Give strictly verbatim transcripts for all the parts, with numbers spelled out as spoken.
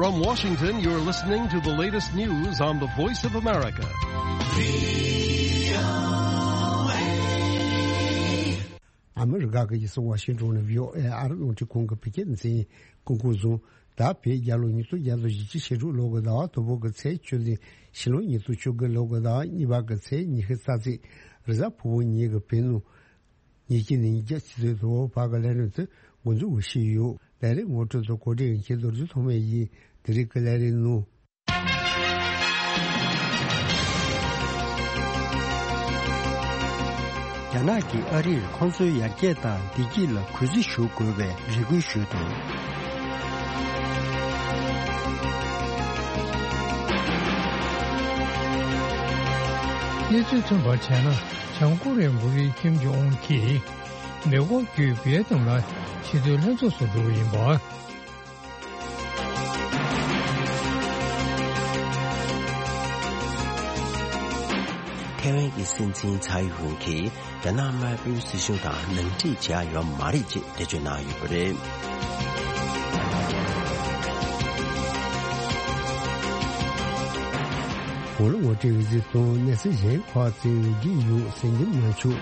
From Washington, you're listening to the latest news on the Voice of America. ཨ་མི་རི་ཀ་གི་རྒྱལ་ས་ཝ་ཤིང་ཏོན་ནས་བྷི་ཨོ་ཨེ་ཨ་རི་རླུང་འཕྲིན་ཁང་གི་བོད་སྐད་སྡེ་ཚན་སྐུ་འཁོར་བཟུང་། ད་བོད་རྒྱལ་ལོ་ཉིས་སྟོང་བརྒྱ་དང་བཞི་བཅུ་ཞེ་དྲུག་ལོ་གི་ཟླ་བ་དང་པོ་གི་ཚེས་བཅུ་ནས་ཕྱི་ལོ་ཉིས་སྟོང་བཅོ་དགུ་ལོ་གི་ཟླ་བ་གཉིས་པ་གི་ཚེས་ཉི་ཤུ་རྩ་གཅིག་རེས་གཟའ་ཕུར་བུ་ཉིན་གྱི་བོད་ནང་ཉིན་གཅིག་ནས་ཉིན་གྱ་ཆུ་ཚོད་དྲུག་བར་གྱི་ལས་རིམ་དེ་འགོ་འཛུགས་ཞུས་ཡོད། ལས་རིམ་ངོ་སྤྲོད་དང་གོ་སྒྲིག་མཁན་རྡོ་རྗེ་ཐོགས་མེད་ཡིན། དེ་རིང་གི་ལས་རིམ་ནང་། རྒྱ་ནག་གིས་ཨ་རིར་ཁོང་ཚོའི་ཡར་རྒྱས་དང་བདེ་སྐྱིད་ལ་གུས་བརྩི་ཞུ་དགོས་པའི་རེ་སྐུལ་ཞུས་འདུག། གནས་ཚུལ་ཐོན་པར་བྱས་ན། བྱང་ཀོ་རི་ཡའི་འགོ་ཁྲིད་ཁིམ་ཇོང་ཨུན་གྱིས་མེ་འཁོར་བརྒྱུད་ཝེ་ཏི་ནམ་ལ་ཆེས་མཐོའི་ལྷན་ཚོགས་སུ་འགྲོ་གི་ཡིན་པ། ཐའེ་ཝན་གྱི་སྲིད་འཛིན་ཚའེ་ཝུན་གྱིས་རྒྱ་ནག་དམར་པོའི་སྲིད་གཞུང་དང་ནང་འཁྲིག་བྱས་ཡོད་མ་རེད་ཅེས་འགྲེལ་བརྗོད་གནང་ཡོད་པ་རེད། གོང་ལ་ངོ་སྤྲོད་འོས་འཛིན་དང་གནས་ཚུལ་གཞན་ཁག་ཅིག་ཡོད་རྒྱུ་ཡོད་གསན་རྒྱུ་མ་བྱུང་།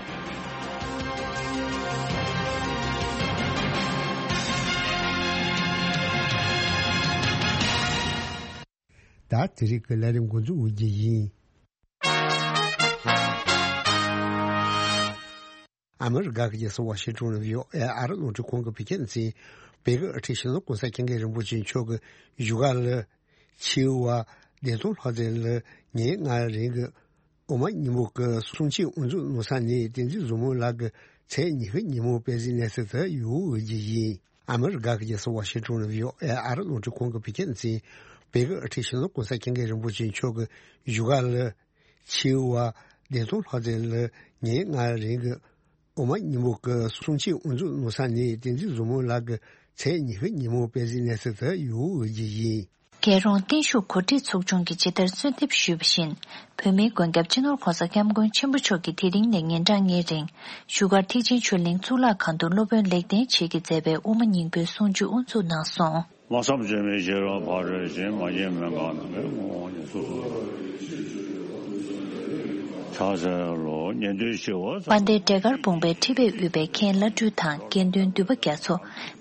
ད་དེ་རིང་གི་ལས་རིམ་འགོ་འཛུགས་འོས་རྒྱུ་ཡིན། ཨ་མི་རི་ཀ་གི་རྒྱལ་ས་ཝ་ཤིང་ཏོན་ནས་བྷི་ཨོ་ཨེ་ཨ་རི་རླུང་འཕྲིན་ཁང་གི་བོད་སྐད་སྡེ་ཚན། བོད་ཀྱི་དབུ་ཁྲིད་སྤྱི་ནོར་གོང་ས་སྐྱབས་མགོན་རིན་པོ་ཆེ་མཆོག་གི་བཞུགས་སྒར་ལ། ཆེས་མཐོའི་བདེ་སྲུང་ལྷ་རྫས་ལ་ཉིན་ལྔའི་རིང་གི་དབུ་མ་རྙིང་པ་གི་གསུང་ཆོས་དབུ་འཛུགས་གནང་ས་ནས་བསྟན་འཛིན་བཟང་མོ་ལགས་ཀྱི་ཚེས་ཉི་ཤུ་ཉིན་མོ་དཔལ་གཟིགས་གནས་ཚུལ་དེ་ཡོང་འོས་ཀྱི་ཡིན། ཨ་མི་རི་ཀ་གི་རྒྱལ་ས་ཝ་ཤིང་ཏོན་ནས་བྷི་ཨོ་ཨེ་ཨ་རི་རླུང་འཕྲིན་ཁང་གི་བོད་སྐད་སྡེ་ཚན། བོད་ཀྱི་དབུ་ཁྲིད་སྤྱི་ནོར་གོང་ས་སྐྱབས་མགོན་རིན་པོ་ཆེ་མཆོག་གི་བཞུགས་སྒར་ལ། ཆེས་མཐོའི་བདེ་སྲུང་ལྷ་རྫས་ལ་ཉིན་ལྔའི་རིང་གི་དབུ་མ་རྙིང་པ་གི་གསུང་ཆོས་དབུ་འཛུགས་གནང་ས་ནས་བསྟན་འཛིན་བཟང་མོ་ལགས་ཀྱི་ཚེས་ཉི་ཤུ་ཉིན་མོ་དཔལ་གཟིགས་གནས་ཚུལ་དེ་ཡོང་འོས་ཀྱི་ཡིན། རྒྱལ་རོང་བརྟན་བཞུགས་གོ་སྒྲིག་ཚོགས་ཆུང་གིས་ཇི་ལྟར་གསོལ་འདེབས་ཞུས་པ་བཞིན། བོད་མིའི་མགོན་སྐྱབས་སྤྱི་ནོར་༸གོང་ས་༸སྐྱབས་མགོན་ཆེན་པོ་མཆོག་གིས་དེ་རིང་ནས་ཉིན་གྲངས་ལྔའི་རིང་། བཞུགས་སྒར་ཐེག་ཆེན་ཆོས་གླིང་གཙུག་ལག་ཁང་དུ་སློབ་དཔོན་ལེགས་ལྡན་འབྱེད་ཀྱིས་མཛད་པའི་དབུ་མ་རྙིང་པའི་གསུང་ཆོས་དབུ་འཛུགས་གནང་སོང་། ལྷག་བསམ་ལྕེ་མེད་ཤེས་རབ་ཕ་རོལ་ཕྱིན། མ་སྐྱེས་མི་འགག་ནམ་མཁའི་དབང་ཕྱུག་སོགས་སུ། ཕྱག་འཚལ་ལོ། ཉན་ཐོས་ཞི་བ་དཔལ་ལྡན་འབྲས་དཀར་བུམ་པའི་ཁྲི་པས་དབུས་པའི་མཁན་བླ་སྤྲུལ་དང་དགེ་འདུན་འདུས་པ་རྒྱ་མཚོ།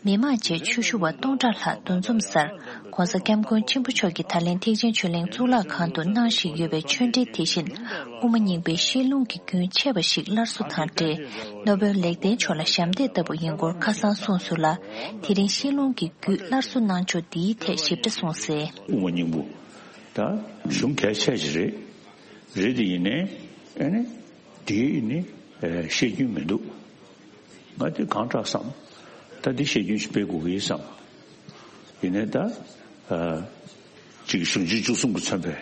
མི་མང་བཅས་ཆོས་ཞུ་བ་སྟོང་ཕྲག་ལྷག་འདུ་འཛོམས་སར། ༸གོང་ས་༸སྐྱབས་མགོན་ཆེན་པོ་མཆོག་གིས་ད་ལན་ཐེག་ཆེན་ཆོས་གླིང་གཙུག་ལག་ཁང་དུ་གནང་བཞིན་ཡོད་པའི་ཆོས་འབྲེལ་དེ་བཞིན། དབུ་མ་རྙིང་པའི་བཤད་ལུང་གི་རྒྱུན་ཆད་པ་ཞིག་སླར་གསོ་དང་འབྲེལ། སློབ་དཔོན་ལེགས་ལྡན་མཆོག་ལ་ཞབས་འདེགས་ལྟ་བུ་ཡིན་སྐོར་ཁ་སང་གསུངས་སོང་ལ། དེ་རིང་བཤད་ལུང་གི་རྒྱུད་སླར་གསོ་གནང་ཕྱོགས་འདིའི་ཐད་ཞིབ་ཕྲ་གསུངས་གསལ། དབུ་མ་རྙིང་པོ་ད་གཞུང་གལ་ཆེ་ཞིག་རེད། རེད་དེ་ཡིན་ནའི་ཨ་ནི་དེའི་ནི་བཤད་རྒྱུན་མི་འདུག། ང་དེ་གང་དྲག་བསམ། ད་འདི་བཤད་རྒྱུན་ཞིག་སྤེལ་དགོས་ཀྱི་ཡིན་བསམ། ཡིན་ནའི་ད་ཅིག་གཞུང་ཆེན་བཅུ་གསུམ་གྱིས་མཚོན་པའི་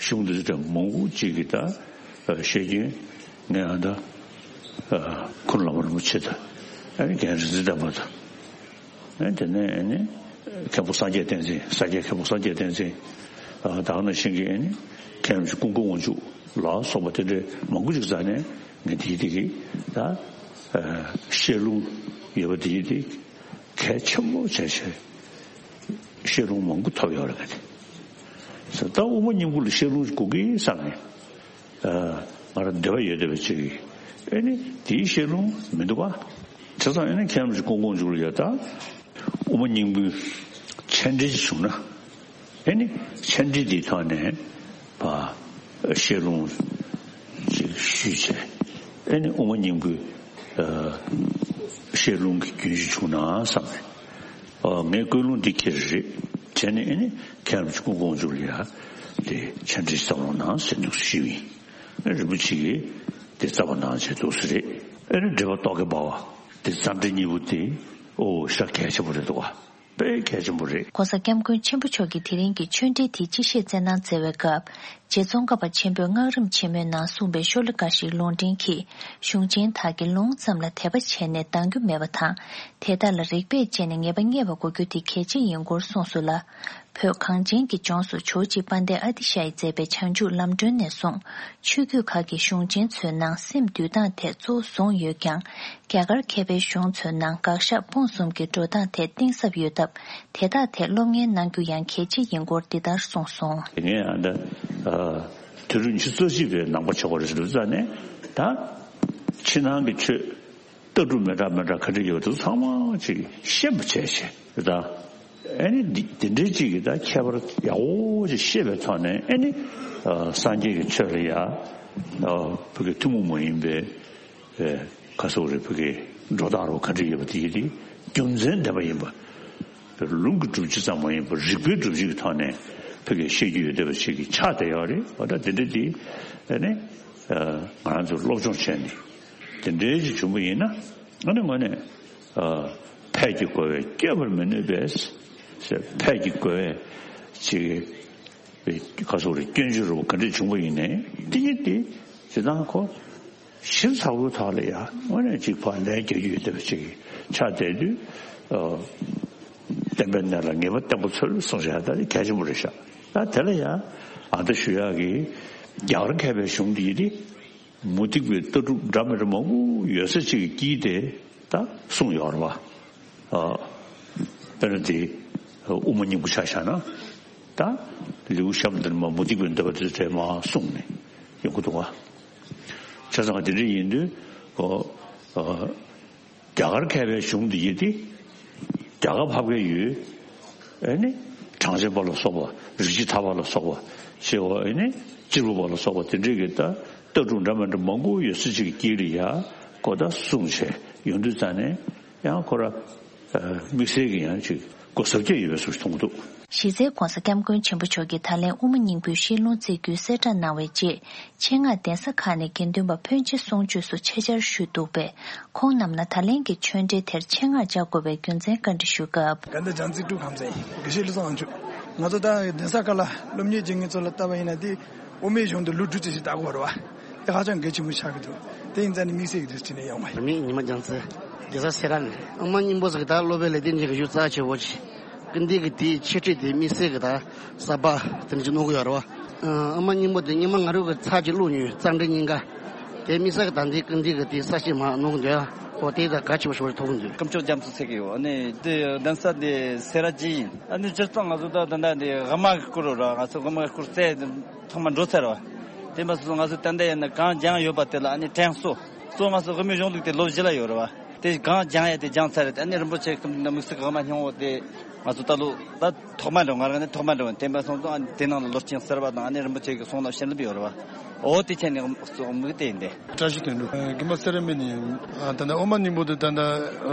གཞུང་འདི་ཚོ་མང་པོ་ཅིག་གིས་ད་བཤད་རྒྱུན་ངས་ཨ་ད་ཁུ་ནུ་བླ་མ་རིན་པོ་ཆེ་དང་ཨ་ནི་རྒན་རིག་འཛིན་ལྡན་པ་དང་། ཨ་དེ་ནས་ཨ་ནི་མཁན་པོ་སངས་རྒྱས་བསྟན་འཛིན། སངས་རྒྱས་མཁན་པོ་སངས་རྒྱས་བསྟན་འཛིན། ཨ་ད་ག་ནང་བཞིན་གྱི་ཨ་ནི་མཁན་རིན་པོ་ཆེ་ཀུན་དགའ་དབང་ཕྱུག་ལ་སོགས་པ་དེ་འདྲའི་མང་པོ་ཅིག་རྩ་ནས་ངས་དེའི་དེ་གི་ད་བཤད་ལུང་ཡོད་པ་དེའི་དེ་གལ་ཆེན་པོ་བྱས་བྱས་བཤད་ལུང་མང་པོ་ཐོབ་ཡོད་རེད། ངས་དེ་ད་དབུ་མ་རྙིང་པོ་ལ་བཤད་ལུང་དགོས་ཀྱི་བསམ་ནས། ང་རང་འདོད་པ་ཡོད་བསྡད་པ་ཅིག་གིས་ཨེ་ནི་དེའི་བཤད་ལུང་མི་འདུག་ག། བྱས་ཙང་ཨེ་ནི་མཁན་རིན་པོ་ཆེ་ཀུན་དགའ་དབང་ཕྱུག་ལ་ཡ་ད་དབུ་མ་རྙིང་པོའི་མཆན་འགྲེལ་ཅིག་བྱུང་ན་ཨེ་ནི་མཆན་འགྲེལ་དེའི་ཐོག་ནས་བ་བཤད་ལུང་ཅིག་ཞུས་བྱས་ཨེ་ནི་དབུ་མ་རྙིང་པོའི་བཤད་ལུང་གི་རྒྱུན་ཞིག་བྱུང་ན་བསམ་ནས་ངས་ཀུན་སློང་འདི་འཁྱེར་རེད་བྱས་ནས་ཨེ་ནི་མཁན་རིན་པོ་ཆེ་ཀུན་དགའ་དབང་ཕྱུག་ལ་ཡ་དེ་མཆན་འགྲེལ་ཅིག་བཏང་རོགས་གནང་ཟེར་འདུག་ཞུས་ཡིན། རིན་པོ་ཆེ་གིས་དེ་རྩ་བ་ནང་བྱས་འདུག་ཟེར་རེད། ཨེ་རེད་འགྲེལ་པ་རྟོག་གེ་འབར་བ་དེ་རྩ་འགྲེལ་གཉིས་པོ་དེ་ཨོ་ཤ་གལ་ཆེན་པོ་རེད་འདུག་ག། དཔེ་གལ་ཆེན་པོ་རེད། ༸གོང་ས་༸སྐྱབས་མགོན་ཆེན་པོ་མཆོག་གིས་དེ་རིང་གི་ཆོས་འབྲེལ་དེ་སྤྱི་བཤད་སྩལ་གནང་མཛད་པའི་སྐབས་རྗེ་ཙོང་ཁ་པ་ཆེན་པོས་སྔགས་རིམ་ཆེན་མོའི་ནང་གསུངས་པའི་ཤོ་ལོ་ཀ་ཞིག་ལུང་འདྲེན་གྱིས་གཞུང་ཆེན་དག་གི་ལུང་ཙམ་ལ་དད་པ་བྱས་ནས་འདང་རྒྱུ་མེད་པ་དང་དེ་དག་ལ་རིགས་པས་དཔྱད་ནས་ངེས་པ་རྙེད་པ་དགོས་རྒྱུ་དེ་གལ་ཆེ་ཡིན་སྐོར་གསུངས་སོང་ལ། བོད་གངས་ཅན་གྱི་ལྗོངས་སུ་ཇོ་བོ་རྗེ་དཔལ་ལྡན་ཨ་ཏི་ཤ་ཡིས་མཛད་པའི་བྱང་ཆུབ་ལམ་སྒྲོན་ནས་བཟུང་ཆོས་བརྒྱུད་ཁག་གི་གཞུང་ཆེན་ཚོའི་ནང་སེམས་འདུལ་སྟངས་ཐད་གཙོ་བོ་བཟུང་ཡོད་ཀྱང་། རྒྱ་གར་མཁས་པའི་གཞུང་ཚོའི་ནང་དགག་བཞག་སྤོང་གསུམ་གྱི་འགྲོ་སྟངས་ཐད་གཏིང་ཟབ་ཡོད་སྟབས། དེ་དག་ཐད་སློབ་གཉེར་གནང་རྒྱུ་ཡང་གལ་ཆེ་ཡིན་སྐོར་འདི་ལྟར་གསུངས་སོང་། དེ་ངས་ཨ་ད་དུས་རབས་ཉི་ཤུ་རྩ་གཅིག་པའི་ནང་པ་ཆགས་པ་རེད་ཟེར་དུས་ཙང་ནས་ད་ཕྱི་ནང་གི་ཆོས། ལྟ་གྲུབ་མི་འདྲ་མི་འདྲ་ག་འདྲ་ཡོད་པ་དེ་ཚང་མ་ཅིག་ཤེས་པ་བྱས་བྱས་ད། ཨ་ནི་འདི་འདི་འདྲའི་ཅིག་གི་ད་ཁྱད་པར་ཡག་པོ་ཅིག་ཤེས་པའི་ཐོག་ནས། ཨ་ནི་ཨ་སངས་རྒྱས་ཀྱི་ཆོས་ལ་ཡ་ཨ་བོད་ཀྱི་ཐུན་མོང་མ་ཡིན་པའི་ཨ་ག་ཟེར་རེད། བོད་ཀྱི་འགྲོ་སྟངས་རོ་ག་འདྲ་ཡོད་པ་དེ་ཡི་དེ་རྒྱུ་མཚན་ལྡན་པ་ཡིན་པ། ལུང་གི་སྒྲུབ་བྱེད་ཙམ་མ་ཡིན་པར་རིགས་པའི་སྒྲུབ་བྱེད་ཀྱི་ཐོག་ནས་བོད་ཀྱི་ཤེས་རྒྱུ་ཡོད་བསྡད་པ་ཞིག་གི་ཆགས་བསྡད་ཡོད་རེད། འོ་ད་དེ་འདྲ་དེ་ཨ་ནི་ང་རང་ཚོས་སློབ་སྦྱོང་བྱས་ནས་དེ་འདྲའི་ཞིག་བྱུང་བ་ཡིན་ན། ཨ་ནི་དངོས་གནས་ཨ་ཕས་ཀྱི་རྒོལ་བས་བསྐྱབ་པར་མི་ནུས་པས་ཟེར། ཕས་ཀྱི་རྒོལ་བས་ཅིག་ག་ཟེར་རེད། སྐྱོན་བརྗོད་རུ་ག་འདྲ་བྱུང་བ་ཡིན་ནའི་དེ་ཡིན་ཏེ་ཇི་ལྟར་ཁོ། ཞིབ་ཚགས་པོའི་ཐོག་ལ་ཡང་དངོས་གནས་གཅིག་ཕར་ལན་རྒྱག་རྒྱུ་ཡོད་བསྡད་པ་ཅིག་ཆགས་བསྡད་དུས། ཨ་བསྟན་པའི་གནས་ལ་ངེས་པ་བརྟན་པོ་འཚོལ་གསུངས་བཞག་ད་གལ་ཆེན་པོ་རེད་ཤག་ད་དེ་ལ་ཡང་ཨ་ད་ཞུ་ཡག་གི་རྒྱ་གར་མཁས་པའི་གཞུང་འདི་ཡིན་ཏེ་མུ་སྟེགས་པའི་ལྟ་གྲུབ་འདྲ་མི་འདྲ་མང་པོ་ཡོད་ས་ཅིག་གི་དཀྱིལ་དེ་ད་གསུངས་ཡོད་རེད་བ། ཨ་དཔེར་ན་དེ་དབུ་མ་སྙིང་པོ་ཆ་བཞག་ན། ད་ལེའུ་གཤམ་དེར་མ་མུ་སྟེགས་པའི་འདོད་པ་དེ་ཚོ་མ་གསུངས་ནས་ཡོང་གི་འདུག་བ། བྱས་ཙང་དེ་འདྲ་ཡིན་དུས་ཨོ་ཨོ་རྒྱ་གར་མཁས་པའི་གཞུང་འདི་ཡིན་ཏེ་རྒྱ་གར་བབས་མཁན་ཡོད། ཨེ་ནི་གྲངས་ཅན་པ་ལ་སོགས་པ། རིགས་བྱེ་བ་ལ་སོགས་པ་ཞེས་པ། ཨེ་ནི་སྤྱིར་བུ་པ་ལ་སོགས་པ་དེ་འདྲའི་གི་ད་ལྟ་གྲུབ་འདྲ་མི་འདྲ་མང་པོ་ཡོད་ས་ཅིག་གི་དཀྱིལ་ལ་ཡ་གོ་ད་གསུངས་བྱས་ཡོང་དུས་ཙང་ནས། ཡང་ཁོ་ར་ཨ་དམིགས་བསལ་གྱི་ཡང་ཅིག་གོ་ཟབ་རྒྱ་ཡོད་པའི་བཟོ་ཞིག་མཐོང་གི་འདུག་གཞི་རྩའི་༸གོང་ས་༸སྐྱབས་མགོན་ཆེན་པོ་མཆོག་གིས་ད་ལན་དབུ་མ་སྙིང་པོའི་བཤད་ལུང་བསྩལ་རྒྱུའི་གསལ་བསྒྲགས་གནང་བའི་རྗེས། ཆེད་མངགས་གདན་ས་ཁག་ནས་དགེ་འདུན་པ་ཕོན་ཆེ་གསུང་ཆོས་སུ་ཆེད་བཅར་ཞུས་འདུག་པས། ཁོང་རྣམས་ལ་ད་ལན་གྱི་ཆོས་འབྲེལ་དེར་ཆེད་མངགས་བཅར་དགོས་པའི་རྒྱུ་མཚན་བཀའ་འདྲི་ཞུ་སྐབས། དགའ་ལྡན་བྱང་རྩེ་ཀྲུའུ་ཁམས་ཚན་དགེ་བཤེས་བློ་བཟང་དབང་ཕྱུག་ང་ཚོ་ད་གདན་ས་ཁག་ལ་སློབ་གཉེར་བྱེད་མཁན་ཚོ་ལ་ལྟ་བ་ཡིན་ན་དེ། དབུ་མའི་གཞུང་དུ་ལོ་དྲུག་ཅུ་ཞིག་ལྟ་དགོས་རེད་བ། དེ་ཧ་ཅང་གལ་ཆེན་པོ་ཆགས་ཀྱི་འདུག་དེ་ཡིན་ཙང་ནི་དམིགས་བསལ་གྱི་དུས་ཚོད་ནས་ཡོང་བ་ཡིན། རིང་མིན་ཉི་མ་རྒྱལ་མཚན། རྒྱལ་ས་སེ་ར་ནས། དབུ་མ་སྙིང་པོ་ཟེར་གི་ད་སློབ་དཔོན་ལེགས་ལྡན་འབྱེད་ཀྱི་ཡུལ་རྩ་ཆེ་བོ་ཆེ། ཀུན་བདེ་གི་དེའི་འཆད་ཁྲིད་དེ་དམིགས་བསལ་གྱི་ད་གསར་པ་དེ་འདྲ་ཅིག་གནང་གི་ཡོད་རེད་བ། དབུ་མ་སྙིང་པོ་དེ་སྔོན་མ་ང་རང་གི་ཚར་གཅིག་བླུགས་མྱོང་། རྩ་འགྲེལ་གཉིས་ཀ། དེ་དམིགས་བསལ་གྱི་ད་འདི་ཀུན་བདེ་གི་དེའི་གསར་བཤད་མར་གནང་གི་འདུག་ཨོ་དེ་ད་གལ་ཆེན་པོ་ཞིག་མཐོང་གི་འདུག་སྐུ་ཞབས་རྒྱ་མཚོ་ཟེར་གི་ཡོད། ཨ་ནི་དེ་གདན་ས་དེ་སེ་ར་བྱེས་ཡིན། ཨ་ནི་སྤྱིར་བཏང་ང་ཚོ་ད་ད་ལྟ་འདི་དབུ་མ་གི་སྐོར་ར་ང་ཚོ་དབུ་མ་གི་སྐོར་རྩལ་ཐོག་མ་འགྲོ་ཚར་བ། དེ་མ་སོང་ང་ཚོ་ད་ལྟ་ཡིན་ན་གང་སྦྱངས་ཡོད་པ་དེ་ལ་ཨ་ནི་དྲན་གསོ། གཙོ་ང་ཚོ་དབུ་མའི་གཞུང་ལུགས་དེ་ལོ་བཞི་ལ་ཡོད་རེད་བ། དེ་གང་སྦྱངས་ཡ་དེ་སྦྱངས་ཚར་རེད། ཨ་ནི་རིན་པོ་ཆེ་གི་དམིགས་བསལ་གྱི་དབུ་མ་སྙིང་པོ་དེ་ང་ཚོ་ད་ལོ་ད་ཐོག་མ་འགྲོ། ང་རང་ནི་ཐོག་མ་འགྲོ་བ་ཡིན། དེ་མ་སོང་ཙང་ཨ་ནི་དེ་ནང་ལ་ལོ་རྒྱུས་གསར་བ་དང་ཨ་ནི་རིན་པོ་ཆེ་གི་གསུང་རབ་བཤད་ལེབ་ཡོད་རེད་བ། འོ་དེ་ཆ་ནས་དམིགས་དེ་ཡིན་ཏེ། བཀྲ་ཤིས་དོན་གྲུབ། རྒན་པ་སེ་ར་སྨད་ནས་ཡིན། ད་ལྟ་དབུ་མ་སྙིང་པོ་དེ་ད་ལྟ་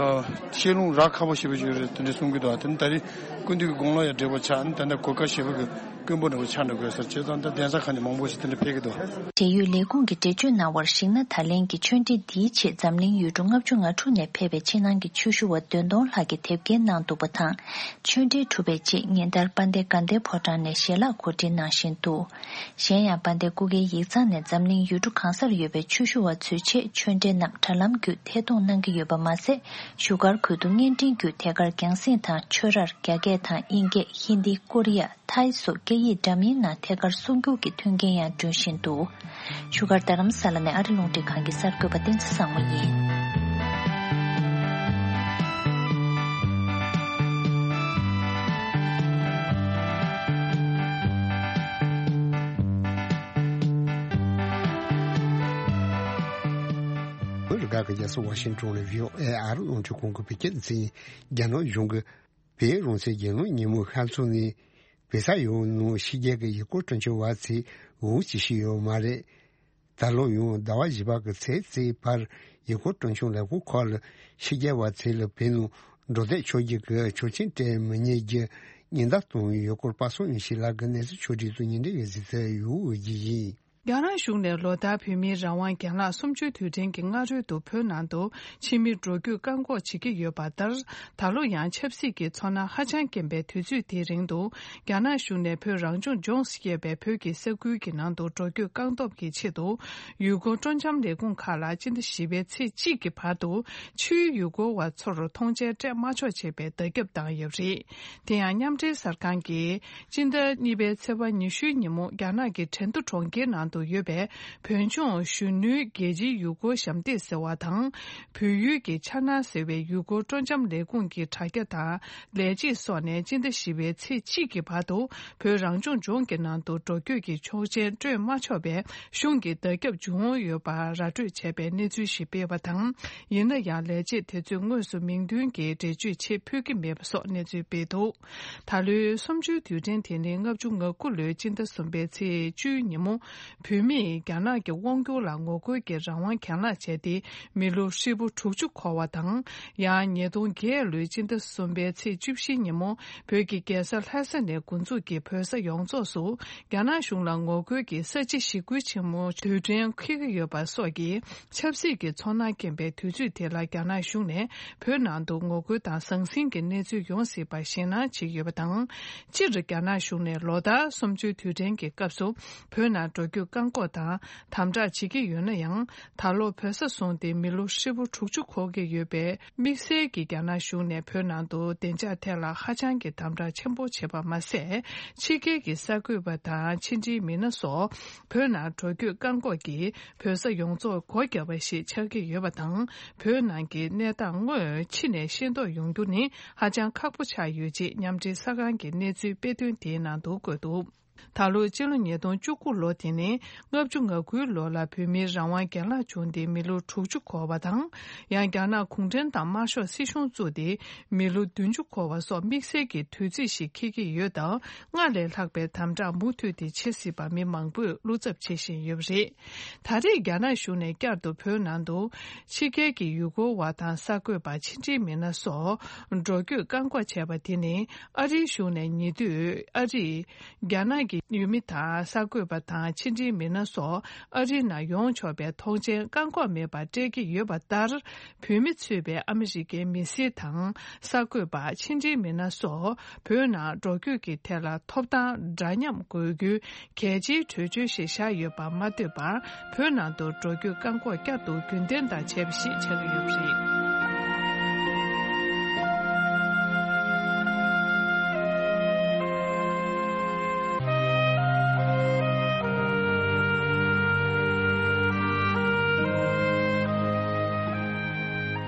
བཤད་ལུང་རག་ཁག་པོ་ཞེ་པོ་ཞིག་རེད་དེ་འདྲ་གསུང་གི་འདུག་དེ་ནི་ད་རེས་ཀུན་བཏུས་ཀྱི་དགུང་ལོ་ཡང་བགྲེས་པོ་ཆགས། ད་ལྟ་གོ་སྐབས་ཞེ་པོ་གི་དཀོན་པོ་འདྲ་པོ་ཆགས་འགྲོ་དགོས་ཟེར། བྱས་ཙང་ད་གདན་ས་ཁག་ནས་མང་པོ་ཞིག་དེ་འདྲ་ཕེབས་ཀྱི་འདུག་འབྲེལ་ཡོད་ལས་ཁུངས་ཀྱིས་འགྲེལ་བརྗོད་གནང་བར་གཞིགས་ན། ད་ལན་གྱི་ཆོས་འབྲེལ་འདིའི་ཆེད་འཛམ་གླིང་ཡུལ་གྲུ་ལྔ་བཅུ་ང་དྲུག་ནས་ཕེབས་པའི་ཕྱི་ནང་གི་ཆོས་ཞུ་བ་བདུན་སྟོང་ལྷག་གིས་དེབ་སྐྱེལ་གནང་འདུག་པ་དང་། ཆོས་འབྲེལ་གྲུབ་པའི་རྗེས་ཉིན་ལྟར་དཔལ་ལྡན་དགའ་ལྡན་ཕོ་བྲང་ནས་ཞལ་ལག་གོ་སྒྲིག་གནང་བཞིན་འདུག་གཞན་ཡང་དཔལ་ལྡན་སྐུ་སྒེར་ཡིག་ཚང་ནས་འཛམ་གླིང་ཡུལ་གྲུ་གང་སར་ཡོད་པའི་ཆོས་ཞུ་བ་ཚོའི་ཆེད་ཆོས་འབྲེལ་རྣམས་དྲ་ལམ་བརྒྱུད་ཐད་གཏོང་གནང་གི་ཡོད་པ་མ་ཟད། བཞུགས་སྒར་ཁུལ་དུ་བརྙན་འཕྲིན་བརྒྱུད་ཐད་ཀར་རྒྱང་སྲིང་དང་ཆོས་རར་རྒྱ་སྐད་དང་དབྱིན་སྐད། ཧིན་དི། ཀོ་རི་ཡ། ཐའི་སོགས་སྐད་ཡིག་འདྲ་མིན་ནང་ཐད་ཀར་གསུང་སྒྱུར་གྱི་མཐུན་རྐྱེན་ཡང་བསྐྲུན་བཞིན་འདུག་བཞུགས་སྒར་རྡ་རམ་ས་ལ་ནས་ཨ་རི་རླུང་འཕྲིན་ཁང་གི་གསར་འགོད་པ་བསྟན་འཛིན་བཟང་མོ་ཡིན། བོད་རིགས་ཁག་གི་རྒྱལ་ས་ཝ་ཤིང་ཊོན་ལ་བྷི་ཨོ་ཨེ་ཨ་རི་རླུང་འཕྲིན་ཁང་གི་བོད་སྐད་སྡེ་ཚན་ཡིན། རྒྱ་ནག་གཞུང་གིས་བོད་རང་བཙན་རྒྱལ་ཡོངས་ཉིན་མོ་ཤར་ཚོགས་ནས་བོད་ས་ཡོངས་ནང་ཕྱི་རྒྱལ་གྱི་ཡུལ་སྐོར་སྤྲོ་འཆམ་བ་ཚོས་འོང་ཅི་ཞིག་ཡོད་མ་རེད། ད་ལོ་ཡང་ཟླ་བ་བཞི་པ་གི་ཚེས་གཅིག་བར་ཡུལ་སྐོར་སྤྲོ་འཆམ་ལས་ཁུངས་ཁག་ལ་ཕྱི་རྒྱལ་བ་ཚོ་ལ་བོད་ནང་འགྲོ་སྡོད་ཆོག་རྒྱུ་གི་ཆོག་མཆན་སྤྲད་མི་ཉན་རྒྱུ་ཉེན་བརྡ་བཏང་ཡོད་སྐོར་པ་སངས་ཡོན་ཤེས་ལགས་ཀྱིས་གནས་ཚུལ་ཕྱོགས་སྒྲིག་དང་ཉིན་རེ་བའི་གཟིགས་ཚུལ་ཡོད་འོས་ཀྱི་ཡིན། རྒྱ་ནག་གཞུང་ནས་ལོ་ལྟར་བོད་མིའི་རང་དབང་རྒན་ལགས་གསུམ་བཅུའི་དུས་དྲན་གྱི་སྔ་རོལ་དུ་བོད་ནང་དུ་ཕྱི་མི་འགྲོ་སྐྱོད་བཀག་འགོག་བྱེད་ཀྱི་ཡོད་པ་ལྟར། ད་ལོ་ཡང་ཆབ་སྲིད་ཀྱི་ཚོར་སྣང་ཧ་ཅང་སྐྱེན་པའི་དུས་ཚོད་དེའི་རིང་དུ། རྒྱ་ནག་གཞུང་ནས་བོད་རང་སྐྱོང་ལྗོངས་ཞེས་པའི་བོད་ཀྱི་ས་ཁུལ་གྱི་ནང་དུ་འགྲོ་སྐྱོད་བཀག་སྡོམ་གྱི་ཆེད་དུ། ཡུལ་སྐོར་སྤྲོ་འཆམ་ལས་ཁུངས་ཁག་ལ་སྤྱི་ཟླ་བཞི་པའི་ཚེས་གཅིག་གི་བར་དུ། ཕྱིའི་ཡུལ་སྐོར་བ་ཚོར་མཐོང་མཆན་སྤྲད་མ་ཆོག་ཅེས་པའི་བརྡ་ཁྱབ་བཏང་ཡོད་པ་རེད། དེ་ཡང་མཉམ་འབྲེལ་གསར་ཁང་གིས། སྤྱི་ཟླ་གཉིས་པའི་ཚེས་པ་ཉི་ཤུའི་ཉིན་མོ། རྒྱ་ནག་གི་ཁྲེང་ཏུ་གྲོང་ཁྱེར་ནང་དུ་ཡོད་པའི་བོད་ལྗོངས་གཞོན་ནུའི་རྒྱལ་སྤྱིའི་ཡུལ་སྐོར་ཞབས་འདེགས་ཟེར་བ་དང་། བོད་ཡུལ་གྱི་འཆར་སྣང་ཟེར་བའི་ཡུལ་སྐོར་སྤྲོ་འཆམ་ལས་ཁུངས་ཀྱི་དྲ་རྒྱ་དང་ལས་བྱེད་སོགས་ནས་སྤྱི་ཟླ་བཞི་པའི་ཚེས་གཅིག་གི་བར་དུ་བོད་རང་སྐྱོང་ལྗོངས་ཀྱི་ནང་དུ་འགྲོ་སྐྱོད་ཀྱི་ཆོག་མཆན་སྤྲོད་མ་ཆོག་པའི་གཞུང་གི་བརྡ་ཁྱབ་བྱུང་ཡོད་པ་ར་སྤྲོད་བྱས་པའི་གནས་ཚུལ་ཞིག་སྤེལ་བ་དང་། ཡིན་ན་ཡང་ལས་བྱེད་དེ་ཚོས་དངོས་སུ་མིང་འདོན་གྱིས་འགྲེལ་བརྗོད་ཆེད་ཕུལ་གྱི་མེད་པ་སོགས་གནས་ཚུལ་སྤེལ་འདུག་ད་ལོའི་གསུམ་བཅུའི་དུས་དྲན་དེ་ནི་ལྔ་བཅུ་ང་དགུ་ལོའི་སྤྱི་ཟླ་གསུམ་པའི་ཚེས་བཅུའི་ཉིན་མོ། བོད་མིས་རྒྱ་ནག་གི་དབང་བསྒྱུར་ལ་ངོ་རྒོལ་གྱི་རང་དབང་གྱེན་ལངས་བྱས་ཏེ། མི་ལོ་ཧྲིལ་པོ་དྲུག་ཅུ་འཁོར་བ་དང་། ཡང་ཉིས་སྟོང་བརྒྱད་ལོའི་སྤྱི་ཟླ་གསུམ་པའི་ཚེས་བཅུ་བཞི་ཉིན་མོ། བོད་ཀྱི་རྒྱལ་ས་ལྷ་ས་ནས་འགོ་འཛུགས་ཀྱིས་བོད་ས་ཡོངས་རྫོགས་སུ། རྒྱ་ནག་གཞུང་ལ་ངོ་རྒོལ་གྱི་ས་བྱི་ཞི་རྒོལ་ཆེན་མོ་དུས་དྲན་འཁེལ་གྱི་ཡོད་པ་སོགས་ཀྱི་ཆབ་སྲིད་ཀྱི་ཚོར་སྣང་སྐྱེན་པའི་དུས་ཚོད་དེ་ལ་རྒྱ་ནག་གཞུང་ནས་བོད་ནང་དུ་ངོ་རྒོལ་དང་ཟང་ཟིང་གི་གནས་ཚུལ་ཡོང་སྲིད་པར་ཞེད་སྣང་བྱེད་ཀྱི་ཡོད་པ་དང་། སྤྱིར་རྒྱ་ནག་གཞུང་ནས་ལོ་ལྟར་གསུམ་བཅུའི་དུས་དྲན་གྱི་སྐབས་སུ་བོད་ནང་འགྲོ་སྐྱོད་བཀག་འགོག་དང་དམ་དྲག་བྱེད་ཀྱི་ཡོད་ན་ཡང་། ད་ལོ་བོད་ས་བཟུང་སྟེ་མི་ལོ་ཧྲིལ་པོ་དྲུག་ཅུ་འཁོར་གྱི་ཡོད་པའི་དམིགས་བསལ་གྱི་རྒྱ་ནག་གཞུང་ནས་བོད་ནང་དུ་བདེ་འཇགས་ཐད་ལ་ཧ་ཅང་གི་དམ་དྲག་ཆེན་པོ་བྱེད་པ་མ་ཟད། ཕྱི་རྒྱལ་གྱི་གསར་འགོད་པ་དང་ཕྱི་འབྲེལ་མི་སྣ་སོགས་བོད་ནང་འགྲོ་སྐྱོད་བཀག་འགོག་གིས་བོད་ས་ཡོངས་རྫོགས་སྒོ་བརྒྱབ་པ་ཞིག་ཆགས་ཀྱི་ཡོད་པ་དང་། བོད་ནང་གི་གནས་སྟངས་དངོས་ཕྱི་ནས་ཤེས་རྟོགས་ཡོང་རྒྱུ་ནི་ཧ་ཅང་ཁག་པོ་ཆགས་ཡོད་ཅེས་མཉམ་འབྲེལ་གསར་ཁང་གི་གནས་ཚུལ་སྤེལ་དོན་དེའི་ནང་དུ་བཀོད་འདུག་ད་ལོའི་སྤྱི་ལོ་ཉིས་སྟོང་བཅུ་དགུ་ལོ་དེ་ནི་ལྔ་བཅུ་ང་དགུའི་ལོ་ལ་བོད་མིའི་རང་དབང་རྒན་ལགས་བྱུང་སྟེ་མི་ལོ་དྲུག་ཅུ་འཁོར་བ་དང་། ཡང་རྒྱ་ནག་གུང་ཁྲན་ཏང་དམར་ཤོག་སྲིད་གཞུང་བཙུགས་ཏེ་མི་ལོ་བདུན་ཅུ་འཁོར་བ་སོགས་དམིགས་བསལ་གྱི་དུས་ཚིགས་ཤིག་འཁེལ་གྱི་ཡོད་སྟབས། སྔར་ལས་ལྷག་པའི་དམ་དྲག་མུ་མཐུད་དེ་བྱེད་སྲིད་པ་མི་མང་པོས་བློ་འཚབ་བྱེད་བཞིན་ཡོད་པ་རེད། ད་རེས་རྒྱ་ནག་གཞུང་ནས་བསྐྱར་དུ་བོད་ནང་དུ་ཕྱི་རྒྱལ་གྱི་ཡུལ་སྐོར་བ་དང་གསར་འགོད་པ་ཕྱི་འབྲེལ་མི་སྣ་སོགས་འགྲོ་སྐྱོད་བཀག་འགོག་བྱས་པ་དེ་ནི་ཨ་རིའི་གཞུང་ནས་ཉེ་དུས་ཨ་རིས། རྒྱ་ནག་གི་ཡུལ་མི་དང་གསར་འགོད་པ་དང་ཕྱི་འབྲེལ་མི་སྣ་སོགས་ཨ་རིའི་ནང་ཡོང་ཆོག་པའི་ཐོངས་མཆན་བཀག་འགོག་མེད་པར་སྤྲད་ཀྱི་ཡོད་པ་ལྟར། བོད་མི་གཙོས་པའི་ཨ་མི་རི་ཀའི་མི་སེར་དང་གསར་འགོད་པ་ཕྱི་འབྲེལ་མི་སྣ་སོགས་བོད་ནང་འགྲོ་སྐྱོད་ཀྱི་ཐད་ལ་ཐོབ་ཐང་འདྲ་མཉམ་དགོས་རྒྱུའི་གལ་ཆེའི་གྲོས་ཆོད་ཞིག་བཞག་ཡོད་པ་མ་ལྟོས་པར། བོད་ནང་དུ་འགྲོ་སྐྱོད་བཀག་འགོག་བསྐྱར་དུ་རྒྱུན་ལྡན་དང་བྱས་པ་ཞིག་ཆགས་ཀྱི་ཡོད་པ་རེད།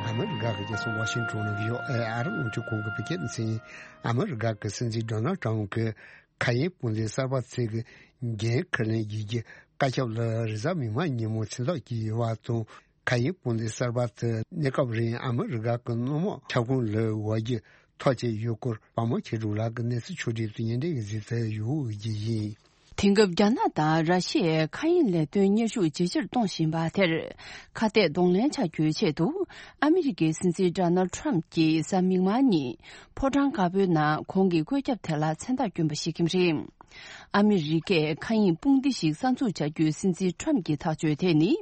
ཨ་མི་རི་ཀ་གི་རྒྱལ་ས་ཝ་ཤིང་ཊོན་ནས་བྷི་ཨོ་ཨེ་ཨ་རི་རླུང་འཕྲིན་ཁང་གིས་བོད་སྐད་སྡེ་ཚན། ཨ་མི་རི་ཀ་གི་སྲིད་འཛིན་ཌོ་ནལ་ཊམ་གྱི་མཁའ་དབྱིངས་དཔུང་སྡེ་གསར་པ་ཚོས་ཀྱི་འགན་འཁུར་ལེན་བྱེད་རྒྱུའི་བཀའ་ཁྱབ་ལ་རེས་གཟའ་མིག་དམར་ཉིན་མོ་མཚན་རྟགས་བསྐྱོན་ཡོད་པ་དང་། མཁའ་དབྱིངས་དཔུང་སྡེ་གསར་པ་དེ་གནས་སྐབས་རིང་ཨ་མི་རི་ཀ་གི་སྣུམ་འོག་ཁྱབ་ཁོངས་ལ་འོག་རྒྱུ་ཐག་བཅད་ཡོད་སྐོར་དཔའ་མོ་ཆོས་སྒྲོན་ལགས་ཀྱིས་གནས་ཚུལ་ཕྱོགས་བསྒྲིགས་སུ་སྙན་སྒྲོན་གྱིས་གཟིགས་གསལ་ཞུ་རྒྱུ་ཡིན། དེང་སྐབས་རྒྱ་ནག་དང་ར་ཤི་ཡའི་མཁའ་དབྱིངས་ལས་དོན་གཉེར་ཤུགས་ཇེ་ཆེར་གཏོང་བཞིན་པ་དེར་ཁ་གཏད་གདོང་ལེན་བྱ་རྒྱུའི་ཆེད་དུ། ཨ་མི་རི་ཀའི་སྲིད་འཛིན་ཌོ་ནལ་ཊམ་གྱིས་གཟའ་མིག་དམར་ཉིན་ཕོ་བྲང་དཀར་པོའི་ནང་ཁོང་གི་བཀོད་ཁྱབ་དེ་ལ་མཚན་རྟགས་བསྐྱོན་པ་ཞིག་ཡིན་པ་རེད། ཨ་མི་རི་ཀས་མཁའ་དབྱིངས་དཔུང་སྡེ་ཞིག་གསར་འཛུགས་བྱ་རྒྱུའི་སྲིད་འཛིན་ཊམ་གྱི་ཐག་གཅོད་དེ་ནི།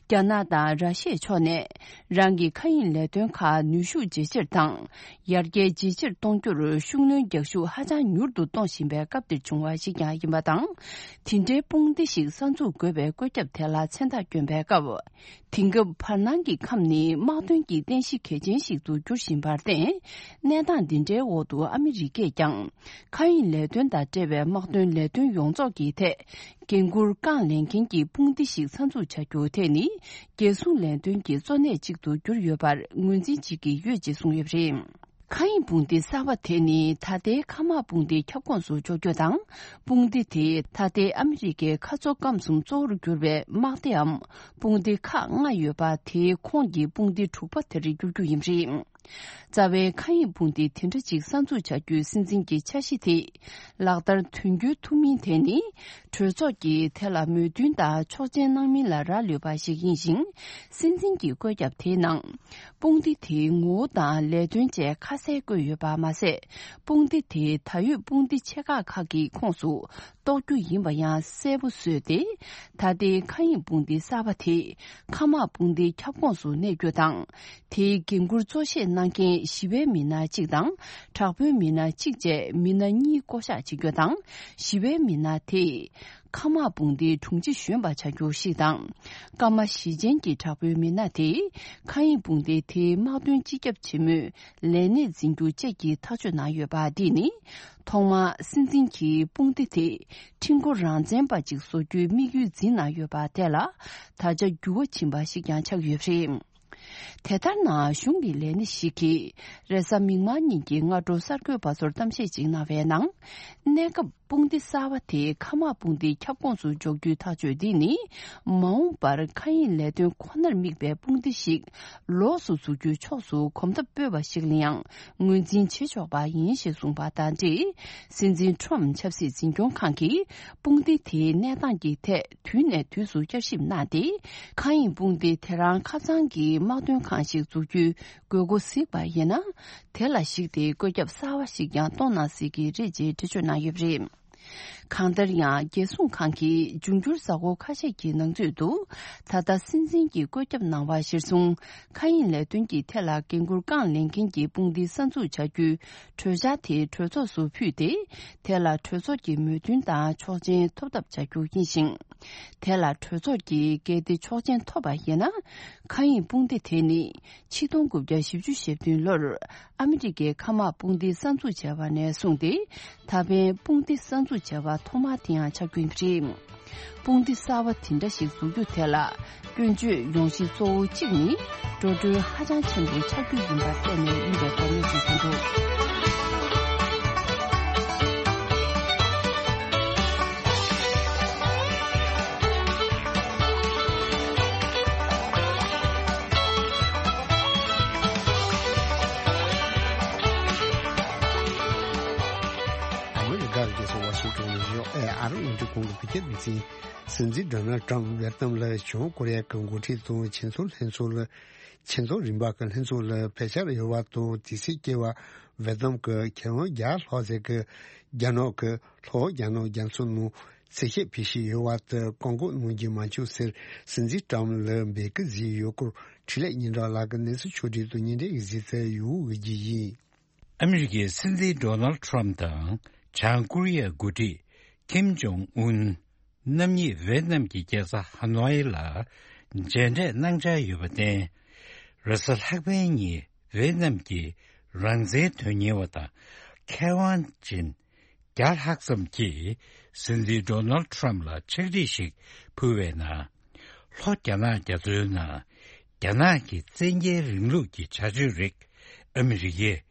རྒྱ་ནག་དང་ར་ཤི་ཡའི་ཕྱོགས་ནས་རང་གི་མཁའ་དབྱིངས་ལས་དོན་ཁག་ནུས་ཤུགས་ཇེ་ཆེར་དང་། ཡར་རྒྱས་ཇེ་ཆེར་གཏོང་རྒྱུར་ཤུགས་སྣོན་རྒྱག་ཤུགས་ཧ་ཅང་མྱུར་དུ་གཏོང་བཞིན་པའི་སྐབས་འདིར་བྱུང་བ་ཞིག་ཀྱང་ཡིན་པ་དང་། དེ་འདྲའི་དཔུང་སྡེ་ཞིག་གསར་འཛུགས་དགོས་པའི་བཀོད་ཁྱབ་དེ་ལ་མཚན་རྟགས་བསྐྱོན་པའི་སྐབས། དེང་སྐབས་བར་སྣང་གི་ཁམས་ནི་དམག་དོན་གྱི་རྟེན་གཞི་གལ་ཆེན་ཞིག་ཏུ་འགྱུར་བཞིན་པར་བརྟེན། གནས་སྟངས་འདི་འདྲའི་འོག་ཏུ་ཨ་མི་རི་ཀས་ཀྱང་། མཁའ་དབྱིངས་ལས་དོན་དང་འབྲེལ་བའི་དམག་དོན་ལས་དོན་ཡོངས་རྫོགས་ཀྱི་ཐད། འགན་འཁུར་རྐང་ལེན་མཁན་གྱི་དཔུང་སྡེ་ཞིག་གསར་འཛུགས་བྱ་རྒྱུ་དེ་ནི། རྒྱལ་སྲུང་ལས་དོན་གྱི་གཙོ་གནད་ཅིག་ཏུ་གྱུར་ཡོད་པར་ངོས་འཛིན་བྱེད་ཀྱི་ཡོད་ཅེས་གསུངས་ཡོད་པ་རེད། མཁའ་དབྱིངས་དཔུང་སྡེ་གསར་པ་དེ་ནི་ད་ལྟའི་མཁའ་དམག་དཔུང་སྡེའི་ཁྱབ་ཁོངས་སུ་འཇོག་རྒྱུ་དང་། དཔུང་སྡེ་དེས་ད་ལྟའི་ཨ་མི་རི་ཀའི་མཁའ་མཚོ་སྐམ་གསུམ་གཙོ་བོར་གྱུར་པའི་དམག་སྡེའམ་དཔུང་སྡེ་ཁག་ལྔ་ཡོད་པ་དེའི་ཁོངས་ཀྱི་དཔུང་སྡེ་དྲུག་པ་དེར་འགྱུར་རྒྱུ་ཡིན་པ་རེད། རྩ་བའི་མཁའ་དབྱིངས་དཔུང་སྡེ་དེ་འདྲ་ཅིག་གསར་འཛུགས་བྱ་རྒྱུའི་སྲིད་འཛིན་གྱི་འཆར་གཞི་དེ་ལག་བསྟར་དོན་འཁྱོལ་ཐུབ་མིན་དེ་ནི། གྲོས་ཚོགས་ཀྱིས་དེ་ལ་མོས་མཐུན་དང་ཆོག་མཆན་གནང་མིན་ལ་རག་ལུས་པ་ཞིག་ཡིན་ཞིང་། སྲིད་འཛིན་གྱི་བཀོད་ཁྱབ་དེའི་ནང་། དཔུང་སྡེ་དེའི་ངོ་བོ་དང་ལས་དོན་བཅས་ཁ་གསལ་བཀོད་ཡོད་པ་མ་ཟད། དཔུང་སྡེ་དེའི་ད་ཡོད་དཔུང་སྡེ་ཆེ་ཁག་ཁག་གི་ཁོངས་སུ་གཏོགས་རྒྱུ་ཡིན་པ་ཡང་གསལ་པོ་བཟོས་ཏེ། ད་ལྟའི་མཁའ་དབྱིངས་དཔུང་སྡེ་གསར་པ་དེ་མཁའ་དམག་དཔུང་སྡེའི་ཁྱབ་ཁོངས་སུ་གནས་རྒྱུ་དང་། དེའི་འགན་འཁུར་གཙོ་བཞེས་གནང་མཁན་ཞི་བའི་མི་སྣ་གཅིག་དང་། དྲག་པོའི་མི་སྣ་གཅིག་བཅས་མི་སྣ་གཉིས་བསྐོ་གཞག་བྱེད་རྒྱུ་དང་། ཞི་བའི་མི་སྣ་དེས་མཁའ་དམག་དཔུང་སྡེའི་དྲུང་ཆེ་གཞོན་པ་བྱ་རྒྱུ་ཞིག་དང་། སྐར་མ་བཞི་ཅན་གྱི་དྲག་པོའི་མི་སྣ་དེས་མཁའ་དབྱིངས་དཔུང་སྡེའི་དེའི་དམག་དོན་སྤྱི་ཁྱབ་ཆེན་མོའི་ལས་གནས་འཛིན་རྒྱུ་བཅས་ཀྱི་ཐག་གཅོད་གནང་ཡོད་པ། འདི་ནི་ཐོག་མར་སྲིད་འཛིན་གྱིས་དཔུང་སྡེ་དེ་ཁྲིམས་འགོ་རང་བཙན་པ་ཅིག་བཟོ་རྒྱུའི་དམིགས་ཡུལ་འཛིན་གནང་ཡོད་པ་དེ་ལ་ད་ཆ་འགྱུར་བ་ཕྱིན་པ་ཞིག་ཀྱང་ཆགས་ཡོད་པ་རེད། དེ་ལྟར་ན། གཞུང་གི་ལས་སྣེ་ཞིག་གིས་རེས་གཟའ་མིག་དམར་ཉིན་གྱི་སྔ་དྲོ་གསར་འགོད་པ་ཚོར་གཏམ་བཤད་ཅིག་གནང་བའི་ནང་། གནས་སྐབས་དཔུང་སྡེ་གསར་པ་དེ་མཁའ་དམག་དཔུང་སྡེའི་ཁྱབ་ཁོངས་སུ་འཇོག་རྒྱུའི་ཐག་གཅོད་འདི་ནི། མ་འོངས་པར་མཁའ་དབྱིངས་ལས་དོན་ཁོ་ནར་དམིགས་པའི་དཔུང་སྡེ་ཞིག་ལོགས་སུ་འཛུགས་རྒྱུའི་ཕྱོགས་སུ་གོམ་སྟབས་སྤོས་པ་ཞིག་ལ་ཡང་ངོས་འཛིན་བྱེད་ཆོག་པ་ཡིན་ཞེས་གསུངས་པ་དང་འབྲེལ། སྲིད་འཛིན་ཁྲོམ་ཆབ་སྲིད་འཛིན་སྐྱོང་ཁང་གིས་དཔུང་སྡེ་དེའི་གནས་སྟངས་ཀྱི་ཐད། དུས་ནས་དུས་སུ་བསྐྱར་ཞིབ་གནང་སྟེ། མཁའ་དབྱིངས་དཔུང་སྡེ་དེ་རང་ཁ་ཚང་གི་དམག་དོན་ཁང་ཞིག་འཛུགས་རྒྱུའི་དགོས་མཁོ་གཟིགས་པ་ཡིན་ན། དེ་ལ་གཞིགས་ཏེ་བཀོད་ཁྱབ་གསར་བ་ཞིག་ཀྱང་གཏོང་གནང་སྲིད་ཀྱི་རེད་ཅེས་འགྲེལ་བརྗོད་གནང་ཡོད་པ་རེད། གང་ལྟར་ཡང་། རྒྱལ་སྲུང་ཁང་གིས་འབྱུང་འགྱུར་གཟའ་འཁོར་ཁ་ཤས་ཀྱི་ནང་ཚུད་དུ། ད་ལྟ་སྲིད་འཛིན་གྱིས་བཀོད་ཁྱབ་གནང་བ་གཞིར་བཟུང་། མཁའ་དབྱིངས་ལས་དོན་གྱི་ཐད་ལ་འགན་འཁུར་རྐང་ལེན་མཁན་གྱི་དཔུང་སྡེ་གསར་འཛུགས་བྱ་རྒྱུའི་གྲོས་འཆར་དེ་གྲོས་ཚོགས་སུ་ཕུལ་ཏེ། དེ་ལ་གྲོས་ཚོགས་ཀྱི་མོས་མཐུན་དང་ཆོག་མཆན་ཐོབ་ཐབས་བྱ་རྒྱུ་ཡིན་ཞིང་། དེ་ལ་གྲོས་ཚོགས་ཀྱིས་གལ་ཏེ་ཆོག་མཆན་ཐོབ་པ་ཡིན་ན། མཁའ་དབྱིངས་དཔུང་སྡེ་དེ་ནི་ཆིག་སྟོང་དགུ་བརྒྱ་བཞི་བཅུ་ཞེ་བདུན་ལོར་ཨ་མི་རི་ཀའི་མཁའ་དམག་དཔུང་སྡེ་གསར་འཛུགས་བྱས་པ་ནས་བཟུང་སྟེ། ད་ཕན་དཔུང་སྡེ་གསར་འཛུགས་བྱས་པ་ཐོག་མ་དེ་ཡང་ཆགས་ཀྱི་ཡོད་པ་རེད། དཔུང་སྡེ་གསར་བ་དེ་འདྲ་ཞིག་འཛུགས་རྒྱུ་དེ་ལ་སྐྱོན་བརྗོད་ཡོང་གཞི་གཙོ་བོ་གཅིག་ནི། འགྲོ་གྲོན་ཧ་ཅང་ཆེན་པོ་ཆགས་རྒྱུ་ཡིན་པར་བརྟེན་ནས་ཡིན་པའི་སྐོར་གནས་ཚུལ་ཐོན་འདུག་ཨ་མི་རི་ཀར་རྒྱལ་ས་ཝ་ཤིང་ཊོན་ནས་ཨེ་ཨར་ཨུ་འདྲི་ཁོང་གི་བོད་སྐད་སྡེ་ཚན། སྲིད་འཛིན་ཌོ་ནལ་ཊམ་ཝེ་ཏི་ནམ་ལ་བྱང་ཀོ་རི་ཡ་གི་འགོ་ཁྲིད་དང་ཆེད་འཛོམས་ལྷན་ཚོགས་ལ། ཆེད་འཛོམས་རིམ་པ་གི་ལྷན་ཚོགས་ལ་ཕེབས་འཆར་ཡོད་པ་དང་། དེ་སྲིད་སྐྱེས་པ་ཝེ་ཏི་ནམ་གི་མཁས་དབང་བརྒྱ་ལྷག་ཙམ་གྱིས་རྒྱ་ནག་གི་ལྷོ་རྒྱ་ནག་རྒྱ་མཚོ་ནང་འཚོལ་བཤེར་ཕུལ་བཞིན་ཡོད་པ་དེ་བཀག་འགོག་གནང་རྒྱུ་མ་བྱུང་ཟེར་སྲིད་འཛིན་ཊམ་ལ་འབོད་སྐུལ་བཟོས་ཡོད་སྐོར་འཕྲིན་ལས་སྙན་གྲགས་ལགས་ཀྱིས་གནས་ཚུལ་ཕྱོགས་སྒྲིག་དང་སྙན་སྒྲོན་ཞིག་བཟོས་ཚར་ཡོད་པ་ཞིག་ཡིན། ཨ་མི་རི་ཀའི་སྲིད་འཛིན་ཌོ་ནལ་ཊམ་དང་བྱང་ཀོ་རི་ཡའི་འགོ་ཁྲིད་ཀིམ་ཇོང་ཨུན། རྣམ་གཉིས་ཝེ་ཏི་ནམ་གྱི་རྒྱལ་ས་ཧ་ནོའི་ལ་མཇལ་འཕྲད་གནང་འཆར་ཡོད་པར་བརྟེན། རེས་གཟའ་ལྷག་པའི་ཉིན་ཝེ་ཏི་ནམ་གྱི་རང་བཙན་དོན་གཉེར་བ་དང་མཁས་དབང་ཅན་བརྒྱ་ལྷག་ཙམ་གྱིས་སྲིད་འཛིན་ཌོ་ནལ་ཊམ་ལ་ཕྱག་བྲིས་ཤིག་ཕུལ་བའི་ནང་། ལྷོ་རྒྱ་ནག་རྒྱ་མཚོའི་ནང་རྒྱ་ནག་གི་བཙན་རྒྱལ་རིང་ལུགས་ཀྱི་བྱ་སྤྱོད་རིགས་ཨ་མི་རི་ཀས་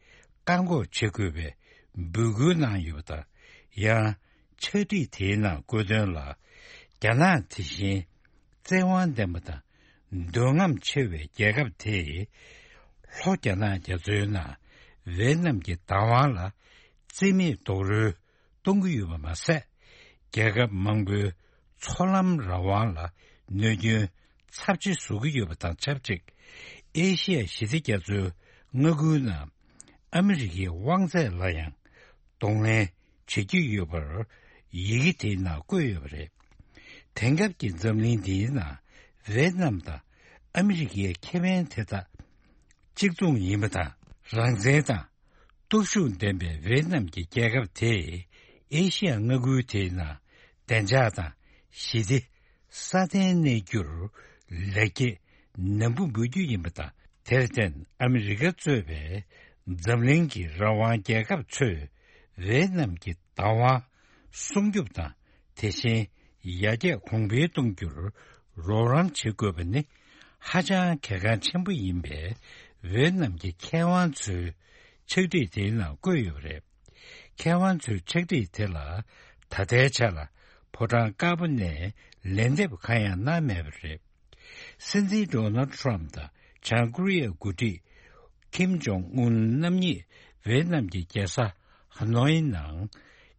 བཀག་འགོག་བྱེད་དགོས་པའི་འབོད་སྐུལ་གནང་ཡོད་པ་དང་། ཡང་ཕྱག་བྲིས་དེའི་ནང་བཀོད་དོན་ལ། རྒྱ་ནག་དེ་བཞིན་བཙན་དབང་ལྡན་པ་དང་འདོད་རྔམ་ཆེ་བའི་རྒྱལ་ཁབ་དེས་ལྷོ་རྒྱ་ནག་རྒྱ་མཚོའི་ནང་ཝེ་ཏི་ནམ་གྱི་བདག་དབང་ལ་རྩིས་མེད་རྡོག་རོལ་གཏོང་གི་ཡོད་པ་མ་ཟད། རྒྱལ་ཁབ་མང་པོའི་མཚོ་ལམ་རང་དབང་ལ་གནོད་སྐྱོན་ཚབས་ཆེ་བཟོ་གི་ཡོད་པ་དང་ཆབས་ཅིག་ཨེ་ཤི་ཡ་ཞི་བདེ་རྒྱ་མཚོའི་མངའ་ཁུལ་ནང་ཨ་མི་རི་ཀའི་དབང་ཚད་ལ་ཡང་གདོང་ལེན་བྱེད་ཀྱི་ཡོད་པར་ཡི་གེ་དེའི་ནང་བཀོད་ཡོད་པ་རེད། དེང་སྐབས་ཀྱི་འཛམ་གླིང་འདིའི་ནང་ཝེ་ཏི་ནམ་དང་ཨ་མི་རི་ཀའི་ཁེ་ཕན་དེ་དག་གཅིག་མཚུངས་ཡིན་པ་དང་། རང་བཙན་དང་། སྟོབས་ཤུགས་ལྡན་པའི་ཝེ་ཏི་ནམ་གྱི་རྒྱལ་ཁབ་དེས་ཨེ་ཤི་ཡ་མངའ་ཁུལ་དེའི་ནང་བདེ་འཇགས་དང་ཞི་བདེ་སྲ་བརྟན་གནས་རྒྱུར་ལེགས་སྐྱེས་ནན་པོ་འབུལ་རྒྱུ་ཡིན་པ་དང་། དེར་བརྟེན་ཨ་མི་རི་ཀ་གཙོས་པའི་འཛམ་གླིང་གི་རང་དབང་རྒྱལ་ཁབ་ཚོས་ཝེ་ཏི་ནམ་གྱི་བདག་དབང་སྲུང་སྐྱོབ་དང་། དེ་བཞིན་ཡར་རྒྱས་གོང་འཕེལ་གཏོང་རྒྱུར་རོགས་རམ་བྱེད་དགོས་པ་ནི་ཧ་ཅང་གལ་འགངས་ཆེན་པོ་ཡིན་པའི་ཝེ་ཏི་ནམ་གྱི་མཁས་དབང་ཚོའི་ཕྱག་བྲིས་དེའི་ནང་བཀོད་ཡོད་པ་རེད། མཁས་དབང་ཚོའི་ཕྱག་བྲིས་དེ་ལ་ད་ལྟའི་ཆ་ལ་ཕོ་བྲང་དཀར་པོ་ནས་ལན་འདེབས་གང་ཡང་གནང་མེད་པ་རེད། སྲིད་འཛིན་ཌོ་ནལ་ཊམ་དང་བྱང་ཀོ་རི་ཡའི་འགོ་ཁྲིད་ ཀིམ་ཇོང་ཨུན་རྣམ་གཉིས་ཝེ་ནམ་གྱི་རྒྱལ་ས་ཧ་ནོའི་ནང་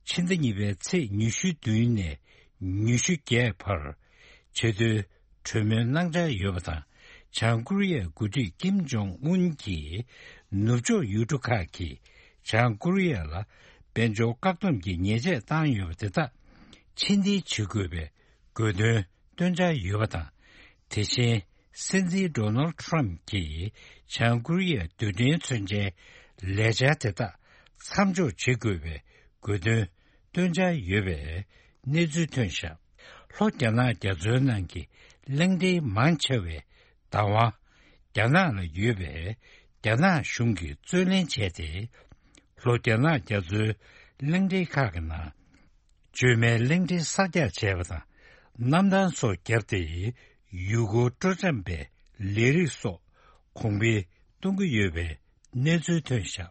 ཕྱི་ཟླ་གཉིས་པའི་ཚེས་ཉི་ཤུ་བདུན་ནས་ཉི་ཤུ་བརྒྱད་བར་ཆེས་མཐོའི་གྲོས་མོལ་གནང་འཆར་ཡོད་པ་དང་། བྱང་ཀོ་རི་ཡའི་འགོ་ཁྲིད་ཀིམ་ཇོང་ཨུན་གྱིས་ནུབ་ཕྱོགས་ཡུལ་གྲུ་ཁག་གིས་བྱང་ཀོ་རི་ཡ་ལ་དཔལ་འབྱོར་བཀག་སྡོམ་གྱི་ཉེས་ཆད་བཏང་ཡོད་པ་དེ་དག་ཕྱིར་འཐེན་བྱེད་དགོས་པའི་དགོས་འདུན་བཏོན་འཆར་ཡོད་པ་དང་། དེ་བཞིན་སྲིད་འཛིན་ཌོ་ནལ་ཊམ་གྱིས་བྱང་ཀོ་རི་ཡའི་རྡུལ་ཕྲན་མཚོན་ཆའི་ལས་འཆར་དེ་དག་མཚམས་འཇོག་བྱེད་དགོས་པའི་དགོས་འདུན་བཏོན་འཆར་ཡོད་པའི་གནས་ཚུལ་ཐོན་བཞག་ལྷོ་རྒྱ་ནག་རྒྱ་མཚོའི་ནང་གི་གླིང་ཕྲན་མང་ཆེ་བའི་བདག་དབང་རྒྱ་ནག་ལ་ཡོད་པས། རྒྱ་ནག་གཞུང་གིས་རྩོད་ལེན་བྱས་ཏེ། ལྷོ་རྒྱ་ནག་རྒྱ་མཚོའི་གླིང་ཕྲན་ཁག་གི་ནང་། བཅོས་མའི་གླིང་ཕྲན་གསར་རྒྱག་བྱས་པ་དང་། གནམ་ཐང་སོགས་བརྒྱབ་སྟེ། ཡུལ་སྐོར་སྤྲོ་འཆམ་པའི་ལས་རིགས་སོགས་གོང་འཕེལ་གཏོང་གི་ཡོད་པའི་གནས་ཚུལ་ཐོན་བཞག་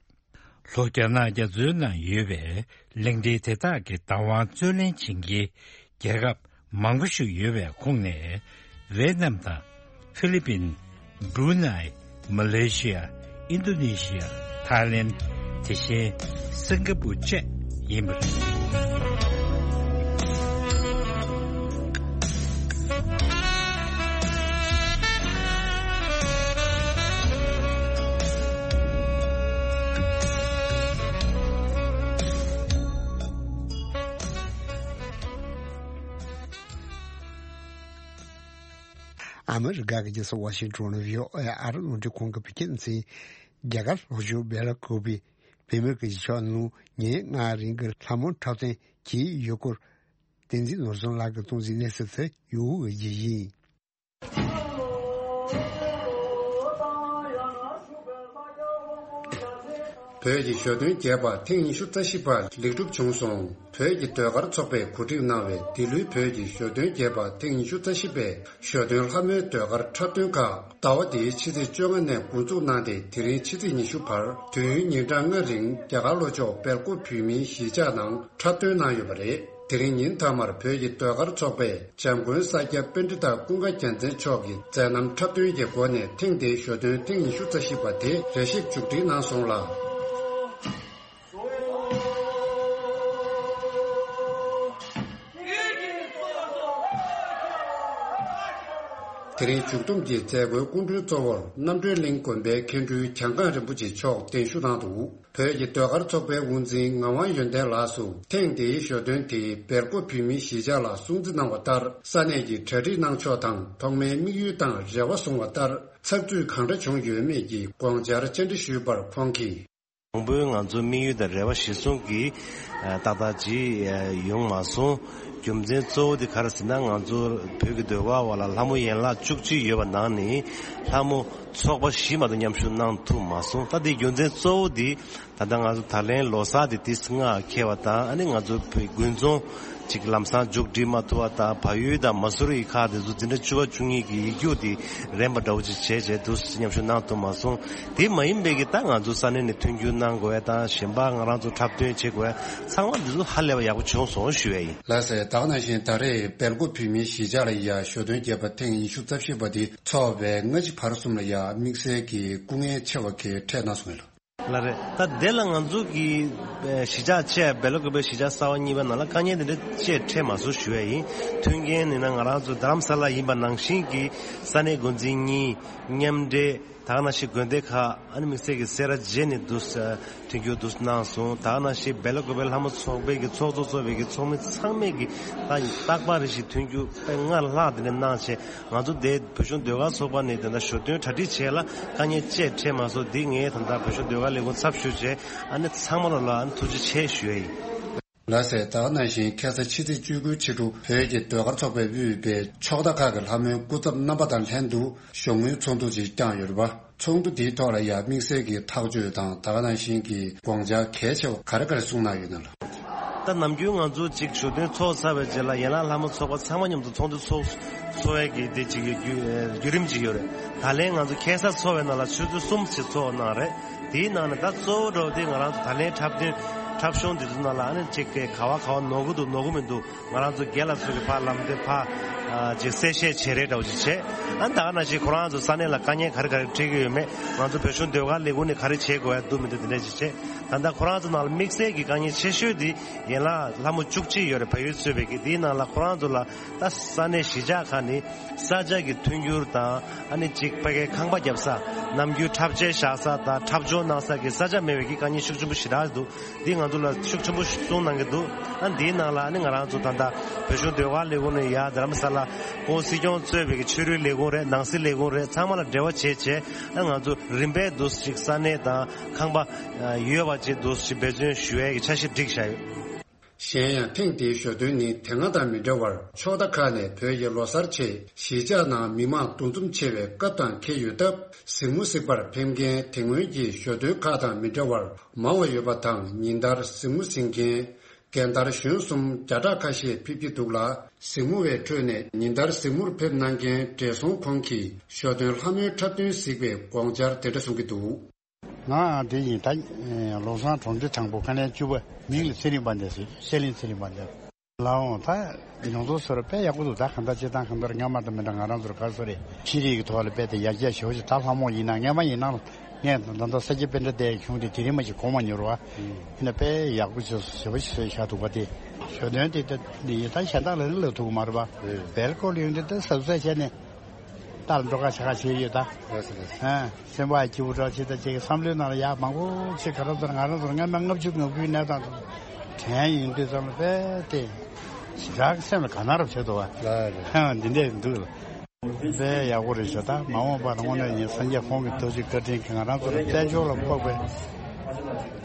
ལྷོ་རྒྱ་ནག་རྒྱ་མཚོའི་ནང་ཡོད་པའི་གླིང་ཕྲན་དེ་དག་གི་བདག་དབང་རྩོད་ལེན་བྱེད་མཁན་རྒྱལ་ཁབ་མང་པོ་ཞིག་ཡོད་པའི་ཁོངས་ནས་ཝེ་ནམ་དང་། ཧྥི་ལི་པིན། བྷྲུ་ནའི། མ་ལེ་ཤི་ཡ། ཨིན་རྡོ་ནེ་ཤི་ཡ། ཐའི་ལེན། དེ་བཞིན་སིང་ག་པུར་བཅས་ཡིན་པ་རེད། ཨ་མི་རི་ཀ་གི་རྒྱལ་ས་ཝ་ཤིང་ཊོན་ནས་བྷི་ཨོ་ཨེ་ཨ་རི་རླུང་འཕྲིན་ཁང་གི་བོད་སྐད་སྡེ་ཚན། རྒྱ་གར་ལྷོ་ཕྱོགས་སྦེ་ལ་ཀོ་པི་བོད་མིའི་གཞིས་ཆགས་ནང་ཉིན་ལྔ་རིང་གི་ལྷ་མོ་འཁྲབ་སྟོན་གྱི་ཡུལ་སྐོར་བསྟན་འཛིན་ནོར་བཟང་ལགས་ཀྱིས་གཏོང་གཟིགས་གནས་ཚུལ་དེ་ཡུ་གུ་གི་ཡིན། བོད་ཀྱི་ཞོ་སྟོན་རྒྱས་པ་ཐེངས་ཉི་ཤུ་རྩ་བཞི་པ་ལེགས་གྲུབ་བྱུང་སོང་། བོད་ཀྱི་ཟློས་གར་ཚོགས་པས་གོ་སྒྲིག་གནང་བའི་འདི་ལོའི་བོད་ཀྱི་ཞོ་སྟོན་རྒྱས་པ་ཐེངས་ཉི་ཤུ་རྩ་བཞི་པའི་ཞོ་སྟོན་ལྷ་མོའི་ཟློས་གར་འཁྲབ་སྟོན་ཁག་ཟླ་བ་འདིའི་ཕྱི་ཚེས་བཅོ་ལྔ་ནས་འགོ་འཛུགས་གནང་སྟེ། དེ་རིང་ཕྱི་ཚེས་ཉི་ཤུ་བར་དུས་ཡུན་ཉིན་གྲངས་ལྔ་རིང་རྒྱ་གར་ལྷོ་ཕྱོགས་སྦེལ་ཀོབ་བོད་མིའི་གཞིས་ཆགས་ནང་འཁྲབ་སྟོན་གནང་ཡོད་པ་རེད། དེ་རིང་ཉིན་མཐའ་མར་བོད་ཀྱི་ཟློས་གར་ཚོགས་པས་འཇམ་མགོན་ས་སྐྱ་པཎྜི་ཏ་ཀུན་དགའ་རྒྱལ་མཚན་མཆོག་གི་མཛད་རྣམ་འཁྲབ་སྟོན་གྱི་སྒོ་ནས་ཐེངས་འདིའི་ཞོ་སྟོན་ཐེངས་ཉི་ཤུ་རྩ་བཞི་པ་དེ་རེ་ཞིག་མཇུག་སྒྲིལ་གནང་སོང་ལ། དེ་རིང་མཇུག་བསྡོམས་ཀྱི་མཛད་སྒོའི་སྐུ་མགྲོན་གཙོ་བོར་རྣམ་གྲོལ་གླིང་དགོན་པའི་མཁན་སྤྲུལ་གྱང་ཁང་རིན་པོ་ཆེ་མཆོག་གདན་ཞུ་གནང་འདུག་བོད་ཀྱི་ཟློས་གར་ཚོགས་པའི་དབུ་འཛིན་ངག་དབང་ཡོན་ཏན་ལགས་སུ་ཐེངས་འདིའི་ཞོ་སྟོན་དེ་སྦེལ་ཀོབ་བོད་མིའི་གཞིས་ཆགས་ལ་སྲུང་བརྩི་གནང་བ་ལྟར། ས་གནས་ཀྱི་གྲ་སྒྲིག་གནང་ཕྱོགས་དང་ཐོག་མའི་དམིགས་ཡུལ་དང་རེ་བ་བཟུང་བ་ལྟར་ཚགས་ཚུད་གང་འདྲ་བྱུང་ཡོད་མེད་ཀྱི་དགོངས་འཆར་བཅར་འདྲི་ཞུས་པར་ཁོང་གིས། དང་པོའི་ང་ཚོའི་དམིགས་ཡུལ་དང་རེ་བ་གཞིར་བཟུང་གིས་ཏག་ཏག་ཅིག་ཡོང་མ་སོང་། རྒྱུ་མཚན་གཙོ་བོ་དེ་ག་རེ་ཟེར་ན། ང་ཚོ་བོད་ཀྱི་ཟློས་གར་བ་ལ་ལྷ་མོ་ཡན་ལག་བཅུ་གཅིག་ཡོད་པ་ནང་ནས་ལྷ་མོ་ཚོགས་པ་བཞི་མ་གཏོགས་མཉམ་ཞུགས་གནང་ཐུབ་མ་སོང་། ད་དེའི་རྒྱུ་མཚན་གཙོ་བོ་དེ། ད་ལྟ་ང་ཚོ་ད་ལན་ལོ་གསར་དེ་ཏོག་ཙམ་སྔ་འཁེལ་བ་དང་། ཨ་ནི་ང་ཚོ་བོད་དགུན་ཚོང་ཅིག་ལམ་སང་མཇུག་སྒྲིལ་མ་ཐུབ་པ་དང་། བལ་ཡུལ་དང་མ་སུ་རི་ཡི་ཁག་དེ་ཚོ་འཛིན་གྲྭ་བཅུ་པ་བཅུ་གཉིས་ཀྱི་ཡིག་རྒྱུགས་དེ་རན་པ་འདྲ་བོ་ཅིག་བྱས་བྱས་འདུག་མཉམ་ཞུགས་གནང་ཐུབ་མ་སོང་། དེ་མ་ཡིན་པའི་གི་ད་ང་ཚོ་ས་གནས་ནས་མཐུན་འགྱུར་གནང་དགོས་ཡ་དང་། གཞན་པ་ང་རང་ཚོ་འཁྲབ་སྟོན་བྱེད་དགོས་ཡ་ཚང་མ་འདི་ཚོ་ཧ་ལས་པ་ཡག་པོ་བྱུང་སོང་ཞུ་ཡ་ཡིན། ལགས་སེ། ད་ག་ནང་བཞིན་ད་རེས་སྦེལ་ཀོབ་བོད་མིའི་གཞིས་ཆགས་ལ་ཡ་ཞོ་སྟོན་རྒྱས་པ་ཐེངས་ཉི་ཤུ་རྩ་བཞི་པ་དེ་འཚོགས་པའི་སྔ་ཕྱི་བར་གསུམ་ལ་ཡ་དམིགས་བསལ་གྱི་སྐུ་ངལ་ཆེ་བ་གལ་འཕྲད་གནང་སོང་ངས་ལགས། ལགས་རེད། ད་དེ་ལ་ང་ཚོ་གི་གཞིས་ཆགས་བཅས་སྦེལ་ཀོབ་པའི་གཞིས་ཆགས་གསར་པ་གཉིས་པ་ནང་ལ་དཀའ་ངལ་དེ་འདྲ་ཅིག་འཕྲད་མ་སོང་ཞུ་ཡ་ཡིན། མཐུན་རྐྱེན་ནི་ན་ང་རང་ཚོ་རྡ་རམ་ས་ལ་ཡིན་པ་ནང་བཞིན་གྱི་ས་གནས་འགོ་འཛིན་གཉིས་མཉམ་འབྲེལ། ད་ག་ནང་བཞིན་དགོན་སྡེ་ཁག་ཨ་ནི་དམིགས་བསལ་གྱི་སེ་ར་བྱེས་ནས་འདུག་སེ་མཐུན་འགྱུར་འདུག་སེ་གནང་སོང་། ད་ག་ནང་བཞིན་སྦེལ་ཀོབ་པའི་ལྷ་མོ་ཚོགས་པའི་གི་ཚོགས་གཙོ་ཚོགས་པའི་གི་ཚོགས་མི་ཚང་མས་གི་ད་རྟག་པར་རེ་བཞིན་མཐུན་འགྱུར་དཔེ་སྔར་ལྷག་དེ་འདྲ་གནང་བྱས། ང་ཚོ་དེ་བོད་གཞུང་ཟློས་གར་ཚོགས་པ་ནས་དེ་འདྲ་ཞོ་སྟོན་གྲ་སྒྲིག་བྱས་ལ་དཀའ་ངལ་ཅིག་འཕྲད་མ་སོང་། འདི་ངས་ད་ལྟ་བོད་གཞུང་ཟློས་གར་ལས་ཁུངས་ཚབ་ཞུས་བྱས། ཨ་ནི་ཚང་མ་ལ་ལ་ཨ་ནི་ཐུགས་རྗེ་ཆེ་ཞུ་ཡ་ཡིན། ལགས་སེ། ད་ག་ནང་བཞིན་ཁ་སང་ཕྱི་ཚེས་བཅུ་དགུ་ཕྱི་དྲོ་བོད་ཀྱི་ཟློས་གར་ཚོགས་པས་དབུས་པའི་ཕྱོགས་མཐའ་ཁག་གི་ལྷ་མོའི་སྐུ་ཚབ་རྣམ་པ་དང་ལྷན་དུ་ཞོགས་དངུལ་ཚོགས་འདུ་ཅིག་བསྐྱངས་ཡོད་རེད་པ། ཚོགས་འདུ་དེའི་ཐོག་ལ་ཡང་དམིགས་བསལ་གྱི་ཐག་གཅོད་དང་ད་ག་ནང་བཞིན་གྱི་དགོངས་འཆར་གལ་ཆེ་བ་ག་རེ་ག་རེ་གསུངས་གནང་ཡོད་ན་ལགས། ད་ནམ་རྒྱུན་ང་ཚོ་གཅིག་ཞོ་སྟོན་ཚོགས་ཚར་བའི་རྗེས་ལ་ཡན་ལག་ལྷ་མོ་ཚོགས་པ་ཚང་མ་མཉམ་དུ་ཚོགས་འདུ་ཚོགས་འཚོགས་ཡས་ཀྱི་དེ་གཅིག་ཡོད་རྒྱུ་བརྒྱུད་རིམ་གཅིག་ཡོད་རེད། ད་ལན་ང་ཚོ་ཁ་སང་ཚོགས་པའི་ནང་ལ་ཆུ་ཚོད་གསུམ་ཞིག་ཚོགས་གནང་རེད། དེའི་ནང་ནས་ད་གཙོ་བོ་འདྲ་བོ་དེ་ང་རང་ཚོ་ད་ལན་འཁྲབ་སྟོན་འཁྲབ་གཞུང་འདི་ཚོ་ནང་ལ་ཨ་ནི་གཅིག་གི་ག་བ་ག་བ་ནོར་གི་འདུག་ནོར་གི་མི་འདུག་ང་རང་ཚོ་རྒན་ལགས་ཚོ་གི་ཕར་ལམ་སྟོན་ཕར་ ཅིག་གསལ་བཤད་བྱེད་རེས་འདྲ་བོ་ཅིག་བྱས། ཨ་ནི་ད་ག་ནང་བཞིན་ཁོ་རང་ཚོ་ས་གནས་ལ་དཀའ་ངལ་ག་རེ་ག་རེ་འཕྲད་ཀྱི་ཡོད་མེད། ང་ཚོ་བོད་གཞུང་ཟློས་གར་ལས་ཁུངས་ནས་ག་རེ་བྱེད་དགོས་ཡ་འདུག་མི་འདུག་དེ་འདྲ་ཅིག་བྱས། ད་ལྟ་ཁོ་རང་ཚོ་ནང་ལ་དམིགས་བསལ་གྱི་དཀའ་ངལ་ཆེ་ཤོས་དེ་ཡན་ལག་ལྷ་མོ་བཅུ་གཅིག་ཡོད་རེད། བལ་ཡུལ་གཙོས་པའི་གི་དེའི་ནང་ལ་ཁོ་རང་ཚོ་ལ་ད་ས་གནས་གཞིས་ཆགས་ཁག་ནས་ས་ཆ་གི་མཐུན་འགྱུར་དང་། ཨ་ནི་གཅིག་ཕ་གའི་ཁང་པ་བརྒྱབ་ས། ནམ་རྒྱུན་འཁྲབ་ཆས་བཞག་ས་དང་འཁྲབ་སྦྱོང་གནང་ས་གི་ས་ཆ་མེད་པའི་གི་དཀའ་ངལ་ཤུགས་ཆེན་པོ་ཞེ་དྲག་འདུག་འདི་ང་ཚོ་ལ་ཤུགས་ཆེན་པོ་གསུངས་གནང་གི་འདུག་ཨ་འདིའི་ནང་ལ་ཨ་ནི་ང་རང་ཚོ་ད་ལྟ་བོད་གཞུང་ཟློས་གར་ལས་ཁུངས་ནས་ཡར་རྡ་རམ་ས་ལ་ཁོང་སྲིད་སྐྱོང་གཙོས་པའི་གི་ཆོས་རིག་ལས་ཁུངས་རེད། ནང་སྲིད་ལས་ཁུངས་རེད། ཚང་མ་ལ་འབྲེལ་བ་བྱས་བྱས། ཨ་ང་ཚོ་རིམ་པས་འདུག་ཅིག་ས་གནས་དང་ཁང་པ་ཡོད་པ་ཅིག་འདུག་ཅིག་འབད་བརྩོན་ཞུ་ཡས་ཀྱི་འཆར་གཞི་བསྒྲིགས་བཞག་ཡོད། གཞན་ཡང་ཐེངས་འདིའི་ཞོ་སྟོན་ནི་དེ་སྔ་དང་མི་འདྲ་བར་ཕྱོགས་མཐའ་ཁག་ནས་བོད་ཀྱི་ལོ་གསར་ཆེད་གཞིས་ཆགས་ནང་མི་མང་འདུ་འཛོམས་ཆེ་བའི་སྐབས་དང་འཁེལ་ཡོད་སྟབས། གཟིགས་མོ་གཟིགས་པར་ཕེབས་མཁན་དེ་སྔོན་གྱི་ཞོ་སྟོན་ཁག་དང་མི་འདྲ་བར་མང་བ་ཡོད་པ་དང་། ཉིན་ལྟར་གཟིགས་མོ་གཟིགས་མཁན་རྒན་དར་གཞོན་གསུམ་བརྒྱ་ཕྲག་ཁ་ཤས་ཕེབས་ཀྱི་འདུག་ལ། གཟིགས་མོ་བའི་ཁྲོད་ནས་ཉིན་ལྟར་གཟིགས་མོར་ཕེབས་གནང་མཁན་བགྲེས་སོང་ཁོང་གིས་ཞོ་སྟོན་ལྷ་མོའི་འཁྲབ་སྟོན་གཟིགས་པའི་དགོངས་འཆར་དེ་འདྲ་གསུང་གི་འདུག་ང་དེ་ཡིན་ད། ལོ་སང་གྲོང་སྡེ་དང་པོ་ཁ་ལན་བཅུ་པ། མིང་ལ་ཚེ་རིང་དཔལ་ལྡན་ཟེར། ཤེས་གླིང་ཚེ་རིང་དཔལ་ལྡན། ལའོ་ད། མྱོང་ཚོར་ཚོར་དཔེ་ཡག་པོ་འདུག་ད་གང་ལྟར་སྤྱིར་བཏང་གང་ལྟར་སྔ་མ་དང་མི་འདྲ། ང་རང་ཚོར་ག་རེ་ཟེར་རེད། ཤེས་རིག་གི་ཐོག་ལ་དཔེ་དེ་ཡར་རྒྱས་ཞེ་པོ་ཅིག་ད་ལྷ་མོ་ཡིན་ན་སྔ་མ་ཡིན་ན་ངས་ད་ལྟ་ས་སྐྱ་པཎྜི་ཏའི་གཞུང་དེ་དེ་རིང་མ་ཞིག་གོང་མ་མྱུར་བ། ཡིན་ན་དཔེ་ཡག་པོ་ཞེ་པོ་ཞིག་བཟོས་བཞག་འདུག་པ་དེ། ཞོ་སྟོན་དེ་ད་ཡིན་ད་གཞན་དག་ལ་ནི་ལབ་ཐུབ་ཀྱི་མ་རེད་པ། བལ་སྐོར་ལ་ཡོང་དུས་ད་གཟབ་གཟབ་བྱས་ནས། རྟ་ལ་འགྲོ་ཁ་བྱ་ཁ་བྱས་ཡོད་ད། ལགས་སོ་ལགས་སོ། ཨ། སེམས་པ་སྐྱིད་པོ་འདྲ་བྱེད་ད་ཅིག་བསམ་བློའི་ནང་ལ་ཡག་མང་པོ་ཅིག་ག་རེ་ཟེར། ང་རང་ཚོར་སྔ་མ་ལྔ་བཅུ་ང་དགུའི་གནས་སྟངས་དེ་དྲན་ཡོང་དུས་ཙམ་ལ་དཔེ་དེ་ཞེ་དྲག་སེམས་ལ་དགའ་སྣང་རབ་བྱེད་འདུག་བ། ལགས་རེད། ཨ། འདི་འདྲས་འདུག་ལ། དཔེ་ཡག་པོ་རེད་ཤག་ད་མ་འོངས་པར་དངོས་གནས་ཡིན་སངས་རྒྱས་ཁོང་གི་ཐུགས་རྗེ་བཀའ་དྲིན་གྱིས་ང་རང་ཚོར་དཔལ་འབྱོར་ལ་ཕོག་པའི་བོད་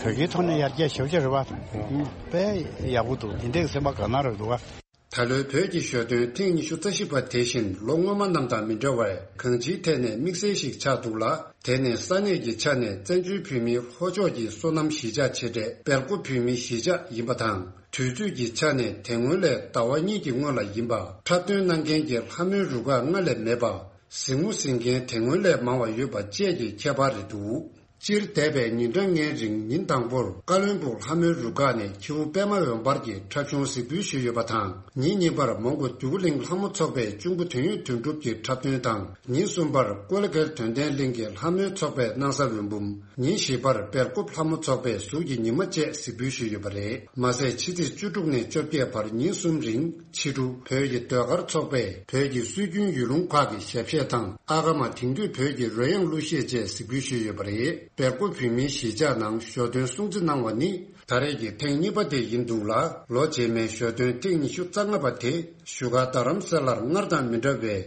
སྐད་ཐོག་ནས་ཡར་རྒྱས་ཞེ་པོ་ཅིག་རེད་བ། དཔེ་ཡག་པོ་འདུག་འདི་འདྲས་སེམས་པ་དགའ་སྣང་རབ་འདུག་བ། ད་ལོའི་བོད་ཀྱི་ཞོ་སྟོན་ཐེངས་ཉི་ཤུ་རྩ་བཞི་པ་དེ་བཞིན་ལོ་སྔོན་མ་རྣམས་དང་མི་འདྲ་བར་གང་ཅིའི་ཐད་ནས་དམིགས་བསལ་ཞིག་ཆགས་འདུག་ལ། དེ་ནི་ས་གནས་ཀྱི་ཆ་ནས་བཙན་བྱོལ་བོད་མིའི་ལྷོ་ཕྱོགས་ཀྱི་སོ་ནམ་གཞིས་ཆགས་ཆེ་གྲས་སྦེལ་ཀོབ་བོད་མིའི་གཞིས་ཆགས་ཡིན་པ་དང་། དུས་ཚོད་ཀྱི་ཆ་ནས་དེ་སྔོན་ལས་ཟླ་བ་གཉིས་ཀྱི་སྔོན་ལ་ཡིན་པ། འཁྲབ་སྟོན་གནང་མཁན་གྱི་ལྷ་མོའི་རུ་ཁག་སྔར་ལས་མེད་པ། གཟིགས་མོ་གཟིགས་མཁན་དེ་སྔོན་ལས་མང་བ་ཡོད་པ་བཅས་ཀྱི་ཁྱད་པར་རེད་འདུག་སྤྱིར་འདས་པའི་ཉིན་གྲངས་ལྔའི་རིང་ཉིན་དང་པོར་ཀ་བློན་སྦུག་ལྷ་མོའི་རུ་ཁག་ནས་ཁྱེའུ་པད་མ་འོད་འབར་གྱི་འཁྲབ་གཞུང་གཟིགས་འབུལ་ཞུས་ཡོད་པ་དང་། ཉིན་གཉིས་པར་མོན་གྷོ་འདོད་རྒུ་གླིང་ལྷ་མོ་ཚོགས་པའི་གཅུང་པོ་དོན་ཡོད་དོན་གྲུབ་ཀྱི་འཁྲབ་སྟོན་དང་། ཉིན་གསུམ་པར་ཀོ་ལི་གྷལ་དོན་ལྡན་གླིང་གི་ལྷ་མོའི་ཚོགས་པའི་སྣང་ས་འོད་འབུམ། ཉིན་བཞི་པར་སྦེལ་ཀོབ་ལྷ་མོ་ཚོགས་པའི་གཟུགས་ཀྱི་ཉི་མ་བཅས་གཟིགས་འབུལ་ཞུས་ཡོད་པ་རེད། མ་ཟད་ཕྱི་ཚེས་བཅུ་དྲུག་ནས་བཅོ་བརྒྱད་བར་ཉིན་གསུམ་རིང་ཕྱི་དྲོ་བོད་ཀྱི་ཟློས་གར་ཚོགས་པས་བོད་ཀྱི་སྲོལ་རྒྱུན་ཡུལ་ལུང་ཁག་གི་ཞབས་གཞས་དང་། ཨ་ཀ་མ་དེང་དུས་བོད་ཀྱི་རོལ་དབྱངས་གླུ་གཞས་བཅས་གཟིགས་འབུལ་ཞུས་ཡོད་པ་རེད། སྦེལ་ཀོབ་བོད་མིའི་གཞིས་ཆགས་ནང་ཞོ་སྟོན་སྲུང་བརྩི་གནང་བ་ནི་ད་རེས་ཀྱི་ཐེངས་གཉིས་པ་དེ་ཡིན་འདུག་ལ། ལོ་རྗེས་མའི་ཞོ་སྟོན་ཐེངས་ཉི་ཤུ་རྩ་ལྔ་པ་དེ་བཞུགས་སྒར་རྡ་རམ་ས་ལར་སྔར་དང་མི་འདྲ་བའི་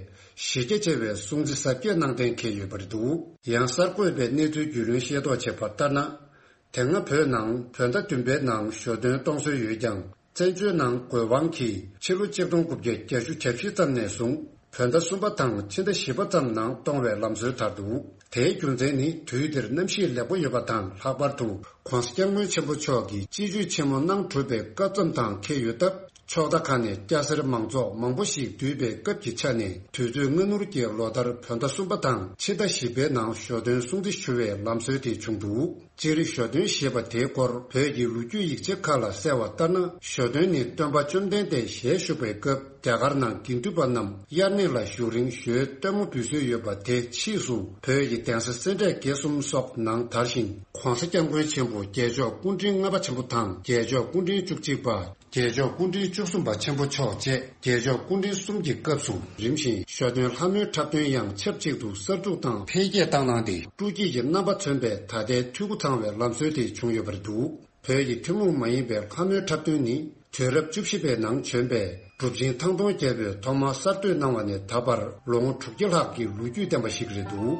གཞི་རྒྱ་ཆེ་བའི་སྲུང་བརྩི་གཟབ་རྒྱས་གནང་གཏན་འཁེལ་ཡོད་པ་རེད་འདུག་ཡང་གསར་འགོད་པས་གནས་ཚུལ་རྒྱུས་ལོན་ཤེས་རྟོགས་བྱས་པ་ལྟར་ན། དེ་སྔ་བོད་ནང་བོད་ཟླ་བདུན་པའི་ནང་ཞོ་སྟོན་གཏོང་སྲོལ་ཡོད་ཀྱང་། བཙན་བྱོལ་ནང་དགོས་དབང་གིས་ཕྱི་ལོ་ཆིག་སྟོང་དགུ་བརྒྱ་བརྒྱད་ཅུ་གྱ་བཞི་ཙམ་ནས་བཟུང་བོད་ཟླ་གསུམ་པ་དང་ཕྱི་ཟླ་བཞི་པ་ཙམ་ནང་གཏོང་བའི་ལམ་སྲོལ་དར་འདུག་དེའི་རྒྱུ་མཚན་ནི་དུས་འདིར་གནམ་གཤིས་ལེགས་པོ་ཡོད་པ་དང་། ལྷག་པར་དུ་༧གོང་ས་༧སྐྱབས་མགོན་ཆེན་པོ་མཆོག་གིས་སྤྱི་སྤྱོད་ཆེན་མོ་གནང་གྲུབ་པའི་སྐབས་ཙམ་དང་འཁེལ་ཡོད་སྟབས། ཕྱོགས་མཐའ་ཁག་ནས་སྐྱ་སེར་མང་ཚོགས་མང་པོ་ཞིག་འདུས་པའི་སྐབས་ཀྱི་ཆ་ནས། དུས་ཚོད་སྔ་སྣུར་གྱི་ལོ་ལྟར་བོད་ཟླ་གསུམ་པ་དང་ཕྱི་ཟླ་བཞི་པའི་ནང་ཞོ་སྟོན་སྲུང་བརྩི་ཞུ་བའི་ལམ་སྲོལ་དེ་བྱུང་འདུག་སྤྱིར་ཞོ་སྟོན་ཞེས་པ་དེའི་སྐོར་བོད་ཀྱི་ལོ་རྒྱུས་ཡིག་ཆ་ཁག་ལ་གསལ་བ་ལྟར་ན། ཞོ་སྟོན་ནི་སྟོན་པ་བཅོམ་ལྡན་འདས་ཞལ་བཞུགས་པའི་སྐབས། རྒྱ་གར་ནང་དགེ་འདུན་པ་རྣམས་དབྱར་གནས་ལ་བཞུགས་རིང་ཞོའི་སྟོན་མོ་འབུལ་སྲོལ་ཡོད་པ་དེ་ཕྱིས་སུ་བོད་ཀྱི་གདན་ས་སེ་འབྲས་དགེ་གསུམ་སོགས་ནང་དར་ཞིང་། ྋགོང་ས་ྋསྐྱབས་མགོན་ཆེན་པོ་རྒྱལ་མཆོག་སྐུ་ཕྲེང་ལྔ་པ་ཆེན་པོ་དང་རྒྱལ་མཆོག་སྐུ་ཕྲེང་བཅུ་གཅིག་པ། རྒྱལ་མཆོག་སྐུ་ཕྲེང་བཅུ་གསུམ་པ་ཆེན་པོ་མཆོག་བཅས་རྒྱལ་མཆོག་སྐུ་ཕྲེང་གསུམ་གྱི་སྐབས་སུ་རིམ་བཞིན་ཞོ་སྟོན་ལྷ་མོའི་འཁྲབ་སྟོན་ཡང་ཆབས་ཅིག་ཏུ་གསར་འཛུགས་དང་འཕེལ་རྒྱས་བཏང་གནང་སྟེ། སྤྲོ་སྐྱིད་ཀྱི་རྣམ་པ་མཚོན་པའི་ད་ལྟའི་འཐུས་སྒོ་ཚང་བའི་ལམ་སྲོལ་དེ་བྱུང་ཡོད་པ་རེད་འདུག་བོད་ཀྱི་ཐུན་མོང་མ་ཡིན་པའི་ལྷ་མོའི་འཁྲབ་སྟོན་ནི་དུས་རབས་བཅུ་བཞི་པའི་ནང་བྱོན་པའི་གྲུབ་ཆེན་ཐང་སྟོང་རྒྱལ་པོས་ཐོག་མར་གསར་གཏོད་གནང་བ་ནས་ད་བར་ལོ་ངོ་དྲུག་བརྒྱ་ལྷག་གི་ལོ་རྒྱུས་ལྡན་པ་ཞིག་རེད་འདུག་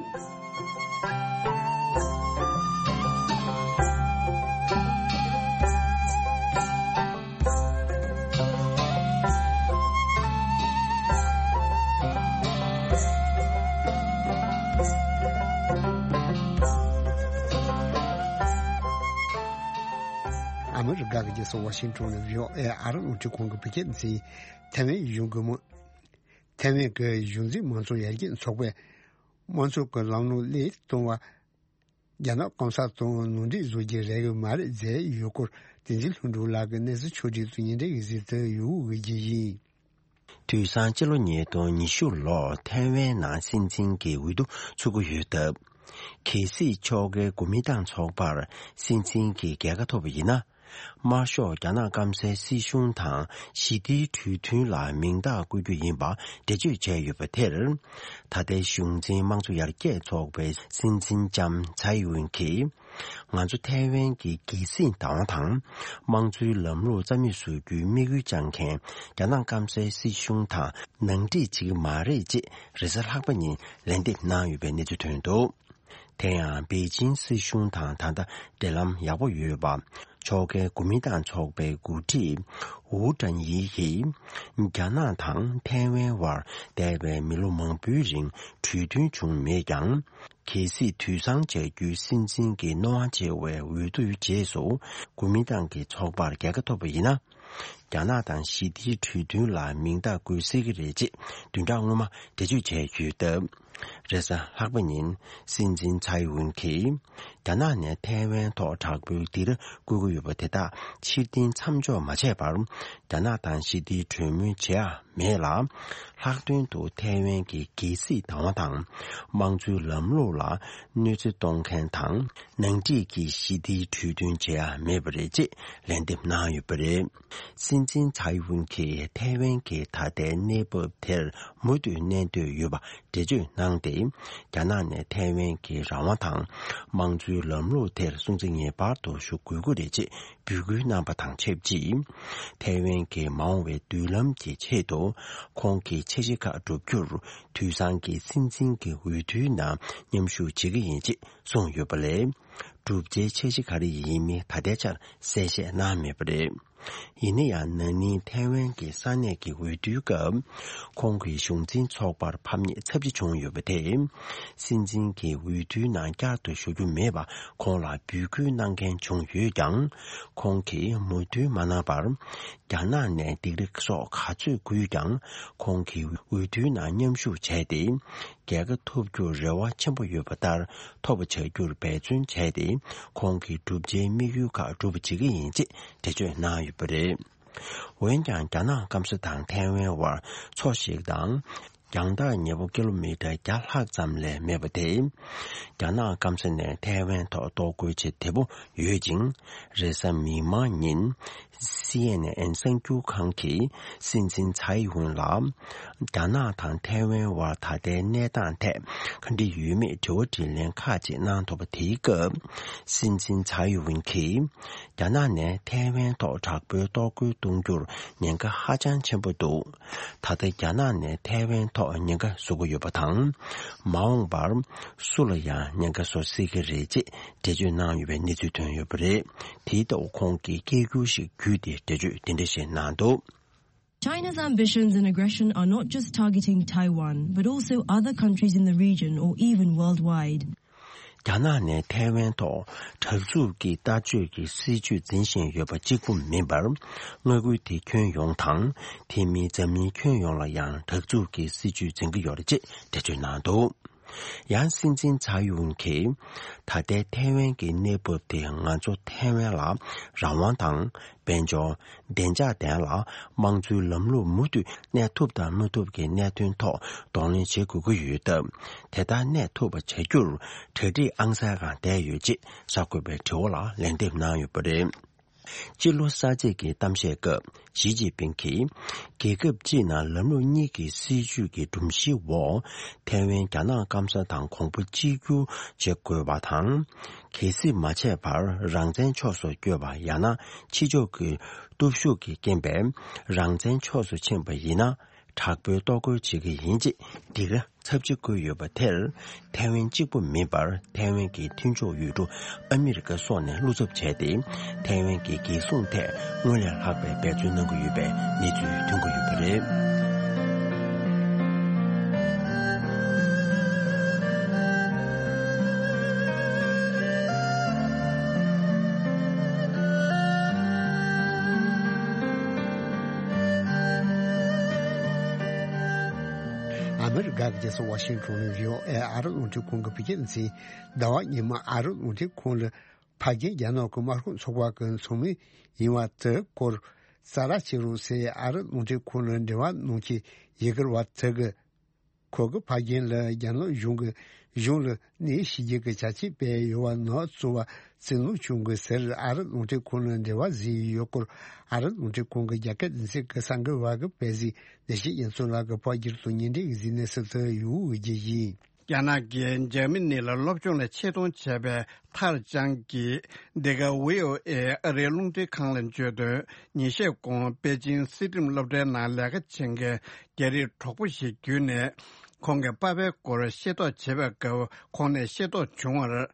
ཨ་མི་རི་ཀ་གི་རྒྱལ་ས་ཝ་ཤིང་ཊོན་ནས་བྷི་ཨོ་ཨེ་ཨ་རི་རླུང་འཕྲིན་ཁང་གི་བོད་སྐད་སྡེ་ཚན། ཐའེ་ཝན་གཞུང་གི་མི། ཐའེ་ཝན་གྱི་གཞུང་འཛིན་མང་གཙོ་ཡར་རྒྱས་ཚོགས་པས་དམངས་གཙོ་གི་ལམ་ལུགས་སླར་གཏོང་བ། རྒྱ་ནག་གོང་ས་དང་ནང་འགྲིག་བཟོ་རྒྱུ་རག་གི་མ་རེད་ཟེར་ཡོད་སྐོར། བསྟན་འཛིན་ལྷུན་གྲུབ་ལགས་ཀྱིས་གནས་ཚུལ་ཕྱོགས་སྒྲིག་ཏུ་ཉིན་རེ་བཞིན་དུ་ཡོང་བའི་རྒྱུ་ཡིན། དུས་སང་སྤྱི་ལོ་ཉིས་སྟོང་ཉི་ཤུ་ལོར་ཐའེ་ཝན་ནང་སྲིད་འཛིན་གྱི་འོས་བསྡུ་ཚུགས་ཀྱི་ཡོད་སྟབས། གལ་སྲིད་ཕྱོགས་འགལ་གོ་མིན་ཏང་ཚོགས་པར་སྲིད་འཛིན་གྱི་རྒྱལ་ཁ་ཐོབ་པ་ཡིན་ན། དམར་ཤོག་རྒྱ་ནག་སྐམ་སའི་སྲིད་གཞུང་དང་ཞི་བདེའི་གྲོས་མཐུན་ལ་མིང་རྟགས་བཀོད་རྒྱུ་ཡིན་པ་འགྲེལ་བརྗོད་བྱས་ཡོད་པ་དེར། ད་ལྟའི་གཞུང་འཛིན་དམངས་གཙོ་ཡར་རྒྱས་ཚོགས་པའི་སྲིད་འཛིན་ལྕམ་ཚའེ་ཝུན་གྱིས། ང་ཚོ་ཐའེ་ཝན་གྱི་རྒྱལ་སྲིད་བདག་དབང་དང་། དམངས་གཙོའི་ལམ་ལུགས་རྩ་མེད་བཟོ་རྒྱུའི་དམིགས་ཡུལ་བཅངས་མཁན་རྒྱ་ནག་སྐམ་སའི་སྲིད་གཞུང་དང་ནང་འགྲིག་བྱེད་ཀྱི་མ་རེད་ཅེས་རེས་གཟའ་ལྷག་པ་ཉིན་ལན་འདེབས་གནང་ཡོད་པའི་གནས་ཚུལ་ཐོན་འདུག་དེ་ཡང་པེ་ཅིན་སྲིད་གཞུང་དང་ད་ལྟ་འབྲེལ་ལམ་ཡག་པོ་ཡོད་པ། ཕྱོགས་འགལ་གོ་མིན་ཏང་ཚོགས་པའི་འགོ་ཁྲིད་ཝུའུ་ཀྲན་ཡི་གིས། རྒྱ་ནག་དང་ཐའེ་ཝན་དབར་འདས་པའི་མི་ལོ་མང་པོའི་རིང་གྲོས་མཐུན་བྱུང་མེད་ཀྱང་། གལ་སྲིད་དུས་སང་བྱ་རྒྱུའི་སྲིད་འཛིན་གྱི་རྣོ་དབང་ཆེ་བའི་འོས་བསྡུའི་རྗེས་སུ་གོ་མིན་ཏང་གི་ཚོགས་པར་རྒྱལ་ཁ་ཐོབ་པ་ཡིན་ན། རྒྱ་ནག་དང་ཞི་བདེའི་གྲོས་མཐུན་ལ་མིང་རྟགས་བཀོད་སྲིད་ཀྱི་རེད་ཅེས་བདུན་ཕྲག་སྔོན་མ་འགྲེལ་བརྗོད་བྱས་ཡོད་སྟབས། རེས་གཟའ་ལྷག་པ་ཉིན་སྲིད་འཛིན་ཚའེ་ཝུན་གྱིས་རྒྱ་ནག་ནས་ཐའེ་ཝན་ཐོག་དྲག་པོའི་སྡིགས་ར་བསྐུལ་གྱི་ཡོད་པ་དེ་དག་ཕྱིར་འཐེན་མཚམས་འཇོག་མ་བྱས་པར། རྒྱ་ནག་དང་ཞི་བདེའི་གྲོས་མོལ་བྱེད་ཡ་མེད་ལ། ལྷག་དོན་དུ་ཐའེ་ཝན་གྱི་རྒྱལ་སྲིད་བདག་དབང་དང་། དམངས་གཙོའི་ལམ་ལུགས་ལ་གནོད་འཚེ་གཏོང་མཁན་དང་། ནང་འགྲིག་གི་ཞི་བདེའི་གྲོས་མཐུན་བྱེད་ཡ་མེད་པ་རེད་ཅེས་ལན་འདེབས་གནང་ཡོད་པ་རེད། སྲིད་འཛིན་ཚའེ་ཝུན་གྱིས་ཐའེ་ཝན་གྱི་ད་ལྟའི་གནས་བབ་དེར་མུ་མཐུད་གནས་འདོད་ཡོད་པ་འགྲེལ་བརྗོད་གནང་སྟེ། རྒྱ་ནག་ནས་ཐའེ་ཝན་གྱི་རང་དབང་དང་དམངས་གཙོའི་ལམ་ལུགས་དེར་སྲུང་བརྩི་ངེས་པར་དུ་ཞུ་དགོས་ཀྱི་རེད་ཅེས་འབོད་སྐུལ་གནང་པ་དང་ཆབས་ཅིག་ཐའེ་ཝན་གྱི་མ་འོངས་པའི་མདུན་ལམ་གྱི་ཆེད་དུ་ཁོང་གི་འཆར་གཞི་ཁག་བསྒྲུབ་རྒྱུར་དུས་སང་གི་སྲིད་འཛིན་གྱི་འོས་བསྡུའི་ནང་མཉམ་ཞུགས་བྱེད་ཀྱི་ཡིན་ཅེས་གསུངས་ཡོད་པ་ལས། བསྒྲུབ་བྱའི་འཆར་གཞི་ག་རེ་ཡིན་མིན་ད་ལྟའི་ཆར་གསལ་བཤད་གནང་མེད་པ་རེད། ཡིན་ན་ཡང་ན་ནིང་ཐའེ་ཝན་གྱི་ས་གནས་ཀྱི་འོས་བསྡུའི་སྐབས། ཁོང་གི་གཞུང་འཛིན་ཚོགས་པར་ཕམ་ཉེས་ཚབས་ཆེ་བྱུང་ཡོད་པ་དེས། སྲིད་འཛིན་གྱི་འོས་བསྡུའི་ནང་བསྐྱར་དུ་ཞུགས་རྒྱུ་མེད་པ་ཁོང་ལ་འབོད་སྐུལ་གནང་མཁན་བྱུང་ཡོད་ཀྱང་། ཁོང་གིས་མོས་མཐུན་མ་གནང་བར། རྒྱ་ནག་ནས་སྡིགས་ར་སོགས་ག་ཚོད་བསྐུལ་ཀྱང་། ཁོང་གིས་འོས་བསྡུའི་ནང་མཉམ་ཞུགས་བྱས་ཏེ། རྒྱལ་ཁ་ཐོབ་རྒྱུར་རེ་བ་ཆེན་པོ་ཡོད་པ་ལྟར་ཐོབ་པ་བྱ་རྒྱུར་འབད་བརྩོན་བྱས་ཏེ། ཁོང་གི་བསྒྲུབ་བྱའི་དམིགས་ཡུལ་ཁག་འགྲུབ་པ་བྱེད་ཀྱི་ཡིན་ཅེས་འགྲེལ་བརྗོད་གནང་ཡོད་པ་རེད། འོན་ཀྱང་རྒྱ་ནག་སྐམ་ས་དང་ཐའེ་ཝན་དབར་མཚོ་ཞིག་དང་། རྒྱང་ཐག་ཉེ་པོ་ཀི་ལོ་མི་ཊར་བརྒྱ་ལྷག་ཙམ་ལས་མེད་པ་དེ། རྒྱ་ནག་སྐམ་ས་ནས་ཐའེ་ཝན་ཐོག་གཏོར་རྒོལ་བྱེད་བདེ་པོ་ཡོད་ཅིང་། རེས་གཟའ་མིག་དམར་ཉིན། སི་ཨེན་ཨེན་གསར་འགྱུར་ཁང་གིས་སྲིད་འཛིན་ཚའེ་ཝུན་ལ། རྒྱ་ནག་དང་ཐའེ་ཝན་དབར་ད་ལྟའི་གནས་སྟངས་ཐད་ག་འདྲ་ཡོད་མེད་དྲི་བ་དྲིས་ལན་ཁག་ཅིག་གནང་ཐུབ་པ་དེའི་སྐབས། སྲིད་འཛིན་ཚའེ་ཝུན་གྱིས། རྒྱ་ནག་ནས་ཐའེ་ཝན་ཐོག་དྲག་པོའི་གཏོར་རྒོལ་གཏོང་རྒྱུར་ཉེན་ཁ་ཧ་ཅང་ཆེན་པོ་འདུག་ད་ལྟ་རྒྱ་ནག་ནས་ཐའེ་ཝན་ཐོག་ཉེན་ཁ་བཟོ་གི་ཡོད་པ་དང་། མ་འོངས་པར་སུ་ལ་ཡང་ཉེན་ཁ་བཟོ་སྲིད་ཀྱི་རེད་ཅེས་འགྲེལ་བརྗོད་གནང་ཡོད་པའི་གནས་ཚུལ་ཐོན་ཡོད་པ་རེད། དེ་ལྟ་བུ་ཁོང་གིས་སྐད་སྒྱུར་ཞིག་བརྒྱུད་དེ་འགྲེལ་བརྗོད་འདི་འདྲ་ཞིག་གནང་འདུག China's ambitions and aggression are not just targeting Taiwan, but also other countries in the region or even worldwide. རྒྱ་ནག་ནས་ཐའེ་ཝན་ཐོག་དྲག་རྩུབ་ཀྱི་ལྟ་སྤྱོད་ཀྱི་སྲིད་ཇུས་འཛིན་བཞིན་ཡོད་པ་གཅིག་པུ་མིན་པར། མངའ་ཁུལ་དེའི་ཁྱོན་ཡོངས་དང་། དེ་མིན་འཛམ་གླིང་ཁྱོན་ཡོངས་ལ་ཡང་དྲག་རྩུབ་ཀྱི་སྲིད་ཇུས་འཛིན་གྱི་ཡོད་རེད་ཅེས་འགྲེལ་བརྗོད་གནང་འདུག་ཡང་སྲིད་འཛིན་ཚའེ་ཝུན་གྱིས། ད་ལྟའི་ཐའེ་ཝན་གྱི་གནས་བབ་དེ་ང་ཚོ་ཐའེ་ཝན་ལ་རང་དབང་དང་། དཔལ་འབྱོར། བདེ་འཇགས་ལྡན་ལ་དམངས་གཙོའི་ལམ་ལུགས་མུ་མཐུད་གནས་ཐུབ་དང་མི་ཐུབ་ཀྱི་གནད་དོན་ཐོག་གདོང་ལེན་བྱེད་དགོས་ཀྱི་ཡོད་སྟབས། དེ་ལྟར་གནས་ཐུབ་པ་བྱ་རྒྱུར་གྲ་སྒྲིག་ཨང་གསར་སྒང་བསྡད་ཡོད་ཅེས་གསར་འགོད་པའི་དྲི་བ་ལ་ལན་འདེབས་གནང་ཡོད་པ་རེད། སྤྱི་ལོ་གསར་ཚེས་ཀྱི་གཏམ་བཤད་སྐབས་ཞི་ཅིན་ཕིང་གིས། རྒྱལ་ཁབ་སྤྱིའི་ནང་ལམ་ལུགས་གཉིས་ཀྱི་སྲིད་ཇུས་ཀྱི་སྒྲོམ་གཞིའི་འོག་ཐའེ་ཝན་རྒྱ་ནག་སྐམ་ས་དང་གོང་བུ་གཅིག་གྱུར་བྱེད་དགོས་པ་དང་། གལ་སྲིད་མ་བྱས་པར་རང་བཙན་ཕྱོགས་སུ་བསྐྱོད་པ་ཡང་ན་ཕྱི་ཕྱོགས་ཀྱི་སྟོབས་ཤུགས་ཀྱི་རྐྱེན་པས་རང་བཙན་ཕྱོགས་སུ་ཕྱིན་པ་ཡིན་ན། དྲག་པོའི་གཏོར་རྒོལ་བྱེད་ཀྱི་ཡིན་ཅེས་སྡིགས་ར་ཚབས་ཆེ་བསྐུལ་ཡོད་པ་དེར། ཐའེ་ཝན་གཅིག་པུ་མིན་པར་ཐའེ་ཝན་གྱི་མཐུན་ཕྱོགས་ཡུལ་གྲུ་ཨ་མི་རི་ཀ་སོགས་ནས་བློ་འཚབ་བྱས་ཏེ། ཐའེ་ཝན་གྱི་རྒྱལ་སྲུང་ཐད་སྔོན་ལས་ལྷག་པའི་འབད་བརྩོན་གནང་གི་ཡོད་པའི་གནས་ཚུལ་ཐོན་གྱི་ཡོད་པ་རེད། ཨ་མི་རི་ཀ་གི་རྒྱལ་ས་ཝ་ཤིང་ཊོན་ནས་བྷི་ཨོ་ཨེ་ཨ་རི་རླུང་འཕྲིན་ཁང་གི་བོད་སྐད་སྡེ་ཚན། ཟླ་བ་ཉི་མ་ཨ་རི་རླུང་འཕྲིན་ཁང་ལ་ཕ་རྒན་རྒྱ་ནག་གི་དམར་ཤོག་ཚོགས་པ་གི་ཚོགས་མི་ཡིན་པ་དེ་སྐོར་ ཙ་ར་བྱེད་རོགས་ཟེར་ཨ་རི་རླུང་འཕྲིན་ཁང་ལ་འབྲེལ་བ་གནང་མཁན་ཡི་གེ་བ་དེ་གིས། ཁོ་གིས་ཕ་རྒན་ལ་རྒྱ་ནག་གཞུང་གིས་གཞུང་ལ་གནས་ཤིག་རྒྱུ་གི་བྱ་སྤྱོད་སྤེལ་ཡོད་པ་ནག་ཚོ་བ་བཙན་ལོ་ཆུང་གིས་ཟེར་ཨ་རི་རླུང་འཕྲིན་ཁང་ལ་འབྲེལ་བ་བཟོས་ཡོད་སྐོར། ཨ་རི་རླུང་འཕྲིན་ཁང་གི་རྒྱ་སྐད་སྡེ་ཚན་གྱི་གསར་འགོད་པ་གིས་སྤེལ་གཟིགས་བདེ་སྐྱིད་རྒྱ་མཚོ་ལགས་ཀྱིས་ཕབ་བསྒྱུར་དང་སྙན་སྒྲོན་གྱིས་གཟིགས་གནས་སུ་ལྷོད་ཡོད་ཅེས་ཡིན། རྒྱ་ནག་གིས་འཇར་མ་ནི་ལ་སློབ་སྦྱོང་ལ་ཆེད་གཏོང་བྱས་པའི་ཐར་ཅང་གིས་འདི་ག་ཝི་ཨོ་ཨེ་ཨ་རིའི་རླུང་འཕྲིན་ཁང་ལ་བརྗོད་དོན། ཉིན་ཤས་གོང་པེ་ཅིང་སྲིད་ཁྲིམས་སློབ་གྲྭའི་ནང་ལས་ཀ་བྱེད་མཁན་རྒྱ་རིགས་གྲོགས་པོ་ཞིག་བརྒྱུད་ནས་ཁོང་གི་པ་ཕའི་སྐོར་ཤེས་རྟོགས་བྱེད་པའི་སྐབས་ཁོང་ནས་ཤེས་རྟོགས་བྱུང་བར།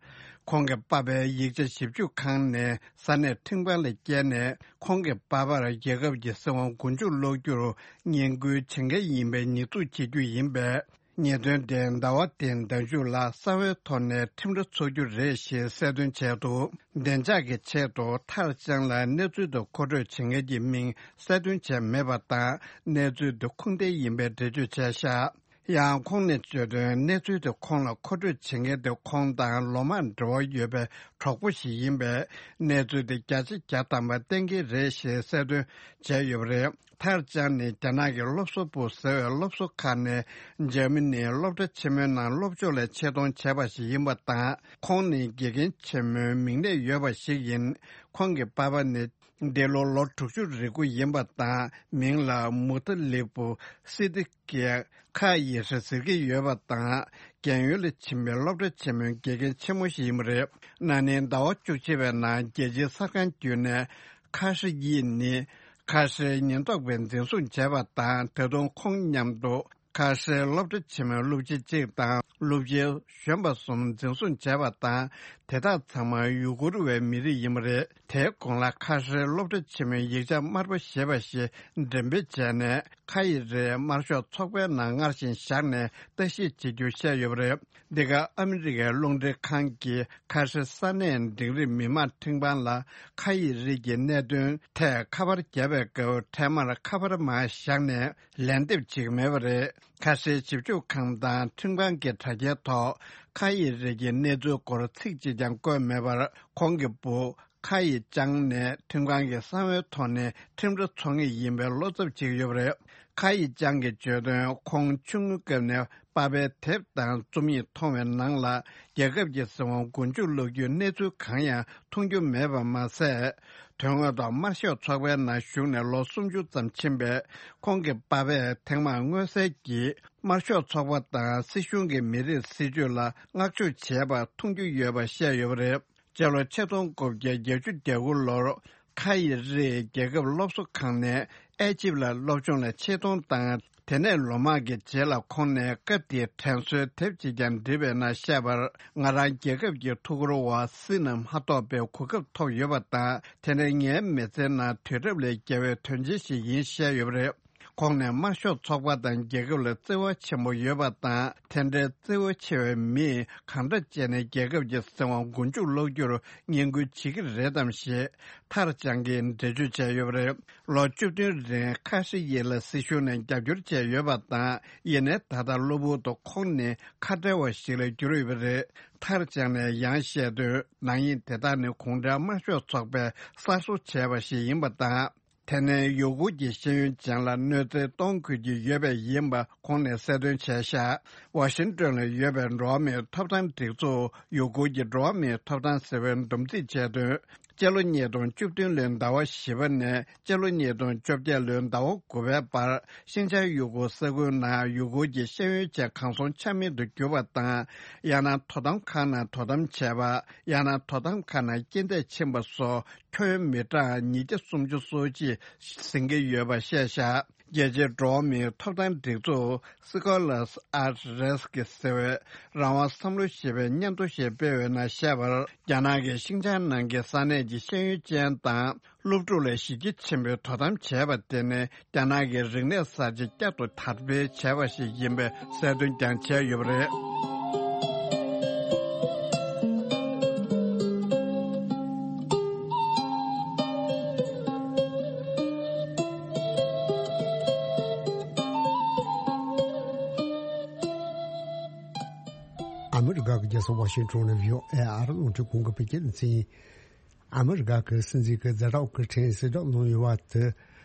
ཁོང་གི་པ་ཕའི་ཡིག་ཆ་ཞིབ་འཇུག་ཁང་ནས་ས་གནས་ཁྲིམས་ཁང་ལ་བསྐྱལ་ནས་ཁོང་གི་པ་ཕར་རྒྱལ་ཁབ་ཀྱི་སྲིད་དབང་མགོ་མཇུག་སློག་རྒྱུར་བསྙེན་བཀུར་བྱེད་མཁན་ཡིན་པའི་ཉེས་འཛུགས་བྱེད་རྒྱུ་ཡིན་པས། ཉེས་དོན་དེ་ཟླ་བ་འདིའི་ཟླ་མཇུག་ལ་གསང་བའི་ཐོག་ནས་ཁྲིམས་ར་འཚོགས་རྒྱུ་རེད་ཞེས་གསལ་སྟོན་བྱས་འདུག་བདེ་འཇགས་ཀྱི་ཆེད་དུ་ཐར་ཅང་ལ་གནས་ཚུལ་དེ་མཁོ་སྤྲོད་བྱེད་མཁན་གྱི་མིང་གསལ་སྟོན་བྱས་མེད་པ་དང་། གནས་ཚུལ་དེ་ཁུངས་ལྡན་ཡིན་པའི་འགྲེལ་བརྗོད་བྱས་བཞག་ཡང་ཁོང་ནས་བརྗོད་དོན། གནས་ཚུལ་དེ་ཁོང་ལ་མཁོ་སྤྲོད་བྱེད་མཁན་དེ་ཁོང་དང་ལོ་མང་འབྲེལ་བ་ཡོད་པའི་གྲོགས་པོ་ཞིག་ཡིན་པས། གནས་ཚུལ་དེ་བརྒྱ་ཆ་བརྒྱ་ཐམ་པ་གཏན་འཁེལ་རེད་ཞེས་གསལ་སྟོན་བྱས་ཡོད་པ་རེད། ཐར་ཅང་ནི་རྒྱ་ནག་གི་སློབ་གསོ་པུའུ་ཟེར་བའི་སློབ་གསོ་ཁང་ནས་འཇར་མ་ནིའི་སློབ་གྲྭ་ཆེན་མོའི་ནང་སློབ་སྦྱོང་ལ་ཆེད་གཏོང་བྱས་པ་ཞིག་ཡིན་པ་དང་། ཁོང་ནི་དགེ་རྒན་ཆེན་མོའི་མིང་གནས་ཡོད་པ་ཞིག་ཡིན། ཁོང་གི་པ་ཕ་ནི་འདི་ལོ་ལོ་དྲུག་ཅུ་རེ་དགུ་ཡིན་པ་དང་། མིང་ལ་མུ་ཐ་ལིག་པུ་སི་ཏི་ཀེ་ཁ་ཡི་རི་ཟེར་གྱི་ཡོད་པ་དང་། རྒན་ཡོལ་ལ་ཕྱིན་པའི་སློབ་གྲྭ་ཆེན་མོའི་དགེ་རྒན་ཆེན་མོ་ཞིག་ཡིན་པ་རེད། ན་ནིང་ཟླ་བ་བཅུ་གཅིག་པའི་ནང་རྒྱལ་སྤྱིའི་གསར་ཁང་བརྒྱུད་ནས་ཁ་ཧྲི་ཡི་ནི་ཁ་ཧྲིའི་ཉེན་རྟོག་པས་འཛིན་བཟུང་བྱས་པ་དང་། ད་དུང་ཁོང་མཉམ་དུ་ཁ་ཧྲིའི་སློབ་གྲྭ་ཆེན་མོའི་སློབ་སྤྱི་གཅིག་དང་སློབ་སྤྱི་གཞོན་པ་གསུམ་འཛིན་བཟུང་བྱས་པ་དང་། དེ་དག་ཚང་མ་ཡུ་གུར་བའི་མི་རིགས་ཡིན་པ་རེད། དེའི་གོང་ལ་ཁ་ཧྲིའི་སློབ་གྲྭ་ཆེན་མོའི་ཡིག་ཆ་དམར་པོ་ཞེས་པ་ཞིག་འགྲེམས་སྤེལ་བྱས་ནས། ཁ་ཡི་རིགས་དམར་ཤོག་ཚོགས་པའི་ནང་སྔར་བཞིན་བཞག་ནས་བརྟག་ཞིབ་བྱེད་རྒྱུ་བཤད་ཡོད་པ་རེད། འདི་ག་ཨ་མི་རི་ཀའི་རླུང་འཕྲིན་ཁང་གིས་ཁ་ཧྲི་ས་གནས་འབྲིང་རིམ་མི་དམངས་ཁྲིམས་ཁང་ལ་ཁ་ཡི་རིགས་ཀྱི་གནད་དོན་ཐད་ཁ་པར་བརྒྱབ་པའི་སྐབས། འཕྲལ་མར་ཁ་པར་མར་བཞག་ནས་ལན་འདེབས་བྱེད་ཀྱི་མེད་པ་རེད། ཁ་ཧྲིའི་ཞིབ་འཇུག་ཁང་དང་ཁྲིམས་ཁང་གི་དྲ་རྒྱའི་ཐོག་ཁ་ཡི་རིགས་ཀྱི་གནས་ཚུལ་སྐོར་ཚིག་གཅིག་ཀྱང་བཀོད་མེད་པར། ཁོང་གི་བུ་ཁ་ཡི་ཅང་ནས་ཁྲིམས་ཁང་གི་གསང་བའི་ཐོག་ནས་ཁྲིམས་ར་འཚོགས་ངེས་ཡིན་པའི་བློ་འཚབ་བྱེད་ཀྱི་ཡོད་པ་རེད། ཁ་ཡི་ཅང་གིས་བརྗོད་དོན། ཁོང་ཆུང་ངུའི་སྐབས་ནས་པ་ཕའི་དེབ་དང་རྩོམ་ཡིག་མཐོང་བའི་ནང་ལ། རྒྱལ་ཁབ་ཀྱི་སྲིད་དབང་མགོ་མཇུག་སློག་རྒྱུའི་གནས་ཚུལ་གང་ཡང་མཐོང་རྒྱུ་མེད་པ་མ་ཟད། དོན་དངོས་ཐོག་དམར་ཤོག་ཚོགས་པའི་ནང་ཞུགས་ནས་ལོ་སུམ་ཅུ་ཙམ་ཕྱིན་པའི་ཁོང་གི་པ་ཕས་ཐེངས་མང་མངོན་གསལ་གྱིས་དམར་ཤོག་ཚོགས་པ་དང་སྲིད་གཞུང་གི་མི་རིགས་སྲིད་ཇུས་ལ་བསྔགས་བརྗོད་བྱས་པ་མཐོང་རྒྱུ་ཡོད་པ་བཤད་ཡོད་པ་རེད། སྤྱི་ལོ་ཆིག་སྟོང་དགུ་བརྒྱ་བརྒྱད་ཅུ་གྱ་དགུ་ལོར་ཁ་ཡི་རིགས་རྒྱལ་ཁབ་སློབ་གསོ་ཁང་ནས་ཨེ་ཇིབ་ལ་སློབ་སྦྱོང་ལ་ཆེད་གཏོང་དང་། དེ་ནས་ལོ་མང་གི་རྗེས་ལ་ཁོང་ནས་སྐབས་དེའི་དྲན་གསོའི་དེབ་ཅིག་ཀྱང་བྲིས་པའི་ནང་བཤད་པར། ང་རང་རྒྱལ་ཁབ་ཀྱི་ཐུགས་ཁུར་འོག་བསོད་ནམས་མ་ཐོབ་པའི་གོ་སྐབས་ཐོབ་ཡོད་པ་དང་། དེ་ནི་ངའི་མི་ཚེའི་ནང་དུས་རབས་ལས་བརྒལ་བའི་དོན་ཆེན་ཞིག་ཡིན་བཤད་ཡོད་པ་རེད། ཁོང་ནས་དམར་ཤོག་ཚོགས་པ་དང་རྒྱལ་ཁབ་ལ་བརྩེ་བ་ཆེན་པོ་ཡོད་པ་དང་། དེ་འདྲའི་བརྩེ་བ་ཆེ་བའི་མིས་གང་འདྲ་བྱས་ནས་རྒྱལ་ཁབ་ཀྱི་སྲིད་དབང་མགོ་མཇུག་སློག་རྒྱུར་བསྙེན་བཀུར་བྱེད་ཀྱི་རེད་དམ་ཞེས་ཐར་ཅང་གིས་འགྲེལ་བརྗོད་བྱས་ཡོད་པ་རེད། ལོ་བཅུ་བདུན་རིང་ཁ་ཧྲི་ཡི་ལ་སྲིད་གཞུང་ནས་རྒྱབ་སྐྱོར་བྱས་ཡོད་པ་དང་། ཡིན་ནའི་ད་ལྟ་གློ་བུར་དུ་ཁོང་ནི་ཁ་བྲལ་བ་ཞིག་ལ་གྱུར་ཡོད་པ་རེད། ཐར་ཅང་ནས་ཡང་བཤད་དོན། ནག་ཉེས་དེ་དག་ནི་གུང་ཁྲན་དམར་ཤོག་ཚོགས་པས་གསར་བཟོ་བྱས་པ་ཞིག་ཡིན་པ་དང་། དེ་ནས་ཡུ་གུར་གྱི་ཤེས་ཡོན་ཅན་ལ་གནོད་འཚེ་གཏོང་དགོས་ཀྱི་ཡོད་པས་ཡིན་པ་ཁོང་ནས་གསལ་སྟོན་བྱས་བཞག་ཝ་ཤིང་ཏོན་ལ་ཡོད་པའི་འགྲོ་བ་མིའི་ཐོབ་ཐང་སྒྲིག་འཛུགས་ཡུ་གུར་གྱི་འགྲོ་བ་མིའི་ཐོབ་ཐང་ཟེར་བས་འདུམ་འཛིན་བྱས་དོན། སྤྱི་ལོ་ཉིས་སྟོང་བཅུ་བདུན་ལོའི་ཟླ་བ་བཞི་པ་ནས་སྤྱི་ལོ་ཉིས་སྟོང་བཅོ་བརྒྱད་ལོའི་ཟླ་བ་དགུ་པའི་བར། ཤིན་ཅང་ཡུ་གུར་ས་ཁུལ་ནང་ཡུ་གུར་གྱི་ཤེས་ཡོན་ཅན་གང་སོང་ཆ་མེད་དུ་གྱུར་པ་དང་། ཡང་ན་དོ་དམ་ཁང་ནང་དོ་དམ་བྱས་པ། ཡང་ན་དོ་དམ་ཁང་ནང་རྐྱེན་འདས་ཕྱིན་པ་སོགས་ཁྱོན་ཡོངས་མི་གྲངས་ཉིས་བརྒྱ་སུམ་ཅུ་སོ་གཅིག་ཟིན་གྱི་ཡོད་པ་བཤད་བཞག་རྒྱལ་སྤྱིའི་འགྲོ་བ་མིའི་ཐོབ་ཐང་སྒྲིག་འཛུགས་Scholars at Risk ཟེར་བས་རང་དབང་བསམ་བློ་ཞེས་པའི་སྙན་ཐོ་ཞིག་སྤེལ་བའི་ནང་བཤད་པར། རྒྱ་ནག་གིས་ཤིན་ཅང་ནང་གི་ས་གནས་ཀྱི་ཤེས་ཡོན་ཅན་དང་སློབ་ཕྲུག་ལ་གཞི་རྒྱ་ཆེན་པོས་དོ་དམ་བྱས་པ་དེ་ནི་རྒྱ་ནག་གི་རིག་གནས་གསར་བརྗེ་བསྐྱར་དུ་དར་སྤེལ་བྱས་པ་ཞིག་ཡིན་པའི་གསལ་སྟོན་ཀྱང་བྱས་ཡོད་པ་རེད། ཨ་མི་རི་ཀ་གི་རྒྱལ་ས་ཝ་ཤིང་ཊོན་ནས་བྷི་ཨོ་ཨེ་ཨ་རི་རླུང་འཕྲིན་ཁང་གི་བོད་སྐད་སྡེ་ཚན་ཡིན། ཨ་མི་རི་ཀ་གི་སྲིད་འཛིན་གྱི་ཛ་དྲག་གི་ཁྲིམས་གསལ་བསྒྲགས་གནང་ཡོད་པ་དེ་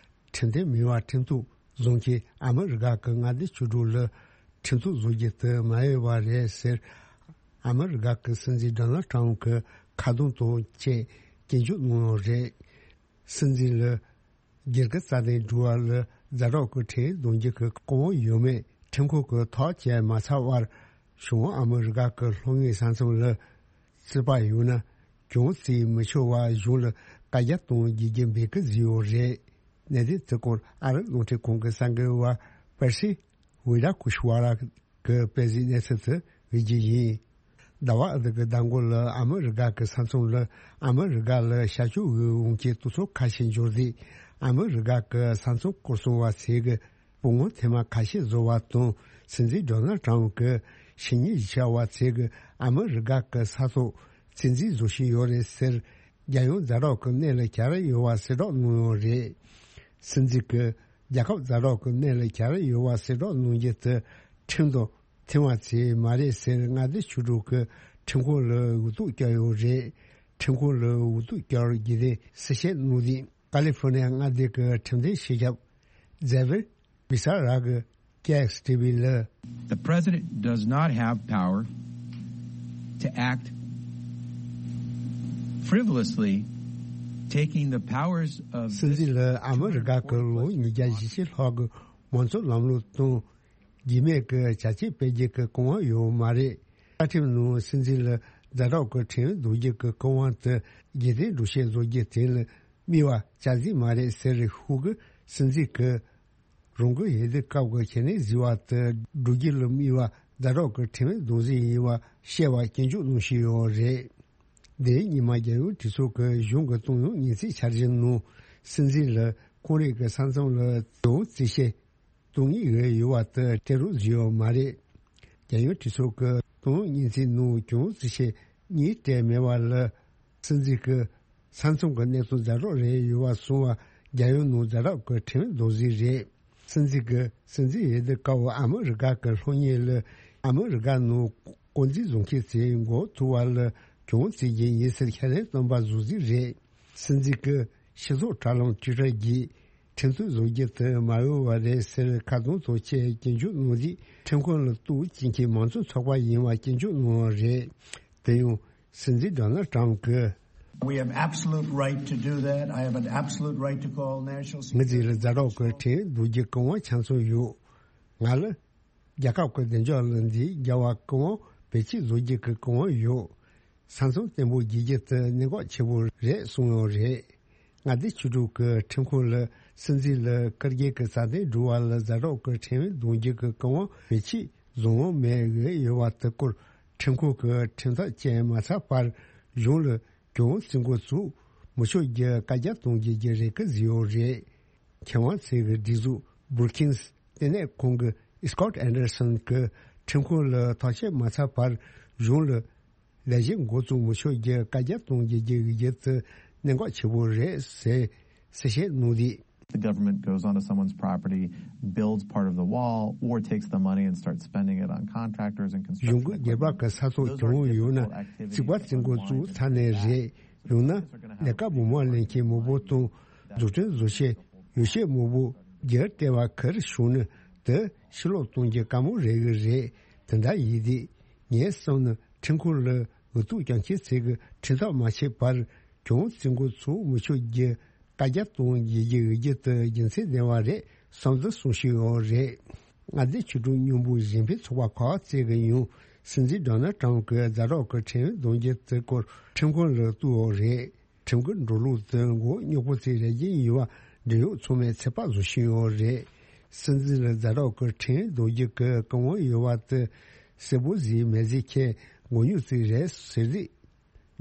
ཁྲིམས་མཐུན་མིན་པར་ཁྲིམས་གཏུག་བཟོ་མཁན་ཨ་མི་རི་ཀ་གི་མངའ་སྡེ་བཅུ་དྲུག་ལ་ཁྲིམས་གཏུག་བཟོ་རྒྱུ་དེ་མ་འོས་པ་རེད་ཟེར། ཨ་མི་རི་ཀ་གི་སྲིད་འཛིན་ཌོ་ནལ་ཊམ་གྱིས་ཁ་རྡུང་དང་བཅས་སྐྱོན་བརྗོད་གནང་ཡོད་རེད། སྲིད་འཛིན་ལ་སྒེར་གྱི་རྩ་དོན་སྒྲུབ་པ་ལ་ཛ་དྲག་གི་ཁྲིམས་འདོན་རྒྱུ་གི་གོ་སྐབས་ཡོད་མེད་ཁྲིམས་ཁང་གིས་ཐག་བཅད་མ་ཚར་བར། བྱང་ཨ་མི་རི་ཀ་གི་ལྷོ་ངོས་ས་མཚམས་ལ་རྩིས་པ་ཡོད་ན་གྱོང་རྩིས་མི་ཆོག་པ་གཞུང་ལ་བཀའ་རྒྱ་གཏོང་དགོས་རྒྱུ་འབོད་སྐུལ་བཟོས་ཡོད་རེད། གནད་དོན་དེ་སྐོར་ཨ་རི་རླུང་འཕྲིན་ཁང་གི་གསར་འགོད་པ་པེར་སི་ཝི་ར་ཀུ་ཤི་ཝ་ར་གི་དཔེ་གཟིགས་གནས་ཚུལ་དེ་འབུལ་རྒྱུ་ཡིན། ཟླ་བ་འདི་གི་ཟླ་མགོ་ལ་ཨ་མི་རི་ཀ་གི་ས་མཚམས་ལ་ཨ་མི་རི་ཀ་ལ་ཤར་ཕྱོགས་དབུས་འོང་མཁན་དུད་ཚང་ཁ་ཤས་འབྱོར་རྗེས། ཨ་མི་རི་ཀ་གི་ས་མཚམས་སྐོར་སྲུང་བ་ཚོས་ཀྱི་སྤུ་ངོ་ཐེངས་མ་ཁ་ཤས་བཟོ་བ་དང་། སྲིད་འཛིན་ཌོ་ནལ་ཊམ་གྱིས་ཕྱི་ཉིན་བཞི་ཆ་བ་ཚོས་ཀྱི་ཨ་མི་རི་ཀ་གི་ས་ཐོག་བཙན་འཛུལ་བཟོ་བཞིན་ཡོད་རེད་ཟེར། རྒྱལ་ཡོངས་ཛ་དྲག་གི་གནས་ལ་གྱར་ཡོད་པ་གསལ་བསྒྲགས་གནང་ཡོད་རེད། སྲིད་འཛིན་གྱིས་རྒྱལ་ཁབ་ཛ་དྲག་གི་གནས་ལ་གྱར་ཡོད་པ་གསལ་བསྒྲགས་གནང་རྒྱུ་དེ་ཁྲིམས་དང་མཐུན་པ་ཚོས་མ་རེད་ཟེར། མངའ་སྡེ་ཆོས་གྲོགས་ཀྱིས་ཁྲིམས་ཁང་ལ་འུ་ཐུག་བསྐྱལ་ཡོད་རེད། ཁྲིམས་ཁང་ལ་འུ་ཐུག་བསྐྱལ་རྒྱུ་དེ་གསལ་བཤད་གནང་དུས། ཀ་ལི་ཧྥོ་ནི་ཡ་མངའ་སྡེ་གི་ཁྲིམས་དོན་སྤྱི་ཁྱབ་ཛེ་བིར་བི་ས་ར་གིས་ཀེ་ཨེག་སི་ཊི་ཝི་ལ། The president does not have power to act frivolously, taking the powers of this སྲིད་འཛིན་ལ་ཨ་མི་རི་ཀ་གི་ལོ་ཉིས་བརྒྱ་ཞེ་གཅིག་ལྷག་གི་མང་གཙོ་ལམ་ལུགས་དང་། རྒྱུས་མེད་ཀྱི་བྱ་སྤྱོད་སྤེལ་རྒྱུ་གི་གོ་སྐབས་ཡོད་མ་རེད། བཅའ་ཁྲིམས་ནང་སྲིད་འཛིན་ལ་ཛ་དྲག་གི་ཁྲིམས་འདོན་རྒྱུ་གི་གོ་སྐབས་དེ་རྒྱུན་ལྡན་སྒྲོག་བཤད་བཟོ་རྒྱུ་དེ་ལ་དམིགས་པ་བྱ་གཟིགས་མ་རེད་ཟེར། ཤོག་གུ་སྲིད་འཛིན་གྱིས་རང་གི་འོས་བསྡུ་སྐབས་ཀྱི་ཁེ་ནས་ཟིན་པ་དེ་སྒྲུབ་རྒྱུ་ལ་དམིགས་པ་ཛ་དྲག་གི་ཁྲིམས་འདོན་རྩིས་ཡིན་པ་བཤད་པ་སྐྱོན་བརྗོད་གནང་བཞིན་ཡོད་རེད། འདིའི་ཉི་མ་རྒྱལ་ཡོངས་གྲོས་ཚོགས་ཀྱི་གཞུང་གི་གཏོང་ཡོང་སྙན་ཚིག་འཆར་གཞི་ནང་སྲིད་འཛིན་ལ་ཁོང་རང་གི་ས་མཚམས་ལ་གྱོང་རྩིས་བཤད་གཏོང་ངེས་ཡོད་པ་དེ་སྤྲད་རོགས་བཟོས་ཡོད་མ་རེད། རྒྱལ་ཡོངས་གྲོས་ཚོགས་ཀྱི་གཏོང་ཡོང་སྙན་ཚིག་ནང་གྱོང་རྩིས་བཤད་གཉིས་སྤྲད་མེད་པ་ལ་སྲིད་འཛིན་གྱི་ས་མཚམས་ཀྱི་གནས་སྟངས་ཛ་དྲག་རེད་ཡོད་པ་སོང་བ་རྒྱལ་ཡོངས་ནང་ཛ་དྲག་གི་ཁྲིམས་འདོན་རྩིས་རེད། སྲིད་འཛིན་གྱི་སྲིད་འཛིན་འོས་བསྡུ་སྐབས་ཨ་མི་རི་ཀ་གི་ལྷོ་ངོས་ལ་ཨ་མི་རི་ཀ་ནང་དཀོན་འཛིན་བཟོ་མཁན་ཚོས་མགོ་ཐུག་པ་ལ་གྱོང་རྩིས་རྒྱུ་ཡིན་ཟེར་ཁས་ལེན་བཏང་པ་བཟོ་རྩིས་རེད། སྲིད་འཛིན་གྱི་སྤྱི་ཚོགས་དྲ་ལམ་ཊུའི་ཊར་བརྒྱུད་ཁྲིམས་གཏུག་བཟོ་རྒྱུ་དེ་མ་འོས་པ་རེད་ཟེར་ཁ་རྡུང་དང་བཅས་སྐྱོན་བརྗོད་གནང་རྗེས། ཁྲིམས་ཁང་ལ་གཏུག་བྱེད་མཁན་མང་གཙོ་ཚོགས་པ་ཡིན་པ་སྐྱོན་བརྗོད་གནང་བ་རེད། དེ་ཡང་སྲིད་འཛིན་ཌོ་ནལ་ཊམ་གྱིས། We have absolute right to do that. I have an absolute right to call national ངའི་རྩིས་ལ་ཛ་དྲག་གི་ཁྲིམས་འདོན་རྒྱུ་གང་བ་ཆ་ཚང་ཡོད། ང་ལ་རྒྱལ་ཁབ་ཀྱི་བདེ་འཇགས་ལ་འདི་འགལ་བ་གང་བ་བེད་སྤྱོད་བཟོ་རྒྱུ་གི་གང་བ་ཡོད། ས་མཚམས་བརྟན་པོ་བརྗེ་རྒྱུ་དེ་གནད་འགག་ཆེ་པོ་རེད་གསུངས་ཡོད་རེད། མངའ་སྡེ་ཆོས་གྲོགས་ཀྱི་ཁྲིམས་ཁང་ལ་སྲིད་འཛིན་ལ་བཀའ་བརྒྱུད་ཀྱི་རྩ་དོན་སྒྲུབ་པ་ལ་ཛ་དྲག་གི་ཁྲིམས་འདོན་རྒྱུ་གི་གང་བ་བེད་སྤྱོད་བཟོ་འོས་མེད་འོས་ཡོད་པ་དེ་སྐོར་ཁྲིམས་ཁང་གིས་ཁྲིམས་ཐག་བཅད་མ་ཚར་བར་གཞུང་ལ་གྱོང་རྩིས་འགོ་བཙུགས་མི་ཆོག་རྒྱུ་བཀའ་རྒྱ་གཏོང་རྒྱུ་གི་རེ་སྐུལ་བཟོས་ཡོད་རེད། མཁས་དབང་ཚོས་ཀྱི་སྒྲིག་འཛུགས་Brookings་ལྟེ་གནས་ཁང་གི་Scott Anderson་གྱིས་ཁྲིམས་ཁང་ལ་ཐག་བཅད་མ་ཚར་བར་གཞུང་ལ་ལས་གཞི་འགོ་བཙུགས་མི་ཆོག་རྒྱུ་བཀའ་རྒྱ་གཏོང་རྒྱུ་གི་གཞི་རྩ་གནད་འགག་ཆེ་པོ་རེད་ཟེར་གསལ་བཤད་གནང་དུས། The government goes onto someone's property, builds part of the wall, or takes the money and starts spending it on contractors and construction equipment. གཞུང་གི་སྒེར་པ་གི་ས་ཐོག་གྱོང་ཡོད་ན་རྩིག་པ་རྩིག་འགོ་བཙུགས་ཚར་ནས་རེད། ཡང་ན་ལས་ཀ་སྦོམ་པ་ལེན་མཁན་མང་པོ་དང་བཟོ་སྐྲུན་བཟོ་བྱེད་ཡོ་བྱད་མང་པོ་རྒྱུ་སྤྲད་པ་གར་བྱུང་ན་དེ་ཕྱིར་སློག་གཏོང་རྒྱུ་དཀའ་མོ་རེད་གི་རེད། དེ་འདྲ་ཡིན་དུས་ངས་བསམ་ན་ཁྲིམས་ཁང་ལ་འུ་ཐུག་རྒྱག་མཁན་ཚོས་གི་ཁྲིམས་ཐག་མ་ཆད་པར་གྱོང་རྩིས་འགོ་ཚུགས་མི་ཆོག་རྒྱུ་བཀའ་རྒྱ་གཏོང་རྒྱུ་གི་འོས་བསྡུ་དེ་རྒྱུ་མཚན་ལྡན་པ་རེད་བསམ་འདུག་གསུངས་བཞིན་ཡོད་རེད། མངའ་སྡེ་ཆོས་གྲོགས་མཉམ་འབོད་གཞན་ཕན་ཚོགས་པ་ཁག་ཅིག་གིས་ཡང་སྲིད་འཛིན་ཌོ་ནལ་ཊམ་གྱིས་ཛ་དྲག་གི་ཁྲིམས་འདོན་རྒྱུ་དེ་སྐོར་ཁྲིམས་ཁང་ལ་གཏུགས་ཡོད་རེད། ཁྲིམས་ཀྱི་འགྲོ་ལུགས་དེ་མགོ་རྙོག་པོ་ཅིག་རེད་ཀྱིན་ཡིན་པ་འབྲེལ་ཡོད་ཚང་མས་ཚོད་དཔག་བཟོ་བཞིན་ཡོད་རེད། སྲིད་འཛིན་ལ་ཛ་དྲག་གི་ཁྲིམས་འདོན་རྒྱུ་གི་གོ་སྐབས་ཡོད་པ་དེ་གསལ་པོ་ཟིག་མེད་ཟེར་མཁན་མགོ་རྙོག་ཅིག་རེད་ཟེར་རིགས།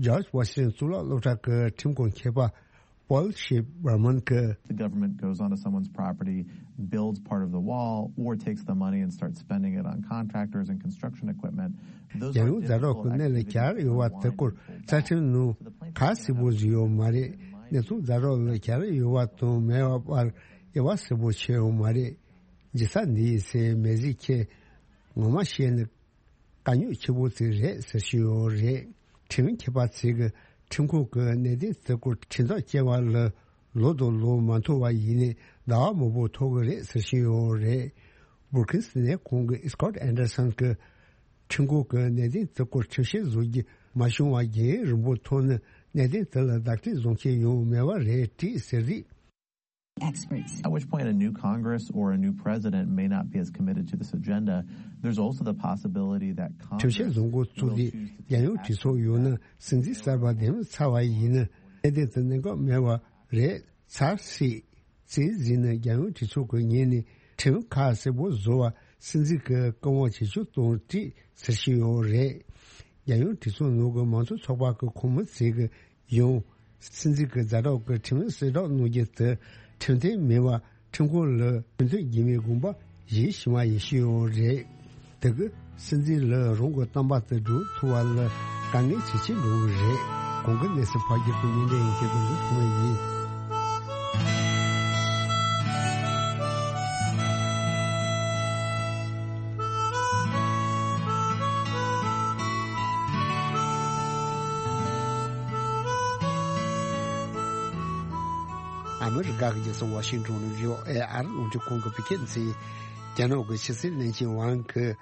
George Washington་གཙུག་ལག་སློབ་གྲྭ་གི་ཁྲིམས་ཁང་མཁས་པ་Paul Schiff་Berman་གིས། The government goes onto someone's property, builds part of the wall, or takes the money and starts spending it on contractors and construction equipment. རྒྱལ་ཡོངས་ཛ་དྲག་གི་གནས་ལ་གྱར་ཡོད་པ་དེ་སྐོར་རྩ་ཁྲིམས་ནང་ག་གསལ་པོ་བཟོས་ཡོད་མ་རེད། གནས་ཚུལ་ཛ་དྲག་ལ་གྱར་ཡོད་པ་དང་མེད་པ་བར་དབྱེ་བ་གསལ་པོ་ཕྱེ་ཡོད་མ་རེད། འཇིག་ས་འདི་ཡིན་ཟེར་མེད་ཟེར་མཁན་ངོ་མ་བཤད་ན་དཀའ་རྙོག་ཆེ་པོ་ཅིག་རེད་ཟེར་བཞིན་ཡོད་རེད། ཁྲིམས་མཁས་པ་ཚོས་ཀྱི་ཁྲིམས་ཁང་གི་གནད་དོན་དེ་སྐོར་ཁྲིམས་ཐག་བཅད་པ་ལ་ ལོ་དང་ལོ་མ་མཐོང་བ་ཡིན་ནའི་ཟླ་བ་མང་པོ་ཐོག་གི་རེད་ཟེར་བཞིན་ཡོད་རེད། བྷུར་ཁིན་སི་ནས་ཁོང་གི་སི་ཀོཊ་ཨན་ཌར་སན་གྱི་ཁྲིམས་ཁང་གི་གནད་དོན་དེ་སྐོར་ཁྲིམས་བཤེར་བཟོ་རྒྱུ་མ་བྱུང་བར་རྒྱུན་རིང་པོ་ཐོག་ནས་གནད་དོན་དེ་ལ་བརྡ་སྤྲོད་བཟོ་མཁན་ཡང་མེད་པ་རེད་དྲིས་ཟེར་རིགས། Experts. At which point a new Congress or a new president may not be as committed to this agenda. There's also the possibility that Congress ཁྲིམས་བཤེར་བཟོ་འགོ་བཙུགས་ཏེ་རྒྱལ་ཡོངས་གྲོས་ཚོགས་ཡོད་ན་སྲིད་འཛིན་གསར་པ་འདེམས་ཚར་བ་ཡིན་ན་གནད་དོན་དེ་གནད་འགག་མེད་པ་རེད་ཚར་སྲིད། རྩིས་ཟིན་ན་རྒྱལ་ཡོངས་གྲོས་ཚོགས་ཀྱི་ངོས་ནས་ཁྲིམས་ཁག་གསལ་པོ་བཟོ་བ་སྲིད་འཛིན་གྱི་བཀའ་དབང་བྱེད་ཆོག་གཏོང་སྲིད་ཟེར་བཞིན་ཡོད་རེད། རྒྱལ་ཡོངས་གྲོས་ཚོགས་ནང་གི་མང་གཙོ་ཚོགས་པ་གི་ཁོངས་མི་ཚོས་ཀྱི་ཡང་སྲིད་འཛིན་གྱི་ཛ་དྲག་གི་ཁྲིམས་ཡིག་གསལ་བསྒྲགས་གནང་རྒྱུ་དེ་ཁྲིམས་མཐུན་མིན་པ་ཁྲིམས་ཁང་ལ་ཁྲིམས་མཐུན་རྒྱུ་མེད་དགོངས་པ་བཞེས་བཞིན་པ་ཡིན་ཞུས་ཡོད་རེད། དེ་གི་སྲིད་འཛིན་ལ་རང་གི་བསྟན་པ་དེ་སྒྲུབ་ཐུབ་པ་ལ་དཀའ་ངལ་ཇེ་ཆེ་འགྲོ་གི་རེད། གོང་གི་གནས་ཚུལ་ཕར་རྒྱག་ཏུ་ཉིན་འདྲ་ཡིན་ཁྱེད་དང་འདི་ཐུག་མ་ཡིན། ཨ་མི་རི་ཀ་གི་རྒྱལ་ས་ཝ་ཤིང་ཏོན་ནས་བྷི་ཨོ་ཨེ་ཨ་རི་རླུང་འཕྲིན་ཁང་གི་བོད་སྐད་སྡེ་ཚན། རྒྱ་ནག་གི་ཕྱི་སྲིད་བློན་ཆེན་ཝང་གིས་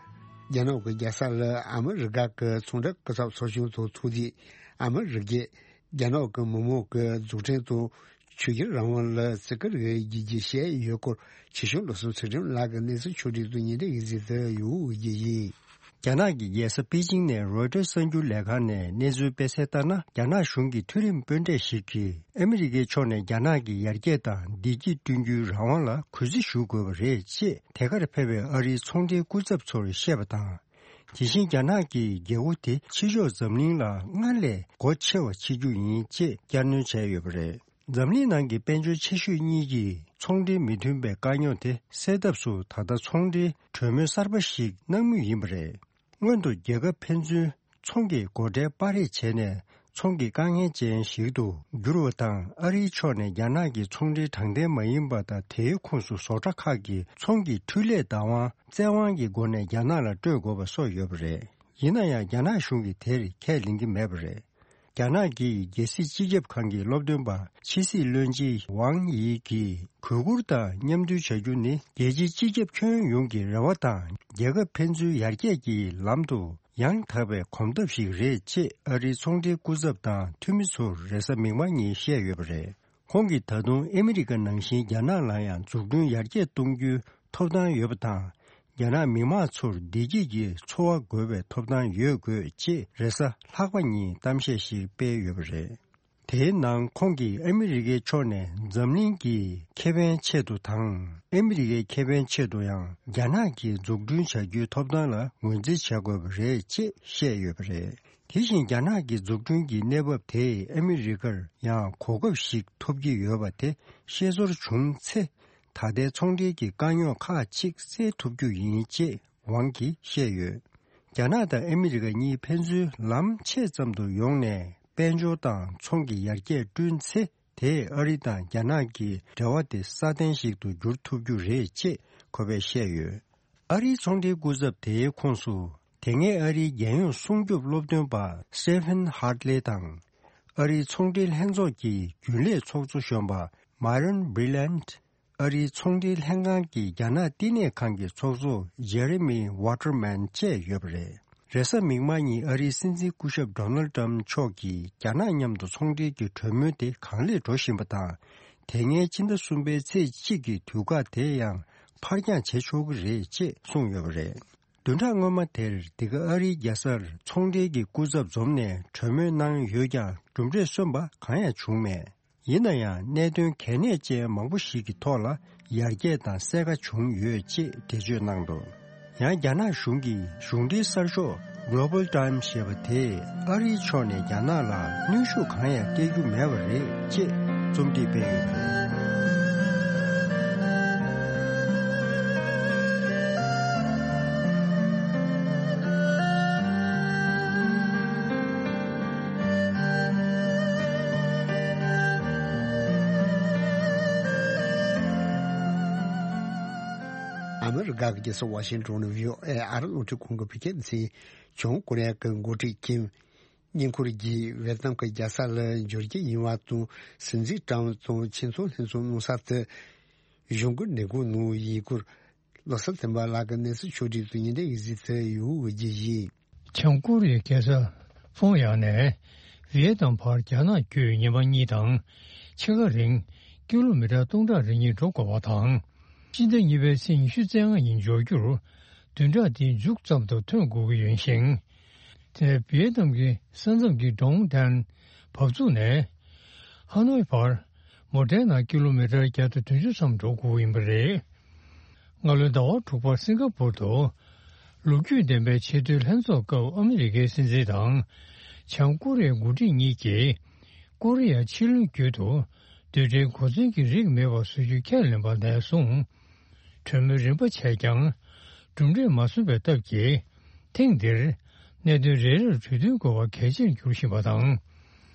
རྒྱ་ནག་གི་རྒྱལ་ས་ལ་ཨ་མི་རི་ཀ་གི་ཚོང་འབྲེལ་སྐུ་ཚབ་ཚོགས་ཆུང་དང་ཐུག་དུས་ཨ་མི་རི་ཀས་རྒྱ་ནག་གི་མི་དམངས་ཀྱི་འཛུགས་སྐྲུན་དང་ཆོས་བརྒྱུད་རང་དབང་ལ་བརྩི་བཀུར་ཡོད་རྒྱུ་བཤད་ཡོད་སྐོར་ཆེ་ཆུང་བློ་བཟང་ཚུལ་ཁྲིམས་ལགས་ཀྱི་གནས་ཚུལ་ཕྱོགས་སྒྲིག་ཏུ་ཉིན་རེ་ཡི་གཟིགས་དུ་ཡོད་རྒྱུ་ཡིན། རྒྱ་ནག་གི་རྒྱལ་ས་པེ་ཅིང་ནས་རོའི་ཊར་གསར་འགྱུར་ལས་ཁང་ནས་གནས་ཚུལ་སྤེལ་གསལ་ལྟར་ན། རྒྱ་ནག་གཞུང་གི་མཐོ་རིམ་དཔོན་གྲས་ཤིག་གིས་ཨ་མི་རི་ཀའི་ཕྱོགས་ནས་རྒྱ་ནག་གི་ཡར་རྒྱས་དང་བདེ་སྐྱིད་བསྐྲུན་རྒྱུའི་རང་དབང་ལ་གུས་བརྩི་ཞུ་དགོས་པ་རེད་ཅེས་དེ་གར་ཕེབས་པའི་ཨ་རིའི་ཚོང་འབྲེལ་སྐུ་ཚབ་ཚོར་བཤད་པ་དང་། དེ་བཞིན་རྒྱ་ནག་གིས་རྒྱལ་པོ་དེ་ཕྱི་ཕྱོགས་འཛམ་གླིང་ལ་སྔར་ལས་སྒོ་ཕྱེ་བ་བྱེད་རྒྱུ་ཡིན་ཅེས་བསྐྱར་གནོན་བྱས་ཡོད་པ་རེད། འཛམ་གླིང་ནང་གི་དཔལ་འབྱོར་ཆེ་ཤོས་གཉིས་ཀྱིས་ཚོང་འབྲེལ་མི་མཐུན་པའི་དཀའ་རྙོག་དེ་སེལ་ཐབས་སུ་ད་ལྟ་ཚོང་འབྲེལ་གྲོས་མོལ་གསར་པ་ཞིག་གནང་མུས་ཡིན་པ་རེད། སྔོན་དུ་རྒྱལ་ཁབ་ཕན་ཚུན་ཚོང་གི་སྒོ་ཁྲལ་སྤར་རེས་བྱས་ནས་ཚོང་གི་དཀའ་ངལ་ཅན་ཞིག་ཏུ་གྱུར་བ་དང་། ཨ་རིའི་ཕྱོགས་ནས་རྒྱ་ནག་གི་ཚོང་འབྲེལ་དྲང་བདེན་མ་ཡིན་པ་དང་དེའི་ཁོངས་སུ་བཟོ་གྲྭ་ཁག་གི་ཚོང་གི་འཕྲུལ་ལས་བདག་དབང་བཙན་དབང་གི་སྒོ་ནས་རྒྱ་ནག་ལ་སྤྲོད་དགོས་པ་སོགས་ཡོད་པ་རེད། ཡིན་ན་ཡང་རྒྱ་ནག་གཞུང་གིས་དེར་ཁས་ལེན་གྱི་མེད་པ་རེད། རྒྱ་ནག་གི་རྒྱལ་སྲིད་སྤྱི་ཁྱབ་ཁང་གི་སློབ་སྟོན་པ་ཕྱི་སྲིད་བློན་ཆེན་ཝང་ཡི་གིས་གུས་བཀུར་དང་མཉམ་མཐུན་བྱ་རྒྱུ་ནི་རྒྱལ་སྤྱིའི་སྤྱི་ཁྱབ་ཁྱོན་ཡོངས་ཀྱི་རེ་བ་དང་རྒྱལ་ཁབ་ཕན་ཚུན་ཡར་རྒྱས་ཀྱི་ལམ་དུ་ཡང་དག་པའི་གོམ་སྟབས་ཤིག་རེད་ཅེས་ཨ་རིའི་ཚོང་འབྲེལ་སྐུ་ཚབ་དང་འཐུས་མི་ཚོར་རེས་གཟའ་མིག་དམར་ཉིན་བཤད་ཡོད་པ་རེད། ཁོང་གིས་ད་དུང་ཨ་མི་རི་ཀ་ནང་བཞིན་རྒྱ་ནག་ལ་ཡང་འཛུགས་སྐྲུན་ཡར་རྒྱས་གཏོང་རྒྱུའི་ཐོབ་ཐང་ཡོད་པ་དང་། རྒྱ་ནག་མི་དམངས་ཚོར་བདེ་སྐྱིད་ཀྱི་འཚོ་བ་དགོས་པའི་ཐོབ་ཐང་ཡོད་དགོས་ཅེས་རེས་གཟའ་ལྷག་པ་ཉིན་གཏམ་བཤད་ཞིག་སྤེལ་ཡོད་པ་རེད། དེའི་ནང་ཁོང་གིས་ཨ་མི་རི་ཀའི་ཕྱོགས་ནས་འཛམ་གླིང་གི་ཁེ་ཕན་ཆེད་དུ་དང་། ཨ་མི་རི་ཀའི་ཁེ་ཕན་ཆེད་དུ་ཡང་རྒྱ་ནག་གིས་འཛུགས་སྐྲུན་བྱ་རྒྱུའི་ཐོབ་ཐང་ལ་ངོས་འཛིན་བྱ་དགོས་པ་རེད་ཅེས་བཤད་ཡོད་པ་རེད། དེ་བཞིན་རྒྱ་ནག་གི་འཛུགས་སྐྲུན་གྱི་གནས་བབ་དེས་ཨ་མི་རི་ཀར་ཡང་གོ་སྐབས་ཤིག་ཐོབ་ཀྱི་ཡོད་པ་དེ་ཤེས་ཚོར་བྱུང་ཚེ། ད་ལྟའི་ཚོང་འབྲེལ་གྱི་དཀའ་རྙོག་ཁག་ཅིག་སེལ་ཐུབ་རྒྱུ་ཡིན་ཅེས་ཝང་གིས་བཤད་ཡོད། རྒྱ་ནག་དང་ཨ་མི་རི་ཀ་གཉིས་ཕན་ཚུན་ལམ་ཕྱེད་ཙམ་དུ་ཡོང་ནས་དཔལ་འབྱོར་དང་ཚོང་གི་ཡར་རྒྱས་བསྐྲུན་ཚེ། དེས་ཨ་རི་དང་རྒྱ་ནག་གི་འབྲེལ་བ་དེ་སྲ་བརྟན་ཞིག་ཏུ་འགྱུར་ཐུབ་རྒྱུ་རེད་ཅེས་ཁོ་པས་བཤད་ཡོད། ཨ་རིའི་ཚོང་འབྲེལ་སྐུ་ཚབ་དེའི་ཁོངས་སུ། དེ་སྔའི་ཨ་རིའི་རྒྱལ་ཡོངས་སྲུང་སྐྱོབ་སློབ་སྟོན་པ་Stephen Hartley དང་། ཨ་རིའི་ཚོང་འབྲེལ་ལྷན་ཚོགས་ཀྱི་རྒྱུན་ལས་ཚོགས་གཙོ་གཞོན་པ་Myron Brilliant། ཨ་རིའི་ཚོང་འབྲེལ་ལྷན་ཁང་གི་རྒྱ་ནག་བསྟི་གནས་ཁང་གི་ཚོགས་གཙོ་Jeremy Waterman་བཅས་ཡོད་པ་རེད། རེས་གཟའ་མིག་དམར་ཉིན་ཨ་རིའི་སྲིད་འཛིན་སྐུ་ཞབས་Donald Trump་མཆོག་གིས་རྒྱ་ནག་མཉམ་དུ་ཚོང་འབྲེལ་གྱི་གྲོས་མོལ་དེ་གང་ལེགས་འགྲོ་བཞིན་པ་དང་། དེ་སྔའི་ཕྱི་ཟླ་གསུམ་པའི་ཚེས་གཅིག་གི་དུས་བཀག་དེ་ཡང་ཕར་འགྱངས་བྱེད་ཆོག་གི་རེད་ཅེས་གསུངས་ཡོད་པ་རེད། བདུན་ཕྲག་སྔོན་མ་དེར་འདི་ག་ཨ་རིའི་རྒྱལ་སར་ཚོང་འབྲེལ་གྱི་སྐུ་ཚབ་འཛོམས་ནས་གྲོས་མོལ་གནང་ཡོད་ཀྱང་གྲུབ་འབྲས་སོན་པ་གང་ཡང་བྱུང་མེད། ཡིན་ན་ཡང་གནད་དོན་གལ་གནད་ཅན་མང་པོ་ཞིག་གི་ཐོག་ལ་ཡར་རྒྱས་དང་གསལ་ཁ་བྱུང་ཡོད་ཅེས་འགྲེལ་བརྗོད་གནང་འདུག་ཡང་རྒྱ་ནག་གཞུང་གིས་གཞུང་འབྲེལ་གསར་ཤོག་Global Times་ཞེས་པ་དེས་ཨ་རིའི་ཕྱོགས་ནས་རྒྱ་ནག་ལ་གནོན་ཤུགས་གང་ཡང་སྤྲད་རྒྱུ་མེད་པ་རེད་ཅེས་རྩོམ་སྒྲིག་སྤེལ་ཡོད་པ་རེད། ཨ་མི་རི་ཀ་གི་རྒྱལ་ས་ཝ་ཤིང་ཏོན་ནས་བྷི་ཨོ་ཨེ་ཨ་རི་རླུང་འཕྲིན་ཁང་གི་བོད་སྐད་སྡེ་ཚན། བྱང་ཀོ་རི་ཡ་གི་འགོ་ཁྲིད་ཀིམ་ བསྙེན་བཀུར་གྱིས་ཝེ་ཏི་ནམ་གྱི་རྒྱལ་ས་ལ་འབྱོར་རྒྱུ་ཡིན་པ་དང་། སྲིད་འཛིན་ཏྲམ་དང་ཆེད་མཚོན་ལྷན་ཚོགས་གནང་ས་དེ་གཞུང་གི་ལས་ཁུངས་ནང་ཡིན་སྐོར། བློ་བཟང་བསྟན་པ་ལགས་ཀྱིས་གནས་ཚུལ་ཕྱོགས་བསྒྲིགས་དང་བརྙན་འཕྲིན་གྱི་གཟིགས་ཚུལ་ཡོད་འོས་ཀྱི་ཡིན། བྱང་ཀོ་རི་ཡའི་རྒྱལ་ས་ཕོང་ཡང་ནས་ཝི་ཡེ་ཏམ་བར་རྒྱ་ནག་བརྒྱུད་ཉི་མ་གཉིས་དང་ཕྱེད་ཀ་རིང་ཀི་ལོ་མི་ཊར་སྟོང་ཕྲག་རེ་གཉིས་འགྲོ་དགོས་པ་དང་། སྤྱི་ཟླ་གཉིས་པའི་ཚེས་ཉི་ཤུ་རྩ་ལྔ་ཉིན་འབྱོར་རྒྱུར་བདུན་ཕྲག་འདིའི་མཇུག་ཙམ་དུ་ཐོན་དགོས་ཀྱི་ཡོད་ཞིང་། དེ་ནས་ཝི་ཡེ་ཏམ་གྱི་ས་མཚམས་ཀྱི་ཀྲོང་ཏན་བབས་ཚུགས་ནས་ཧ་ནོའི་བར་མོ་ཊའི་ནང་ཀི་ལོ་མི་ཊར་བརྒྱ་དང་བདུན་ཅུ་ཙམ་འགྲོ་དགོས་ཡིན་པ་རེད། སྔ་ལོའི་ཟླ་བ་དྲུག་པར་སིང་ག་པུར་དུ་ལོ་རྒྱུས་ལྡན་པའི་ཆེས་མཐོའི་ལྷན་ཚོགས་སྐབས་ཨ་མི་རི་ཀའི་སྲིད་འཛིན་དང་བྱང་ཀོ་རི་ཡའི་འགོ་ཁྲིད་གཉིས་ཀྱིས་ཀོ་རི་ཡ་ཕྱེད་ལུང་བརྒྱུད་དུ་རྡུལ་ཕྲན་གོ་མཚོན་གྱི་རིགས་མེད་པ་བཟོ་རྒྱུ་ཁས་ལེན་པ་ནས་བཟུང་གྲོས་མོལ་རིམ་པ་བྱས་ཀྱང་གྲུབ་འབྲས་མ་སོན་པའི་སྟབས་ཀྱིས། ཐེངས་འདིར་གནད་དོན་རེ་རེར་གྲོས་མཐུན་དགོས་པ་གལ་ཆེར་འགྱུར་བཞིན་པ་དང་།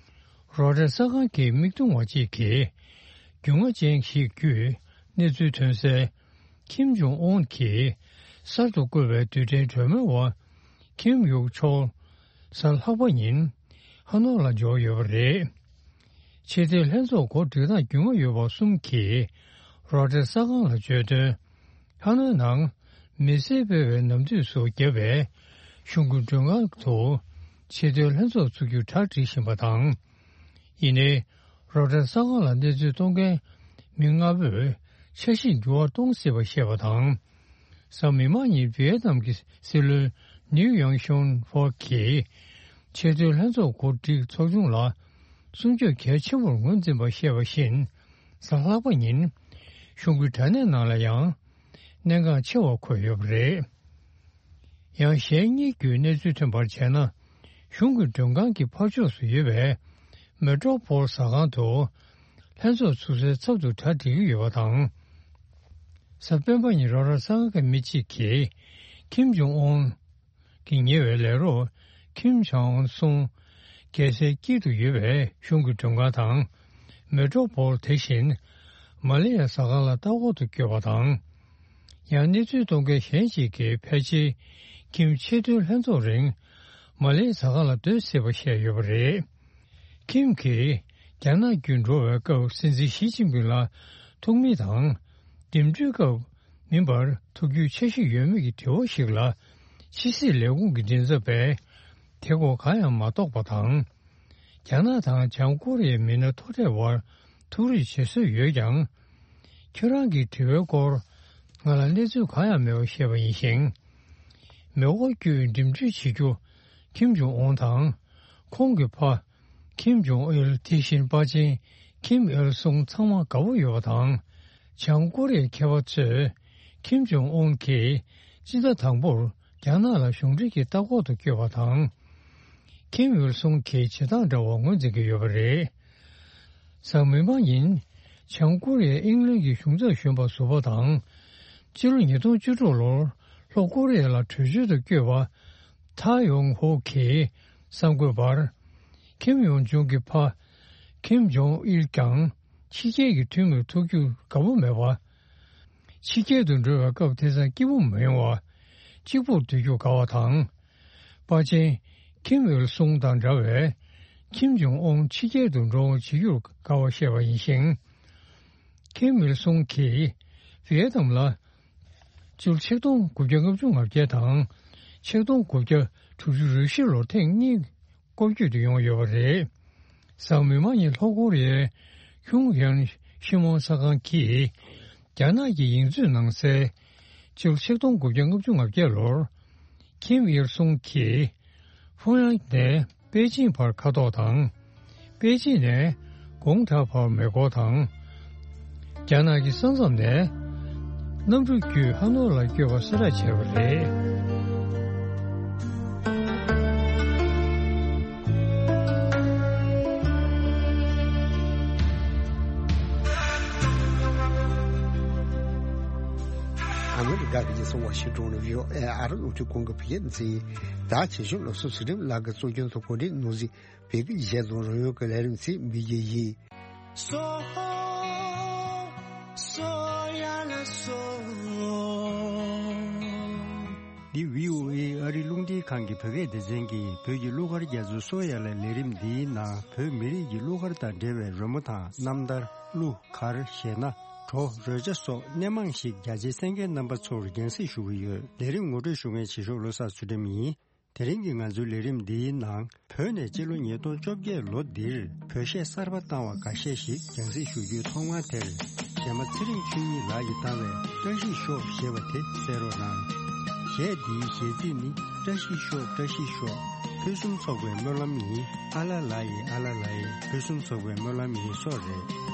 རོའི་ཊར་གསར་ཁང་གི་མིག་མཐོང་བ་གཅིག་གིས་རྒྱུས་མངའ་ཅན་ཞིག་བརྒྱུད་གནས་ཚུལ་ཐོན་གསལ། ཁིམ་ཇོང་ཨུན་གྱིས་གསར་དུ་བསྐོས་པའི་རྡུལ་ཕྲན་གྲོས་མོལ་བ་ཁིམ་ཡུག་ཆོལ་གཟའ་ལྷག་པ་ཉིན་ཧ་ནོ་ལ་འབྱོར་ཡོད་པ་རེད། ཆེས་མཐོའི་ལྷན་ཚོགས་གོ་སྒྲིག་སྟངས་རྒྱུས་མངའ་ཡོད་པ་གསུམ་གྱིས་རོའི་ཊར་གསར་ཁང་ལ་བརྗོད་དོན། ཧ་ནོའི་ནང་མི་སེར་སྤེལ་བའི་ནམ་དུས་སུ་བརྒྱབ་པའི་གཞུང་གི་མགྲོན་ཁང་དུ་ཆེས་མཐོའི་ལྷན་ཚོགས་ཚུགས་རྒྱུར་གྲ་སྒྲིག་བཞིན་པ་དང་། ཡིན་ནའི་རོའི་ཊར་གསར་ཁང་ལ་གནས་ཚུལ་གཏོང་མཁན་མི་ལྔ་པོས་འཆར་གཞི་འགྱུར་བ་གཏོང་སྲིད་པ་བཤད་པ་དང་། གཟའ་མིག་དམར་ཉིན་ཝི་ཡེ་ཏམ་གྱི་སྲིད་བློན་ནིའུ་ཡང་ཤོན་ཧྥོ་གིས་ཆེས་མཐོའི་ལྷན་ཚོགས་གོ་སྒྲིག་ཚོགས་ཆུང་ལ་སྲུང་སྐྱོབ་གལ་ཆེན་པོར་ངོས་འཛིན་པ་བཤད་པ་བཞིན་གཟའ་ལྷག་པ་ཉིན་གཞུང་གི་དྲ་གནས་ནང་ལ་ཡང་གནད་འགག་ཆེ་བ་འཁོད་ཡོད་པ་རེད། ཡང་གཞན་གཉིས་བརྒྱུད་གནས་ཚུལ་ཐོན་པར་བྱས་ན། གཞུང་གི་མགྲོན་ཁང་གི་ཕར་ཕྱོགས་སུ་ཡོད་པའི་མེ་ཏྲོ་པོལ་ཟ་ཁང་དུ་ལྷན་ཚོགས་ཚུགས་སའི་ཚབ་ཏུ་གྲ་སྒྲིག་གི་ཡོད་པ་དང་། གཟའ་སྤེན་པ་ཉིན་རོའི་ཊར་གསར་ཁང་གི་མི་གཅིག་གིས་ཁིམ་ཇོང་ཨུན་གྱི་ཉེ་བའི་ལས་རོགས་ཁིམ་ཆང་ཨུན་སུང་རྒྱལ་སའི་དཀྱིལ་དུ་ཡོད་པའི་གཞུང་གི་མགྲོན་ཁང་དང་མེ་ཏྲོ་པོལ་དེ་བཞིན་མ་ལེ་ཡ་ཟ་ཁང་ལ་ལྟ་སྐོར་དུ་བསྐྱོད་པ་དང་། ཡང་གནས་ཚུལ་གཏོང་མཁན་གཞན་ཞིག་གིས་ཕལ་ཆེར་ཁིམ་ཆེས་མཐོའི་ལྷན་ཚོགས་རིང་མ་ལེ་ཟ་ཁང་ལ་སྡོད་སྲིད་པ་བཤད་ཡོད་པ་རེད། ཁིམ་གྱིས་རྒྱ་ནག་བརྒྱུད་འགྲོ་བའི་སྐབས་སྲིད་འཛིན་ཞི་ཅིན་ཕིང་ལ་ཐུག་མིན་དང་། འགྲིམ་འགྲུལ་སྐབས་མིན་པར་ཐུག་རྒྱུའི་འཆར་གཞི་ཡོད་མེད་ཀྱི་དྲི་བ་ཞིག་ལ། ཕྱི་སྲིད་ལས་ཁུངས་ཀྱི་མགྲིན་ཚབ་པས་དེ་སྐོར་གང་ཡང་མ་རྟོགས་པ་དང་། རྒྱ་ནག་དང་བྱང་ཀོ་རི་ཡའི་མི་སྣ་མཐོ་གྲས་དབར་ཐུག་རེས་བྱེད་སྲོལ་ཡོད་ཀྱང་། ཁྱེད་རང་གི་དྲི་བའི་སྐོར་ང་ལ་གནས་ཚུལ་གང་ཡང་མེད་པ་ཤེས་པ་ཡིན་ཞིང་། མེ་འཁོར་བརྒྱུད་འགྲིམ་འགྲུལ་བྱེད་རྒྱུ་ཁིམ་ཇོང་ཨུན་དང་། ཁོང་གི་ཕ་ཁིམ་ཇོང་ཨིལ། དེ་བཞིན་པ་ཆེན་ཁིམ་ཨིལ་སུང་ཚང་མ་དགའ་པོ་ཡོད་པ་དང་། བྱང་ཀོ་རི་ཡའི་མཁས་པ་ཚོས་ཁིམ་ཇོང་ཨུན་གྱིས་སྤྱི་ཟླ་དང་པོར་རྒྱ་ནག་ལ་གཞུང་འབྲེལ་གྱི་ལྟ་སྐོར་དུ་བསྐྱོད་པ་དང་། ཁིམ་ཨིལ་སུང་གི་བྱེད་སྟངས་འདྲ་བ་ངོས་འཛིན་གྱི་ཡོད་པ་རེད། གཟའ་མིག་དམར་ཉིན་བྱང་ཀོ་རི་ཡས་ཨིང་ལན་གྱི་གཞུང་ཚབ་གཞོན་པ་ཟུར་པ་དང་། སྤྱི་ལོ་ཉིས་སྟོང་བཅུ་དྲུག་ལོར་ལྷོ་ཀོ་རི་ཡ་ལ་བྲོས་བྱོལ་དུ་བསྐྱོད་པ་ཐ་ཡོང་ཧོ་གིས་གསར་འགོད་པར། ཁིམ་ཡོང་ཇུང་གི་ཕ་ཁིམ་ཇོང་ཨིལ་ཀྱང་ཕྱི་རྒྱལ་གྱི་འཐུས་མིར་ཐུག་རྒྱུར་དགའ་པོ་མེད་པ། ཕྱི་རྒྱལ་དུ་འགྲོ་བའི་སྐབས་དེང་སང་སྐྱིད་པོ་མི་ཡོང་བ། གཅིག་པུར་སྡོད་རྒྱུར་དགའ་བ་དང་། པ་ཆེན་ཁིམ་ཨིལ་སུང་དང་འདྲ་བའི་ཁིམ་ཇོང་ཨུན་ཕྱི་རྒྱལ་དུ་འགྲོ་འོང་བྱེད་རྒྱུར་དགའ་བ་བཤད་པ་ཡིན་ཞིང་། ཁིམ་ཨིལ་སུང་གིས་ཝི་ཡེ་ཏམ་ལ་སྤྱི་ལོ་ཆིག་སྟོང་དགུ་བརྒྱ་ལྔ་བཅུ་ང་བརྒྱད་དང་ཆིག་སྟོང་དགུ་བརྒྱ་དྲུག་ཅུ་རེ་བཞི་ལོར་ཐེངས་གཉིས་སྐོར་སྐྱོད་དུ་ཡོང་ཡོད་པ་རེད། གཟའ་མིག་དམར་ཉིན་ལྷོ་ཀོ་རི་ཡའི་ཁྱུང་ཡན་ཤི་མོན་གསར་ཁང་གིས་རྒྱ་ནག་གི་ཡིག་མཛོད་ནང་གསལ། སྤྱི་ལོ་ཆིག་སྟོང་དགུ་བརྒྱ་ལྔ་བཅུ་ང་བརྒྱད་ལོར་ཁིམ་ཨིལ་སུང་གིས་ཕུང་ཡང་ནས་པེ་ཅིན་བར་མཁའ་ཐོག་དང་། པེ་ཅིན་ནས་གུང་ཐང་བར་མེ་འཁོར་དང་། རྒྱ་ནག་གི་ས་མཚམས་ནས་གནམ་གྲུ་བརྒྱུད་ཧ་ནོ་ལ་བསྐྱོད་པ་གསལ་བསྒྲགས་བྱས་པ་རེད། ཨ་མི་རི་ཀ་གི་རྒྱལ་ས་ཝ་ཤིང་ཏོན་ནས་བྷི་ཨོ་ཨེ་ཨ་རིའི་རླུང་འཕྲིན་ཁང་གི་བོད་སྐད་སྡེ་ཚན་ཡིན། ད་ཆེད་ཞུ་སློབ་གསོ་ཚུལ་ཁྲིམས་ལགས་ཀྱིས་གཙོ་སྐྱོང་དུ་གོ་སྒྲིག་གནང་ཟིན་བོད་ཀྱི་གཞས་དང་རོལ་དབྱངས་ཀྱི་ལས་རིམ་ཚིག་འབུལ་རྒྱུ་ཡིན། འདི་བྷི་ཨོ་ཨེ་ཨ་རིའི་རླུང་འཕྲིན་ཁང་གི་བོད་སྐད་སྡེ་ཚན་གྱིས་བོད་ཀྱི་གླུ་གར་རྒྱ་མཚོ་གསོ་ཡ་ལ་ལས་རིམ་འདིའི་ནང་བོད་མི་རིགས་ཀྱི་གླུ་གར་དང་འབྲེལ་བའི་རོལ་མོ་དང་རྣམ་ཐར། གླུ་གར་གཞས་སྣ། བྲོ་རོལ་ཆ་སོགས་སྣེ་མང་ཞིག་རྒྱ་ཆེའི་གསན་མཁན་རྣམ་པ་ཚོར་རྒྱང་སྲིང་ཞུ་གི་ཡོད། ལས་རིམ་ངོ་སྤྲོད་ཞུ་མཁན་ཆེ་ཤོག་བློ་བཟང་ཚུལ་ཁྲིམས་ཡིན། དེ་རིང་གི་ང་ཚོའི་ལས་རིམ་འདིའི་ནང་བོད་ནས་སྤྱི་ལོ་ཉིས་སྟོང་བཅོ་བརྒྱད་ལོ་འདིར་བོད་གཞས་གསར་པ་བཏང་བ་འགའ་ཤས་ཤིག་རྒྱང་སྲིང་ཞུ་རྒྱུའི་ཐོག་མ་དེར། གཞས་མ་ཚེ་རིང་ཆོས་ཉིད་ལགས་ཀྱིས་བཏང་བའི་བཀྲ་ཤིས་ཤོག་ཞེས་པ་དེ་གསན་རོགས་གནང་། གཞས་འདིའི་གཞས་ཚིག་ནི། བཀྲ་ཤིས་ཤོག་བཀྲ་ཤིས་ཤོག་ཕུན་སུམ་ཚོགས་པའི་སྨོན་ལམ་ཡིན། ཨ་ལ་ལ་ཡི་ཨ་ལ་ལ་ཡི་ཕུན་སུམ་ཚོགས་པའི་སྨོན་ལམ་ཡིན་སོགས་རེད།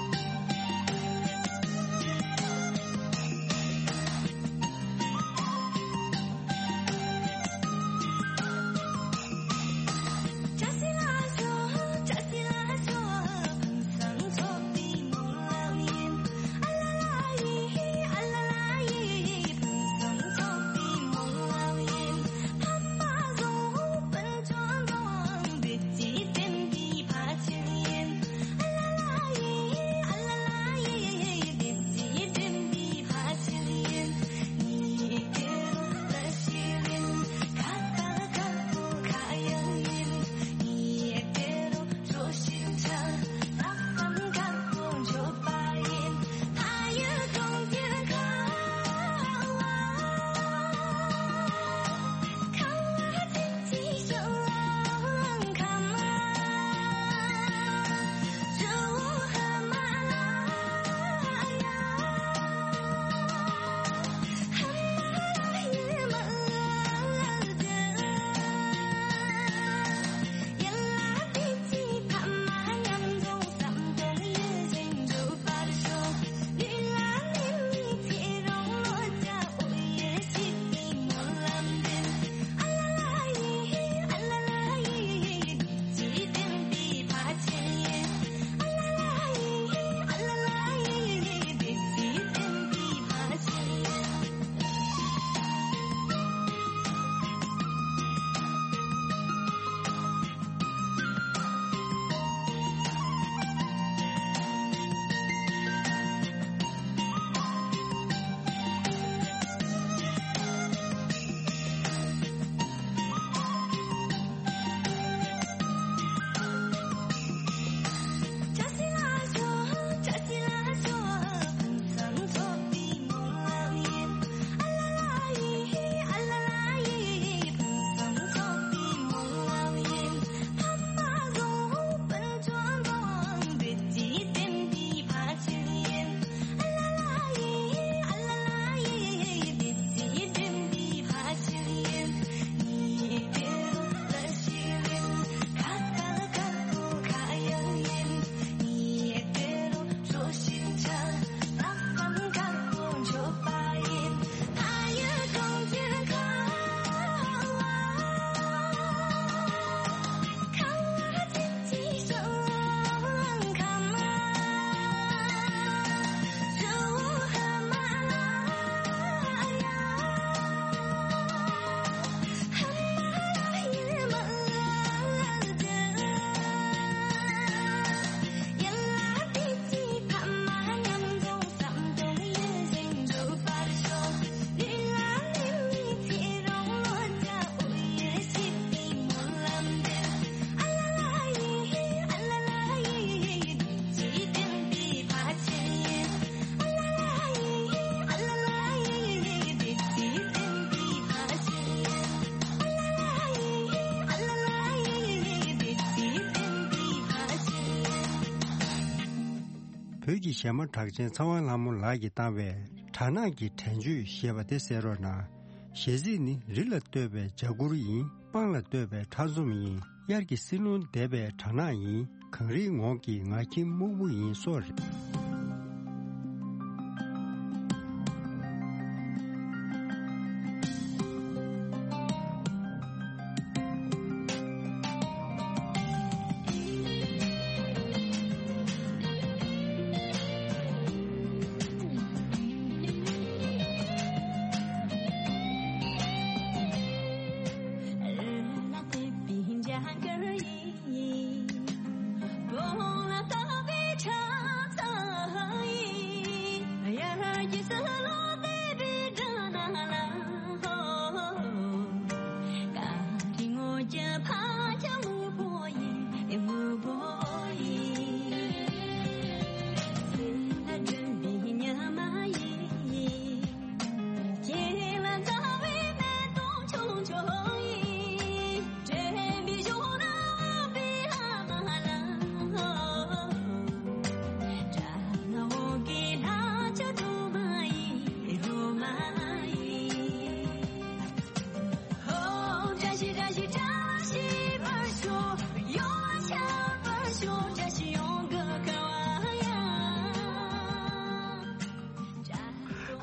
བོད་ཀྱི་གཞས་མ་གྲགས་ཅན་ཚེ་དབང་ལྷ་མོ་ལགས་ཀྱིས་བཏང་བའི་སྦྲ་ནག་གི་དྲན་བརྗོད་ཞེས་པ་དེ་གསན་རོགས་གནང་། གཞས་ཚིག་ནི། རི་ལ་བསྟོད་པའི་འཇའ་གུར་ཡིན། སྤང་ལ་བསྟོད་པའི་ཁྲ་འཛོམས་ཡིན། དབྱར་གྱི་བསིལ་རླུང་འདེབས་པའི་སྦྲ་ནག་ཡིན། གངས་རིའི་ངོགས་ཀྱི་ངར་ཁྱིམ་སྨུག་པོ་ཡིན་སོགས་རེད།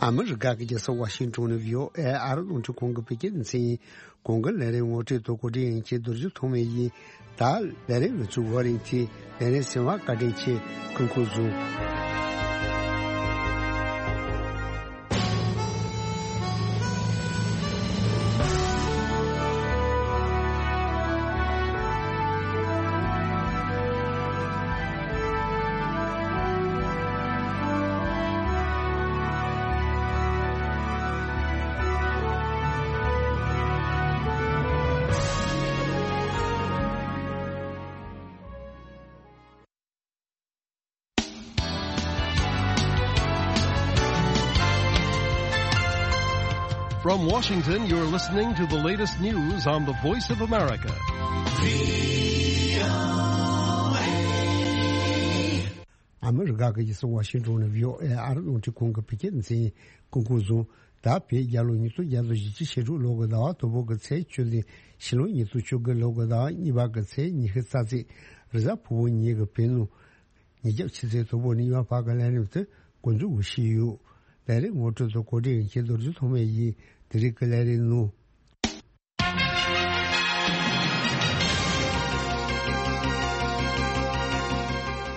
ཨ་མི་རི་ཀ་གི་རྒྱལ་ས་ཝ་ཤིང་ཏོན་ནས་བྷི་ཨོ་ཨེ་ཨ་རི་རླུང་འཕྲིན་ཁང་གི་བོད་སྐད་སྡེ་ཚན་ཡིན། གོང་གི་ལས་རིམ་ངོ་སྤྲོད་དང་གོ་སྒྲིག་ཡིན་གྱི་རྡོ་རྗེ་ཐོགས་མེད་ཡིན། ད་ལས་རིམ་ལ་ཚུགས་བར་རིང་ཐི་ལས་རིམ་སེམས་བ་བཀའ་དྲིན་ཆེ། ཀུན་ཁོ་བཟུང་། From Washington, you're listening to the latest news on the Voice of America. ཨ་མི་རི་ཀ་གི་རྒྱལ་ས་ཝ་ཤིང་ཏོན་ནས་བྷི་ཨོ་ཨེ་ཨ་རི་རླུང་འཕྲིན་ཁང་གི་བོད་སྐད་སྡེ་ཚན་ཡིན། ཀུན་ཁོ་བཟུང་། ད་བོད་རྒྱལ་ལོ་ཉིས་སྟོང་བརྒྱ་དང་བཞི་བཅུ་ཞེ་དྲུག་ལོ་གི་ཟླ་བ་དང་པོ་གི་ཚེས་བཅུ་ནས་ཕྱི་ལོ་ཉིས་སྟོང་བཅུ་དགུ་ལོ་གི་ཟླ་བ་གཉིས་པ་གི་ཚེས་ཉི་ཤུ་རྩ་ཚེས། རེས་གཟའ་ཕུར་བུ་ཉིན་གྱི་བོད་ནང་ཉིན་རྒྱབ་ཕྱི་ཚེས་དང་པོ་ནས་ཡུལ་བར་གྱི་ལས་རིམ་དེ་འགོ་འཛུགས་ཞུས་ཡོད། ལས་རིམ་ངོ་སྤྲོད་དང་གོ་སྒྲིག་ཡིན་གྱི་རྡོ་རྗེ་ཐོགས་མེད་ཡིན། དེ་རིང་གི་ལས་རིམ་ནང་།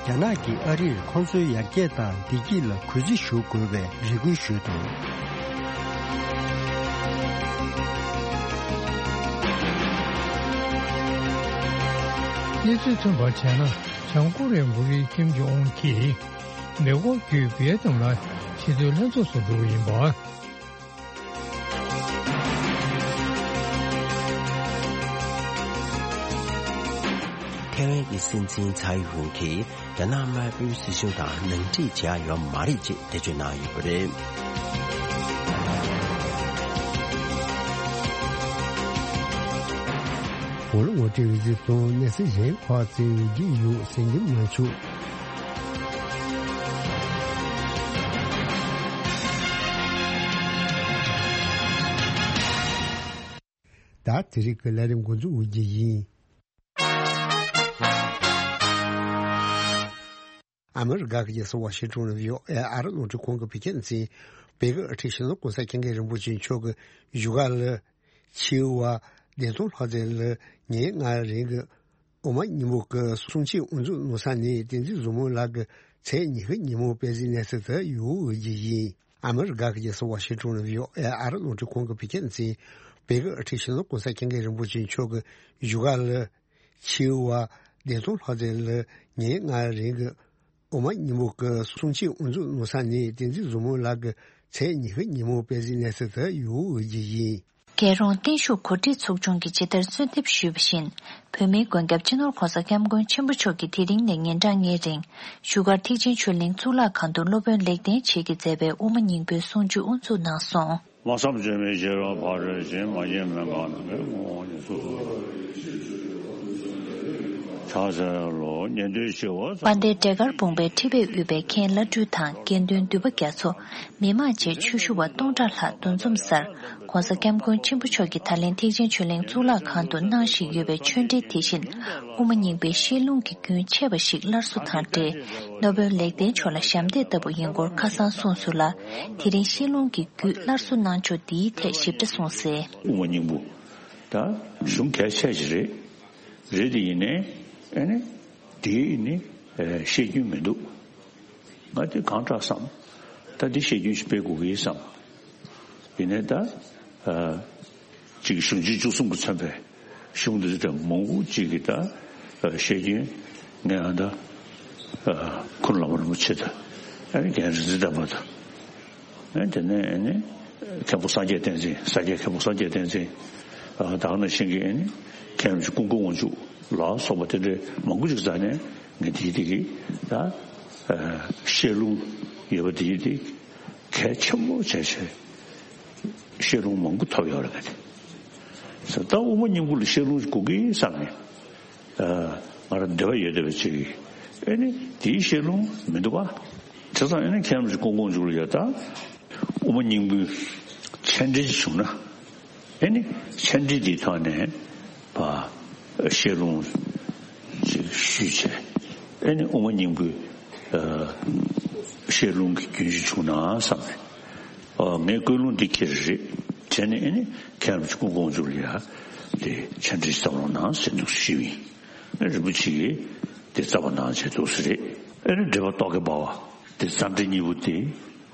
རྒྱ་ནག་གིས་ཨ་རིར་ཁོང་ཚོའི་ཡར་རྒྱས་དང་བདེ་སྐྱིད་ལ་གུས་བརྩི་ཞུ་དགོས་པའི་རེ་སྐུལ་ཞུས་འདུག། གནས་ཚུལ་ཐོན་པར་བྱས་ན། བྱང་ཀོ་རི་ཡའི་འགོ་ཁྲིད་ཀིམ་ཇོང་ཨུན་གྱིས་མེ་འཁོར་བརྒྱུད་ཝི་ཡེ་ནམ་ལ་ཆེས་མཐོའི་ལྷན་ཚོགས་སུ་འགྲོ་གི་ཡིན་པ། ཐའེ་ཝན་གྱི་སྲིད་འཛིན་ཚའེ་ཝུན་གྱིས་རྒྱ་ནག་དམར་པོའི་སྲིད་གཞུང་དང་ནང་འཁྲིག་བྱས་ཡོད་མ་རེད་ཅེས་འགྲེལ་བརྗོད་གནང་ཡོད་པ་རེད། གོང་ལ་ངོ་སྤྲོད་ཡོད་ཚུལ་དང་གནས་ཚུལ་གཞན་ཁག་བཙལ་བའི་རྒྱུ་ཡོད་ཟིན་རྒྱུ་མ་བྱུང་། ད་དེ་རིང་གི་ལས་རིམ་འགོ་འཛུགས་འོས་རྒྱུ་ཡིན། ཨ་མི་རི་ཀ་གི་རྒྱལ་ས་ཝ་ཤིང་ཏོན་ནས་བྷི་ཨོ་ཨེ་ཨ་རི་རླུང་འཕྲིན་ཁང་གི་བོད་སྐད་སྡེ་ཚན། བོད་ཀྱི་དབུ་ཁྲིད་སྤྱི་ནོར་༸གོང་ས་༸སྐྱབས་མགོན་རིན་པོ་ཆེ་མཆོག་གི་བཞུགས་སྒར་ལ། ཆེས་མཐོའི་བདེ་ཐང་ལྷ་རྫས་ལ་ཉིན་ལྔ་རིང་གི་དབུ་མ་སྙིང་པོ་གི་གསུང་ཆོས་དབུ་འཛུགས་གནང་ས་ནས་བསྟན་འཛིན་བཟང་མོ་ལགས་ཀྱི་ཚེས་ཉི་ཤུ་ཉིན་མོ་དཔལ་འཛིན་གནས་ཚུལ་དུ་ཡོང་འོས་རྒྱུ་ཡིན། ཨ་མི་རི་ཀ་གི་རྒྱལ་ས་ཝ་ཤིང་ཏོན་ནས་བྷི་ཨོ་ཨེ་ཨ་རི་རླུང་འཕྲིན་ཁང་གི་བོད་སྐད་སྡེ་ཚན། བོད་ཀྱི་དབུ་ཁྲིད་སྤྱི་ནོར་༸གོང་ས་༸སྐྱབས་མགོན་རིན་པོ་ཆེ་མཆོག་གི་བཞུགས་སྒར་ལ། ཆེས་མཐོའི་བདེ་ཐང་ལྷ་རྫས་ལ་ཉིན་ལྔ་རིང་གི་དབུ་མ་སྙིང་པོ་གི་གསུང་ཆོས་དབུ་འཛུགས་གནང་ས་ནས་བསྟན་འཛིན་བཟང་མོ་ལགས་ཀྱི་ཚེས་ཉི་ཤུ་ཉིན་མོ་དཔལ་འཛིན་གནས་ཚུལ་དུ་ཡོང་འོས་རྒྱུ་ཡིན། རྒྱལ་རོང་བརྟན་བཞུགས་གོ་སྒྲིག་ཚོགས་ཆུང་གིས་ཇི་ལྟར་གསོལ་འདེབས་ཞུས་པ་བཞིན། བོད་མིའི་མགོན་སྐྱབས་སྤྱི་ནོར་༸གོང་ས་༸སྐྱབས་མགོན་ཆེན་པོ་མཆོག་གིས་དེ་རིང་ནས་ཉིན་གྲངས་ལྔའི་རིང་། བཞུགས་སྒར་ཐེག་ཆེན་ཆོས་གླིང་གཙུག་ལག་ཁང་དུ་སློབ་དཔོན་ལེགས་ལྡན་འབྱེད་ཀྱིས་མཛད་པའི་དབུ་མ་སྙིང་པོའི་གསུང་ཆོས་དབུ་འཛུགས་གནང་སོང་། དམག་མཚམས་བཅད་མེད་ཤེས་རབ་ཕ་རོལ་ཕྱིན། མ་སྐྱེས་མུན་པ་མེད་པའི་ངོ་བོ་ཉིད་སོ་སོ། ཕྱག་འཚལ་ལོ། ཉན་ཐོས་ཞི་བ། དཔལ་ལྡན་འབྲས་དཀར་སྤུངས་པའི་ཁྲི་པས་དབུས་པའི་མཁན་བླ་སྤྲུལ་དང་དགེ་འདུན་འདུས་པ་རྒྱ་མཚོ། མི་མང་བཅས་ཆོས་ཞུ་བ་སྟོང་ཕྲག་ལྷག་འདུ་འཛོམས་སར། ༸གོང་ས་༸སྐྱབས་མགོན་ཆེན་པོ་མཆོག་གིས་ད་ལན་ཐེག་ཆེན་ཆོས་གླིང་གཙུག་ལག་ཁང་དུ་གནང་བཞིན་ཡོད་པའི་ཆོས་འབྲེལ་དེ་བཞིན། དབུ་མ་སྙིང་པོའི་བཤད་ལུང་གི་རྒྱུན་ཆད་པ་ཞིག་སླར་གསོ་དང་འབྲེལ། སློབ་དཔོན་ལེགས་ལྡན་མཆོག་ལ་ཞབས་འདེགས་ལྟ་བུ་ཡིན་སྐོར་ཁ་སང་གསུངས་སོང་ལ། དེ་རིང་བཤད་ལུང་གི་རྒྱུད་སླར་གསོ་གནང་ཕྱོགས་འདིའི་ཐད་ཞིབ་ཕྲ་གསུངས་གསལ། དབུ་མ་སྙིང་པོ་ད་གཞུང་གལ་ཆེ་ཞིག་རེད། རེད་དེ་ཡིན་ནའི་ཨ་ནི་དེའི་ནི་བཤད་རྒྱུན་མི་འདུག། ང་དེ་གང་དྲག་བསམ། ད་འདི་བཤད་རྒྱུན་ཞིག་སྤེལ་དགོས་ཀྱི་ཡིན་བསམ། ཡིན་ནའི་ད་ཅིག་གཞུང་ཆེན་བཅུ་གསུམ་གྱིས་མཚོན་པའི་གཞུང་འདི་ཚོ་མང་པོ་ཅིག་གིས་ད་བཤད་རྒྱུན་ངས་ཨ་ད་ཁུ་ནུ་བླ་མ་རིན་པོ་ཆེ་དང་ཨ་ནི་རྒན་རིག་འཛིན་དམ་པ་དང་། ཨ་དེ་ནས་ཨ་ནི་མཁན་པོ་སངས་རྒྱས་བསྟན་འཛིན། ས་སྐྱའི་མཁན་པོ་སངས་རྒྱས་བསྟན་འཛིན། ཨ་ད་ག་ནང་བཞིན་གྱི་ཨ་ནི་མཁན་རིན་པོ་ཆེ་ཀུན་མཁྱེན་དབང་ཕྱུག་ལ་སོགས་པ་དེ་འདྲའི་མང་པོ་ཅིག་རྩ་ནས་ངས་དེའི་དེ་གི་ད་ཨ་བཤད་ལུང་ཡོད་པ་དེའི་དེ་གལ་ཆེན་པོ་བྱས་བྱས་བཤད་ལུང་མང་པོ་ཐོབ་ཡོད་རེད། ངས་དེ་ད་དབུ་མ་སྙིང་པོ་ལ་བཤད་ལུང་དགོས་ཀྱི་བསམ་ནས། ང་རང་འདོད་པ་ཡོད་བསྡད་པ་ཅིག་ཨེ་ནི་དེའི་བཤད་ལུང་མི་འདུག་པ། བྱས་ཙང་ཨེ་ནི་མཁན་རིན་པོ་ཆེ་ཀུན་མཁྱེན་དབང་ཕྱུག་ལ་ཡ་ད་དབུ་མ་སྙིང་པོའི་མཆན་འགྲེལ་ཅིག་བྱུང་ན། ཨེ་ནི་མཆན་འགྲེལ་དེའི་ཐོག་ནས་བ་བཤད་ལུང་ཅིག་ཞུས་བྱས། ཨེ་ནི་དབུ་མ་སྙིང་པོའི་བཤད་ལུང་གི་རྒྱུན་ཞིག་བྱུང་ན་བསམ་ནས། ཨ། ངས་ཀུན་སློང་འདི་འཁྱེར་རེད། བྱས་ནས་ཨེ་ནི་ཁྱེད་རང་ཚོ་སྐུ་ངོ་དགོངས་བཅུག་ལ་ཡ་དེ་ཕྱག་འདྲི་བཏང་རོགས་གནང་ཟེར་འདུག་ཞུས་ཡིན། ཨེ་རིན་པོ་ཆེ་གིས་དེ་རྩ་བ་ནང་བྱས་འདུག་ཟེར་རེད། ཨེ་ནི་འབྲེལ་བ་རྟོག་གེ་འབར་བ་དེ་འཚམས་འདྲི་གཉིས་པོ་དེ་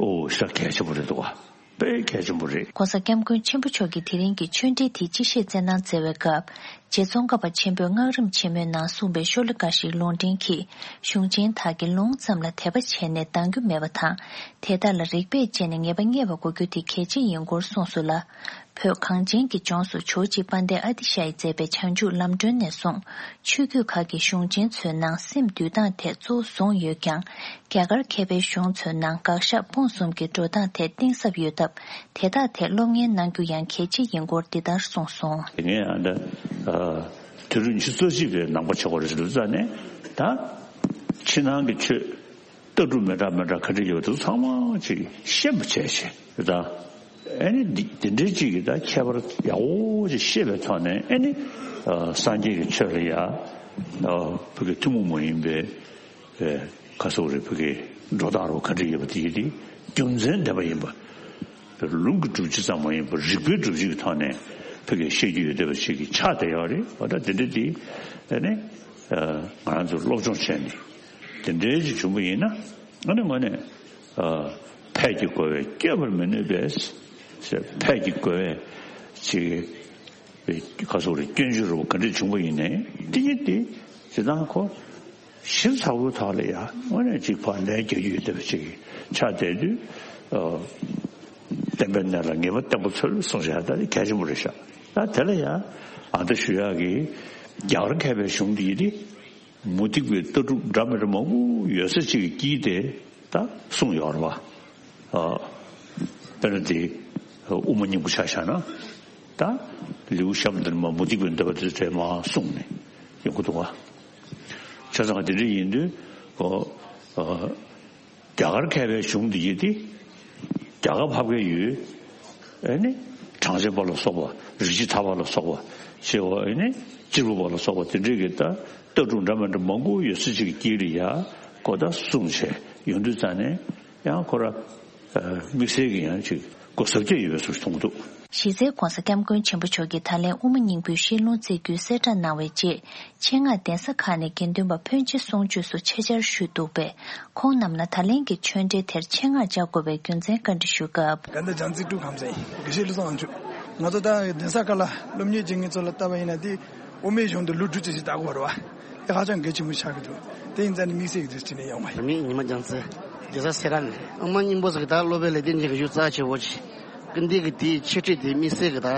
ཨོ་ཞེ་དྲག་གལ་ཆེན་པོ་རེད་འདུག་བ། དཔེ་གལ་ཆེན་པོ་རེད། ྋགོང་ས་ྋསྐྱབས་མགོན་ཆེན་པོ་མཆོག་གིས་དེ་རིང་གི་ཆོས་འབྲེལ་དེའི་སྤྱི་བཤད་སྩལ་གནང་མཛད་པའི་སྐབས། རྗེ་ཙོང་ཁ་པ་ཆེན་པོས་སྔགས་རིམ་ཆེན་མོའི་ནང་གསུངས་པའི་ཤོ་ལོ་ཀ་ཞིག་ལུང་འདྲེན་གྱིས། གཞུང་ཆེན་དག་གིས་ལུང་ཙམ་ལ་དད་པ་བྱས་ནས་འདང་རྒྱུ་མེད་པ་དང་། དེ་དག་ལ་རིགས་པས་དཔྱད་ནས་ངེས་པ་རྙེད་པ་དགོས་རྒྱུ་དེ་གལ་ཆེ་ཡིན་སྐོར་གསུངས་སོང་ལ། བོད་གངས་ཅན་གྱི་ལྗོངས་སུ་ཇོ་བོ་རྗེ་དཔལ་ལྡན་ཨ་ཏི་ཤ་ཡིས་མཛད་པའི་བྱང་ཆུབ་ལམ་སྒྲོན་ནས་བཟུང་། ཆོས་བརྒྱུད་ཁག་གི་གཞུང་ཆེན་ཚོའི་ནང་སེམས་འདུལ་སྟངས་ཐད་གཙོ་བོ་བཟུང་ཡོད་ཀྱང་། རྒྱ་གར་མཁས་པའི་གཞུང་ཚོའི་ནང་དགག་བཞག་སྤོང་གསུམ་གྱི་འགྲོ་སྟངས་ཐད་གཏིང་ཟབ་ཡོད་སྟབས། དེ་དག་ཐད་སློབ་གཉེར་གནང་རྒྱུ་ཡང་གལ་ཆེ་ཡིན་སྐོར་འདི་ལྟར་གསུངས་སོང་། ངས་ཨ་ད་ཨ་དུས་རབས་ཉི་ཤུ་རྩ་གཅིག་པའི་ནང་པ་ཆགས་པ་རེད་ཟེར་དུས་ཙང་ནས། ད་ཕྱི་ནང་གི་ཆོས་ལྟ་གྲུབ་མི་འདྲ་མི་འདྲ་ག་འདྲ་ཡོད་པ་དེ་ཚང་མ་ཅིག་ཤེས་པ་བྱས་བྱས་ད། ཨེ་ནི་འདི་འདི་འདྲའི་ཅིག་གི་ད་ཁྱད་པར་ཡག་པོ་ཅིག་ཤེས་པའི་ཐོག་ནས། ཨེ་ནི་ཨ་སངས་རྒྱས་ཀྱི་ཆོས་ལ་ཡ་ཨ་བོད་ཀྱི་ཐུན་མོང་མ་ཡིན་པའི་ཨེ་ག་སོགས་རེ་བོད་ཀྱི་འགྲོ་སྟངས་རོ་ག་འདྲ་ཡོད་པ་དེ་ཡིན་ཏེ། རྒྱུ་མཚན་ལྡན་པ་ཡིན་པ། ལུང་གི་སྒྲུབ་བྱེད་ཙམ་མ་ཡིན་པར་རིགས་པའི་སྒྲུབ་བྱེད་ཀྱི་ཐོག་ནས་བོད་ཀྱི་བཤད་རྒྱུ་ཡོད་བསྡད་པ་ཞིག་གི་ཆ་དེ་ཡོད་རེད། འོ་ད་དེ་འདྲ་དེ་ཨེ་ནི་ཨ་ང་རང་ཚོ་སློབ་སྦྱོང་བྱས་ནས་དེ་འདྲའི་ཅིག་བྱུང་པ་ཡིན་ན། ཨ་ནི་དངོས་གནས་ཨ་ཕས་ཀྱི་རྒོལ་བས་བསྐྱོད་པར་མི་ནུས་པས་ཟེར། ཕས་ཀྱི་རྒོལ་བས་ཅིག་ག་སོགས་རེ་སྐྱོན་བརྗོད་རུ་ག་འདྲ་བྱུང་པ་ཡིན་ནའི། དེ་ཡིན་ཏེ་ཇི་ལྟར་ཁོ་ཞིབ་ཚགས་པོའི་ཐོག་ལ་ཡང་དངོས་གནས་ཅིག་ཕར་ལན་རྒྱག་རྒྱུ་ཡོད་བསྡད་པ་ཅིག་ཆགས་བསྡད་དུས། ཨ་བསྟན་པའི་གནས་ལ་ངེས་པ་བརྟན་པོ་འཚོལ་གསུངས་བཞག་ད་དེ་གལ་ཆེན་པོ་རེད་ཤག་ད་དེ་ལ་ཡང་ཨ་ད་ཞུ་ཡག་གི་རྒྱ་གར་མཁས་པའི་གཞུང་འདི་ཡིན་ཏེ། མུ་སྟེགས་པའི་ལྟ་གྲུབ་འདྲ་མི་འདྲ་མང་པོ་ཡོད་ས་ཅིག་གི་དཀྱིལ་དེ་ད་གསུངས་ཡོད་རེད་བ། ཨ། དཔེར་ན་དེ་དབུ་མ་སྙིང་པོ་ཆ་བཞག་ན། ད་ལེའུ་གཤམ་དེར་མ་མུ་སྟེགས་པའི་འདོད་པ་དེ་དེ་མ་གསུངས་ནས་ཡོང་གི་འདུག་བ། བྱས་ཙང་དེ་འདྲ་ཡིན་དུས། ཨོ། ཨ། རྒྱ་གར་མཁས་པའི་གཞུང་འདི་ཡིན་ཏེ། རྒྱ་གར་ཕབ་མཁན་ཡོད། ཨེ་ནི། གྲངས་ཅན་པ་ལ་སོགས་པ། རིགས་བྱེད་ཐར་པ་ལ་སོགས་པ། ཞེས་པ་ཨེ་ནི། གཅེར་བུ་པ་ལ་སོགས་པ་དེ་འདྲའི་གི་ད་ལྟ་གྲུབ་འདྲ་མི་འདྲ་མང་པོ་ཡོད་ས་ཅིག་གི་དཀྱིལ་ལ་ཡ་ཁོ་ད་གསུངས་བྱས་ཡོང་དུས་ཙང་ནས། ཡང་ཁོ་ར་དམིགས་བསལ་གྱི་ཡང་ཅིག་གོ་ཟབ་རྒྱ་ཡོད་པའི་བཟོ་ཞིག་མཐོང་གི་འདུག་གཞི་རྩའི་ྋགོང་ས་ྋསྐྱབས་མགོན་ཆེན་པོ་མཆོག་གིས་ད་ལན་དབུ་མ་སྙིང་པོའི་བཤད་ལུང་བསྩལ་རྒྱུའི་གསལ་བསྒྲགས་གནང་བའི་རྗེས། ཆེད་མངགས་གདན་ས་ཁག་ནས་དགེ་འདུན་པ་ཕོན་ཆེ་གསུང་ཆོས་སུ་ཆེད་བཅར་ཞུས་འདུག་པས། ཁོང་རྣམས་ལ་ད་ལན་གྱི་ཆོས་འབྲེལ་དེར་ཆེད་མངགས་བཅར་དགོས་པའི་རྒྱུ་མཚན་བཀའ་འདྲི་ཞུ་སྐབས། ད་ལྟ་ལྗང་རྩེ་ཀྲུའུ་ཁམས་ཚན་དགེ་བཤེས་བློ་བཟང་དབང་ཕྱུག་ང་ཚོ་ད་གདན་ས་ཁག་ལ་སློབ་གཉེར་བྱེད་མཁན་ཚོ་ལ་ལྟ་བ་ཡིན་ན། དེ་དབུ་མའི་གཞུང་དུ་ལོ་དྲུག་ཅུ་ཞིག་ལྟ་དགོས་རེད་བ། དེ་ཧ་ཅང་གལ་ཆེན་པོ་ཆགས་ཀྱི་འདུག་དེ་ཡིན་ཙང་ནི་དམིགས་བསལ་གྱི་དེ་དྲི་ནས་ཡོང་བ་ཡིན། མི་ཉི་མ་ལྗང་རྩེ། གདན་ས་སེ་ར་ནས། དབུ་མ་སྙིང་པོ་ཟེར་གྱི་ད་སློབ་པའི་ལས་དོན་བྱེད་ཀྱི་ཡུལ་རྩ་ཆེ་བོ་ཅིག་སྐུ་མདུན་གྱི་དེའི་འཆད་ཁྲིད་དེ་དམིགས་བསལ་གྱི་ད་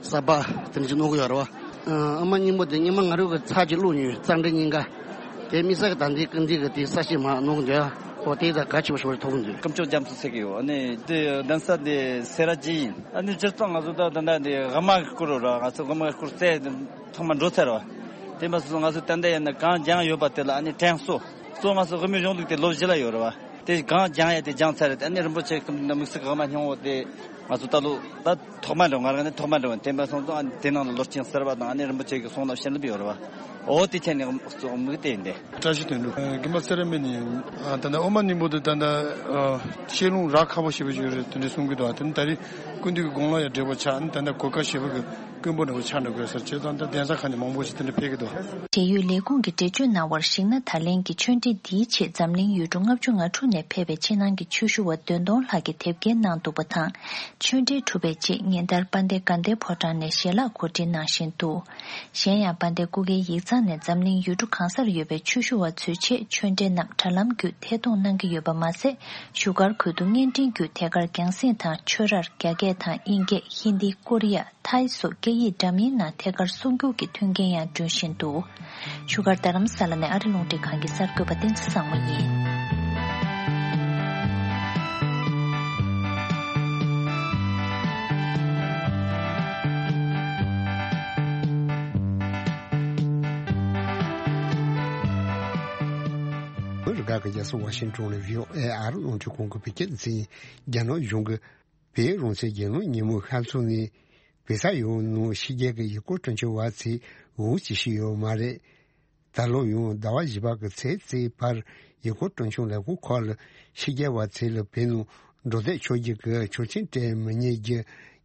གསར་པ་དེ་འདྲ་ཅིག་གནང་གི་ཡོད་རེད་བ། ཨ། དབུ་མ་སྙིང་པོ་དེ་སྔོན་མ་ང་རང་གིས་ཚར་གཅིག་ཀློག་མྱོང་། རྩ་འགྲེལ་གཉིས་ཀ། དེ་དམིགས་བསལ་གྱི་ད་འདི་སྐུ་མདུན་གྱི་དེའི་གསལ་བཤད་མར་གནང་གི་འདུག་ཨ། འོ་དེ་ད་གལ་ཆེ་བོ་ཞིག་ཐོགས་ཀྱི་འདུག་སྐུ་མཆོག་རྒྱ་མཚོ་ཟེར་གྱི་ཡོད། ཨ་ནི་དེ་གདན་ས་དེ་སེ་ར་བྱེས་ཡིན། ཨ་ནི་སྤྱིར་བཏང་ང་ཚོ་ད་ད་ད་དེ་དབུ་མ་གི་སྐོར་ར་ང་ཚོ་དབུ་མ་གི་སྐོར་བཙལ་ཐོག་མར་འགྲོ་ཚར་བ། དེ་མ་ཟད་ང་ཚོ་ད་ལྟ་ཡིན་ན་གང་སྦྱངས་ཡོད་པ་དེ་ལ་ཨ་ནི་དྲན་གསོ། གཙོ་བོ་ང་ཚོ་དབུ་མའི་གཞུང་ལུགས་དེ་ལོ་བཞི་ལ་ཡོད་རེད་བ། དེ་གང་སྦྱངས་ཡ་དེ་སྦྱངས་ཚར་རེད། ཨ་ནི་རིན་པོ་ཆེ་གི་དམིགས་བསལ་གྱི་དབུ་མ་སྙིང་པོ་དེ་ང་ཚོ་ད་ལོ་ད་ཐོག་མ་འགྲོ། ང་རང་ནི་ཐོག་མ་འགྲོ་བ་དེ་འབའ་སོང་ཙང་། ཨ་ནི་དེ་ནང་ལ་ལོ་རྒྱུས་གསར་བ་དང་། ཨ་ནི་རིན་པོ་ཆེ་གི་གསུང་རབ་བཤད་ལུགས་ཡོད་རེད་བ། འོ་དེ་ཆ་ནས་དམིགས་བསལ་དེ་ཡིན་ཏེ། བཀྲ་ཤིས་དོན་གྲུབ། དགེ་འཕེལ་ཚེ་རིང་མ་ནི་ད་ལྟ་དབུ་མ་སྙིང་པོ་དེ་ད་ལྟ་བཤད་ལུང་རག་ཁག་པོ་ཞེ་པོ་ཞིག་རེད། དེ་འདྲ་གསུང་གི་འདུག་དེ་ནི་ད་རེས་སྐུ་མདུན་གྱི་དགུང་ལོ་ཡང་བགྲེས་པོ་ཆགས། ཨ་ནི་ད་ལྟ་གོ་སྐབས་ཞེ་པོ་གི་དཀོན་པོ་འདྲ་བོ་ཆགས་འགྲོ་དགོས་ཟེར་བྱས་ཙང་། ད་གདན་ས་ཁག་ནས་མང་པོ་ཞིག་དེ་འདྲ་ཕེབས་ཀྱི་འདུག་འབྲེལ་ཡོད་ལས་ཁུངས་ཀྱིས་འགྲེལ་བརྗོད་གནང་བར་གཞིགས་ན། ད་ལན་གྱི་ཆོས་འབྲེལ་འདིའི་ཆེད་འཛམ་གླིང་ཡུལ་གྲུ་ལྔ་བཅུ་ང་དྲུག་ནས་ཕེབས་པའི་ཕྱི་ནང་གི་ཆོས་ཞུ་བ་བདུན་སྟོང་ལྷག་གིས་དེབ་སྐྱེལ་གནང་འདུག་པ་དང་། ཆོས་འབྲེལ་གྲུབ་པའི་རྗེས་ཉིན་ལྟར་དཔལ་ལྡན་དགའ་ལྡན་ཕོ་བྲང་ནས་ཞལ་ལག་གོ་སྒྲིག་གནང་བཞིན་འདུག་གཞན་ཡང་། དཔལ་ལྡན་སྐུ་སྒེར་ཡིག་ཚང་ནས་འཛམ་གླིང་ཡུལ་གྲུ་གང་སར་ཡོད་པའི་ཆོས་ཞུ་བ་ཚོའི་ཆེད་ཆོས་འབྲེལ་རྣམས་དྲ་ལམ་བརྒྱུད་ཐད་གཏོང་གནང་གི་ཡོད་པ་མ་ཟད། བཞུགས་སྒར་ཁུལ་དུ་བརྙན་འཕྲིན་བརྒྱུད་ཐད་ཀར་རྒྱང་སྲིང་དང་། ཆོས་རར་རྒྱ་སྐད་དང་དབྱིན་སྐད། ཧིན་དི། ཀོ་རི་ཡ། ཐའི་སོགས་སྐད་ཡིག་འདྲ་མིན་ནང་ཐད་ཀར་གསུང་བསྒྱུར་གྱི་མཐུན་རྐྱེན་ཡང་བསྐྲུན་བཞིན་འདུག་བཞུགས་སྒར་རྡ་རམ་ས་ལ་ནས་ཨ་རི་རླུང་འཕྲིན་ཁང་གི་གསར་འགོད་པ་བསྟན་འཛིན་བཟང་མོ་ཡིན། བོད་རྒྱ་གར་རྒྱལ་ས་ཝ་ཤིང་ཊོན་ལ་བྷི་ཨོ་ཨེ་ཨ་རི་རླུང་འཕྲིན་ཁང་གི་བོད་སྐད་སྡེ་ཚན་ཡིན། རྒྱ་ནག་གཞུང་གིས་བལ་ཡུལ་རང་བཙན་རྒྱལ་ལོའི་ཉིན་མོའི་ཤར་ཚོགས་ནས་བེ་ས་ཡོའུ་ནང་ཕྱི་རྒྱལ་གྱི་ཡུལ་སྐོར་སྤྲོ་འཆམ་བ་ཚོས་འུར་ཅིག་བྱས་ཡོད་མ་རེད། ད་ལོ་ཡང་ཟླ་བ་བཞི་པ་གི་ཚེས་གཅིག་བར་ཡུལ་སྐོར་སྤྲོ་འཆམ་ལས་ཁུངས་ཁག་ལ་ཕྱི་རྒྱལ་བ་ཚོ་ལ་བོད་ནང་ འགྲོ་སྡོད་ཕྱོགས་སྒྲིག་གི་ཆོག་མཆན་སྤྲད་མི་ཉན་རྒྱུ་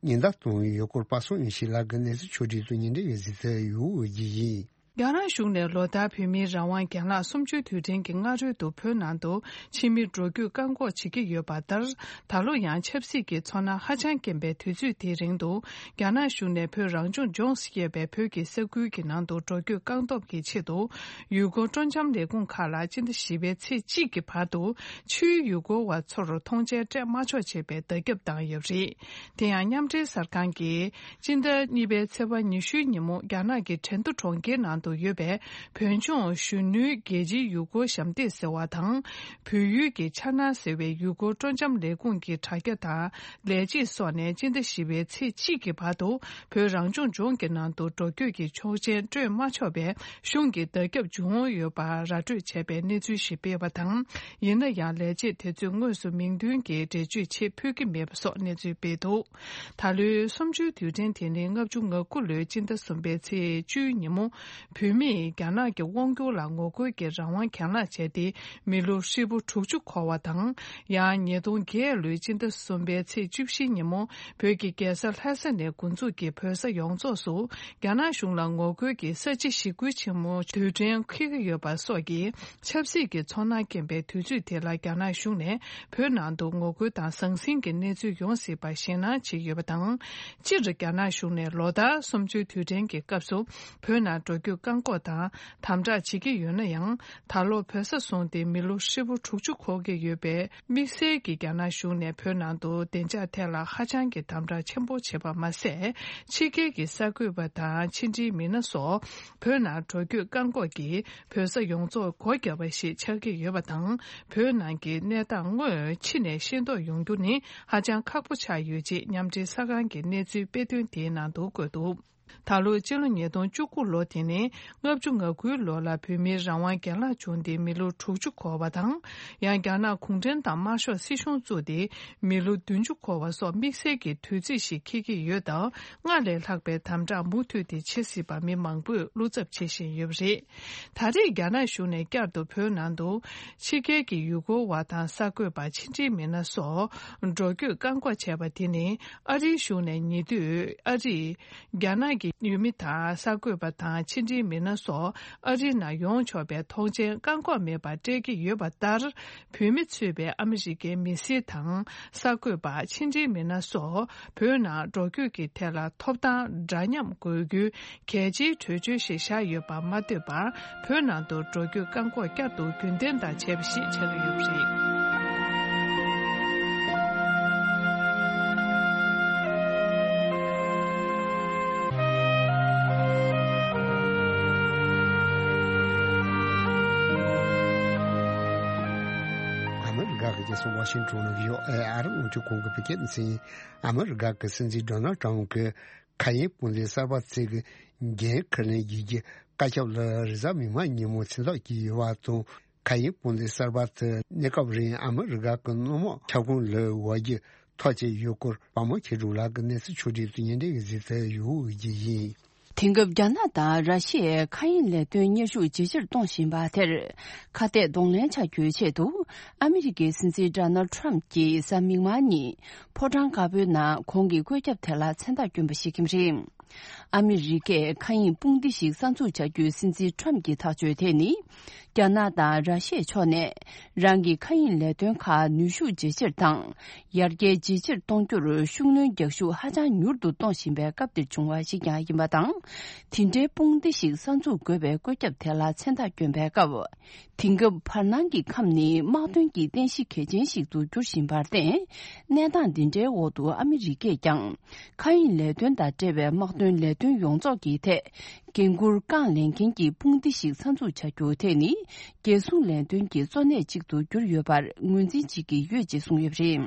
ཉེན་བརྡ་བཏང་ཡོད་སྐོར་པ་སངས་ཡོང་ཤིང་ལགས་ཀྱིས་གནས་ཚུལ་ཕྱོགས་སྒྲིག་དང་ཉེ་འབྲེལ་བའི་གཟིགས་ཚུལ་ཡོད་རྒྱུ་ཡིན། རྒྱ་ནག་གཞུང་ནས་ལོ་ལྟར་བོད་མིའི་རང་དབང་རྒན་ལགས་གསུམ་བཅུའི་དུས་དྲན་གྱི་སྔ་རོལ་དུ་བོད་ནང་དུ་ཕྱི་མི་འགྲོ་སྐྱོད་བཀག་འགོག་བྱེད་ཀྱི་ཡོད་པ་ལྟར། ད་ལོ་ཡང་ཆབ་སྲིད་ཀྱི་ཚོར་སྣང་ཧ་ཅང་སྐྱེན་པའི་དུས་ཚོད་དེའི་རིང་དུ། རྒྱ་ནག་གཞུང་ནས་བོད་རང་སྐྱོང་ལྗོངས་སུ་ཡོད་པའི་བོད་ཀྱི་ས་ཁུལ་གྱི་ནང་དུ་འགྲོ་སྐྱོད་བཀག་སྡོམ་གྱི་ཆེད་དུ། ཡུལ་སྐོར་སྤྲོ་འཆམ་ལས་ཁུངས་ཁག་ལ་སྤྱི་ཟླ་བཞི་པའི་ཚེས་གཅིག་གི་བར་དུ་ཕྱིའི་ཡུལ་སྐོར་བ་ཚོར་མཐོང་མཆན་སྤྲད་མ་ཆོག་ཅེས་པའི་བརྡ་ཁྱབ་བཏང་ཡོད་པ་རེད། དེ་ཡང་མཉམ་འབྲེལ་གསར་ཁང་གིས་སྤྱི་ཟླ་གཉིས་པའི་ཚེས་པ་ཉི་ཤུའི་ཉིན་མོ་རྒྱ་ནག་གི་ཁྲེང་ཏུ་གྲོང་ཁྱེར་ནང་དུ་ཡོད་པའི་བོད་ལྗོངས་གཞོན་ནུའི་རྒྱལ་སྤྱིའི་ཡུལ་སྐོར་ཞབས་འདེགས་ཟེར་བ་དང་། བོད་ཡུལ་གྱི་འཆར་སྣང་ཟེར་བའི་ཡུལ་སྐོར་སྤྲོ་འཆམ་ལས་ཁུངས་ཀྱི་དྲ་རྒྱ་དང་ལས་བྱེད་སོགས་ནས་སྤྱི་ཟླ་བཞི་པའི་ཚེས་གཅིག་གི་བར་དུ་བོད་རང་སྐྱོང་ལྗོངས་ཀྱི་ནང་དུ་འགྲོ་སྐྱོད་ཀྱི་ཆོག་མཆན་སྤྲོད་མ་ཆོག་པའི་གཞུང་གི་བརྡ་ཁྱབ་བྱུང་ཡོད་པ་ར་སྤྲོད་བྱས་པའི་གནས་ཚུལ་ཞིག་སྤེལ་བ་དང་། ཡིན་ན་ཡང་ལས་བྱེད་དེ་ཚོས་དངོས་སུ་མིང་འདོན་གྱིས་འགྲེལ་བརྗོད་ཆེད་ཕུལ་གྱི་མེད་པ་སོགས་གནས་ཚུལ་སྤེལ་འདུག་ད་ལོའི་གསུམ་བཅུའི་དུས་དྲན་དེ་ནི་ལྔ་བཅུ་ང་དགུ་ལོའི་སྤྱི་ཟླ་གསུམ་པའི་ཚེས་བཅུའི་ཉིན་མོ། བོད་མིས་རྒྱ་ནག་གི་དབང་སྒྱུར་ལ་ངོ་རྒོལ་གྱི་རང་དབང་གྱེན་ལངས་བྱས་ཏེ་མི་ལོ་ཧྲིལ་པོ་དྲུག་ཅུ་འཁོར་བ་དང་། ཡང་ཉིས་སྟོང་བརྒྱད་ལོའི་སྤྱི་ཟླ་གསུམ་པའི་ཚེས་བཅུ་བཞི་ཉིན་མོ་བོད་ཀྱི་རྒྱལ་ས་ལྷ་ས་ནས་འགོ་འཛུགས་ཀྱིས་བོད་ས་ཡོངས་རྫོགས་སུ་རྒྱ་ནག་གཞུང་ལ་ངོ་རྒོལ་གྱི་ས་བྱི་ཞི་རྒོལ་ཆེན་མོ་དུས་དྲན་འཁེལ་གྱི་ཡོད་པ་སོགས་ཀྱི་ཆབ་སྲིད་ཀྱི་ཚོར་སྣང་སྐྱེན་པའི་དུས་ཚོད་དེ་ལ་རྒྱ་ནག་གཞུང་ནས་བོད་ནང་དུ་ངོ་རྒོལ་དང་ཟང་ཟིང་གི་གནས་ཚུལ་ཡོང་སྲིད་པ་ཞེད་སྣང་བྱེད་ཀྱི་ཡོད་པ་དང་། སྤྱིར་རྒྱ་ནག་གཞུང་ནས་ལོ་ལྟར་གསུམ་བཅུའི་དུས་དྲན་གྱི་སྐབས་སུ་བོད་ནང་འགྲོ་སྐྱོད་བཀག་འགོག་དང་དམ་དྲག་བྱེད་ཀྱི་ཡོད་ན་ཡང་། ད་ལོ་བོད་ས་བཟུང་སྟེ་མི་ལོ་ཧྲིལ་པོ་དྲུག་ཅུ་འཁོར་གྱི་ཡོད་པའི་དམིགས་བསལ་གྱི་རྒྱ་ནག་གཞུང་ནས་བོད་ནང་དུ་བདེ་འཇགས་ཐད་ལ་ཧ་ཅང་གི་དམ་དྲག་ཆེན་པོ་བྱས་པ་མ་ཟད། ཕྱི་རྒྱལ་གྱི་གསར་འགོད་པ་དང་ཕྱི་འབྲེལ་མི་སྣ་སོགས་བོད་ནང་འགྲོ་སྐྱོད་བཀག་འགོག་གིས་བོད་ས་ཡོངས་རྫོགས་སྒོ་བརྒྱབ་པ་ཞིག་ཆགས་ཀྱི་ཡོད་པ་དང་། བོད་ནང་གི་གནས་སྟངས་དངོས་ཕྱི་ནས་ཤེས་རྟོགས་ཡོང་རྒྱུ་ནི་ཧ་ཅང་ཁག་པོ་ཆགས་ཡོད་ཅེས་མཉམ་འབྲེལ་གསར་ཁང་གི་གནས་ཚུལ་དཔེ་སྟོན་དེའི་ནང་དུ་བཀོད་འདུག་ད་ལོ་སྤྱི་ལོ་ཉིས་སྟོང་བཅུ་དགུ་ལོ་དེ་ནི་ལྔ་བཅུ་ང་དགུའི་ལོ་ལ་བོད་མིའི་རང་དབང་རྒྱལ་ལག་བྱུང་སྟེ་མི་ལོ་དྲུག་ཅུ་འཁོར་བ་དང་། ཡང་རྒྱ་ནག་གུང་ཁྲན་ཏང་དམར་ཤོག་སྲིད་གཞུང་བཙུགས་ཏེ་མི་ལོ་བདུན་ཅུ་འཁོར་བ་སོགས་དམིགས་བསལ་གྱི་དུས་ཚིགས་ཤིག་འཁེལ་གྱི་ཡོད་སྟབས། སྔར་ལས་ལྷག་པའི་དམ་དྲག་མུ་མཐུད་དེ་བྱེད་སྲིད་པ་མི་མང་པོས་བློ་འཚབ་བྱེད་བཞིན་ཡོད་པ་རེད། ད་རེས་རྒྱ་ནག་གཞུང་ནས་བསྐྱར་དུ་བོད་ནང་དུ་ཕྱི་རྒྱལ་གྱི་ཡུལ་སྐོར་བ་དང་གསར་འགོད་པ་ཕྱི་འབྲེལ་མི་སྣ་སོགས་འགྲོ་སྐྱོད་བཀག་འགོག་བྱས་པ་དེ་ནི་ཨ་རིའི་གཞུང་ནས་ཉེ་དུས་ཨ་རིས། རྒྱ་ནག་གི་ཡུལ་མི་དང་གསར་འགོད་པ་དང་ཕྱི་འབྲེལ་མི་སྣ་སོགས་ཨ་རིའི་ནང་ཡོང་ཆོག་པའི་ཐོངས་མཆན་བཀག་འགོག་མེད་པར་སྤྲད་ཀྱི་ཡོད་པ་ལྟར། བོད་མི་གཙོས་པའི་ཨ་མི་རི་ཀའི་མི་སེར་དང་གསར་འགོད་པ་ཕྱི་འབྲེལ་མི་སྣ་སོགས་བོད་ནང་འགྲོ་སྐྱོད་ཀྱི་ཐད་ལ་ཐོབ་ཐང་འདྲ་མཉམ་དགོས་རྒྱུའི་གལ་ཆེའི་གྲོས་ཆོད་ཞིག་བཞག་ཡོད་པ་མ་ལྟོས་པར། བོད་ནང་དུ་འགྲོ་སྐྱོད་བཀག་འགོག་བསྐྱར་དུ་རྒྱུན་ལྡན་དང་བྱས་པ་ཞིག་ཆགས་ཀྱི་ཡོད་པ་རེད། ཨ་མི་རི་ཀ་གི་རྒྱལ་ས་ཝ་ཤིང་ཊོན་ནང་ཡོད་ཨ་རི་རླུང་འཕྲིན་ཁང་གི་བོད་སྐད་སྡེ་ཚན། ཨ་མི་རི་ཀ་གི་སྲིད་འཛིན་ཌོ་ནལ་ཊམ་གྱིས། མཁའ་དབྱིངས་དཔུང་སྡེ་གསར་པ་ཚིག་གི་འགན་འཁུར་ལེན་བགྱིད་རྒྱུ་བཀའ་ཁྱབ་ལ་རེས་གཟའ་མིག་དམར་ཉིན་མོ་མཚན་རྟགས་བསྐྱོན་ཡོད་པ་དང་། མཁའ་དབྱིངས་དཔུང་སྡེ་གསར་པ་དེ་གནས་སྐབས་རིང་ཨ་མི་རི་ཀ་གི་སྣུམ་འོག་ཁྱབ་ཁོངས་ལ་བབས་རྒྱུ་ཐག་བཅད་ཡོད་སྐོར་དཔའ་མོ་ཆོས་སྒྲོན་ལགས་ཀྱིས་གནས་ཚུལ་ཕྱོགས་སྒྲིག་ཏུ་ཉན་འདྲ་བའི་གཟིགས་ཚུལ་ཡོད་རྒྱུ་ཡིན། དེང་སྐབས་རྒྱ་ནག་དང་ར་ཤི་ཡའི་མཁའ་དབྱིངས་ལས་དོན་མཉམ་ཞུགས་ཇེ་ཆེར་གཏོང་བཞིན་པ་དེར་ཁ་གཏད་གདོང་ལེན་བྱ་རྒྱུའི་ཆེད་དུ། ཨ་མི་རི་ཀའི་སྲིད་འཛིན་ཌོ་ནལ་ཊམ་གྱིས་གཟའ་མིག་དམར་ཉིན་ཕོ་བྲང་དཀར་པོའི་ནང་ཁོང་གི་བཀོད་ཁྱབ་དེ་ལ་མཚན་རྟགས་བསྐྱོན་པ་ཞིག་ཡིན་པ་རེད། ཨ་མི་རི་ཀས་མཁའ་དབྱིངས་དཔུང་སྡེ་ཞིག་གསར་འཛུགས་བྱ་རྒྱུའི་སྲིད་འཛིན་ཊམ་གྱི་ཐག་གཅོད་དེ་ནི། རྒྱ་ནག་དང་ར་ཤི་ཡའི་ཕྱོགས་ནས་རང་གི་མཁའ་དབྱིངས་ལས་དོན་ཁག་ནུས་ཤུགས་ཇེ་ཆེར་དང་། ཡར་རྒྱས་ཇེ་ཆེར་གཏོང་རྒྱུར་ཤུགས་སྣོན་རྒྱག་ཤུགས་ཧ་ཅང་མྱུར་དུ་གཏོང་བཞིན་པའི་སྐབས་འདིར་བྱུང་བ་ཞིག་ཀྱང་ཡིན་པ་དང་། དེ་འདྲའི་དཔུང་སྡེ་ཞིག་གསར་འཛུགས་དགོས་པའི་བཀོད་ཁྱབ་དེ་ལ་མཚན་རྟགས་བསྐྱོན་པའི་སྐབས། དེང་སྐབས་བར་སྣང་གི་ཁམས་ནི་དམག་དོན་གྱི་རྟེན་གཞི་གལ་ཆེན་ཞིག་ཏུ་གྱུར་བཞིན་པར་བརྟེན། གནས་སྟངས་འདི་འདྲའི་འོག་ཏུ་ཨ་མི་རི་ཀས་ཀྱང་མཁའ་དབྱིངས་ལས་དོན་དང་འབྲེལ་བའི་དམག་དོན་ལས་དོན་ཡོངས་རྫོགས་ཀྱི་ཐད་འགན་འཁུར་རྐང་ལེན་མཁན་གྱི་དཔུང་སྡེ་ཞིག་གསར་འཛུགས་བྱ་རྒྱུ་དེ་ནི་རྒྱལ་སྲུང་ལས་དོན་གྱི་གཙོ་གནད་ཅིག་ཏུ་གྱུར་ཡོད་པར་ངོས་འཛིན་བྱེད་ཀྱི་ཡོད་ཅེས་གསུངས་ཡོད་པ་རེད།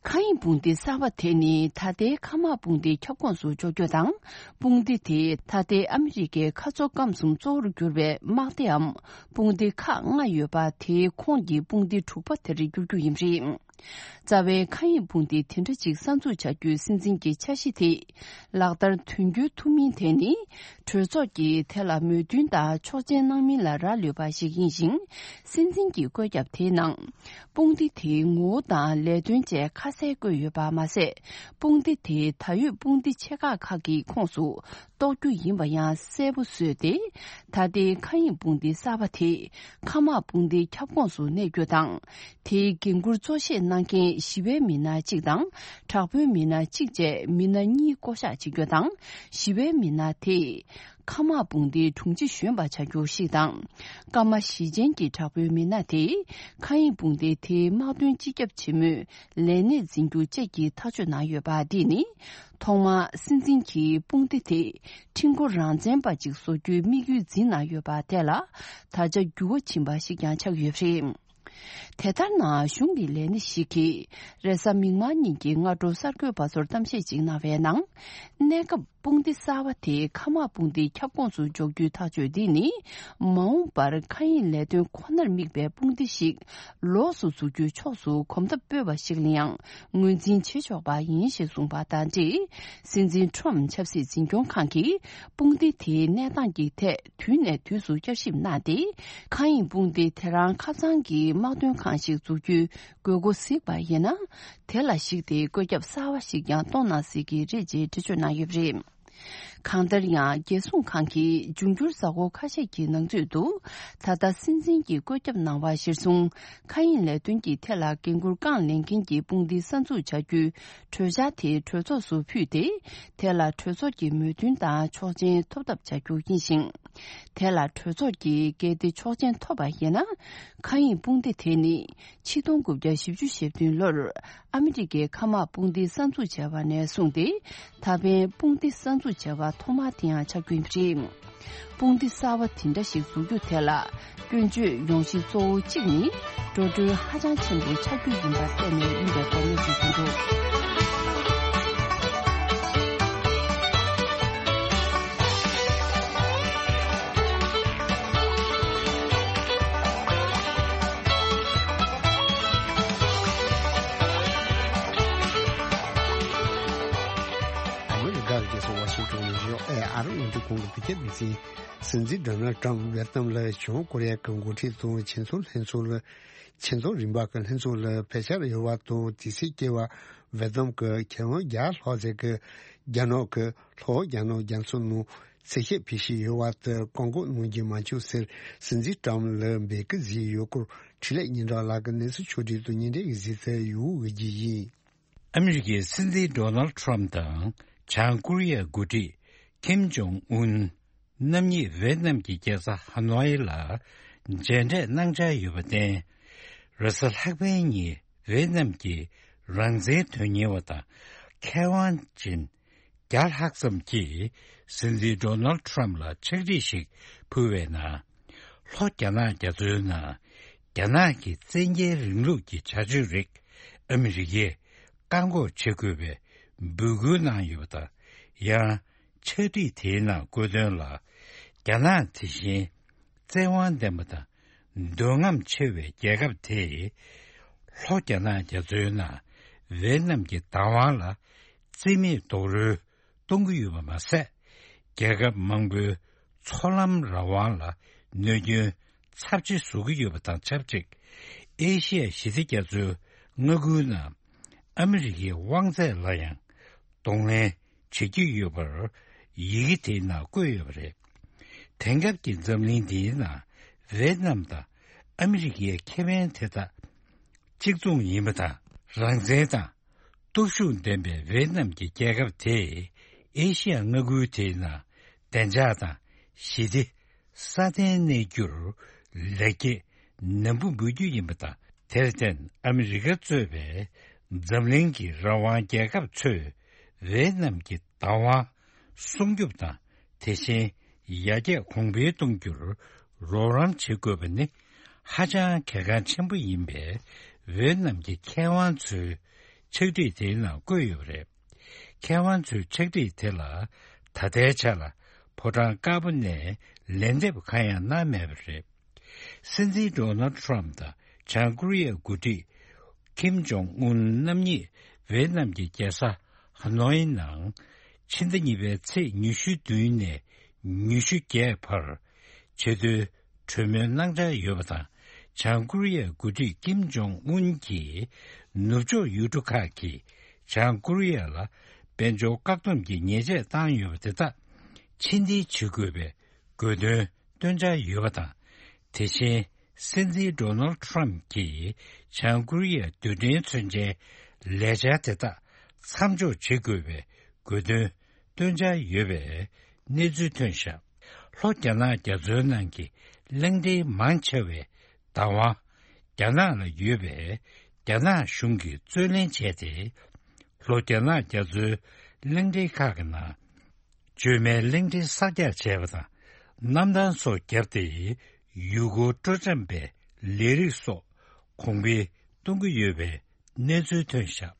མཁའ་དབྱིངས་དཔུང་སྡེ་གསར་པ་དེ་ནི་ད་ལྟའི་མཁའ་དམག་དཔུང་སྡེའི་ཁྱབ་ཁོངས་སུ་འཇོག་རྒྱུ་དང་། དཔུང་སྡེ་དེས་ད་ལྟའི་ཨ་མི་རི་ཀའི་མཁའ་མཚོ་སྐམ་གསུམ་གཙོ་བོར་གྱུར་པའི་དམག་སྡེའམ་དཔུང་སྡེ་ཁག་ལྔ་ཡོད་པ་དེའི་ཁོངས་ཀྱི་དཔུང་སྡེ་དྲུག་པ་དེར་འགྱུར་རྒྱུ་ཡིན་པ་རེད། རྩ་བའི་མཁའ་དབྱིངས་དཔུང་སྡེ་དེ་འདྲ་ཅིག་གསར་འཛུགས་བྱ་རྒྱུའི་སྲིད་འཛིན་གྱི་འཆར་གཞི་དེ་ལག་བསྟར་དོན་འཁྱོལ་ཐུབ་མིན་དེ་ནི། གྲོས་ཚོགས་ཀྱིས་དེ་ལ་མོས་མཐུན་དང་ཆོག་མཆན་གནང་མིན་ལ་རག་ལུས་པ་ཞིག་ཡིན་ཞིང་། སྲིད་འཛིན་གྱི་བཀོད་ཁྱབ་དེའི་ནང་། དཔུང་སྡེ་དེའི་ངོ་བོ་དང་ལས་དོན་བཅས་ཁ་གསལ་བཀོད་ཡོད་པ་མ་ཟད། དཔུང་སྡེ་དེའི་ད་ཡོད་དཔུང་སྡེ་ཆེ་ཁག་ཁག་གི་ཁོངས་སུ་གཏོགས་རྒྱུ་ཡིན་པ་ཡང་གསལ་པོ་བཟོས་ཏེ། ད་ལྟའི་མཁའ་དབྱིངས་དཔུང་སྡེ་གསར་པ་དེ་མཁའ་དམག་དཔུང་སྡེའི་ཁྱབ་ཁོངས་སུ་གནས་རྒྱུ་དང་། དེའི་འགན་འཁུར་གཙོ་བཞེས་གནང་མཁན་ཞི་བའི་མི་སྣ་གཅིག་དང་། དྲག་པོའི་མི་སྣ་གཅིག་བཅས་མི་སྣ་གཉིས་བསྐོ་གཞག་བྱེད་རྒྱུ་དང་། ཞི་བའི་མི་སྣ་དེས་མཁའ་དམག་དཔུང་སྡེའི་དྲུང་ཆེ་གཞོན་པ་བྱ་རྒྱུ་ཞིག་དང་། སྐར་མ་བཞི་ཅན་གྱི་དྲག་པོའི་མི་སྣ་དེས་མཁའ་དབྱིངས་དཔུང་སྡེ་དེའི་དམག་དོན་སྤྱི་ཁྱབ་ཆེན་མོའི་ལས་གནས་འཛིན་རྒྱུ་བཅས་ཀྱི་ཐག་གཅོད་གནང་ཡོད་པ། འདི་ནི་ཐོག་མར་སྲིད་འཛིན་གྱིས་དཔུང་སྡེ་དེ་ཁྲིམས་འགོ་རང་བཙན་པ་ཅིག་བཟོ་རྒྱུའི་དམིགས་ཡུལ་འཛིན་གནང་ཡོད་པ་དེ་ལ་ད་ཆ་འགྱུར་བ་ཕྱིན་པ་ཞིག་ཀྱང་ཆགས་ཡོད་པ་རེད། དེ་ལྟར་ན། གཞུང་གི་ལས་སྣེ་ཞིག་གིས་རེས་གཟའ་མིག་དམར་ཉིན་གྱི་སྔ་དྲོ་གསར་འགོད་པ་ཚོར་གཏམ་བཤད་ཅིག་གནང་བའི་ནང་། གནས་སྐབས་དཔུང་སྡེ་གསར་པ་དེ་མཁའ་དམག་དཔུང་སྡེའི་ཁྱབ་ཁོངས་སུ་འཇོག་རྒྱུའི་ཐག་གཅོད་འདི་ནི། མ་འོངས་པར་མཁའ་དབྱིངས་ལས་དོན་ཁོ་ནར་དམིགས་པའི་དཔུང་སྡེ་ཞིག་ལོགས་སུ་འཛུགས་རྒྱུའི་ཕྱོགས་སུ་གོམ་སྟབས་སྤོས་པ་ཞིག་ལ་ཡང་ངོས་འཛིན་བྱེད་ཆོག་པ་ཡིན་ཞེས་གསུངས་པ་དང་འབྲེལ། སྲིད་འཛིན་ཁྲོམ་ཆབ་སྲིད་འཛིན་སྐྱོང་ཁང་གིས་དཔུང་སྡེ་དེའི་གནས་སྟངས་ཀྱི་ཐད་དུས་ནས་དུས་སུ་བསྐྱར་ཞིབ་གནང་སྟེ། མཁའ་དབྱིངས་དཔུང་སྡེ་དེ་རང་ཁ་ཚང་གི་དམག་དོན་ཁང་ཞིག་འཛུགས་རྒྱུའི་དགོས་མཁོ་གཟིགས་པ་ཡིན་ན། དེ་ལ་གཞིགས་ཏེ་བཀོད་ཁྱབ་གསར་བ་ཞིག་ཀྱང་གཏོང་གནང་སྲིད་ཀྱི་རེད་ཅེས་འགྲེལ་བརྗོད་གནང་ཡོད་པ་རེད། གང་ལྟར་ཡང་། རྒྱལ་སྲུང་ཁང་གིས་འབྱུང་འགྱུར་གཟའ་འཁོར་ཁ་ཤས་ཀྱི་ནང་ཚུད་དུ། ད་ལྟ་སྲིད་འཛིན་གྱིས་བཀོད་ཁྱབ་གནང་བ་གཞིར་བཟུང་། མཁའ་དབྱིངས་ལས་དོན་གྱི་ཐད་ལ་འགན་འཁུར་རྐང་ལེན་མཁན་གྱི་དཔུང་སྡེ་གསར་འཛུགས་བྱ་རྒྱུའི་གྲོས་འཆར་དེ་གྲོས་ཚོགས་སུ་ཕུལ་ཏེ། དེ་ལ་གྲོས་ཚོགས་ཀྱི་མོས་མཐུན་དང་ཆོག་མཆན་ཐོབ་ཐབས་བྱ་རྒྱུ་ཡིན་ཞིང་། དེ་ལ་གྲོས་ཚོགས་ཀྱིས་གལ་ཏེ་ཆོག་མཆན་ཐོབ་པ་ཡིན་ན། མཁའ་དབྱིངས་དཔུང་སྡེ་དེ་ནི་ཆིག་སྟོང་དགུ་བརྒྱ་བཞི་བཅུ་ཞེ་བདུན་ལོར་ཨ་མི་རི་ཀའི་མཁའ་དམག་དཔུང་སྡེ་གསར་འཛུགས་བྱས་པ་ནས་བཟུང་སྟེ། ད་ཕན་དཔུང་སྡེ་གསར་འཛུགས་བྱས་པ་ཐོག་མ་དེ་ཡང་ཆགས་རྒྱུ་ཡིན་པ་རེད། དཔུང་སྡེ་གསར་བ་དེ་འདྲ་ཞིག་འཛུགས་རྒྱུ་དེ་ལ་སྐྱོན་བརྗོད་ཡོང་གཞི་གཙོ་བོ་གཅིག་ནི། འགྲོ་གྲོན་ཧ་ཅང་ཆེན་པོ་ཆགས་རྒྱུ་ཡིན་པར་བརྟེན་ནས་ཡིན་པའི་སྐོར་གནས་ཚུལ་ཐོན་འདུག་ཨ་མི་རི་ཀའི་རྒྱལ་ས་ཝ་ཤིང་ཊོན་ནས་ཨེ་ཨར་ཨིན་ཏི་ཁོང་གི་བོད་སྐད་སྡེ་ཚན། སྲིད་འཛིན་ཌོ་ནལ་ཊམ་ཝེ་ཏི་ནམ་ལ་བྱང་ཀོ་རི་ཡ་གི་འགོ་ཁྲིད་དང་ཆེད་འཛོམས་ལྷན་ཚོགས་ལ། ཆེད་འཛོམས་རིམ་པ་གི་ལྷན་ཚོགས་ལ་ཕེབས་འཆར་ཡོད་པ་དང་། དེ་སྲིད་ཀྱི་བར་ཝེ་ཏི་ནམ་གྱི་མཁས་དབང་བརྒྱ་ལྷག་ཙམ་གྱིས་རྒྱ་ནག་གི་ལྷོ་རྒྱ་ནག་རྒྱ་མཚོ་ནང་འཚོལ་ཞིབ་ཕུལ་བཞིན་ཡོད་པ་དེར་བཀག་འགོག་གནང་རྒྱུ་མ་བྱུང་ཟེར། སྲིད་འཛིན་ཊམ་ལ་འབོད་སྐུལ་བྱས་ཡོད་སྐོར་འཕྲིན་ལས་སྙན་གྲགས་ལགས་ཀྱིས་གནས་ཚུལ་ཕྱོགས་སྒྲིག་དང་སྙན་སྒྲོན་གྱིས་གཟིགས་ཚུལ་ཡོད་འོས་ཀྱི་ཡིན། ཨ་མི་རི་ཀའི་སྲིད་འཛིན་ཌོ་ནལ་ཊམ་དང་བྱང་ཀོ་རི་ཡའི་འགོ་ཁྲིད་ཀིམ་ཇོང་ཨུན། རྣམ་གཉིས་ཝེ་ཏི་ནམ་གྱི་རྒྱལ་ས་ཧ་ནོའི་ལ་མཇལ་འཕྲད་གནང་འཆར་ཡོད་པར་བརྟེན། རེས་གཟའ་ལྷག་པའི་ཉིན་ཝེ་ཏི་ནམ་གྱི་རང་བཙན་དོན་གཉེར་བ་དང་མཁས་དབང་ཅན་བརྒྱ་ལྷག་ཙམ་གྱིས་སྲིད་འཛིན་ཌོ་ནལ་ཊམ་ལ་ཕྱག་བྲིས་ཤིག་ཕུལ་བའི་ནང་། ལྷོ་རྒྱ་ནག་རྒྱ་མཚོའི་ནང་རྒྱ་ནག་གི་བཙན་རྒྱལ་རིང་ལུགས་ཀྱི་བྱ་སྤྱོད་རིགས་ཨ་མི་རི་ཀས་བཀག་འགོག་བྱེད་དགོས་པའི་འབོད་སྐུལ་གནང་ཡོད་པ་དང་། ཡང་ཕྱག་བྲིས་དེའི་ནང་བཀོད་དོན་ལ། རྒྱ་ནག་དེ་བཞིན་བཙན་དབང་ལྡན་པ་དང་འདོད་རྔམ་ཆེ་བའི་རྒྱལ་ཁབ་དེས་ལྷོ་རྒྱ་ནག་རྒྱ་མཚོའི་ནང་ཝེ་ཏི་ནམ་གྱི་བདག་དབང་ལ་རྩིས་མེད་རྡོག་རོལ་གཏོང་གི་ཡོད་པ་མ་ཟད། རྒྱལ་ཁབ་མང་པོའི་མཚོ་ལམ་རང་དབང་ལ་གནོད་སྐྱོན་ཚབས་ཆེ་བཟོ་གི་ཡོད་པ་དང་ཆབས་ཅིག་ཨེ་ཤི་ཡ་ཞི་བདེ་རྒྱ་མཚོའི་མངའ་ཁུལ་ནང་ཨ་མི་རི་ཀའི་དབང་ཚད་ལ་ཡང་གདོང་ལེན་བྱེད་ཀྱི་ཡོད་པར་ཡི་གེ་དེའི་ནང་བཀོད་ཡོད་པ་རེད། དེང་སྐབས་ཀྱི་འཛམ་གླིང་འདིའི་ནང་ཝེ་ཏི་ནམ་དང་ཨ་མི་རི་ཀའི་ཁེ་ཕན་དེ་དག་གཅིག་མཚུངས་ཡིན་པ་དང་། རང་བཙན་དང་སྟོབས་ཤུགས་ལྡན་པའི་ཝེ་ཏི་ནམ་གྱི་རྒྱལ་ཁབ་དེས་ཨེ་ཤི་ཡ་མངའ་ཁུལ་དེའི་ནང་བདེ་འཇགས་དང་ཞི་བདེ་སྲ་བརྟན་གནས་རྒྱུར་ལེགས་སྐྱེས་ནན་པོ་འབུལ་རྒྱུ་ཡིན་པ་དང་། དེར་བརྟེན་ཨ་མི་རི་ཀ་གཙོས་པའི་འཛམ་གླིང་གི་རང་དབང་རྒྱལ་ཁབ་ཚོས་ཝེ་ཏི་ནམ་གྱི་བདག་དབང་སྲུང་སྐྱོབ་དང་། དེ་བཞིན་ཡར་རྒྱས་གོང་འཕེལ་གཏོང་རྒྱུར་རོགས་རམ་བྱེད་དགོས་པ་ནི་ཧ་ཅང་གལ་འགངས་ཆེན་པོ་ཡིན་པའི་ཝེ་ཏི་ནམ་གྱི་མཁས་དབང་ཚོའི་ཕྱག་བྲིས་དེའི་ནང་བཀོད་ཡོད་པ་རེད། མཁས་དབང་ཚོའི་ཕྱག་བྲིས་དེ་ལ་ད་ལྟའི་ཆ་ལ་ཕོ་བྲང་དཀར་པོ་ནས་ལན་འདེབས་གང་ཡང་གནང་མེད་པ་རེད། སྲིད་འཛིན་ཌོ་ནལ་ཊམ་དང་བྱང་ཀོ་རི་ཡའི་འགོ་ཁྲིད་ ཀིམ་ཇོང་ཨུན་རྣམ་གཉིས་ཝེ་ནམ་གྱི་རྒྱལ་ས་ཧ་ནོའི་ནང་ཕྱི་ཟླ་གཉིས་པའི་ཚེས་ཉི་ཤུ་བདུན་ནས་ཉི་ཤུ་བརྒྱད་བར་ཆེས་མཐོའི་གྲོས་མོལ་གནང་འཆར་ཡོད་པ་དང་། བྱང་ཀོ་རི་ཡའི་འགོ་ཁྲིད་ཀིམ་ཇོང་ཨུན་གྱིས་ནུབ་ཕྱོགས་ཡུལ་གྲུ་ཁག་གིས་བྱང་ཀོ་རི་ཡ་ལ་དཔལ་འབྱོར་བཀག་སྡོམ་གྱི་ཉེས་ཆད་བཏང་ཡོད་པ་དེ་དག་ཕྱིར་འཐེན་བྱེད་དགོས་པའི་དགོས་འདུན་བཏོན་འཆར་ཡོད་པ་དང་། དེ་བཞིན་སྲིད་འཛིན་ཌོ་ནལ་ཌི་ཊརམ་གྱིས་བྱང་ཀོ་རི་ཡའི་རྡུལ་ཕྲན་མཚོན་ཆའི་ལས་འཆར་དེ་དག་མཚམས་འཇོག་བྱེད་དགོས་པའི་དགོས་འདུན་བཏོན་འཆར་ཡོད་པའི་གནས་ཚུལ་ཐོན་བཞག་ལྷོ་རྒྱ་ནག་རྒྱ་མཚོའི་ནང་གི་གླིང་ཕྲན་མང་ཆེ་བའི་བདག་དབང་རྒྱ་ནག་ལ་ཡོད་པས། རྒྱ་ནག་གཞུང་གིས་རྩོད་ལེན་བྱས་ཏེ། ལྷོ་རྒྱ་ནག་རྒྱ་མཚོའི་གླིང་ཕྲན་ཁག་གི་ནང་། བཅོས་མའི་གླིང་ཕྲན་གསར་རྒྱག་བྱས་པ་དང་། གནམ་ཐང་སོགས་བརྒྱབ་སྟེ། ཡུལ་སྐོར་སྤྲོ་འཆམ་པའི་ལས་རིགས་སོགས་གོང་འཕེལ་གཏོང་གི་ཡོད་པའི་གནས་ཚུལ་ཐོན་བཞག་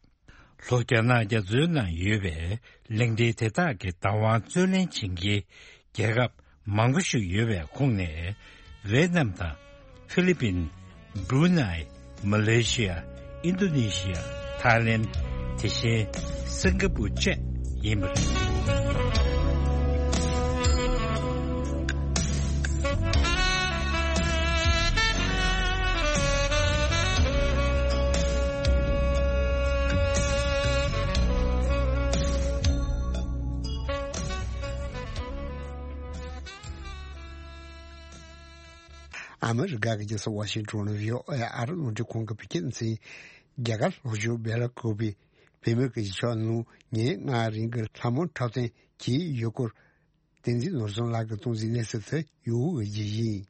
ལྷོ་རྒྱ་ནག་རྒྱ་མཚོའི་ནང་ཡོད་པའི་གླིང་ཕྲན་དེ་དག་གི་བདག་དབང་རྩོད་ལེན་བྱེད་མཁན་རྒྱལ་ཁབ་མང་པོ་ཞིག་ཡོད་པའི་ཁོངས་ནས་ཝེ་ནམ་དང་། ཧྥི་ལི་པིན། བྷུ་རུ་ནའི། མ་ལེ་ཤི་ཡ། ཨིན་ཌོ་ནེ་ཤི་ཡ། ཐའི་ལེན། དེ་བཞིན་སིང་ག་པུར་བཅས་ཡིན་པ་རེད། ཨ་མི་རི་ཀ་གི་རྒྱལ་ས་ཝ་ཤིང་ཊོན་ནས་བྷི་ཨོ་ཨེ་ཨ་རི་རླུང་འཕྲིན་ཁང་གི་བོད་སྐད་སྡེ་ཚན། རྒྱ་གར་ལྷོ་ཕྱོགས་སྦེལ་ཀོབ་བལ་མོའི་གཞིས་ཆགས་ནང་ཉིན་ལྔའི་རིང་གི་ལྷ་མོ་འཁྲབ་སྟོན་བྱས་ཡོད་སྐོར། བསྟན་འཛིན་ནོར་བཟང་ལགས་ཀྱིས་གཏོང་ཟིན་གནས་ཚུལ་དེ་ཡུ་གུ་གི་ཡིན།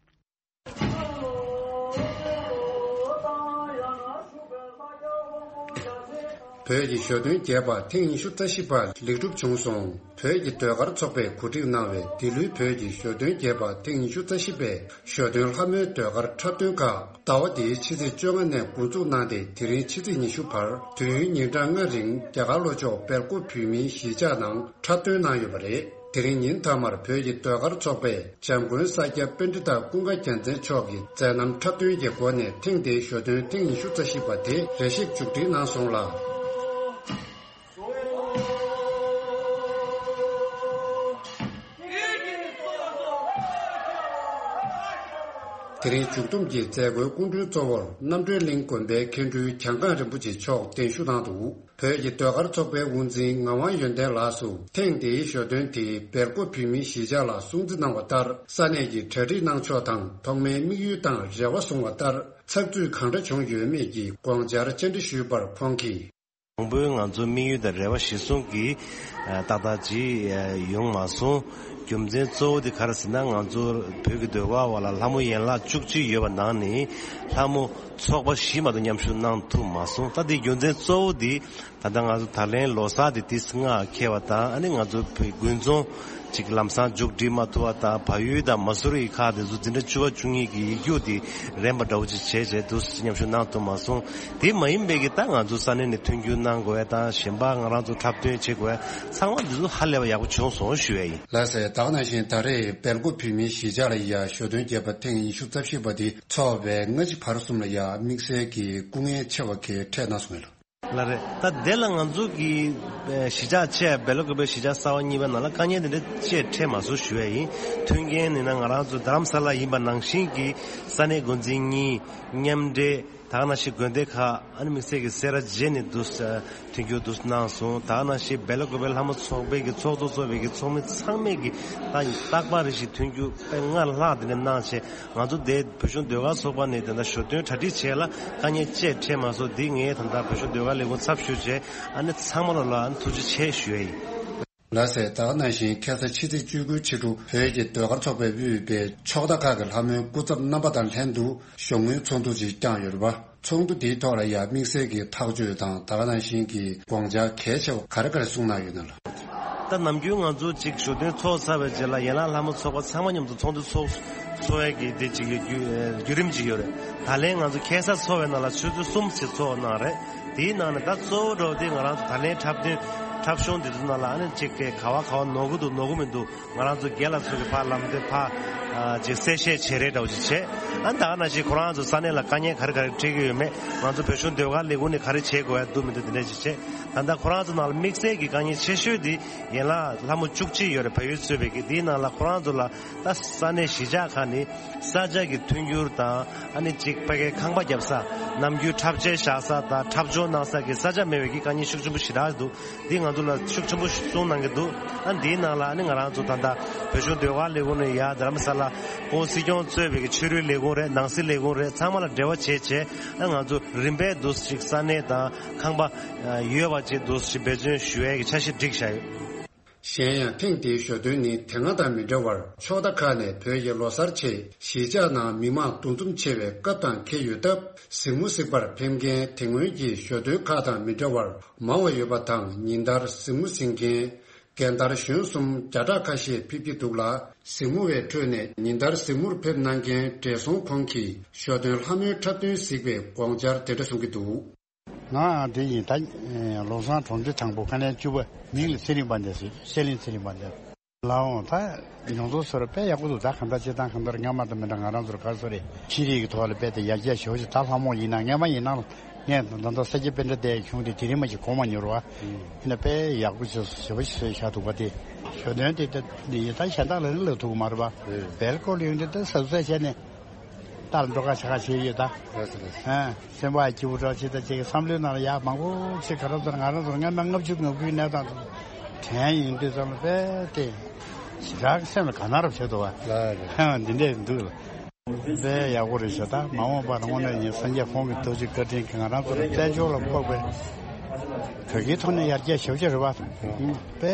བོད་ཀྱི་ཞོ་སྟོན་རྒྱས་པ་ཐེངས་ཉི་ཤུ་རྩ་བཞི་པ་ལེགས་གྲུབ་བྱུང་སོང་། བོད་ཀྱི་ཟློས་གར་ཚོགས་པས་གོ་སྒྲིག་གནང་བའི་འདི་ལོའི་བོད་ཀྱི་ཞོ་སྟོན་རྒྱས་པ་ཐེངས་ཉི་ཤུ་རྩ་བཞི་པའི་ཞོ་སྟོན་ལྷ་མོའི་ཟློས་གར་འཁྲབ་སྟོན་ཁག་ཟླ་བ་འདིའི་ཕྱི་ཚེས་བཅོ་ལྔ་ནས་འགོ་འཛུགས་གནང་སྟེ། དེ་རིང་ཕྱི་ཚེས་ཉི་ཤུ་བར་དུས་ཡུན་ཉིན་གྲངས་ལྔ་རིང་རྒྱ་གར་ལྷོ་ཕྱོགས་སྦེལ་ཀོབ་བོད་མིའི་གཞིས་ཆགས་ནང་འཁྲབ་སྟོན་གནང་ཡོད་པ་རེད། དེ་རིང་ཉིན་མཐའ་མར་བོད་ཀྱི་ཟློས་གར་ཚོགས་པས་འཇམ་མགོན་ས་སྐྱ་པཎྜི་ཏ་ཀུན་དགའ་རྒྱལ་མཚན་མཆོག་གི་མཛད་རྣམ་འཁྲབ་སྟོན་གྱི་སྒོ་ནས་ཐེངས་འདིའི་ཞོ་སྟོན་ཐེངས་ཉི་ཤུ་རྩ་བཞི་པ་དེ་རེ་ཞིག་མཇུག་སྒྲིལ་གནང་སོང་ལ། དེ་རིང་མཇུག་བསྡོམས་ཀྱི་མཛད་སྒོའི་སྐུ་མགྲོན་གཙོ་བོར་རྣམ་གྲོལ་གླིང་དགོན་པའི་མཁན་སྤྲུལ་གྱང་ཁང་རིན་པོ་ཆེ་མཆོག་གདན་ཞུ་གནང་འདུག་བོད་ཀྱི་ཟློས་གར་ཚོགས་པའི་དབུ་འཛིན་ངག་དབང་ཡོན་ཏན་ལགས་སུ་ཐེངས་འདིའི་ཞོ་སྟོན་དེ་སྦེལ་ཀོབ་བོད་མིའི་གཞིས་ཆགས་ལ་སྲུང་བརྩི་གནང་བ་ལྟར། ས་གནས་ཀྱི་གྲ་སྒྲིག་གནང་ཕྱོགས་དང་ཐོག་མའི་དམིགས་ཡུལ་དང་རེ་བ་བཟུང་བ་ལྟར་ཚགས་ཚུད་གང་འདྲ་བྱུང་ཡོད་མེད་ཀྱི་དགོངས་འཆར་བཅར་འདྲི་ཞུས་པར་ཁོང་གིས། དང་པོའི་ང་ཚོའི་དམིགས་ཡུལ་དང་རེ་བ་གཞིར་བཟུང་གིས་ཏག་ཏག་ཅིག་ཡོང་མ་སོང་། རྒྱུ་མཚན་གཙོ་བོ་དེ་ག་རེ་ཟེར་ན། ང་ཚོ་བོད་ཀྱི་ཟློས་གར་བ་ལ་ལྷ་མོ་ཡན་ལག་བཅུ་གཅིག་ཡོད་པ་ནང་ནས་ལྷ་མོ་ཚོགས་པ་བཞི་མ་གཏོགས་མཉམ་ཞུགས་གནང་ཐུབ་མ་སོང་། ད་དེའི་རྒྱུ་མཚན་གཙོ་བོ་དེ། ད་ལྟ་ང་ཚོ་ད་ལན་ལོ་གསར་དེ་ཏོག་ཙམ་སྔ་འཁེལ་བ་དང་། ཨ་ནི་ང་ཚོ་བོད་དགུན་ཚོང་ཅིག་ལམ་སང་མཇུག་སྒྲིལ་མ་ཐུབ་པ་དང་། བལ་ཡུལ་དང་མ་སུ་རི་ཁག་དེ་ཚོ་འཛིན་གྲྭ་བཅུ་པ་བཅུ་གཉིས་ཀྱི་ཡིག་རྒྱུགས་དེ་རན་པ་འདྲ་བོ་ཅིག་བྱས་བྱས་འདུག་མཉམ་ཞུགས་གནང་ཐུབ་མ་སོང་། དེ་མ་ཡིན་པའི་གི་ད་ང་ཚོ་ས་གནས་ནས་མཐུན་འགྱུར་གནང་དགོས་ཡ་དང་། གཞན་པ་ང་རང་ཚོ་འཁྲབ་སྟོན་བྱེད་དགོས་ཡ་ཚང་མ་འདི་ཚོ་ཧ་ལས་པ་ཡག་པོ་བྱུང་སོང་ཞུ་ཡ་ཡིན། ལགས་སེ། ད་ག་ནང་བཞིན་ད་རེས་སྦེལ་ཀོབ་བོད་མིའི་གཞིས་ཆགས་ལ་ཡ་ཞོ་སྟོན་རྒྱས་པ་ཐེངས་ཉི་ཤུ་རྩ་བཞི་པ་དེ་ཚོགས་པའི་སྔ་ཕྱི་བར་གསུམ་ལ་ཡ་དམིགས་བསལ་གྱི་སྐུ་ངལ་ཆེ་བ་གལ་འཕྲད་གནང་སོང་ངས་ལགས། ལགས་རེད། ད་དེ་ལ་ང་ཚོ་གི་ཨེ་གཞིས་ཆགས་བཅས་སྦེལ་ཀོབ་པའི་གཞིས་ཆགས་གསར་པ་གཉིས་པའི་ནང་ལ་དཀའ་ངལ་དེ་འདྲ་ཅིག་འཕྲད་མ་སོང་ཞུ་ཡ་ཡིན། མཐུན་རྐྱེན་ནི་ན་ང་རང་ཚོ་རྡ་རམ་ས་ལ་ཡིན་པ་ནང་བཞིན་གྱི་ས་གནས་འགོ་འཛིན་གཉིས་མཉམ་འབྲེལ། ད་ག་ནང་བཞིན་དགོན་སྡེ་ཁག་ཨ་ནི་དམིགས་བསལ་གྱི་སེ་ར་བྱེས་ནས་འདུག་ས་མཐུན་འགྱུར་འདུག་གནང་སོང་། ད་ག་ནང་བཞིན་སྦེལ་ཀོབ་པའི་ལྷ་མོ་ཚོགས་པའི་གི་ཚོགས་གཙོ་གཙོས་པའི་གི་ཚོགས་མི་ཚང་མས་གི་ད་རྟག་པར་རེ་བཞིན་མཐུན་འགྱུར་དཔེ་སྔར་ལྷག་དེ་འདྲ་གནང་བྱས། ང་ཚོ་དེ་བོད་གཞུང་ཟློས་གར་ཚོགས་པ་ནས་དེ་འདྲ་ཞོ་སྟོན་གྲ་སྒྲིག་བྱས་ལ་དཀའ་ངལ་ཅིག་འཕྲད་མ་སོང་། འདི་ངས་ད་ལྟ་བོད་གཞུང་ཟློས་གར་ལས་ཁུངས་ཚབ་ཞུས་བྱས་ཨ་ནི་ཚང་མ་ལ་ལ་ཨ་ནི་ཐུགས་རྗེ་ཆེ་ཞུ་ཡ་ཡིན། ལགས་སེ། ད་ག་ནང་བཞིན་ཁ་སང་ཕྱི་ཚེས་བཅུ་དགུ་ཕྱི་དྲོ་བོད་ཀྱི་ཟློས་གར་ཚོགས་པས་དབུས་པའི་ཕྱོགས་མཐའ་ཁག་གི་ལྷ་མོའི་སྐུ་ཚབ་རྣམ་པ་དང་ལྷན་དུ་ཞོགས་སྔོན་ཚོགས་འདུ་ཅིག་བསྐྱངས་ཡོད་རེད་པ། ཚོགས་འདུ་དེའི་ཐོག་ལ་ཡང་དམིགས་བསལ་གྱི་ཐག་གཅོད་དང་ད་ག་ནང་བཞིན་གྱི་དགོངས་འཆར་གལ་ཆེ་བ་ག་རེ་ག་རེ་གསུངས་གནང་ཡོད་ན་ལགས། ད་ནམ་རྒྱུན་ང་ཚོ་གཅིག་ཞོ་སྟོན་ཚོགས་ཚར་བའི་རྗེས་ལ་ཡན་ལག་ལྷ་མོ་ཚོགས་པ་ཚང་མ་མཉམ་དུ་ཚོགས་འདུ་ཚོགས་ཚོགས་ཡས་ཀྱི་དེ་གཅིག་ཡོད་རྒྱུ་བརྒྱུད་རིམ་གཅིག་ཡོད་རེད། ད་ལན་ང་ཚོ་ཁ་སང་ཚོགས་པའི་ནང་ལ་ཆུ་ཚོད་གསུམ་ཞིག་ཚོགས་གནང་རེད། དེའི་ནང་ནས་ད་གཙོ་བོ་འདྲ་བོ་དེ་ང་རང་ཚོ་ད་ལན་འཁྲབ་སྟོན་འཁྲབ་གཞུང་དེ་ཚོ་ནང་ལ་ཨ་ནི་གཅིག་གི་ག་བ་ག་བ་ནོར་གི་འདུག་ནོར་གི་མི་འདུག་ང་རང་ཚོ་རྒན་ལགས་ཚོ་གི་ཕར་ལམ་སྟོན་ཕར་ ཅིག་གསལ་བཤད་བྱེད་རེས་འདྲ་བོ་ཅིག་བྱས། ཨ་ནི་ད་ག་ནང་བཞིན་ཁོ་རང་ཚོ་ས་གནས་ལ་དཀའ་ངལ་ག་རེ་ག་རེ་འཕྲད་ཀྱི་ཡོད་མེད། ང་ཚོ་བོད་གཞུང་ཟློས་གར་ལས་ཁུངས་ནས་ག་རེ་བྱེད་དགོས་ཡ་འདུག་མི་འདུག་དེ་འདྲ་ཅིག་བྱས། ད་ལྟ་ཁོ་རང་ཚོ་ནང་ལ་དམིགས་བསལ་གྱི་དཀའ་ངལ་ཆེ་ཤོས་དེ་ཡན་ལག་ལྷ་མོ་བཅུ་གཅིག་ཡོད་རེད། བལ་ཡུལ་གཙོས་པའི་གི་དེའི་ནང་ལ་ཁོ་རང་ཚོ་ལ་ད་ས་གནས་གཞིས་ཆགས་ཁག་ནས་ས་ཆ་གི་མཐུན་འགྱུར་དང་། ཨ་ནི་གཅིག་ཕ་གའི་ཁང་པ་བརྒྱབ་ས། ནམ་རྒྱུན་འཁྲབ་ཆས་བཞག་ས་དང་འཁྲབ་སྦྱོང་གནང་ས་གི་ས་ཆ་མེད་པའི་གི་དཀའ་ངལ་ཤུགས་ཆེན་པོ་ཞེ་དྲག་འདུག་འདི་ང་ཚོ་ལ་ཤུགས་ཆེན་པོ་གསུངས་གནང་གི་འདུག་ཨ་འདིའི་ནང་ལ་ཨ་ནི་ང་རང་ཚོ་ད་ལྟ་བོད་གཞུང་ཟློས་གར་ལས་ཁུངས་ནས་ཡར་རྡ་རམ་ས་ལ་ཁོང་སྲིད་སྐྱོང་གཙོས་པའི་གི་ཆོས་རིག་ལས་ཁུངས་རེད། ནང་སྲིད་ལས་ཁུངས་རེད། ཚང་མ་ལ་འབྲེལ་བ་བྱས་བྱས། ཨ་ང་ཚོ་རིམ་པས་འདུག་ཅིག་ས་གནས་དང་ཁང་པ་ཡོད་པ་ཅིག་འདུག་ཅིག་འབད་བརྩོན་ཞུ་ཡས་ཀྱི་འཆར་གཞི་བསྒྲིགས་བཞག་ཡོད། གཞན་ཡང་ཐེངས་འདིའི་ཞོ་སྟོན་ནི་དེ་སྔ་དང་མི་འདྲ་བར་ཕྱོགས་མཐའ་ཁག་ནས་བོད་ཀྱི་ལོ་གསར་ཆེད་གཞིས་ཆགས་ནང་མི་མང་འདུ་འཛོམས་ཆེ་བའི་སྐབས་དང་འཁེལ་ཡོད་སྟབས། གཟིགས་མོ་གཟིགས་པར་ཕེབས་མཁན་དེ་སྔོན་གྱི་ཞོ་སྟོན་ཁག་དང་མི་འདྲ་བར་མང་བ་ཡོད་པ་དང་། ཉིན་ལྟར་གཟིགས་མོ་གཟིགས་མཁན་རྒན་དར་གཞོན་གསུམ་བརྒྱ་ཕྲག་ཁ་ཤས་ཕེབས་ཀྱི་འདུག་ལ། གཟིགས་མོ་བའི་ཁྲོད་ནས་ཉིན་ལྟར་གཟིགས་མོར་ཕེབས་གནང་མཁན་བགྲེས་སོང་ཁོང་གིས་ཞོ་སྟོན་ལྷ་མོའི་འཁྲབ་སྟོན་གཟིགས་པའི་དགོངས་འཆར་དེ་འདྲ་གསུང་གི་འདུག་ང་དེ་ཡིན་ད། ལོ་བཟང་གྲོང་སྡེ་དང་པོ་ཁ་ལན་བཅུ་པ་མིང་ལ་ཚེ་རིང་དཔལ་ལྡན་ཟེར། ཤེས་གླིང་ཚེ་རིང་དཔལ་ལྡན། ལའོ་ད་མྱོང་ཚོར་བཟོ་འདྲ་དཔེ་ཡག་པོ་འདུག་ད་གང་ལྟར་སྤྱིར་བཏང་གང་ལྟར་སྔ་མ་དང་མི་འདྲ། ང་རང་ཚོར་ག་རེ་ཟེར་རེད། ཤེས་རིག་གི་ཐོག་ལ་དཔེ་དེ་ཡར་རྒྱས་ཞེ་པོ་ཅིག་ད་ལྷ་མོ་ཡིན་ན་སྔ་མ་ཡིན་ན་ངས་ད་ལྟ་ས་སྐྱ་པཎྜི་ཏའི་གཞུང་དེ་དེ་རིང་མ་ཞིག་གོ་མ་མྱོང་བ། ཡིན་ན་དཔེ་ཡག་པོ་ཅིག་ཞེ་པོ་ཅིག་བཟོས་བཞག་འདུག་པ་དེ། ཞོ་སྟོན་དེ་ད་ཡིན་ད་གཞན་དག་ལ་ནི་ལབ་ཐུབ་ཀྱི་མ་རེད་པ། བལ་སྐོར་ལ་ཡོང་དུས་ད་ཟབ་ཟབ་བྱས་ནས། ལྟར་འགྲོ་ཁ་ཆ་ཁ་བྱེད་ཡོད་ད། ལགས་སོ་ལགས་སོ། ཨ། སེམས་པ་སྐྱིད་པོ་འདྲ་ཅིག་ད་ཅིག་བསམ་བློའི་ནང་ལ་ཡག་མང་པོ་ཞིག་ག་རེ་ཟེར་ང་རང་ཚོ་སྔ་མ་ལྔ་བཅུ་ང་དགུའི་གནས་སྟངས་དེ་དྲན་ཡོང་དུས་ཙམ་ལ་དཔེ་དེ་ཞེ་དྲག་སེམས་ལ་དགའ་སྣང་རབ་བྱེད་འདུག་བ། ལགས་རེད། ཨ་འདི་འདྲས་འདུག་ལ། དཔེ་ཡག་པོ་རེད་ཤག་ད་མ་འོངས་པར་དངོས་གནས་ཡིན་སངས་རྒྱས་ཁོང་གི་ཐུགས་རྗེ་བཀའ་དྲིན་གྱིས་ང་རང་ཚོ་ལ་བཙན་བྱོལ་ལ་ཕོག་པའི་བོད་སྐད་ཐོག་ནས་ཡར་རྒྱས་ཞེ་པོ་ཅིག་རེད་བ། དཔེ་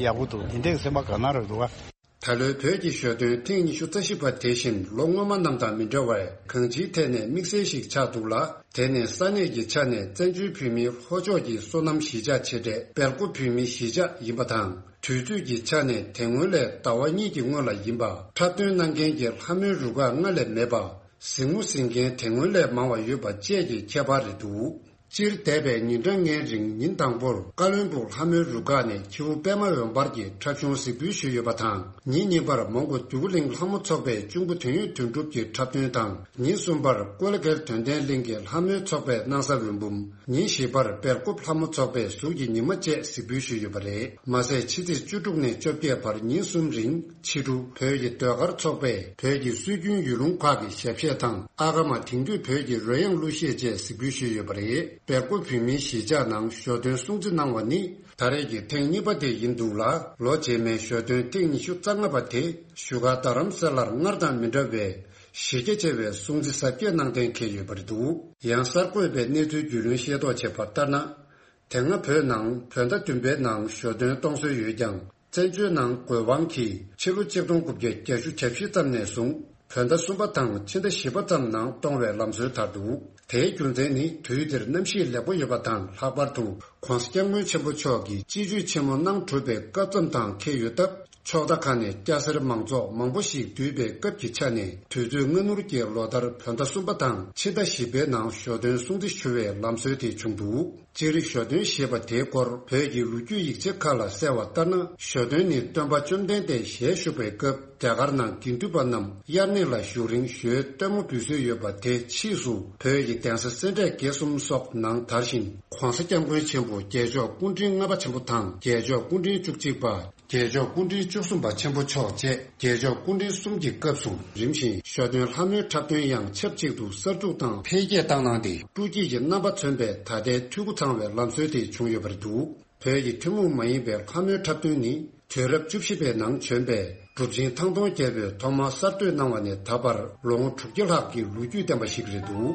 ཡག་པོ་འདུག་འདི་འདྲས་སེམས་པ་དགའ་སྣང་རབ་འདུག་བ། ད་ལོའི་བོད་ཀྱི་ཞོ་སྟོན་ཐེངས་ཉི་ཤུ་རྩ་བཞི་པ་དེ་བཞིན་ལོ་སྔོན་མ་རྣམས་དང་མི་འདྲ་བར་གང་ཅིའི་ཐད་ནས་དམིགས་བསལ་ཞིག་ཆགས་འདུག་ལ། དེ་ནི་ས་གནས་ཀྱི་ཆ་ནས་བཙན་བྱོལ་བོད་མིའི་ལྷོ་ཕྱོགས་ཀྱི་སོ་ནམ་གཞིས་ཆགས་ཆེ་གྲས་སྦེལ་ཀོབ་བོད་མིའི་གཞིས་ཆགས་ཡིན་པ་དང་། དུས་ཚོད་ཀྱི་ཆ་ནས་དེ་སྔོན་ལས་ཟླ་བ་གཉིས་ཀྱི་སྔོན་ལ་ཡིན་པ། འཁྲབ་སྟོན་གནང་མཁན་གྱི་ལྷ་མོའི་རུ་ཁག་སྔར་ལས་མེད་པ། གཟིགས་མོ་གཟིགས་མཁན་དེ་སྔོན་ལས་མང་བ་ཡོད་པ་བཅས་ཀྱི་ཁྱད་པར་རེད་འདུག་སྤྱིར་འདས་པའི་ཉིན་གྲངས་ལྔའི་རིང་ཉིན་དང་པོར་ཀ་བློན་སྦུག་ལྷ་མོའི་རུ་ཁག་ནས་ཁྱེའུ་པད་མ་འོད་འབར་གྱི་འཁྲབ་གཞུང་གཟིགས་འབུལ་ཞུས་ཡོད་པ་དང་། ཉིན་གཉིས་པར་མོན་གྷོ་འདོད་རྒུ་གླིང་ལྷ་མོ་ཚོགས་པའི་གཅུང་པོ་དོན་ཡོད་དོན་གྲུབ་ཀྱི་འཁྲབ་སྟོན་དང་། ཉིན་གསུམ་པར་ཀུ་ལ་གྷལ་དོན་ལྡན་གླིང་གི་ལྷ་མོའི་ཚོགས་པས་གནང་ས་འོད་འབུམ། ཉིན་བཞི་པར་སྦེལ་ཀོབ་ལྷ་མོ་ཚོགས་པས་གཟུགས་ཀྱི་ཉི་མ་བཅས་གཟིགས་འབུལ་ཞུས་ཡོད་པ་རེད། མ་ཟད་ཕྱི་ཚེས་བཅུ་དྲུག་ནས་བཅོ་བརྒྱད་བར་ཉིན་གསུམ་རིང་ཕྱི་དྲོ་བོད་ཀྱི་ཟློས་གར་ཚོགས་པས་བོད་ཀྱི་སྲོལ་རྒྱུན་ཡུལ་ལུང་ཁག་གི་ཞབས་གཞས་དང་། ཨ་ཀ་མ་དེང་དུས་བོད་ཀྱི་རོལ་དབྱངས་གླུ་གཞས་བཅས་གཟིགས་འབུལ་ཞུས་ཡོད་པ་རེད། སྦེལ་ཀོབ་བོད་མིའི་གཞིས་ཆགས་ནང་ཞོ་སྟོན་སྲུང་བརྩི་གནང་བ་ནི་ད་རེས་ཀྱི་ཐེངས་གཉིས་པ་དེ་ཡིན་འདུག་ལ། ལོ་རྗེས་མའི་ཞོ་སྟོན་ཐེངས་ཉི་ཤུ་རྩ་ལྔ་པ་དེ་བཞུགས་སྒར་རྡ་རམ་ས་ལར་སྔར་དང་མི་འདྲ་བའི་གཞི་རྒྱ་ཆེ་བའི་སྲུང་བརྩི་གཟབ་རྒྱས་གནང་གཏན་འཁེལ་ཡོད་པ་རེད་འདུག་ཡང་གསར་འགོད་པས་གནས་ཚུལ་རྒྱུས་ལོན་ཤེས་རྟོགས་བྱས་པ་ལྟར་ན། དེ་སྔ་བོད་ནང་བོད་ཟླ་བདུན་པའི་ནང་ཞོ་སྟོན་གཏོང་སྲོལ་ཡོད་ཀྱང་། བཙན་བྱོལ་ནང་དགོས་དབང་གིས་ཕྱི་ལོ་ཆིག་སྟོང་དགུ་བརྒྱ་བརྒྱད་ཅུ་གྱ་བཞི་ཙམ་ནས་བཟུང་བོད་ཟླ་གསུམ་པ་དང་ཕྱི་ཟླ་བཞི་པ་ཙམ་ནང་གཏོང་བའི་ལམ་སྲོལ་དར་འདུག་དེའི་རྒྱུ་མཚན་ནི་དུས་དེར་གནམ་གཤིས་ལེགས་པོ་ཡོད་པ་དང་། ལྷག་པར་དུ་༧གོང་ས་༧སྐྱབས་མགོན་ཆེན་པོ་མཆོག་གིས་སྤྱི་སྤྱོད་ཆེན་མོ་གནང་གྲུབ་པའི་སྐབས་ཙམ་དང་འཁེལ་ཡོད་སྟབས། ཕྱོགས་མཐའ་ཁག་ནས་སྐྱ་སེར་མང་ཚོགས་མང་པོ་ཞིག་འདུས་པའི་སྐབས་ཀྱི་ཆ་ནས། དུས་ཚོད་སྔ་སྣུར་གྱི་ལོ་ལྟར་བོད་ཟླ་གསུམ་པ་དང་ཕྱི་ཟླ་བཞི་པའི་ནང་ཞོ་སྟོན་སྲུང་བརྩི་ཞུ་བའི་ལམ་སྲོལ་དེ་བྱུང་འདུག་སྤྱིར་ཞོ་སྟོན་ཞེས་པ་དེའི་སྐོར་བོད་ཀྱི་ལོ་རྒྱུས་ཡིག་ཆ་ཁག་ལ་གསལ་བ་ལྟར་ན། ཞོ་སྟོན་ནི་སྟོན་པ་བཅོམ་ལྡན་འདས་ཞལ་བཞུགས་པའི་སྐབས་རྒྱ་གར་ནང་དགེ་འདུན་པ་རྣམས་དབྱར་གནས་ལ་བཞུགས་རིང་ཞོའི་སྟོན་མོ་འབུལ་སྲོལ་ཡོད་པ་དེ་ཕྱིས་སུ་བོད་ཀྱི་གདན་ས་སེ་འབྲས་དགེ་གསུམ་སོགས་ནང་དར་ཞིང་། ༧གོང་ས་༧སྐྱབས་མགོན་ཆེན་པོ་རྒྱལ་མཆོག་སྐུ་ཕྲེང་ལྔ་པ་ཆེན་པོ་དང་རྒྱལ་མཆོག་སྐུ་ཕྲེང་བཅུ་གཅིག་པ། རྒྱལ་མཆོག་སྐུ་ཕྲེང་བཅུ་གསུམ་པ་ཆེན་པོ་མཆོག་བཅས་རྒྱལ་མཆོག་སྐུ་ཕྲེང་གསུམ་གྱི་སྐབས་སུ་རིམ་བཞིན་ཞོ་སྟོན་ལྷ་མོའི་འཁྲབ་སྟོན་ཡང་ཆབས་ཅིག་ཏུ་གསར་འཛུགས་དང་འཕེལ་རྒྱས་བཏང་གནང་སྟེ། སྤྲོ་སྐྱིད་ཀྱི་རྣམ་པ་མཚོན་པའི་ད་ལྟའི་འཐུས་སྒོ་ཚང་བའི་ལམ་སྲོལ་དེ་བྱུང་ཡོད་པ་རེད་འདུག་བོད་ཀྱི་ཐུན་མོང་མ་ཡིན་པའི་ལྷ་མོའི་འཁྲབ་སྟོན་ནི་དུས་རབས་བཅུ་བཞི་པའི་ནང་བྱོན་པའི་གྲུབ་ཆེན་ཐང་སྟོང་རྒྱལ་པོས་ཐོག་མར་གསར་གཏོད་གནང་བ་ནས་ད་བར་ལོ་ངོ་དྲུག་བརྒྱ་ལྷག་གི་ལོ་རྒྱུས་ལྡན་པ་ཞིག་རེད་འདུག་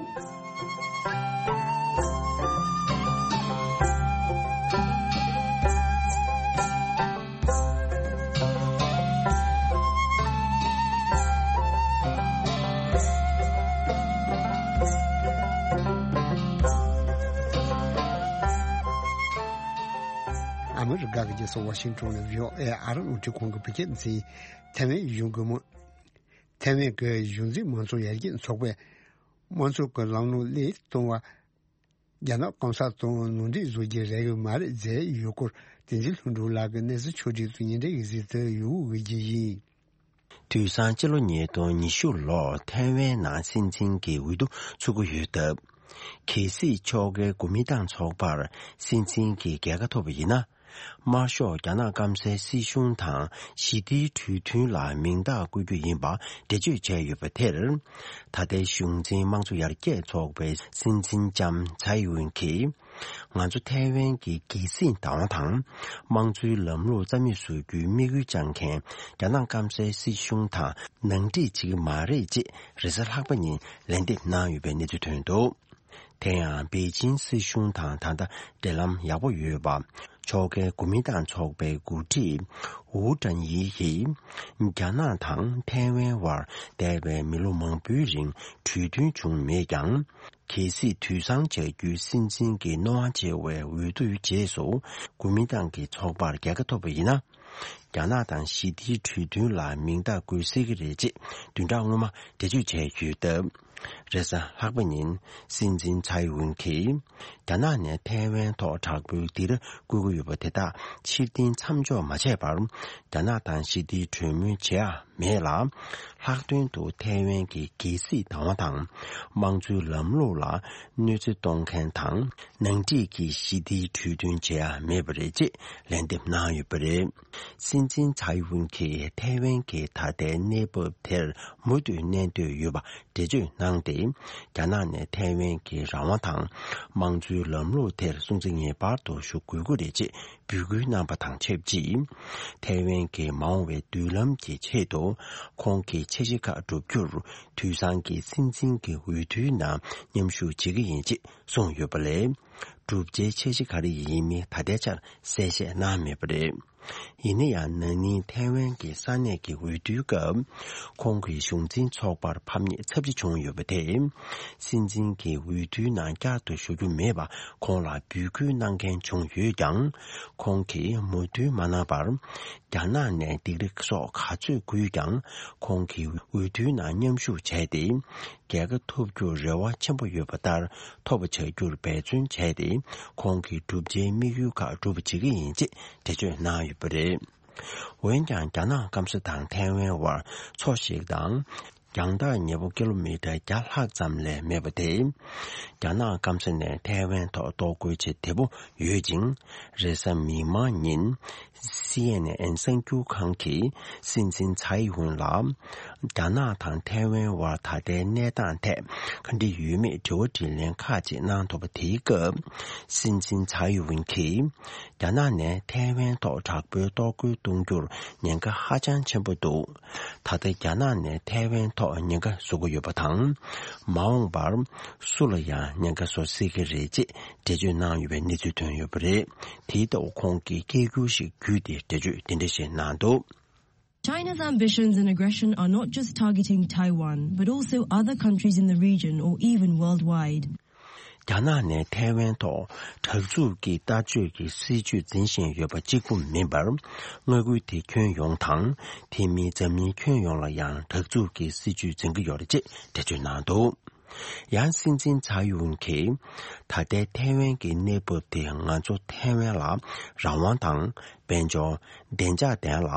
ཨ་མི་རི་ཀ་གི་རྒྱལ་ས་ཝ་ཤིང་ཊོན་ནས་བྷི་ཨོ་ཨེ་ཨ་རི་རླུང་འཕྲིན་ཁང་གི་བོད་སྐད་སྡེ་ཚན། ཐའེ་ཝན་གཞུང་གི་མི། ཐའེ་ཝན་གྱི་གཞུང་འཛིན་མང་གཙོ་ཡར་རྒྱས་ཚོགས་པས་དམངས་གཙོ་གི་ལམ་ལུགས་སླར་གཏོང་བ། རྒྱ་ནག་གོང་ས་དང་ནང་འགྲིག་བཟོ་རྒྱུའི་རེ་བ་མ་རེད་ཟེར་ཡོད་སྐོར། བསྟན་འཛིན་ལྷུན་གྲུབ་ལགས་ཀྱིས་གནས་ཚུལ་ཕྱོགས་སྒྲིག་ཏུ་ཉིན་རེ་བཞིན་གཟིགས་ཏེ་ཡོད་པ་ཡིན། དུས་སང་སྤྱི་ལོ་ཉིས་སྟོང་ཉི་ཤུ་ལོར་ཐའེ་ཝན་ནང་སྲིད་འཛིན་གྱི་འོས་བསྡུ་ཚུགས་ཀྱི་ཡོད་སྟབས། གལ་སྲིད་ཕྱོགས་འགལ་གོ་མིན་ཏང་ཚོགས་པར་སྲིད་འཛིན་གྱི་རྒྱལ་ཁ་ཐོབ་པ་ཡིན་ན། དམར་ཤོག་རྒྱ་ནག་སྐམ་སའི་སྲིད་གཞུང་དང་ཞི་བདེའི་གྲོས་མཐུན་ལ་མིང་རྟགས་བཀོད་རྒྱུ་ཡིན་པ་འགྲེལ་བརྗོད་བྱས་ཡོད་པ་དེར། ད་ལྟའི་གཞུང་འཛིན་དམངས་གཙོ་ཡར་རྒྱས་ཚོགས་པའི་སྲིད་འཛིན་ལྕམ་ཚའེ་ཝིན་གྱིས། ང་ཚོ་ཐའེ་ཝན་གྱི་རྒྱལ་སྲིད་བདག་དབང་དང་། དམངས་གཙོའི་ལམ་ལུགས་རྩ་མེད་བཟོ་རྒྱུའི་དམིགས་ཡུལ་བཅངས་མཁན་རྒྱ་ནག་སྐམ་སའི་སྲིད་གཞུང་དང་ནང་འགྲིག་བྱེད་ཀྱི་མ་རེད་ཅེས་རེས་གཟའ་ལྷག་པ་ཉིན་ལན་འདེབས་གནང་ཡོད་པའི་གནས་ཚུལ་ཐོན་འདུག་དེ་ཡང་པེ་ཅིན་སྲིད་གཞུང་དང་ད་ལྟ་འབྲེལ་ལམ་ཡག་པོ་ཡོད་པ། ཕྱོགས་འགལ་གོ་མིན་ཏང་ཚོགས་པའི་འགོ་ཁྲིད་ཝུའུ་ཀྲན་ཡི་ཡིས། རྒྱ་ནག་དང་ཐའེ་ཝན་དབར་འདས་པའི་མི་ལོ་མང་པོའི་རིང་གྲོས་མཐུན་བྱུང་མེད་ཀྱང་། གལ་སྲིད་དུས་སང་བྱ་རྒྱུའི་སྲིད་འཛིན་གྱི་སྣང་བ་ཆེ་བའི་འོས་བསྡུའི་རྗེས་སུ་གོ་མིན་ཏང་གི་ཚོགས་པར་རྒྱལ་ཁ་ཐོབ་པ་ཡིན་ན། རྒྱ་ནག་དང་ཞི་བདེའི་གྲོས་མཐུན་ལ་མིང་རྟགས་བཀོད་སྲིད་ཀྱི་རེད་ཅེས་བདུན་ཕྲག་སྔོན་མ་འགྲེལ་བརྗོད་བྱས་ཡོད་སྟབས། རེས་གཟའ་ལྷག་པ་ཉིན་སྲིད་འཛིན་ཚའེ་ཝིན་གྱིས་རྒྱ་ནག་ནས་ཐའེ་ཝན་ཐོག་དྲག་པོའི་སྡིགས་ར་བསྐུལ་གྱི་ཡོད་པ་དེ་དག་ཕྱིར་འཐེན་མཚམས་འཇོག་མ་བྱས་པར། རྒྱ་ནག་དང་ཞི་བདེའི་གྲོས་མོལ་བྱེད་ཡ་མེད་ལ། ལྷག་དོན་དུ་ཐའེ་ཝན་གྱི་རྒྱལ་སྲིད་བདག་དབང་དང་དམངས་གཙོའི་ལམ་ལུགས་ལ་གནོད་འཚེ་གཏོང་མཁན་དང་ནང་འགྲིག་གི་ཞི་བདེའི་གྲོས་མཐུན་བྱེད་ཡ་མེད་པ་རེད་ཅེས་ལན་འདེབས་གནང་ཡོད་པ་རེད། སྲིད་འཛིན་ཚའེ་ཝུན་གྱིས་ཐའེ་ཝན་གྱི་ད་ལྟའི་གནས་བབ་དེར་མུ་མཐུད་གནས་འདོད་ཡོད་པ་འགྲེལ་བརྗོད་གནང་སྟེ། རྒྱ་ནག་ནས་ཐའེ་ཝན་གྱི་རང་དབང་དང་དམངས་གཙོའི་ལམ་ལུགས་དེར་སྲུང་བརྩི་ངེས་པར་དུ་ཞུ་དགོས་ཀྱི་རེད་ཅེས་འབོད་སྐུལ་གནང་པ་དང་ཆབས་ཅིག་ཐའེ་ཝན་གྱི་མ་འོངས་པའི་མདུན་ལམ་གྱི་ཆེད་དུ་ཁོང་གི་འཆར་གཞི་ཁག་བསྒྲུབ་རྒྱུར་དུས་སང་གི་སྲིད་འཛིན་གྱི་འོས་བསྡུའི་ནང་མཉམ་ཞུགས་བྱེད་ཀྱི་ཡིན་ཅེས་གསུངས་ཡོད་པ་ལས། བསྒྲུབ་བྱའི་འཆར་གཞི་ག་རེ་ཡིན་མིན་ད་ལྟའི་ཆར་གསལ་བཤད་གནང་མེད་པ་རེད། ཡིན་ན་ཡང་ན་ནིང་ཐའེ་ཝན་གྱི་ས་གནས་ཀྱི་འོས་བསྡུའི་སྐབས། ཁོང་གི་གཞུང་འཛིན་ཚོགས་པར་ཕམ་ཉེས་ཚབས་ཆེ་བྱུང་ཡོད་པ་དེས། སྲིད་འཛིན་གྱི་འོས་བསྡུའི་ནང་བསྐྱར་དུ་ཞུགས་རྒྱུ་མེད་པ་ཁོང་ལ་འབོད་སྐུལ་གནང་མཁན་བྱུང་ཡོད་ཀྱང་། ཁོང་གིས་མོས་མཐུན་མ་གནང་བར། རྒྱ་ནག་ནས་སྡིགས་ར་སོགས་ག་ཚོད་བསྐུལ་ཀྱང་། ཁོང་གིས་འོས་བསྡུའི་ནང་མཉམ་ཞུགས་བྱས་ཏེ། རྒྱལ་ཁ་ཐོབ་རྒྱུར་རེ་བ་ཆེན་པོ་ཡོད་པ་ལྟར་ཐོབ་པ་བྱ་རྒྱུར་འབད་བརྩོན་བྱས་ཏེ། ཁོང་གི་བསྒྲུབ་བྱའི་དམིགས་ཡུལ་ཁག་འགྲུབ་པ་བྱེད་ཀྱི་ཡིན་ཅེས་འགྲེལ་བརྗོད་གནང་ཡོད་པ་རེད། འོན་ཀྱང་རྒྱ་ནག་སྐམ་ས་དང་ཐའེ་ཝན་དབར་མཚོ་ཞིག་དང་། རྒྱང་ཐག་ཉེ་པོ་ཀི་ལོ་མི་ཊར་བརྒྱ་ལྷག་ཙམ་ལས་མེད་པ་དེ། རྒྱ་ནག་སྐམ་ས་ནས་ཐའེ་ཝན་ཐོག་གཏོར་རྒོལ་བྱེད་བདེ་པོ་ཡོད་ཅིང་། རེས་གཟའ་མིག་དམར་ཉིན། སི་ཨེན་ཨེན་གསར་འགྱུར་ཁང་གིས་སྲིད་འཛིན་ཚའེ་ཝུན་ལ། རྒྱ་ནག་དང་ཐའེ་ཝན་དབར་ད་ལྟའི་གནས་སྟངས་ཐད་ག་འདྲ་ཡོད་མེད་དྲི་བ་དྲིས་ལན་ཁག་ཅིག་གནང་ཐུབ་པ་དེའི་སྐབས། སྲིད་འཛིན་ཚའེ་ཝུན་གྱིས། རྒྱ་ནག་ནས་ཐའེ་ཝན་ཐོག་དྲག་པོའི་གཏོར་རྒོལ་གཏོང་རྒྱུར་ཉེན་ཁ་ཧ་ཅང་ཆེན་པོ་འདུག་ད་ལྟ་རྒྱ་ནག་ནས་ཐའེ་ཝན་ཐོག་ཉེན་ཁ་བཟོ་གི་ཡོད་པ་དང་། མ་འོངས་པར་སུ་ལ་ཡང་ཉེན་ཁ་བཟོ་སྲིད་ཀྱི་རེད་ཅེས་འགྲེལ་བརྗོད་གནང་ཡོད་པའི་གནས་ཚུལ་ཐོན་ཡོད་པ་རེད། དེའི་ཐོག་ཁོང་གིས་སྐད་སྒྱུར་ཞིག་བརྒྱུད་དེ་འགྲེལ་བརྗོད་འདི་འདྲ་ཞིག་གནང་འདུག China's ambitions and aggression are not just targeting Taiwan, but also other countries in the region or even worldwide. རྒྱ་ནག་ནས་ཐའེ་ཝན་ཐོག་དྲག་འཛུགས་ཀྱི་ལྟ་སྤྱོད་ཀྱི་སྲིད་ཇུས་འཛིན་བཞིན་ཡོད་པ་གཅིག་པུ་མིན་པར། མངའ་ཁུལ་དེ་ཁྱོན་ཡོངས་དང་། དེ་མིན་འཛམ་གླིང་ཁྱོན་ཡོངས་ལ་ཡང་དྲག་འཛུགས་ཀྱི་སྲིད་ཇུས་འཛིན་གྱི་ཡོད་རེད་ཅེས་འགྲེལ་བརྗོད་གནང་འདུག་ཡང་སྲིད་འཛིན་ཚའེ་ཝུན་གྱིས། ད་ལྟའི་ཐའེ་ཝན་གྱི་གནས་བབ་དེ་ང་ཚོ་ཐའེ་ཝན་ལ་རང་དབང་དང་། དཔལ་འབྱོར། བདེ་འཇགས་ལྡན་ལ་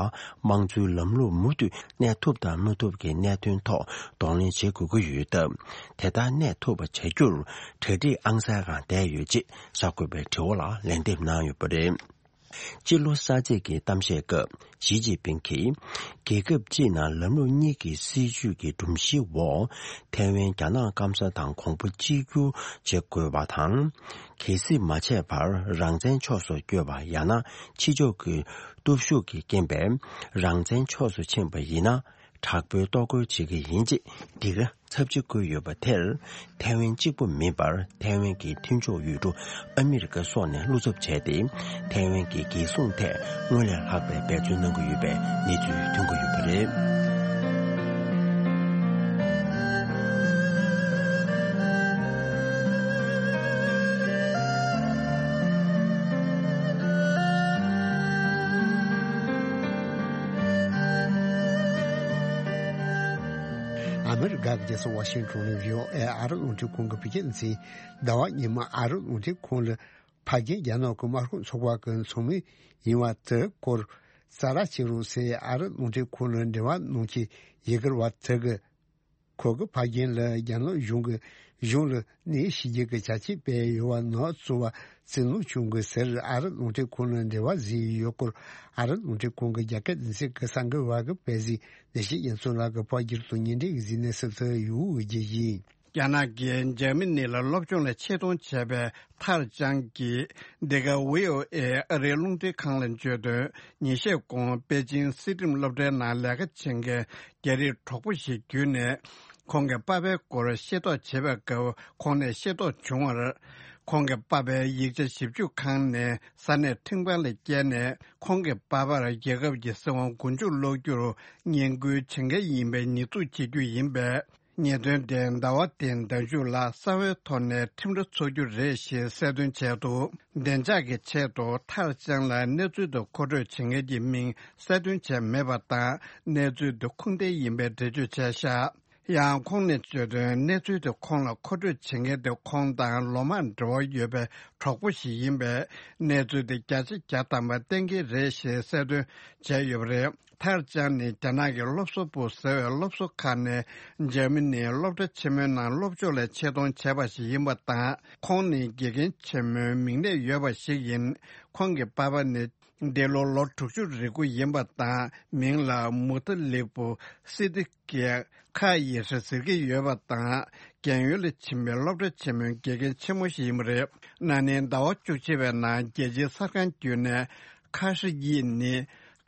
དམངས་གཙོའི་ལམ་ལུགས་མུ་མཐུད་གནས་ཐུབ་དང་མི་ཐུབ་ཀྱི་གནད་དོན་ཐོག་གདོང་ལེན་བྱེད་དགོས་ཀྱི་ཡོད་སྟབས། དེ་ལྟར་གནས་ཐུབ་པ་བྱ་རྒྱུར་གྲ་སྒྲིག་ཨང་གསར་སྒང་བསྡད་ཡོད་ཅེས་གསར་འགོད་པའི་དྲི་བ་ལ་ལན་འདེབས་གནང་ཡོད་པ་རེད། སྤྱི་ལོ་གསར་ཚེས་ཀྱི་གཏམ་བཤད་སྐབས་ཞི་ཅིན་ཕིང་གིས། རྒྱལ་ཁབ་སྤྱིའི་ནང་ལམ་ལུགས་གཉིས་ཀྱི་སྲིད་ཇུས་ཀྱི་སྒྲོམ་གཞིའི་འོག་ཐའེ་ཝན་རྒྱ་ནག་སྐམ་ས་དང་གོང་བུ་གཅིག་གྱུར་བྱེད་དགོས་པ་དང་། གལ་སྲིད་མ་བྱས་པར་རང་བཙན་ཕྱོགས་སུ་བསྐྱོད་པ་ཡང་ན་ཕྱི་ཕྱོགས་ཀྱི་སྟོབས་ཤུགས་ཀྱི་རྐྱེན་པས་རང་བཙན་ཕྱོགས་སུ་ཕྱིན་པ་ཡིན་ན། དྲག་པོའི་གཏོར་རྒོལ་བྱེད་ཀྱི་ཡིན་ཅེས་སྡིགས་ར་ཚབས་ཆེ་བསྐུལ་ཡོད་པ་དེར། ཐའེ་ཝན་གཅིག་པུ་མིན་པར་ཐའེ་ཝན་གྱི་མཐུན་ཕྱོགས་ཡུལ་གྲུ་ཨ་མི་རི་ཀ་སོགས་ནས་བློ་འཚབ་བྱས་ཏེ། ཐའེ་ཝན་གྱི་རྒྱལ་སྲུང་ཐད་སྔོན་ལས་ལྷག་པའི་འབད་བརྩོན་གནང་གི་ཡོད་པའི་གནས་ཚུལ་ཐོན་གྱི་ཡོད་པ་རེད། ཨ་མི་རི་ཀ་གི་རྒྱལ་ས་ཝ་ཤིང་ཊོན་ནས་བྷི་ཨོ་ཨེ་ཨ་རི་རླུང་འཕྲིན་ཁང་གི་བོད་སྐད་སྡེ་ཚན། ཟླ་བ་ཉི་མ་ཨ་རི་རླུང་འཕྲིན་ཁང་ལ་ཕ་རྒན་རྒྱ་ནག་གི་དམར་ཤོག་ཚོགས་པ་གི་ཚོགས་མི་ཡིན་པ་དེ་སྐོར། ས་ར་ཆེ་རུ་སེ་ཨ་རི་རླུང་འཕྲིན་ཁང་ལ་འབྲེལ་བ་གནང་མཁན་ཡི་གེར་བ་དེ་གི་ཁོ་གི་ཕ་རྒན་ལ་རྒྱ་ནག་གཞུང་གི་གཞུང་ལ་གནས་ཤི་རྒྱུ་གི་ཆ་རྐྱེན་སྤེལ་ཡོད་པ་ནག་ཚུ་བ་ཚིག་ནོར་བྱུང་གི་ཟེར། ཨ་རི་རླུང་འཕྲིན་ཁང་ལ་འབྲེལ་བ་བཟོས་ཡོད་སྐོར་ཨ་རི་རླུང་འཕྲིན་ཁང་གི་རྒྱ་སྐད་སྡེ་ཚན་གི་གསར་འགོད་པ་གི་དཔེ་གཟིགས་ནས་ཤེས་ཡིན་ཚུལ་ལ་གི་ཕོ་སྒྱུར་དང་ཉིན་འབྲེལ་གྱི་གཟིགས་ནས་སུབ་ཚུལ་ཡུ་གི་རྒྱལ་ཡིན། རྒྱ་ནག་གིས་འཇར་མ་ནི་ལ་སློབ་སྦྱོང་ལ་ཆེད་གཏོང་བྱས་པའི་ཐར་ཅང་གིས་འདི་ག་ཝི་ཨོ་ཨེ་ཨ་རིའི་རླུང་འཕྲིན་ཁང་ལ་བརྗོད་དོན། ཉིན་ཤས་གོང་པེ་ཅིང་སྲིད་ཁྲིམས་སློབ་གྲྭའི་ནང་ལས་ཀ་བྱེད་མཁན་རྒྱ་རིགས་གྲོགས་པོ་ཞིག་བརྒྱུད་ནས་ཁོང་གི་པ་ཕའི་སྐོར་ཤེས་རྟོགས་བྱེད་པའི་སྐབས་ཁོང་ནས་ཤེས་རྟོགས་བྱུང་བར། ཁོང་གི་པ་ཕའི་ཡིག་ཆ་ཞིབ་འཇུག་ཁང་ནས་ས་གནས་ཁྲིམས་ཁང་ལ་བསྐྱལ་ནས་ཁོང་གི་པ་ཕར་རྒྱལ་ཁབ་ཀྱི་སྲིད་དབང་མགོ་མཇུག་སློག་རྒྱུར་བསྙེན་བཀུར་བྱེད་མཁན་ཡིན་པའི་ཉེས་འཛུགས་བྱེད་རྒྱུ་ཡིན་པས། ཉེས་དོན་དེ་ཟླ་བ་འདིའི་ཟླ་མཇུག་ལ་གསང་བའི་ཐོག་ནས་ཁྲིམས་ར་འཚོགས་རྒྱུ་རེད་ཞེས་གསལ་སྟོན་བྱས་འདུག་བདེ་འཇགས་ཀྱི་ཆེད་དུ་ཐར་ཅང་ལ་གནས་ཚུལ་དེ་མཁོ་སྤྲོད་བྱེད་མཁན་གྱི་མིང་གསལ་སྟོན་བྱས་མེད་པ་དང་། གནས་ཚུལ་དེ་ཁུངས་ལྡན་ཡིན་པའི་འགྲེལ་བརྗོད་བྱས་བཞག་ཡང་ཁོང་ནས་བརྗོད་དོན། གནས་ཚུལ་དེ་ཁོང་ལ་མཁོ་སྤྲོད་བྱེད་མཁན་དེ་ཁོང་དང་ལོ་མང་འབྲེལ་བ་ཡོད་པའི་གྲོགས་པོ་ཞིག་ཡིན་པས། གནས་ཚུལ་དེ་བརྒྱ་ཆ་བརྒྱ་ཐམ་པ་གཏན་འཁེལ་རེད་ཞེས་གསལ་སྟོན་བྱས་ཡོད་པ་རེད། ཐར་ཅང་ནི་རྒྱ་ནག་གི་སློབ་གསོ་པུའུ་ཟེར་བའི་སློབ་གསོ་ཁང་ནས་འཇར་མ་ནིའི་སློབ་གྲྭ་ཆེན་མོའི་ནང་སློབ་སྦྱོང་ལ་ཆེད་གཏོང་བྱས་པ་ཞིག་ཡིན་པ་དང་། ཁོང་ནི་དགེ་རྒན་ཆེན་མོའི་མིང་གནས་ཡོད་པ་ཞིག་ཡིན། ཁོང་གི་པ་ཕ་ནི་འདི་ལོ་ལོ་དྲུག་ཅུ་རེ་དགུ་ཡིན་པ་དང་། མིང་ལ་མུ་ཏ་ལི་པུ་སི་ཏི་ཀའི་ཁ་ཡི་ཧྲི་ཟེར་གྱི་ཡོད་པ་དང་། རྒན་ཡོལ་ལ་ཕྱིན་པའི་སློབ་གྲྭ་ཆེན་མོའི་དགེ་རྒན་ཆེན་མོ་ཞིག་ཡིན་པ་རེད། ན་ནིང་ཟླ་བ་བཅུ་གཅིག་པའི་ནང་རྒྱལ་སྤྱིའི་གསར་ཁང་བརྒྱུད་ནས་ཁ་ཧྲི་ཡི་ནི་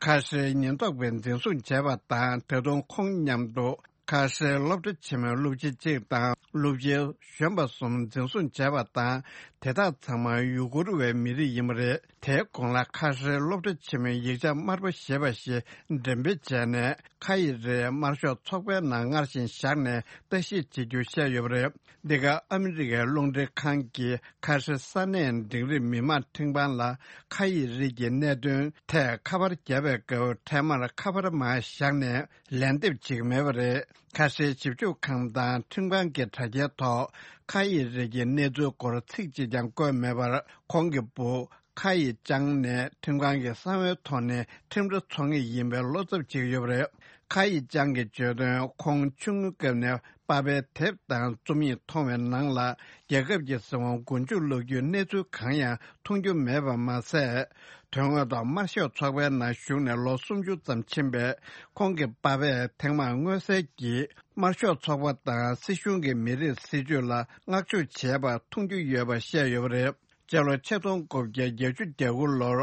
ཁ་ཧྲིའི་ཉེན་རྟོག་པས་འཛིན་བཟུང་བྱས་པ་དང་། ད་དུང་ཁོང་མཉམ་དུ་ཁ་ཧྲིའི་སློབ་གྲྭ་ཆེན་མོའི་སློབ་སྤྱི་གཅིག་དང་སློབ་སྤྱི་གཞོན་པ་གསུམ་འཛིན་བཟུང་བྱས་པ་དང་། དེ་དག་ཚང་མ་ཡུ་གུར་བའི་མི་རིགས་ཡིན་པ་རེད། དེའི་གོང་ལ་ཁ་ཧྲིའི་སློབ་གྲྭ་ཆེན་མོའི་ཡིག་ཆ་དམར་པོ་ཞེས་པ་ཞིག་འགྲེམས་སྤེལ་བྱས་ནས། ཁ་ཡི་རིགས་དམར་ཤོག་ཚོགས་པའི་ནང་སྔར་བཞིན་བཞག་ནས་ལྟ་ཞིབ་བྱེད་རྒྱུ་བཤད་ཡོད་པ་རེད། འདི་ག་ཨ་མི་རི་ཀའི་རླུང་འཕྲིན་ཁང་གིས་ཁ་ཧྲི་ས་གནས་འབྲིང་རིམ་མི་དམངས་ཁྲིམས་ཁང་ལ་ཁ་ཡི་རིགས་ཀྱི་གནད་དོན་ཐད་ཁ་པར་བརྒྱབ་པའི་སྐབས། འཕྲལ་མར་ཁ་པར་མར་བཞག་ནས་ལན་འདེབས་བྱེད་ཀྱི་མེད་པ་རེད། ཁ་ཧྲིའི་ཞིབ་འཇུག་ཁང་དང་ཁྲིམས་ཁང་གི་དྲ་རྒྱའི་ཐོག་ཁ་ཡི་རིགས་ཀྱི་གནས་ཚུལ་སྐོར་ཚིག་གཅིག་ཀྱང་བཀོད་མེད་པར། ཁོང་གི་བུ་ཁ་ཡི་ཅང་ནས་ཁྲིམས་ཁང་གི་གསང་བའི་ཐོག་ནས་ཁྲིམས་ར་འཚོགས་ངེས་ཡིན་པའི་བློ་འཚབ་བྱེད་ཀྱི་ཡོད་པ་རེད། ཁ་ཡི་ཅང་གིས་བརྗོད་དོན། ཁོང་ཆུང་ངུའི་སྐབས་ནས་པ་ཕའི་དེབ་དང་རྩོམ་ཡིག་མཐོང་བའི་ནང་ལ། རྒྱལ་ཁབ་ཀྱི་སྲིད་དབང་མགོ་མཇུག་སློག་རྒྱུའི་གནས་ཚུལ་གང་ཡང་མཐོང་རྒྱུ་མེད་པ་མ་ཟད། དོན་དངོས་ཐོག་དམར་ཤོག་ཚོགས་པའི་ནང་ཞུགས་ནས་ལོ་སུམ་ཅུ་ཙམ་ཕྱིན་པའི་ཁོང་གི་པ་ཕས་ཐེངས་མང་མངོན་གསལ་གྱིས་དམར་ཤོག་ཚོགས་པ་དང་སྲིད་གཞུང་གི་མི་རིགས་སྲིད་ཇུས་ལ་བསྔགས་བརྗོད་བྱས་པ་མཐོང་རྒྱུ་ཡོད་པ་བཤད་ཡོད་པ་རེད། སྤྱི་ལོ་ཆིག་སྟོང་དགུ་བརྒྱ་བརྒྱད་ཅུ་གྱ་དགུ་ལོར་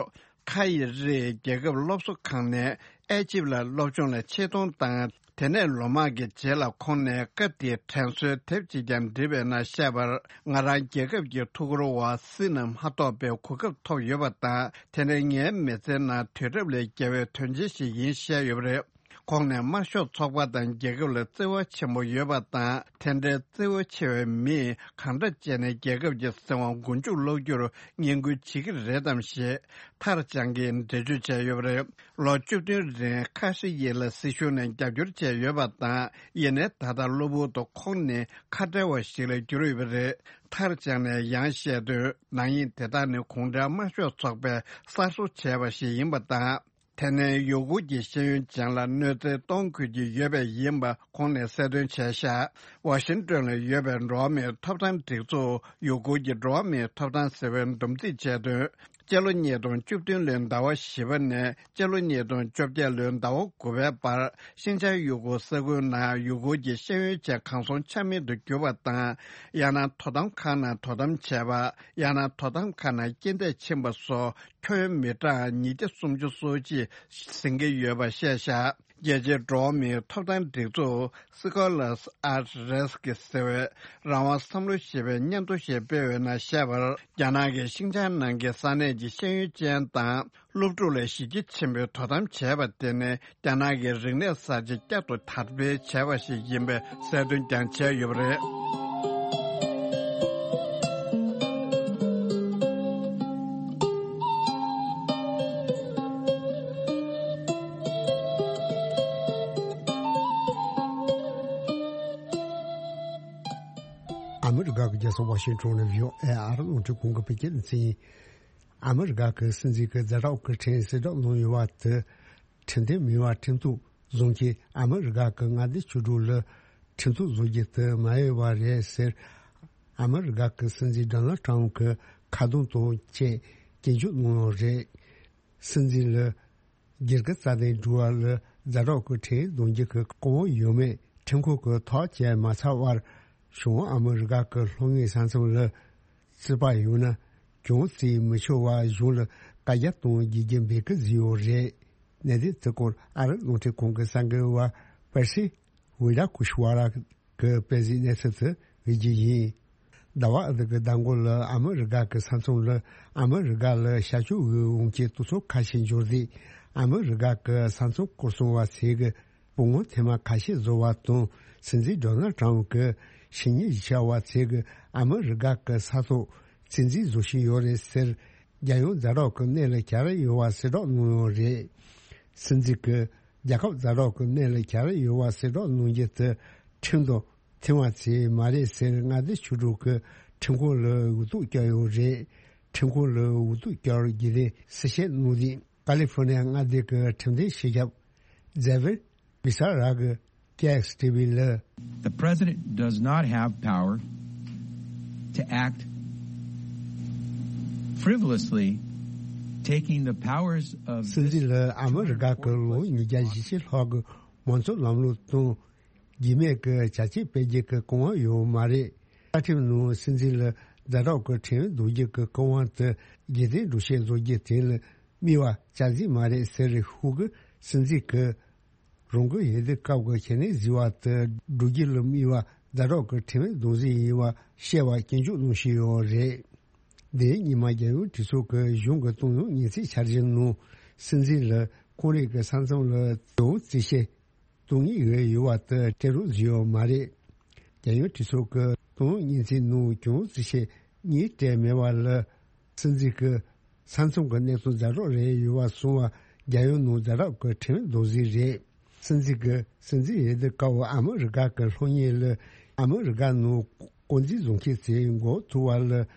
ཁ་ཡི་རིགས་རྒྱལ་ཁབ་སློབ་གསོ་ཁང་ནས་ཨེ་ཇིབ་ལ་སློབ་སྦྱོང་ལ་ཆེད་གཏོང་དང་། དེ་ནས་ལོ་མང་གི་རྗེས་ལ་ཁོང་ནས་སྐབས་དེའི་དྲན་གསོའི་དེབ་ཅིག་ཀྱང་བྲིས་པའི་ནང་བཤད་པར། ང་རང་རྒྱལ་ཁབ་ཀྱི་ཐུགས་ཁུར་འོག་སྲིད་ནང་མ་གཏོགས་པའི་གོ་སྐབས་ཐོབ་ཡོད་པ་དང་། དེ་ནི་ངའི་མི་ཚེའི་ནང་དུས་རབས་ལས་བརྒལ་བའི་དོན་ཆེན་ཞིག་ཡིན་བཤད་ཡོད་པ་རེད། ཁོང་ནས་དམར་ཤོག་ཚོགས་པ་དང་རྒྱལ་ཁབ་ལ་བརྩེ་བ་ཆེན་པོ་ཡོད་པ་དང་། དེ་འདྲའི་བརྩེ་བ་ཆེ་བའི་མིས་གང་འདྲ་བྱས་ནས་རྒྱལ་ཁབ་ཀྱི་སྲིད་དབང་མགོ་མཇུག་སློག་རྒྱུར་བསྙེན་བཀུར་བྱེད་ཀྱི་རེད་དམ་ཞེས་ཐར་ཅང་གིས་འགྲེལ་བརྗོད་བྱས་ཡོད་པ་རེད། ལོ་བཅུ་བདུན་རིང་ཁ་ཧྲི་ཡི་ལ་སྲིད་གཞུང་ནས་རྒྱབ་སྐྱོར་བྱས་ཡོད་པ་དང་། ཡིན་ནའི་ད་ལྟ་གློ་བུར་དུ་ཁོང་ནི་ཁ་བྲལ་བ་ཞིག་ལ་གྱུར་ཡོད་པ་རེད། ཐར་ཅང་ནས་ཡང་བཤད་དོན། ནག་ཉེས་དེ་དག་ནི་གུང་ཁྲན་དམར་ཤོག་ཚོགས་པས་གསར་བཟོ་བྱས་པ་ཞིག་ཡིན་པ་དང་། དེ་ནས་ཡུ་གུར་གྱི་ཤེས་ཡོན་ཅན་ལ་གནོད་འཚེ་གཏོང་དགོས་ཀྱི་ཡོད་པས་ཡིན་པ་ཁོང་ནས་གསལ་སྟོན་བྱས་ཤག་ཝ་ཤིང་ཏོན་ལ་ཡོད་པའི་འགྲོ་བ་མིའི་ཐོབ་ཐང་སྒྲིག་འཛུགས་ཡུ་གུར་གྱི་འགྲོ་བ་མིའི་ཐོབ་ཐང་ཟེར་བས་འདུམ་འགྲིག་བྱས་དོན། སྤྱི་ལོ་ཉིས་སྟོང་བཅུ་བདུན་ལོའི་ཟླ་བ་བཞི་པ་ནས་སྤྱི་ལོ་ཉིས་སྟོང་བཅོ་བརྒྱད་ལོའི་ཟླ་བ་དགུ་པའི་བར། ཤིན་ཅང་ཡུ་གུར་ས་ཁུལ་ནང་ཡུ་གུར་གྱི་ཤེས་ཡོན་ཅན་གང་སོང་ཆ་མེད་དུ་གྱུར་པ་དང་། ཡང་ན་དོ་དམ་ཁང་ནང་དོ་དམ་བྱས་པ། ཡང་ན་དོ་དམ་ཁང་ནང་རྐྱེན་འདས་ཕྱིན་པ་སོགས་ཁྱོན་ཡོངས་མི་གྲངས་ཉིས་བརྒྱ་སུམ་ཅུ་སོ་གཅིག་ཟིན་གྱི་ཡོད་པ་བཤད་བཞག་རྒྱལ་སྤྱིའི་འགྲོ་བ་མིའི་ཐོབ་ཐང་སྒྲིག་འཛུགས་Scholars at Risk ཟེར་བས་རང་དབང་བསམ་བློ་ཞེས་པའི་སྙན་ཐོ་ཞིག་སྤེལ་བའི་ནང་བཤད་པར། རྒྱ་ནག་གིས་ཤིན་ཅང་ནང་གི་ས་གནས་ཀྱི་ཤེས་ཡོན་ཅན་དང་སློབ་ཕྲུག་ལ་གཞི་རྒྱ་ཆེན་པོས་དོ་དམ་བྱས་པ་དེ་ནི་རྒྱ་ནག་གི་རིག་གནས་གསར་བརྗེ་བསྐྱར་དུ་དར་སྤེལ་བྱས་པ་ཞིག་ཡིན་པའི་གསལ་སྟོན་ཀྱང་བྱས་ཡོད་པ་རེད། ཨ་མི་རི་ཀ་གི་རྒྱལ་ས་ཝ་ཤིང་ཊོན་ནས་བྷི་ཨོ་ཨེ་ཨ་རི་རླུང་འཕྲིན་ཁང་གི་བོད་སྐད་སྡེ་ཚན་ཡིན། ཨ་མི་རི་ཀ་གི་སྲིད་འཛིན་གྱི་ཛ་དྲག་གི་ཁྲིམས་གསལ་བསྒྲགས་གནང་ཡོད་པ་དེ། ཁྲིམས་མཐུན་མིན་པར་ཁྲིམས་གཏུག་བཟུང་མཁན་ཨ་མི་རི་ཀ་གི་མངའ་སྡེ་བཅུ་དྲུག་ལ་ཁྲིམས་གཏུག་བཟོ་རྒྱུ་དེ་མ་འོས་པ་རེད་ཟེར། ཨ་མི་རི་ཀ་གི་སྲིད་འཛིན་ཌོ་ནལ་ཊམ་གྱི་ཁ་རྡུང་དང་བཅས་སྐྱོན་བརྗོད་གནང་ཡོད་རེད། སྲིད་འཛིན་ལ་སྒེར་གྱི་རྩ་དོན་སྒྲུབ་པ་ལ་ཛ་དྲག་གི་ཁྲིམས་འདོན་རྒྱུ་གི་གོ་སྐབས་ཡོད་མེད་ཁྲིམས་ཁང་གིས་ཐག་བཅད་མ་ཚར་བར། བྱང་ཨ་མི་རི་ཀ་གི་ལྷོ་ངོས་ས་མཚམས་ལ་རྩིས་པ་ཡོད་ན་གྱོང་བརྩི་མི་ཆོག་པ་གཞུང་ལ་བཀའ་རྒྱ་གཏོང་རྒྱུ་རྒྱུ་འབོད་སྐུལ་བཟོས་ཡོད་རེད། གནད་དོན་དེ་སྐོར་ཨ་རི་རླུང་འཕྲིན་ཁང་གི་གསར་འགོད་པ་པེར་སི་ཝི་ཌ་ཀུ་ཤི་ཝ་ར་གི་དཔེ་གཟིགས་གནས་ཚུལ་དུ་འོས་རྒྱུ་ཡིན། ཟླ་བ་འདི་གི་ཟླ་མགོ་ལ་ཨ་མི་རི་ཀ་གི་ས་མཚམས་ལ་ཨ་མི་རི་ཀ་ལ་ཤར་ཕྱོགས་དབུས་འོང་སྤྱི་གཏོགས་ཚོགས་ཁ་ཤས་འབྱོར་རྗེས་ཨ་མི་རི་ཀ་གི་ས་མཚམས་སྐོར་སྲུང་བ་ཚོས་ཀྱི་སྤུ་ངོ་ཐེངས་མ་ཁ་ཤས་བཟོ་བ་དང་། སྲིད་འཛིན་ཌོ་ནལ་ཊམ་གྱི་ཕྱི་ཉིན་བཞི་ཆ་བ་ཚོས་ཀྱི་ཨ་མི་རི་ཀ་གི་ས་ཐོག་བཙན་འཛུལ་བཟོ་བཞིན་ཡོད་རེད་ཟེར། རྒྱལ་ཡོངས་ཛ་དྲག་གི་གནད་ལ་གྱར་ཡོད་པ་གསལ་བསྒྲགས་གནང་ཡོད་རེད། སྲིད་འཛིན་གྱིས་རྒྱལ་ཁབ་ཛ་དྲག་གི་གནད་ལ་གྱར་ཡོད་པ་གསལ་བསྒྲགས་གནང་རྒྱུ་དེ་ཁྲིམས་དང་མཐུན་པ་ཚོས་མ་རེད་ཟེར། མངའ་སྡེ་ཆོས་གྲོགས་ཀྱིས་ཁྲིམས་ཁང་ལ་འུ་ཐུག་བསྐྱལ་ཡོད་རེད། ཁྲིམས་ཁང་ལ་འུ་ཐུག་བསྐྱལ་རྒྱུ་དེ་གསལ་བཤད་གནང་རྗེས། ཀ་ལི་ཧྥོ་ནི་ཡ་མངའ་སྡེ་གི་ཁྲིམས་དོན་སྤྱི་ཁྱབ་ཛེ་ཝེར་བི་ས་ར་གི་ཀེ་ཨེག་སི་ཊི་ཝི་ལ། The president does not have power to act frivolously, taking the powers of this སྲིད་འཛིན་ལ་ཨ་མི་རི་ཀ་གི་ལོ་ཉིས་བརྒྱ་ཞེ་གཅིག་ལྷག་གི་མང་གཙོ་ལམ་ལུགས་དང་རྒྱུས་མེད་ཀྱི་བྱ་སྤྱོད་སྤེལ་རྒྱུ་གི་གོ་སྐབས་ཡོད་མ་རེད། བཅའ་ཁྲིམས་ནང་སྲིད་འཛིན་ལ་ཛ་དྲག་གི་ཁྲིམས་འདོན་རྒྱུ་གི་གོ་སྐབས་དེ་རྒྱུན་ལྡན་སྒྲོག་བཤད་བཟོ་རྒྱུ་དེ་ལ་དམིགས་པ་བཅའ་སྲིད་མ་རེད་ཟེར། ཧུའུ་གི་སྲིད་འཛིན་གྱིས་རང་གི་འོས་བསྡུ་སྐབས་ཀྱི་ཁེ་ནས་བཟོས་པ་དེ་བསྒྲུབ་རྒྱུ་ལ་དམིགས་པ་ཛ་དྲག་གི་ཁྲིམས་འདོན་རྩིས་ཡིན་པ་བཤད་པ་སྐྱོན་བརྗོད་གནང་བཞིན་ཡོད་རེད། འདིའི་ཉི་མ་རྒྱལ་ཡོངས་གྲོས་ཚོགས་ཀྱི་གཞུང་གི་གཏོང་ཡོང་སྙན་ཚིག་འཆར་གཞི་ནང་སྲིད་འཛིན་ལ་ཁོང་རང་གི་ས་མཚམས་ལ་གྱོང་བརྩི་བྱེད་གཏོང་ངེས་ཡོད་པ་དེ་སྤྲད་རོགས་བཟོས་ཡོད་མ་རེད། རྒྱལ་ཡོངས་གྲོས་ཚོགས་ཀྱི་གཏོང་ཡོང་སྙན་ཚིག་ནང་གྱོང་བརྩི་བྱེད་གཉིས་སྤྲད་མེད་པ་ལ་སྲིད་འཛིན་གྱི་ས་མཚམས་ཀྱི་གནས་སྟངས་ཛ་དྲག་རེད་ཡོད་པ་སོང་བ་རྒྱལ་ཡོངས་ནང་ཛ་དྲག་གི་ཁྲིམས་འདོན་རྩིས་རེད། སྲིད་འཛིན་གྱི་སྲིད་འཛིན་འོས་བསྡུ་སྐབས་ཨ་མི་རི་ཀ་གི་ལྷོ་ཉིན་ལ་ཨ་མི་རི་ཀ་ནང་དཀོན་འཛིན་བཟུང་མཁན་ཚོས་མགོ་ཐུག་པ་ལ་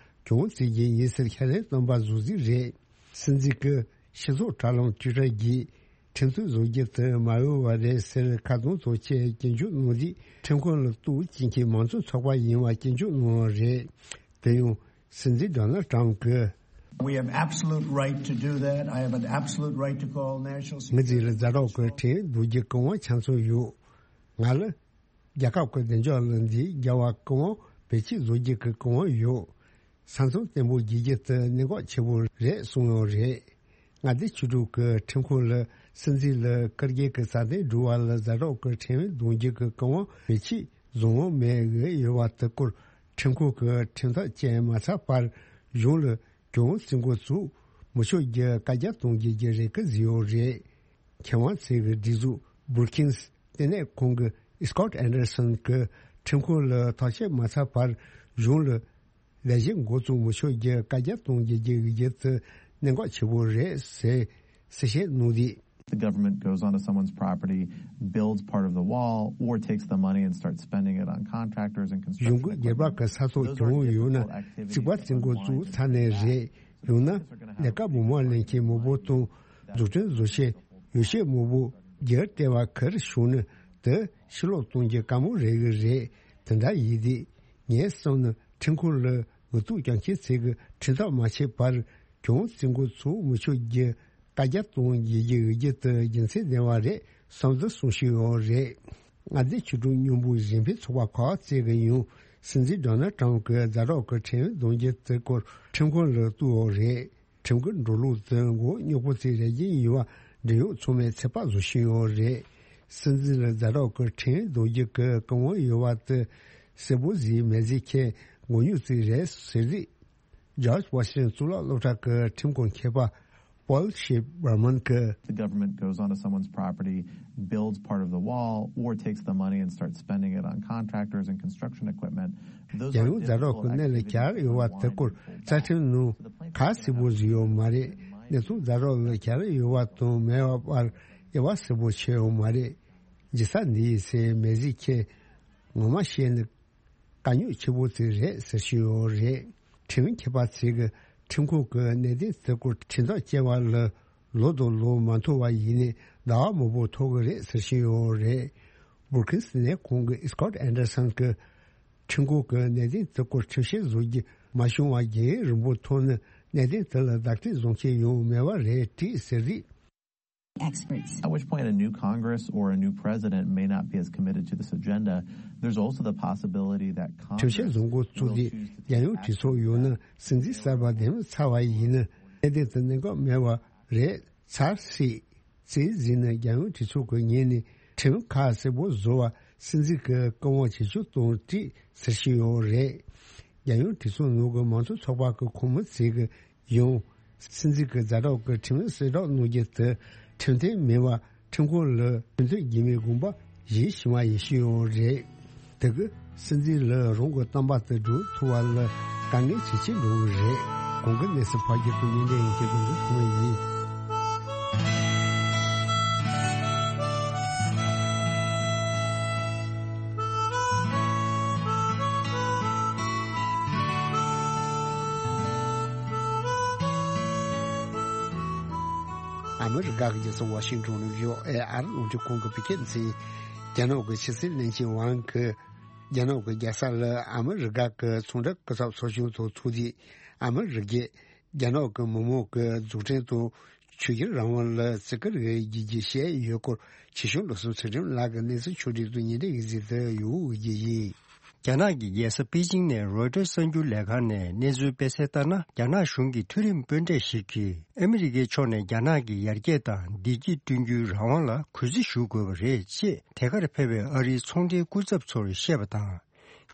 གྱོང་བརྩི་རྒྱུ་ཡིན་ཟེར་ཁས་ལེན་བཏོན་པ་བཟོ་རྩིས་རེད། སྲིད་འཛིན་གྱི་སྤྱི་ཚོགས་དྲ་ལམ་ཊུའི་ཊར་བརྒྱུད་ཁྲིམས་གཏུག་བཟོ་རྒྱུ་དེ་མ་འོས་པ་རེད་ཟེར་ཁ་རྡུང་དང་བཅས་སྐྱོན་བརྗོད་གནང་རྗེས། ཁྲིམས་ཁང་ལ་གཏུག་བྱེད་མཁན་མང་གཙོ་ཚོགས་པ་ཡིན་པ་སྐྱོན་བརྗོད་གནང་བ་རེད། དེ་ཡང་སྲིད་འཛིན་ཌོ་ནལ་ཊམ་གྱིས། We have absolute right to do that. I have an absolute right to call national ངའི་རྩིས་ལ་ཛ་དྲག་གི་ཁྲིམས་འདོན་རྒྱུ་གི་གོ་སྐབས་ཆ་ཚང་ཡོད། ང་ལ་རྒྱལ་ཁབ་ཀྱི་བདེ་འཇགས་ལ་འདི་རྒྱལ་བ་གི་གོ་སྐབས་བེད་སྤྱོད་བཟོ་རྒྱུ་གི་གོ་སྐབས་ཡོད། ས་མཚམས་བརྟན་པོ་བརྗེ་རྒྱུ་དེ་གནད་འགག་ཆེ་པོ་རེད་གསུངས་ཡོད་རེད། མངའ་སྡེ་ཆོས་གྲོགས་ཀྱི་ཁྲིམས་ཁང་ལ་སྲིད་འཛིན་ལ་བཀའ་བརྒྱུད་ཀྱི་རྩ་དོན་སྒྲུབ་པ་ལ་ཛ་དྲག་གི་ཁྲིམས་འདོན་རྒྱུ་གི་གོ་སྐབས་བེད་སྤྱོད་བཟོ་འོས་མེད་འོས་ཡོད་པ་དེ་སྐོར་ཁྲིམས་ཁང་གིས་ཁྲིམས་ཐག་བཅད་མ་ཚར་བར་གཞུང་ལ་གྱོང་བརྩི་འགོ་བཙུགས་མི་ཆོག་རྒྱུ་བཀའ་རྒྱ་གཏོང་རྒྱུ་གི་རེ་སྐུལ་བཟོས་ཡོད་རེད། མཁས་དབང་ཚོས་ཀྱི་སྒྲིག་འཛུགས་Brookings་ལྟེ་གནས་ཁང་གི་Scott Anderson་གྱིས་ཁྲིམས་ཁང་ལ་ཐག་བཅད་མ་ཚར་བར་གཞུང་ལ་ལས་གཞི་འགོ་བཙུགས་མི་ཆོག་རྒྱུ་བཀའ་རྒྱ་གཏོང་རྒྱུ་གི་གཞི་དེ་གནད་འགག་ཆེ་པོ་རེད་ཟེར་གསལ་བཤད་གནང་དུས། The government goes onto someone's property, builds part of the wall, or takes the money and starts spending it on contractors and གཞུང་གི་སྒེར་པ་གི་ས་ཐོག་གྱོང་ཡོད་ན་རྩིག་པ་རྩིག་འགོ་བཙུགས་ཚར་ནས་རེད། ཡང་ན་ལས་ཀ་སྦོམ་པ་ལེན་མཁན་མང་པོ་དང་འཛུགས་སྐྲུན་བཟོ་བྱེད་ཡོ་བྱད་མང་པོ་རྒྱུ་སྤྲད་པ་གར་ཤོར་ན་དེ་ཕྱིར་སློག་གཏོང་རྒྱུ་དཀའ་མོ་རེད་གི་རེད། དེ་འདྲ་ཡིན་དུས་ངས་བསམ་ན་ཁྲིམས་ཁང་ལ་འུ་ཐུག་རྒྱག་མཁན་ཚོས་ཀྱི་ཁྲིམས་ཐག་མ་ཆད་པར་གྱོང་བརྩི་འགོ་ཚུགས་མི་ཆོག་རྒྱུ་བཀའ་རྒྱ་གཏོང་རྒྱུ་གི་འོས་བསྡུ་དེ་རྒྱུ་མཚན་ལྡན་པ་རེད་བསམ་འདུག་གསུངས་བཞིན་ཡོད་རེད། མངའ་སྡེ་ཆོས་གྲོགས་མཉམ་འབོད་གཞན་ཕན་ཚོགས་པ་ཁག་ཅིག་གིས་ཡང་སྲིད་འཛིན་ཌོ་ནལ་ཊམ་གྱིས་ཛ་དྲག་གི་ཁྲིམས་འདོན་རྒྱུ་དེ་སྐོར་ཁྲིམས་ཁང་ལ་གཏུགས་ཡོད་རེད། ཁྲིམས་ཀྱི་འགྲོ་ལུགས་དེ་མགོ་རྙོག་པོ་ཅིག་རེད་ཀྱི་ཡིན་པ་འབྲེལ་ཡོད་ཚང་མས་ཚོད་དཔག་བཟོ་བཞིན་ཡོད་རེད། སྲིད་འཛིན་ལ་ཛ་དྲག་གི་ཁྲིམས་འདོན་རྒྱུ་གི་གོ་སྐབས་ཡོད་པ་དེ་གསལ་པོ་བཟོས་མེད་ཟེར་མཁན་མགོ་རྙོག་ཅིག་རེད་ཟེར་རིགས། George Washington་གཙུག་ལག་སློབ་གྲྭ་གི་ཁྲིམས་ཁང་མཁས་པ་Paul Schiff་Berman་གིས། The government goes onto someone's property, builds part of the wall, or takes the money and starts spending it on contractors and construction equipment. རྒྱལ་ཡོངས་ཛ་དྲག་གི་གནད་ལ་གྱར་ཡོད་པ་དེ་སྐོར་རྩ་ཁྲིམས་ནང་ག་གསལ་པོ་བཟོས་ཡོད་མ་རེད། གནས་ཚུལ་ཛ་དྲག་ལ་གྱར་ཡོད་པ་དང་མེད་པ་བར་དབྱེ་བ་གསལ་པོ་ཕྱེ་ཡོད་མ་རེད། ཇི་ལྟར་འདི་ཡིན་ཟེར་མེད་ཟེར་མཁན་ངོ་མ་ཤེས་ནི་དཀའ་རྙོག་ཆེ་པོ་ཅིག་རེད་ཟེར་བཞིན་ཡོད་རེད། ཁྲིམས་མཁས་པ་ཚོས་ཀྱི་ཁྲིམས་ཁང་གི་གནད་དོན་དེ་སྐོར་ཁྲིམས་ཐག་བཅད་པ་ལ་ ལོ་དང་ལོ་མ་མཐོ་བ་ཡིན་ནའི་ཟླ་བ་མང་པོ་ཐོག་གི་རེད་ཟེར་བཞིན་ཡོད་རེད། བྷུ་རུ་ཁིན་སི་ནས་ཁོང་གི་སི་ཀོཊ་ཨན་ཌར་སན་གྱི་ཁྲིམས་ཁང་གི་གནད་དོན་དེ་སྐོར་ཁྲིམས་བཤེར་བཟོ་རྒྱུ་མ་བྱུང་བར་རྒྱུན་རིང་པོ་ཐོག་ནས་གནད་དོན་དེ་ལ་བདག་གཅེས་བཟུང་མཁན་ཡོང་མེད་པ་རེད་དྲིས་ཟེར་རིགས། Experts. At which point a new Congress or a new president may not be as committed to this agenda. There's also the possibility that Congress ཁྲིམས་བཤེར་བཟོ་འགོ་བཙུགས་ཏེ་རྒྱལ་ཡོངས་གྲོས་ཚོགས་ཡོད་ན་སྲིད་འཛིན་གསར་པ་འདེམས་ཚར་བ་ཡིན་ན་གནད་དོན་དེ་གནད་འགག་མེད་པ་རེད་ཚར་སྲིད། རྩིས་ཟིན་ན་རྒྱལ་ཡོངས་གྲོས་ཚོགས་ཀྱི་ངོས་ནས་ཁྲིམས་ཁག་གསལ་པོ་བཟོ་བ་སྲིད་འཛིན་གྱིས་བཀའ་དབང་བྱེད་ཆོག་གཏོང་སྲིད་ཟེར་བཞིན་ཡོད་རེད། རྒྱལ་ཡོངས་གྲོས་ཚོགས་ནང་གི་མང་གཙོ་ཚོགས་པ་གི་ཁོངས་མི་ཚོས་ཀྱི་ཡང་སྲིད་འཛིན་གྱི་ཛ་དྲག་གི་ཁྲིམས་ཡིག་གསལ་བསྒྲགས་གནང་རྒྱུ་དེ་ཁྲིམས་མཐུན་མིན་པ་ཁྲིམས་ཁང་ལ་ཁྲིམས་མཐུན་རྒྱུ་མེད་དགོངས་པ་བཞེས་བཞིན་པ་ཡིན་ཞུས་ཡོད་རེད། དེ་གི་སྲིད་འཛིན་ལ་རང་གི་བསྟན་པ་དེ་སྒྲུབ་ཐུབ་པ་ལ་དཀའ་ངལ་ཇེ་ཆེ་འགྲོ་གི་རེད། གོང་གི་གནས་ཚུལ་ཕར་རྒྱག་གི་ཉིན་འདྲ་ཡིན་གྱི་དགོངས་ཚུལ་ཐོག་མ་ཡིན། ཨ་མི་རི་ཀ་གི་རྒྱལ་ས་ཝ་ཤིང་ཏོན་ནས་བྷི་ཨོ་ཨེ་ཨར་རླུང་འཕྲིན་ཁང་གི་བོད་སྐད་སྡེ་ཚན། རྒྱ་ནག་གི་ཕྱི་སྲིད་བློན་ཆེན་ཝང་གིས་རྒྱ་ནག་གི་རྒྱལ་ས་ལ་ཨ་མི་རི་ཀ་གི་ཚོང་འབྲེལ་སྐུ་ཚབ་ཚོགས་ཆུང་དང་ཐུག་དུས་ཨ་མི་རི་ཀས་རྒྱ་ནག་གི་མི་དམངས་ཀྱི་འཛུགས་སྐྲུན་དང་ཆོས་བརྒྱུད་རང་དབང་ལ་བརྩི་བཀུར་རེ་བྱེད་ཀྱི་བཤད་ཡོད་སྐོར་ཆེ་ཆུང་བློ་བཟང་ཚུལ་ཁྲིམས་ལགས་ཀྱི་གནས་ཚུལ་ཕྱོགས་སྒྲིག་ཏུ་ཉིན་རེའི་གཟིགས་དུ་ཡོད་ཀྱི་ཡིན། རྒྱ་ནག་གི་རྒྱལ་ས་པེ་ཅིང་ནས་རོའི་ཊར་གསར་འགྱུར་ལས་ཁང་ནས་གནས་ཚུལ་སྤེལ་གསལ་ལྟར་ན། རྒྱ་ནག་གཞུང་གི་མཐོ་རིམ་དཔོན་གྲས་ཤིག་གིས་ཨ་མི་རི་ཀའི་ཕྱོགས་ནས་རྒྱ་ནག་གི་ཡར་རྒྱས་དང་བདེ་སྐྱིད་བསྐྲུན་རྒྱུའི་རང་དབང་ལ་གུས་བརྩི་ཞུ་དགོས་པ་རེད་ཅེས་དེ་གར་ཕེབས་པའི་ཨ་རིའི་ཚོང་འབྲེལ་སྐུ་ཚབ་ཚོར་བཤད་པ་དང་།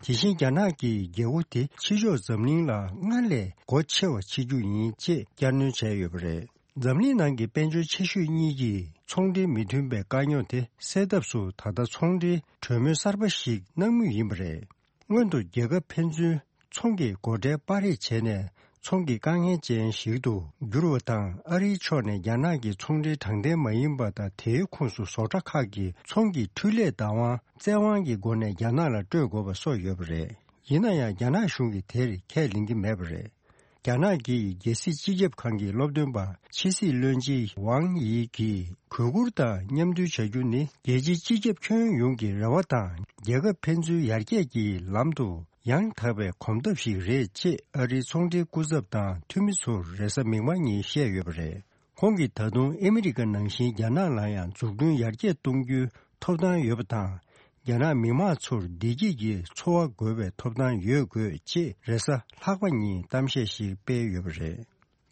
དེ་བཞིན་རྒྱ་ནག་གི་རྒྱལ་པོ་དེ་ཕྱི་ཕྱོགས་འཛམ་གླིང་ལ་སྔར་ལས་སྒོ་ཕྱེ་བ་བྱེད་རྒྱུ་ཡིན་ཅེས་བསྐྱར་སྣོན་བྱས་ཡོད་པ་རེད། འཛམ་གླིང་ནང་གི་དཔལ་འབྱོར་ཆེ་ཤོས་གཉིས་ཀྱིས་ཚོང་འབྲེལ་མི་མཐུན་པའི་དཀའ་རྙོག་དེ་སེལ་ཐབས་སུ་ད་ལྟ་ཚོང་འབྲེལ་གྲོས་མོལ་གསར་པ་ཞིག་གནང་མུས་ཡིན་པ་རེད། སྔོན་དུ་རྒྱལ་ཁབ་ཕན་ཚུན་ཚོང་གི་སྒོ་ཁྲལ་སྤར་རེས་བྱས་ནས་ཚོང་གི་དཀའ་ངལ་ཅན་ཞིག་ཏུ་གྱུར་བ་དང་། ཨ་རིའི་ཕྱོགས་ནས་རྒྱ་ནག་གི་ཚོང་འབྲེལ་དྲང་བདེན་མ་ཡིན་པ་དང་དེའི་ཁོངས་སུ་བཟོ་གྲྭ་ཁག་གི་ཚོང་གི་འཕྲུལ་ལས་བདག་དབང་བཙན་དབང་གི་སྒོ་ནས་རྒྱ་ནག་ལ་སྤྲོད་དགོས་པ་སོགས་ཡོད་པ་རེད། ཡིན་ན་ཡང་རྒྱ་ནག་གཞུང་གིས་དེར་ཁས་ལེན་གྱི་མེད་པ་རེད། རྒྱ་ནག་གི་རྒྱལ་སྲིད་སྤྱི་ཁྱབ་ཁང་གི་སློབ་སྟོན་པ་ཕྱི་སྲིད་བློན་ཆེན་ཝང་ཡི་གིས་གུས་བཀུར་དང་མཉམ་མཐུན་བྱ་རྒྱུ་ནི་རྒྱལ་སྤྱིའི་སྤྱི་ཁྱབ་ཁྱོན་ཡོངས་ཀྱི་རེ་བ་དང་རྒྱལ་ཁབ་ཕན་ཚུན་ཡར་རྒྱས་ཀྱི་ལམ་དུ་ཡང་དག་པའི་གོམ་སྟབས་ཤིག་རེད་ཅེས་ཨ་རིའི་ཚོང་འབྲེལ་སྐུ་ཚབ་དང་འཐུས་མི་ཚོར་རེས་གཟའ་མིག་དམར་ཉིན་བཤད་ཡོད་པ་རེད། ཁོང་གིས་ད་དུང་ཨ་མི་རི་ཀ་ནང་བཞིན་རྒྱ་ནག་ལ་ཡང་འཛུགས་སྐྲུན་ཡར་རྒྱས་གཏོང་རྒྱུའི་ཐོབ་ཐང་ཡོད་པ་དང་། རྒྱ་ནག་མི་དམངས་ཚོར་བདེ་སྐྱིད་ཀྱི་འཚོ་བ་དགོས་པའི་ཐོབ་ཐང་ཡོད་དགོས་ཅེས་རེས་གཟའ་ལྷག་པ་ཉིན་གཏམ་བཤད་ཞིག་སྤེལ་ཡོད་པ་རེད།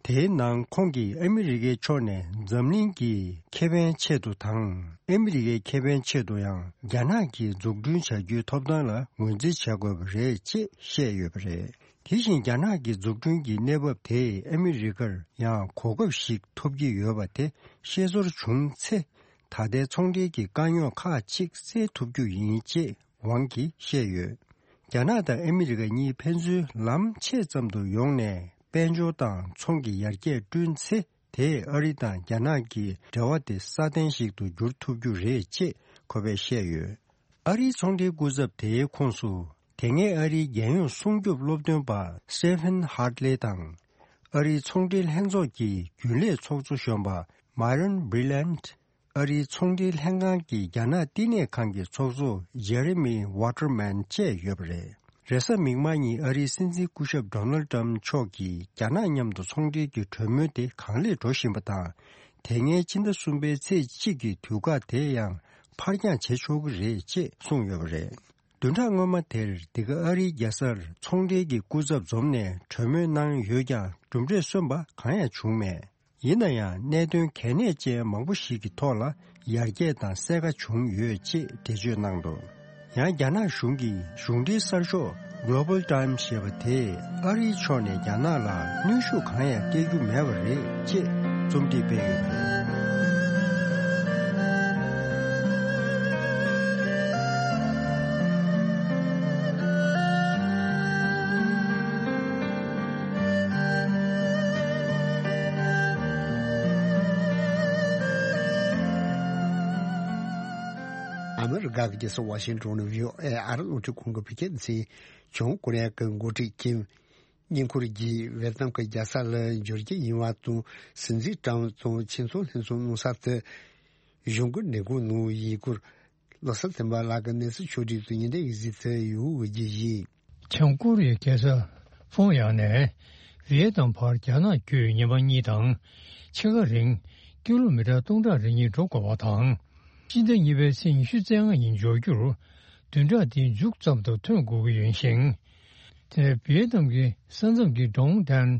དེའི་ནང་ཁོང་གིས་ཨ་མི་རི་ཀའི་ཕྱོགས་ནས་འཛམ་གླིང་གི་ཁེ་ཕན་ཆེད་དུ་དང་། ཨ་མི་རི་ཀའི་ཁེ་ཕན་ཆེད་དུ་ཡང་རྒྱ་ནག་གིས་འཛུགས་སྐྲུན་བྱ་རྒྱུའི་ཐོབ་ཐང་ལ་ངོས་འཛིན་བྱ་དགོས་པ་རེད་ཅེས་བཤད་ཡོད་པ་རེད། དེ་བཞིན་རྒྱ་ནག་གི་འཛུགས་སྐྲུན་གྱི་གནས་བབ་དེས་ཨ་མི་རི་ཀར་ཡང་གོ་སྐབས་ཤིག་ཐོབ་ཀྱི་ཡོད་པ་དེ་ཤེས་ཚོར་བྱུང་ཚེ། ད་ལྟའི་ཚོང་འབྲེལ་གྱི་དཀའ་རྙོག་ཁག་ཅིག་སེལ་ཐུབ་རྒྱུ་ཡིན་ཅེས་ཝང་གིས་བཤད་ཡོད། རྒྱ་ནག་དང་ཨ་མི་རི་ཀ་གཉིས་ཕན་ཚུན་ལམ་ཕྱེད་ཙམ་དུ་ཡོང་ནས་དཔལ་འབྱོར་དང་ཚོང་གི་ཡར་རྒྱས་བསྐྲུན་ཚེ། དེས་ཨ་རི་དང་རྒྱ་ནག་གི་འབྲེལ་བ་དེ་སྲ་བརྟན་ཞིག་ཏུ་འགྱུར་ཐུབ་རྒྱུ་རེད་ཅེས་ཁོ་པས་བཤད་ཡོད། ཨ་རིའི་ཚོང་འབྲེལ་སྐུ་ཚབ་དེའི་ཁོངས་སུ། དེ་སྔའི་ཨ་རིའི་རྒྱལ་ཡོངས་སྲུང་སྐྱོབ་སློབ་སྟོན་པ་སི་ཊི་ཕན་ཧར་ལེ་དང་། ཨ་རིའི་ཚོང་འབྲེལ་ལྷན་ཚོགས་ཀྱི་རྒྱུན་ལས་ཚོགས་གཙོ་གཞོན་པ་མཱ་རོན་བྷི་ལན། ཨ་རིའི་ཚོང་འབྲེལ་ལྷན་ཁང་གི་རྒྱ་ནག་བསྟི་གནས་ཁང་གི་ཚོགས་གཙོ་ཇེ་རི་མི་ཝ་ཊར་མན་བཅས་ཡོད་པ་རེད། རེས་གཟའ་མིག་དམར་ཉིན་ཨ་རིའི་སྲིད་འཛིན་སྐུ་ཞབས་ཌོ་ནལ་ཏྲམ་མཆོག་གིས་རྒྱ་ནག་མཉམ་དུ་ཚོང་འབྲེལ་གྱི་གྲོས་མོལ་དེ་གང་ལེགས་འགྲོ་བཞིན་པ་དང་། དེ་སྔའི་ཕྱི་ཟླ་གསུམ་པའི་ཚེས་གཅིག་གི་དུས་བཀག་དེ་ཡང་ཕར་འགྱངས་བྱེད་ཆོག་གི་རེད་ཅེས་གསུངས་ཡོད་པ་རེད། བདུན་ཕྲག་སྔོན་མ་དེར་འདི་ག་ཨ་རིའི་རྒྱལ་སར་ཚོང་འབྲེལ་གྱི་སྐུ་ཚབ་འཛོམས་ནས་གྲོས་མོལ་གནང་ཡོད་ཀྱང་གྲུབ་འབྲས་སོན་པ་གང་ཡང་བྱུང་མེད། ཡིན་ན་ཡང་གནད་དོན་གལ་གནད་ཅན་མང་པོ་ཞིག་གི་ཐོག་ལ་ཡར་རྒྱས་དང་གསལ་ཁ་བྱུང་ཡོད་ཅེས་འགྲེལ་བརྗོད་གནང་འདུག་ཡང་རྒྱ་ནག་གཞུང་གི་གཞུང་འབྲེལ་གསར་ཤོག་Global Times་ཞེས་པ་དེས་ཨ་རིའི་ཕྱོགས་ནས་རྒྱ་ནག་ལ་གནོན་ཤུགས་གང་ཡང་སྤྲད་རྒྱུ་མེད་པ་རེད་ཅེས་རྩོམ་སྒྲིག་སྤེལ་ཡོད་པ་རེད། ཨ་མི་རི་ཀ་གི་རྒྱལ་ས་ཝ་ཤིང་ཏོན་ནས་བྷི་ཨོ་ཨེ་ཨ་རི་རླུང་འཕྲིན་ཁང་གི་བོད་སྐད་སྡེ་ཚན། བྱང་ཀོ་རི་ཡ་གི་འགོ་ཁྲིད་ཀིམ་ བསྙེན་བཀུར་གྱིས་ཝེ་ཏམ་གྱི་རྒྱལ་ས་ལ་འབྱོར་རྒྱུ་ཡིན་པ་དང་། སྲིད་འཛིན་ཏྲམ་དང་ཆེ་མཐོང་ལྷན་ཚོགས་གནང་ས་དེ་གཞུང་གི་ལས་ཁུངས་ནང་ཡིན་སྐོར། ལོ་གསར་བསྟན་པ་ལགས་ཀྱི་གནས་ཚུལ་ཕྱོགས་སྒྲིག་ཏུ་ཉིན་དེའི་གཟིགས་ཚུལ་ཡོད་ཀྱི་ཡིན། བྱང་ཀོ་རི་ཡའི་རྒྱལ་ས་ཕོང་ཡང་ནས་ཝི་ཡེ་ནམ་བར་རྒྱ་ནག་བརྒྱུད་ཉི་མ་གཉིས་དང་ཕྱེད་ཀ་རིང་ཀི་ལོ་མི་ཊར་སྟོང་ཕྲག་རེ་གཉིས་འགྲོ་དགོས་པ་དང་། སྤྱི་ཟླ་གཉིས་པའི་ཚེས་ཉི་ཤུ་རྩ་ལྔ་ཉིན་འབྱོར་རྒྱུར་བདུན་ཕྲག་འདིའི་མཇུག་ཙམ་དུ་ཐོན་དགོས་ཀྱི་ཡོད་ཞིང་། དེ་ནས་ཝི་ཡེ་ནམ་གྱི་ས་མཚམས་ཀྱི་ཀྲོང་ཏན་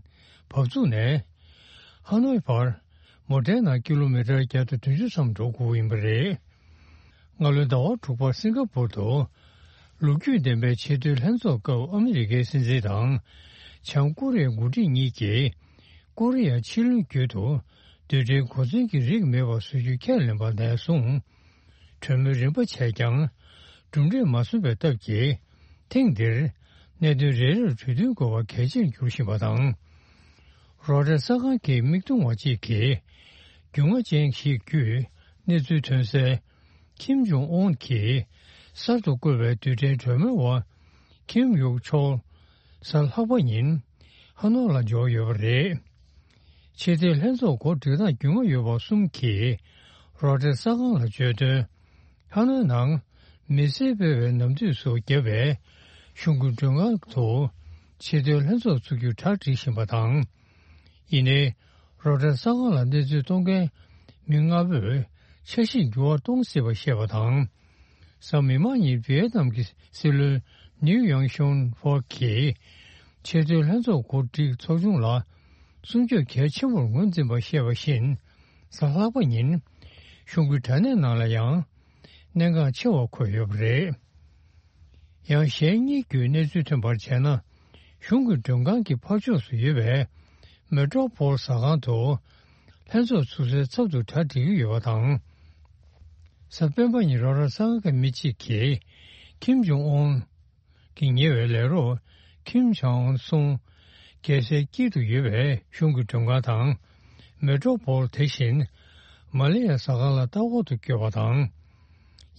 བབས་ཚུགས་ནས་ཧ་ནོའི་བར་མོ་ཊའི་ནང་ཀི་ལོ་མི་ཊར་བརྒྱ་དང་བདུན་ཅུ་ཙམ་འགྲོ་དགོས་ཀྱི་ཡིན་པ་རེད། སྔ་ལོའི་ཟླ་བ་དྲུག་པར་སིང་ག་པུར་དུ་ལོ་རྒྱུས་ལྡན་པའི་ཆེས་མཐོའི་ལྷན་ཚོགས་སྐབས་ཨ་མི་རི་ཀའི་སྲིད་འཛིན་དང་བྱང་ཀོ་རི་ཡའི་འགོ་ཁྲིད་གཉིས་ཀྱིས་ཀོ་རི་ཡ་ཕྱེད་གླིང་བརྒྱུད་དུ་རྡུལ་ཕྲན་གོ་མཚོན་གྱི་རིགས་མེད་པ་བཟོ་རྒྱུ་ཁས་ལེན་པ་ནས་བཟུང་། གྲོས་མོལ་རིམ་པ་བྱས་ཀྱང་གྲུབ་འབྲས་མ་སོན་པའི་སྟབས་ཀྱིས། ཐེངས་འདིར་གནད་དོན་རེ་རེར་གྲོས་མཐུན་དགོས་པ་གལ་ཆེར་འགྱུར་བཞིན་པ་དང་། རོའི་ཊར་གསར་ཁང་གི་མིག་མཐོང་བ་གཅིག་གིས་རྒྱུས་མངའ་ཅན་ཞིག་བརྒྱུད་གནས་ཚུལ་ཐོན་གསལ། ཁིམ་ཇོང་ཨུན་གྱིས་གསར་དུ་བསྐོས་པའི་རྡུལ་ཕྲན་གྲོས་མོལ་བ་ཁིམ་ཡུག་ཆོལ་གཟའ་ལྷག་པ་ཉིན་ཧ་ནོ་ལ་འབྱོར་ཡོད་པ་རེད། ཆེས་མཐོའི་ལྷན་ཚོགས་གོ་སྒྲིག་སྟངས་རྒྱུས་མངའ་ཡོད་པ་གསུམ་གྱིས་རོའི་ཊར་གསར་ཁང་ལ་བརྗོད་དོན། ཧ་ནོའི་ནང་མི་སེར་སྤེལ་བའི་ནམ་དུས་སུ་བརྒྱབ་པའི་གཞུང་གི་མགྲོན་ཁང་དུ་ཆེས་མཐོའི་ལྷན་ཚོགས་ཚུགས་རྒྱུར་གྲ་སྒྲིག་བཞིན་པ་དང་། ཡིན་ནའི་རོའི་ཊར་གསར་ཁང་ལ་གནས་ཚུལ་གཏོང་མཁན་མི་ལྔ་པོས་འཆར་གཞིར་འགྱུར་བ་གཏོང་སྲིད་པ་བཤད་པ་དང་། གཟའ་མིག་དམར་ཉིན་ཝི་ཡེ་ནམ་གྱི་སྲིད་བློན་ནིའུ་ཡང་ཤོན་ཧྥོ་གིས་ཆེས་མཐོའི་ལྷན་ཚོགས་གོ་སྒྲིག་ཚོགས་ཆུང་ལ་སྲུང་སྐྱོབ་གལ་ཆེན་པོར་ངོས་འཛིན་པ་བཤད་པ་བཞིན། གཟའ་ལྷག་པ་ཉིན་གཞུང་གི་དྲ་གནས་ནང་ལ་ཡང་གནད་འགག་ཆེ་བ་འཁོད་ཡོད་པ་རེད། ཡང་གཞན་གཉིས་བརྒྱུད་གནས་ཚུལ་ཐོན་པར་བྱས་ན། གཞུང་གི་མགྲོན་ཁང་གི་ཕར་ཕྱོགས་སུ་ཡོད་པའི་མེ་ཏྲོ་པོལ་ཟ་ཁང་དུ་ལྷན་ཚོགས་ཚུགས་སའི་ཚབ་ཏུ་གྲ་སྒྲིག་གི་ཡོད་པ་དང་། གཟའ་སྤེན་པ་ཉིན་རོའི་ཊར་གསར་ཁང་གི་མི་གཅིག་གིས་ཁིམ་ཇོང་ཨུན་གྱི་ཉེ་བའི་ལས་རོགས་ཁིམ་ཇོང་ཨུན་སུང་རྒྱལ་སའི་དཀྱིལ་དུ་ཡོད་པའི་གཞུང་གི་མགྲོན་ཁང་དང་མེ་ཏྲོ་པོལ་དེ་བཞིན་མ་ལེ་ཡ་ཟ་ཁང་ལ་ལྟ་སྐོར་དུ་བསྐྱོད་པ་དང་།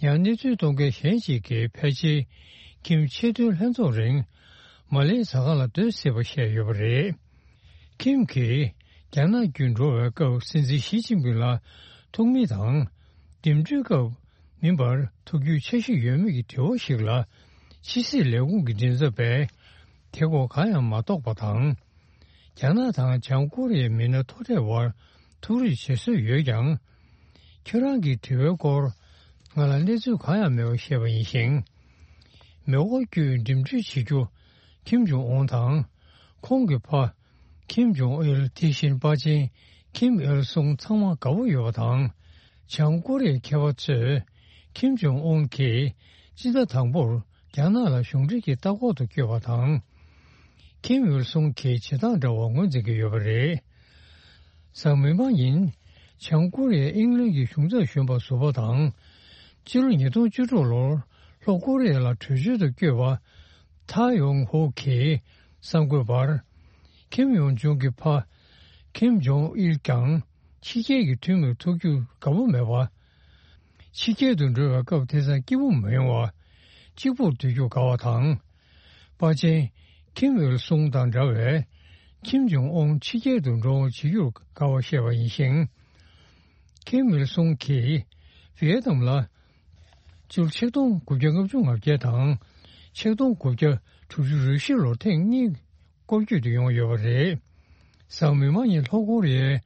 ཡང་གནས་ཚུལ་གཏོང་མཁན་གཞན་ཞིག་གིས་ཕལ་ཆེར་ཁིམ་ཆེས་མཐོའི་ལྷན་ཚོགས་རིང་མ་ལེ་ཟ་ཁང་ལ་སྡོད་སྲིད་པ་བཤད་ཡོད་པ་རེད། ཁིམ་གྱིས་རྒྱ་ནག་བརྒྱུད་འགྲོ་བའི་སྐབས་སྲིད་འཛིན་ཞི་ཅིན་ཕིང་ལ་ཐུག་མིན་དང་། འདེམས་སྒྲུག་སྐབས་མིན་པར་ཐུག་རྒྱུའི་འཆར་གཞི་ཡོད་མེད་ཀྱི་དྲི་བ་ཞིག་ལ། ཕྱི་སྲིད་ལས་ཁུངས་ཀྱི་མགྲིན་ཚབ་པས་དེ་སྐོར་གང་ཡང་མ་རྟོགས་པ་དང་། རྒྱ་ནག་དང་བྱང་ཀོ་རི་ཡའི་མི་སྣ་མཐོ་གྲས་དབར་ཐུག་རེས་བྱེད་སྲོལ་ཡོད་ཀྱང་། ཁྱེད་རང་གི་དྲི་བའི་སྐོར་ང་ལ་གནས་ཚུལ་གང་ཡང་མེད་པ་བཤད་པ་ཡིན་ཞིང་། མེ་འཁོར་བརྒྱུད་འགྲིམ་འགྲུལ་བྱེད་རྒྱུ་ཁིམ་ཇོང་ཨུན་དང་། ཁོང་གི་ཕ་ཁིམ་ཇོང་ཨིལ། དེ་བཞིན་པ་ཆེན་ཁིམ་ཨིལ་སུང་ཚང་མ་དགའ་པོ་ཡོད་པ་དང་། བྱང་ཀོ་རི་ཡའི་མཁས་པ་ཚོས་ཁིམ་ཇོང་ཨུན་གྱིས་སྤྱི་ཟླ་དང་པོར་རྒྱ་ནག་ལ་གཞུང་འབྲེལ་གྱི་ལྟ་སྐོར་དུ་བསྐྱོད་པ་དང་། ཁིམ་ཨིལ་སུང་གིས་བྱེད་སྟངས་འདྲ་བ་ངོས་འཛིན་གྱི་ཡོད་པ་རེད། གཟའ་མིག་དམར་ཉིན་བྱང་ཀོ་རི་ཡས་དབྱིན་ལན་གྱི་གཞུང་ཚབ་གཞོན་པ་ཟུར་པ་དང་། ཕྱི་ལོ་ཉིས་སྟོང་བཅུ་དྲུག་ལོར་ལྷོ་ཀོ་རི་ཡ་ལ་བྲོས་བྱོལ་དུ་བསྐྱོད་པ་ཐའེ་ཡོང་ཧོ་གིས་གསར་འགོད་པར། ཁིམ་ཡོང་ཇུང་གི་ཕ་ཁིམ་ཇོང་ཨིལ་ཀྱང་ཕྱི་རྒྱལ་གྱི་འཐུས་མིར་ཐུག་རྒྱུར་དགའ་པོ་མེད་པ། ཕྱི་རྒྱལ་དུ་འགྲོ་བའི་སྐབས་དེང་སང་སྐྱིད་པོ་མི་ཡོང་བ། གཅིག་པུར་སྡོད་རྒྱུར་དགའ་བ་དང་། པ་ཆེན་ཁིམ་ཨིལ་སུང་དང་འདྲ་བའི་ཁིམ་ཇོང་ཨུན་ཕྱི་རྒྱལ་དུ་འགྲོ་འོང་བྱེད་རྒྱུར་དགའ་བ་བཤད་པ་ཡིན་ཞིང་། ཁིམ་ཨིལ་སུང་གིས་ཝི་ཡེ་ནམ་ལ་ཕྱི་ལོ་ཆིག་སྟོང་དགུ་བརྒྱ་ལྔ་བཅུ་ང་བརྒྱད་དང་ཆིག་སྟོང་དགུ་བརྒྱ་དྲུག་ཅུ་རེ་བཞི་ལོར་ཐེངས་གཉིས་སྐོར་སྐྱོད་དུ་ཡོང་ཡོད་པ་རེད། གཟའ་མིག་དམར་ཉིན་ལྷོ་ཀོ་རི་ཡའི་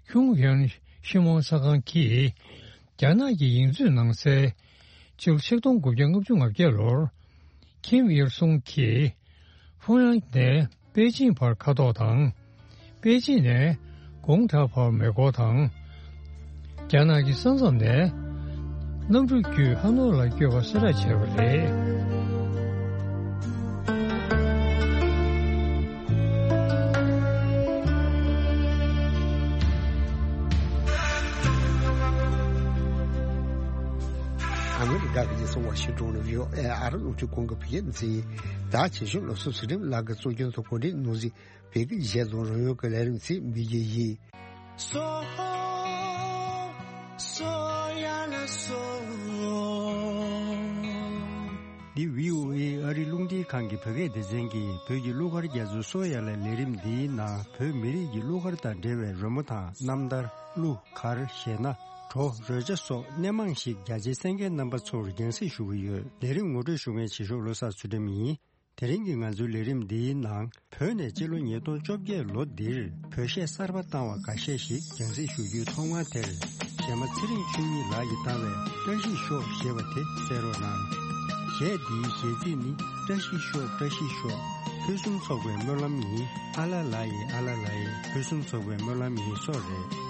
ཁྱུང་ཡོན་ཤི་མོན་གསར་ཁང་གིས་རྒྱ་ནག་གི་ཡིག་མཛོད་ནང་གསལ། ཕྱི་ལོ་ཆིག་སྟོང་དགུ་བརྒྱ་ལྔ་བཅུ་ང་བརྒྱད་ལོར་ཁིམ་ཨིལ་སུང་གིས་ཕུང་ཡང་ནས་པེ་ཅིན་བར་མཁའ་ཐོག་དང་། པེ་ཅིན་ནས་གུང་ཐང་བར་མེ་འཁོར་དང་། རྒྱ་ནག་གི་ས་མཚམས་ནས་གནམ་གྲུ་བརྒྱུད་ཧ་ནོ་ལ་བསྐྱོད་པ་གསལ་བསྒྲགས་བྱས་པ་རེད། ཨ་མི་རི་ཀ་གི་རྒྱལ་ས་ཝ་ཤིང་ཏོན་ནས་བྷི་ཨོ་ཨེ་ཨ་རིའི་རླུང་འཕྲིན་ཁང་གི་བོད་སྐད་སྡེ་ཚན་ཡིན། ད་ཆེ་ཤོས་ལོ་སུ་ཚུལ་ཁྲིམས་ལགས་ཀྱིས་གཙོ་སྐྱོང་དུ་གོ་སྒྲིག་གནང་ཟིན་བོད་ཀྱི་གཞས་དང་རོལ་དབྱངས་ཀྱི་ལས་རིམ་ཚིག་འབུལ་རྒྱུ་ཡིན། འདི་བྷི་ཨོ་ཨེ་ཨ་རི་རླུང་འཕྲིན་ཁང་གི་བོད་སྐད་སྡེ་ཚན་གྱིས་བོད་ཀྱི་གླུ་གར་རྒྱ་མཚོ་གསོ་ཡ་ལ་ལས་རིམ་འདིའི་ནང་བོད་མི་རིགས་ཀྱི་གླུ་གར་དང་འབྲེལ་བའི་རོལ་མོ་དང་རྣམ་ཐར། གླུ་གར་གཞས་སྣ། བྲོ་རོལ་ཆ་སོགས་སྣེ་མང་ཞིག་རྒྱ་ཆེའི་གསན་མཁན་རྣམ་པ་ཚོར་རྒྱང་སྲིང་ཞུ་གི་ཡོད། ལས་རིམ་ངོ་སྤྲོད་ཞུ་མཁན་བྱེད་ཤོག་བློ་བཟང་ཚུལ་ཁྲིམས་ཡིན། དེ་རིང་གི་ང་ཚོའི་ལས་རིམ་འདིའི་ནང་བོད་ནས་སྤྱི་ལོ་ཉིས་སྟོང་བཅོ་བརྒྱད་ལོ་འདིར་བོད་གཞས་གསར་པ་བཏང་བ་འགའ་ཤས་ཤིག་རྒྱང་སྲིང་ཞུ་རྒྱུའི་ཐོག་མ་དེར་གཞས་མ་ཚེ་རིང་ཆོས་ཉིད་ལགས་ཀྱིས་བཏང་བའི་བཀྲ་ཤིས་ཤོག་ཞེས་པ་དེ་གསན་རོགས་གནང་། གཞས་འདིའི་གཞས་ཚིག་ནི། བཀྲ་ཤིས་ཤོག་བཀྲ་ཤིས་ཤོག་ཕུན་སུམ་ཚོགས་པའི་སྨོན་ལམ་ཡིན། ཨ་ལ་ལ་ཡི་ཨ་ལ་ལ་ཡི་ཕུན་སུམ་ཚོགས་པའི་སྨོན་ལམ་ཡིན་སོགས་རེད།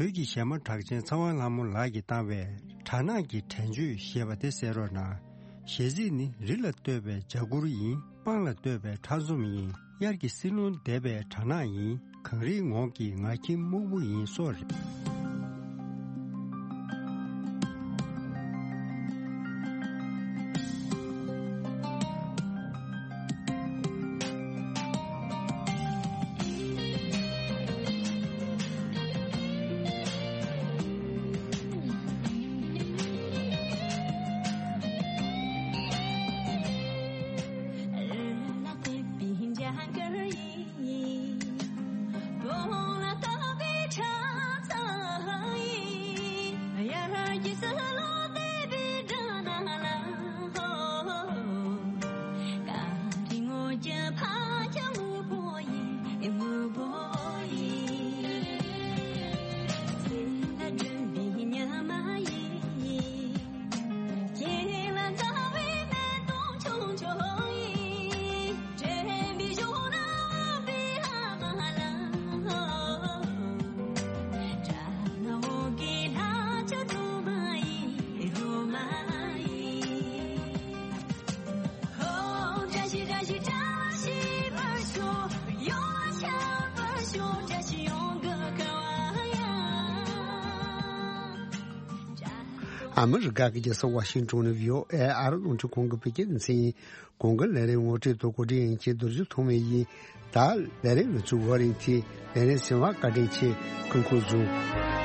བོད་ཀྱི་གཞས་མ་གྲགས་ཅན་ཚེ་དབང་ལྷ་མོ་ལགས་ཀྱིས་བཏང་བའི་སྦྲ་ནག་གི་དྲན་བརྗོད་ཞེས་པ་དེ་གསན་རོགས་གནང་། གཞས་ཚིག་ནི། རི་ལ་བསྟོད་པའི་འཇའ་གུར་ཡིན། སྤང་ལ་བསྟོད་པའི་ཁྲག་འཛོམས་ཡིན། དབྱར་གྱི་བསིལ་རླུང་འདེབས་པའི་སྦྲ་ནག་ཡིན། གངས་རིའི་ངོགས་ཀྱི་ང་ཁྱིམ་སྨུག་པོ་ཡིན་སོགས་རེད། ཨ་མི་རི་ཀ་གི་རྒྱལ་ས་ཝ་ཤིང་ཏོན་ནས་བྷི་ཨོ་ཨེ་ཨ་རི་རླུང་འཕྲིན་ཁང་གི་བོད་སྐད་སྡེ་ཚན་ཡིན། གོང་གི་ལས་རིམ་ངོ་སྤྲོད་དང་གོ་སྒྲིག་ཡིན་གྱི་རྡོ་རྗེ་ཐོགས་མེད་ཡིན། ད་ལས་རིམ་ལ་ཚུགས་བར་རིང་ཐེངས་ལས་རིམ་གསན་པར་བཀའ་དྲིན་ཆེ། སྐུ་ཁམས་བཟང་།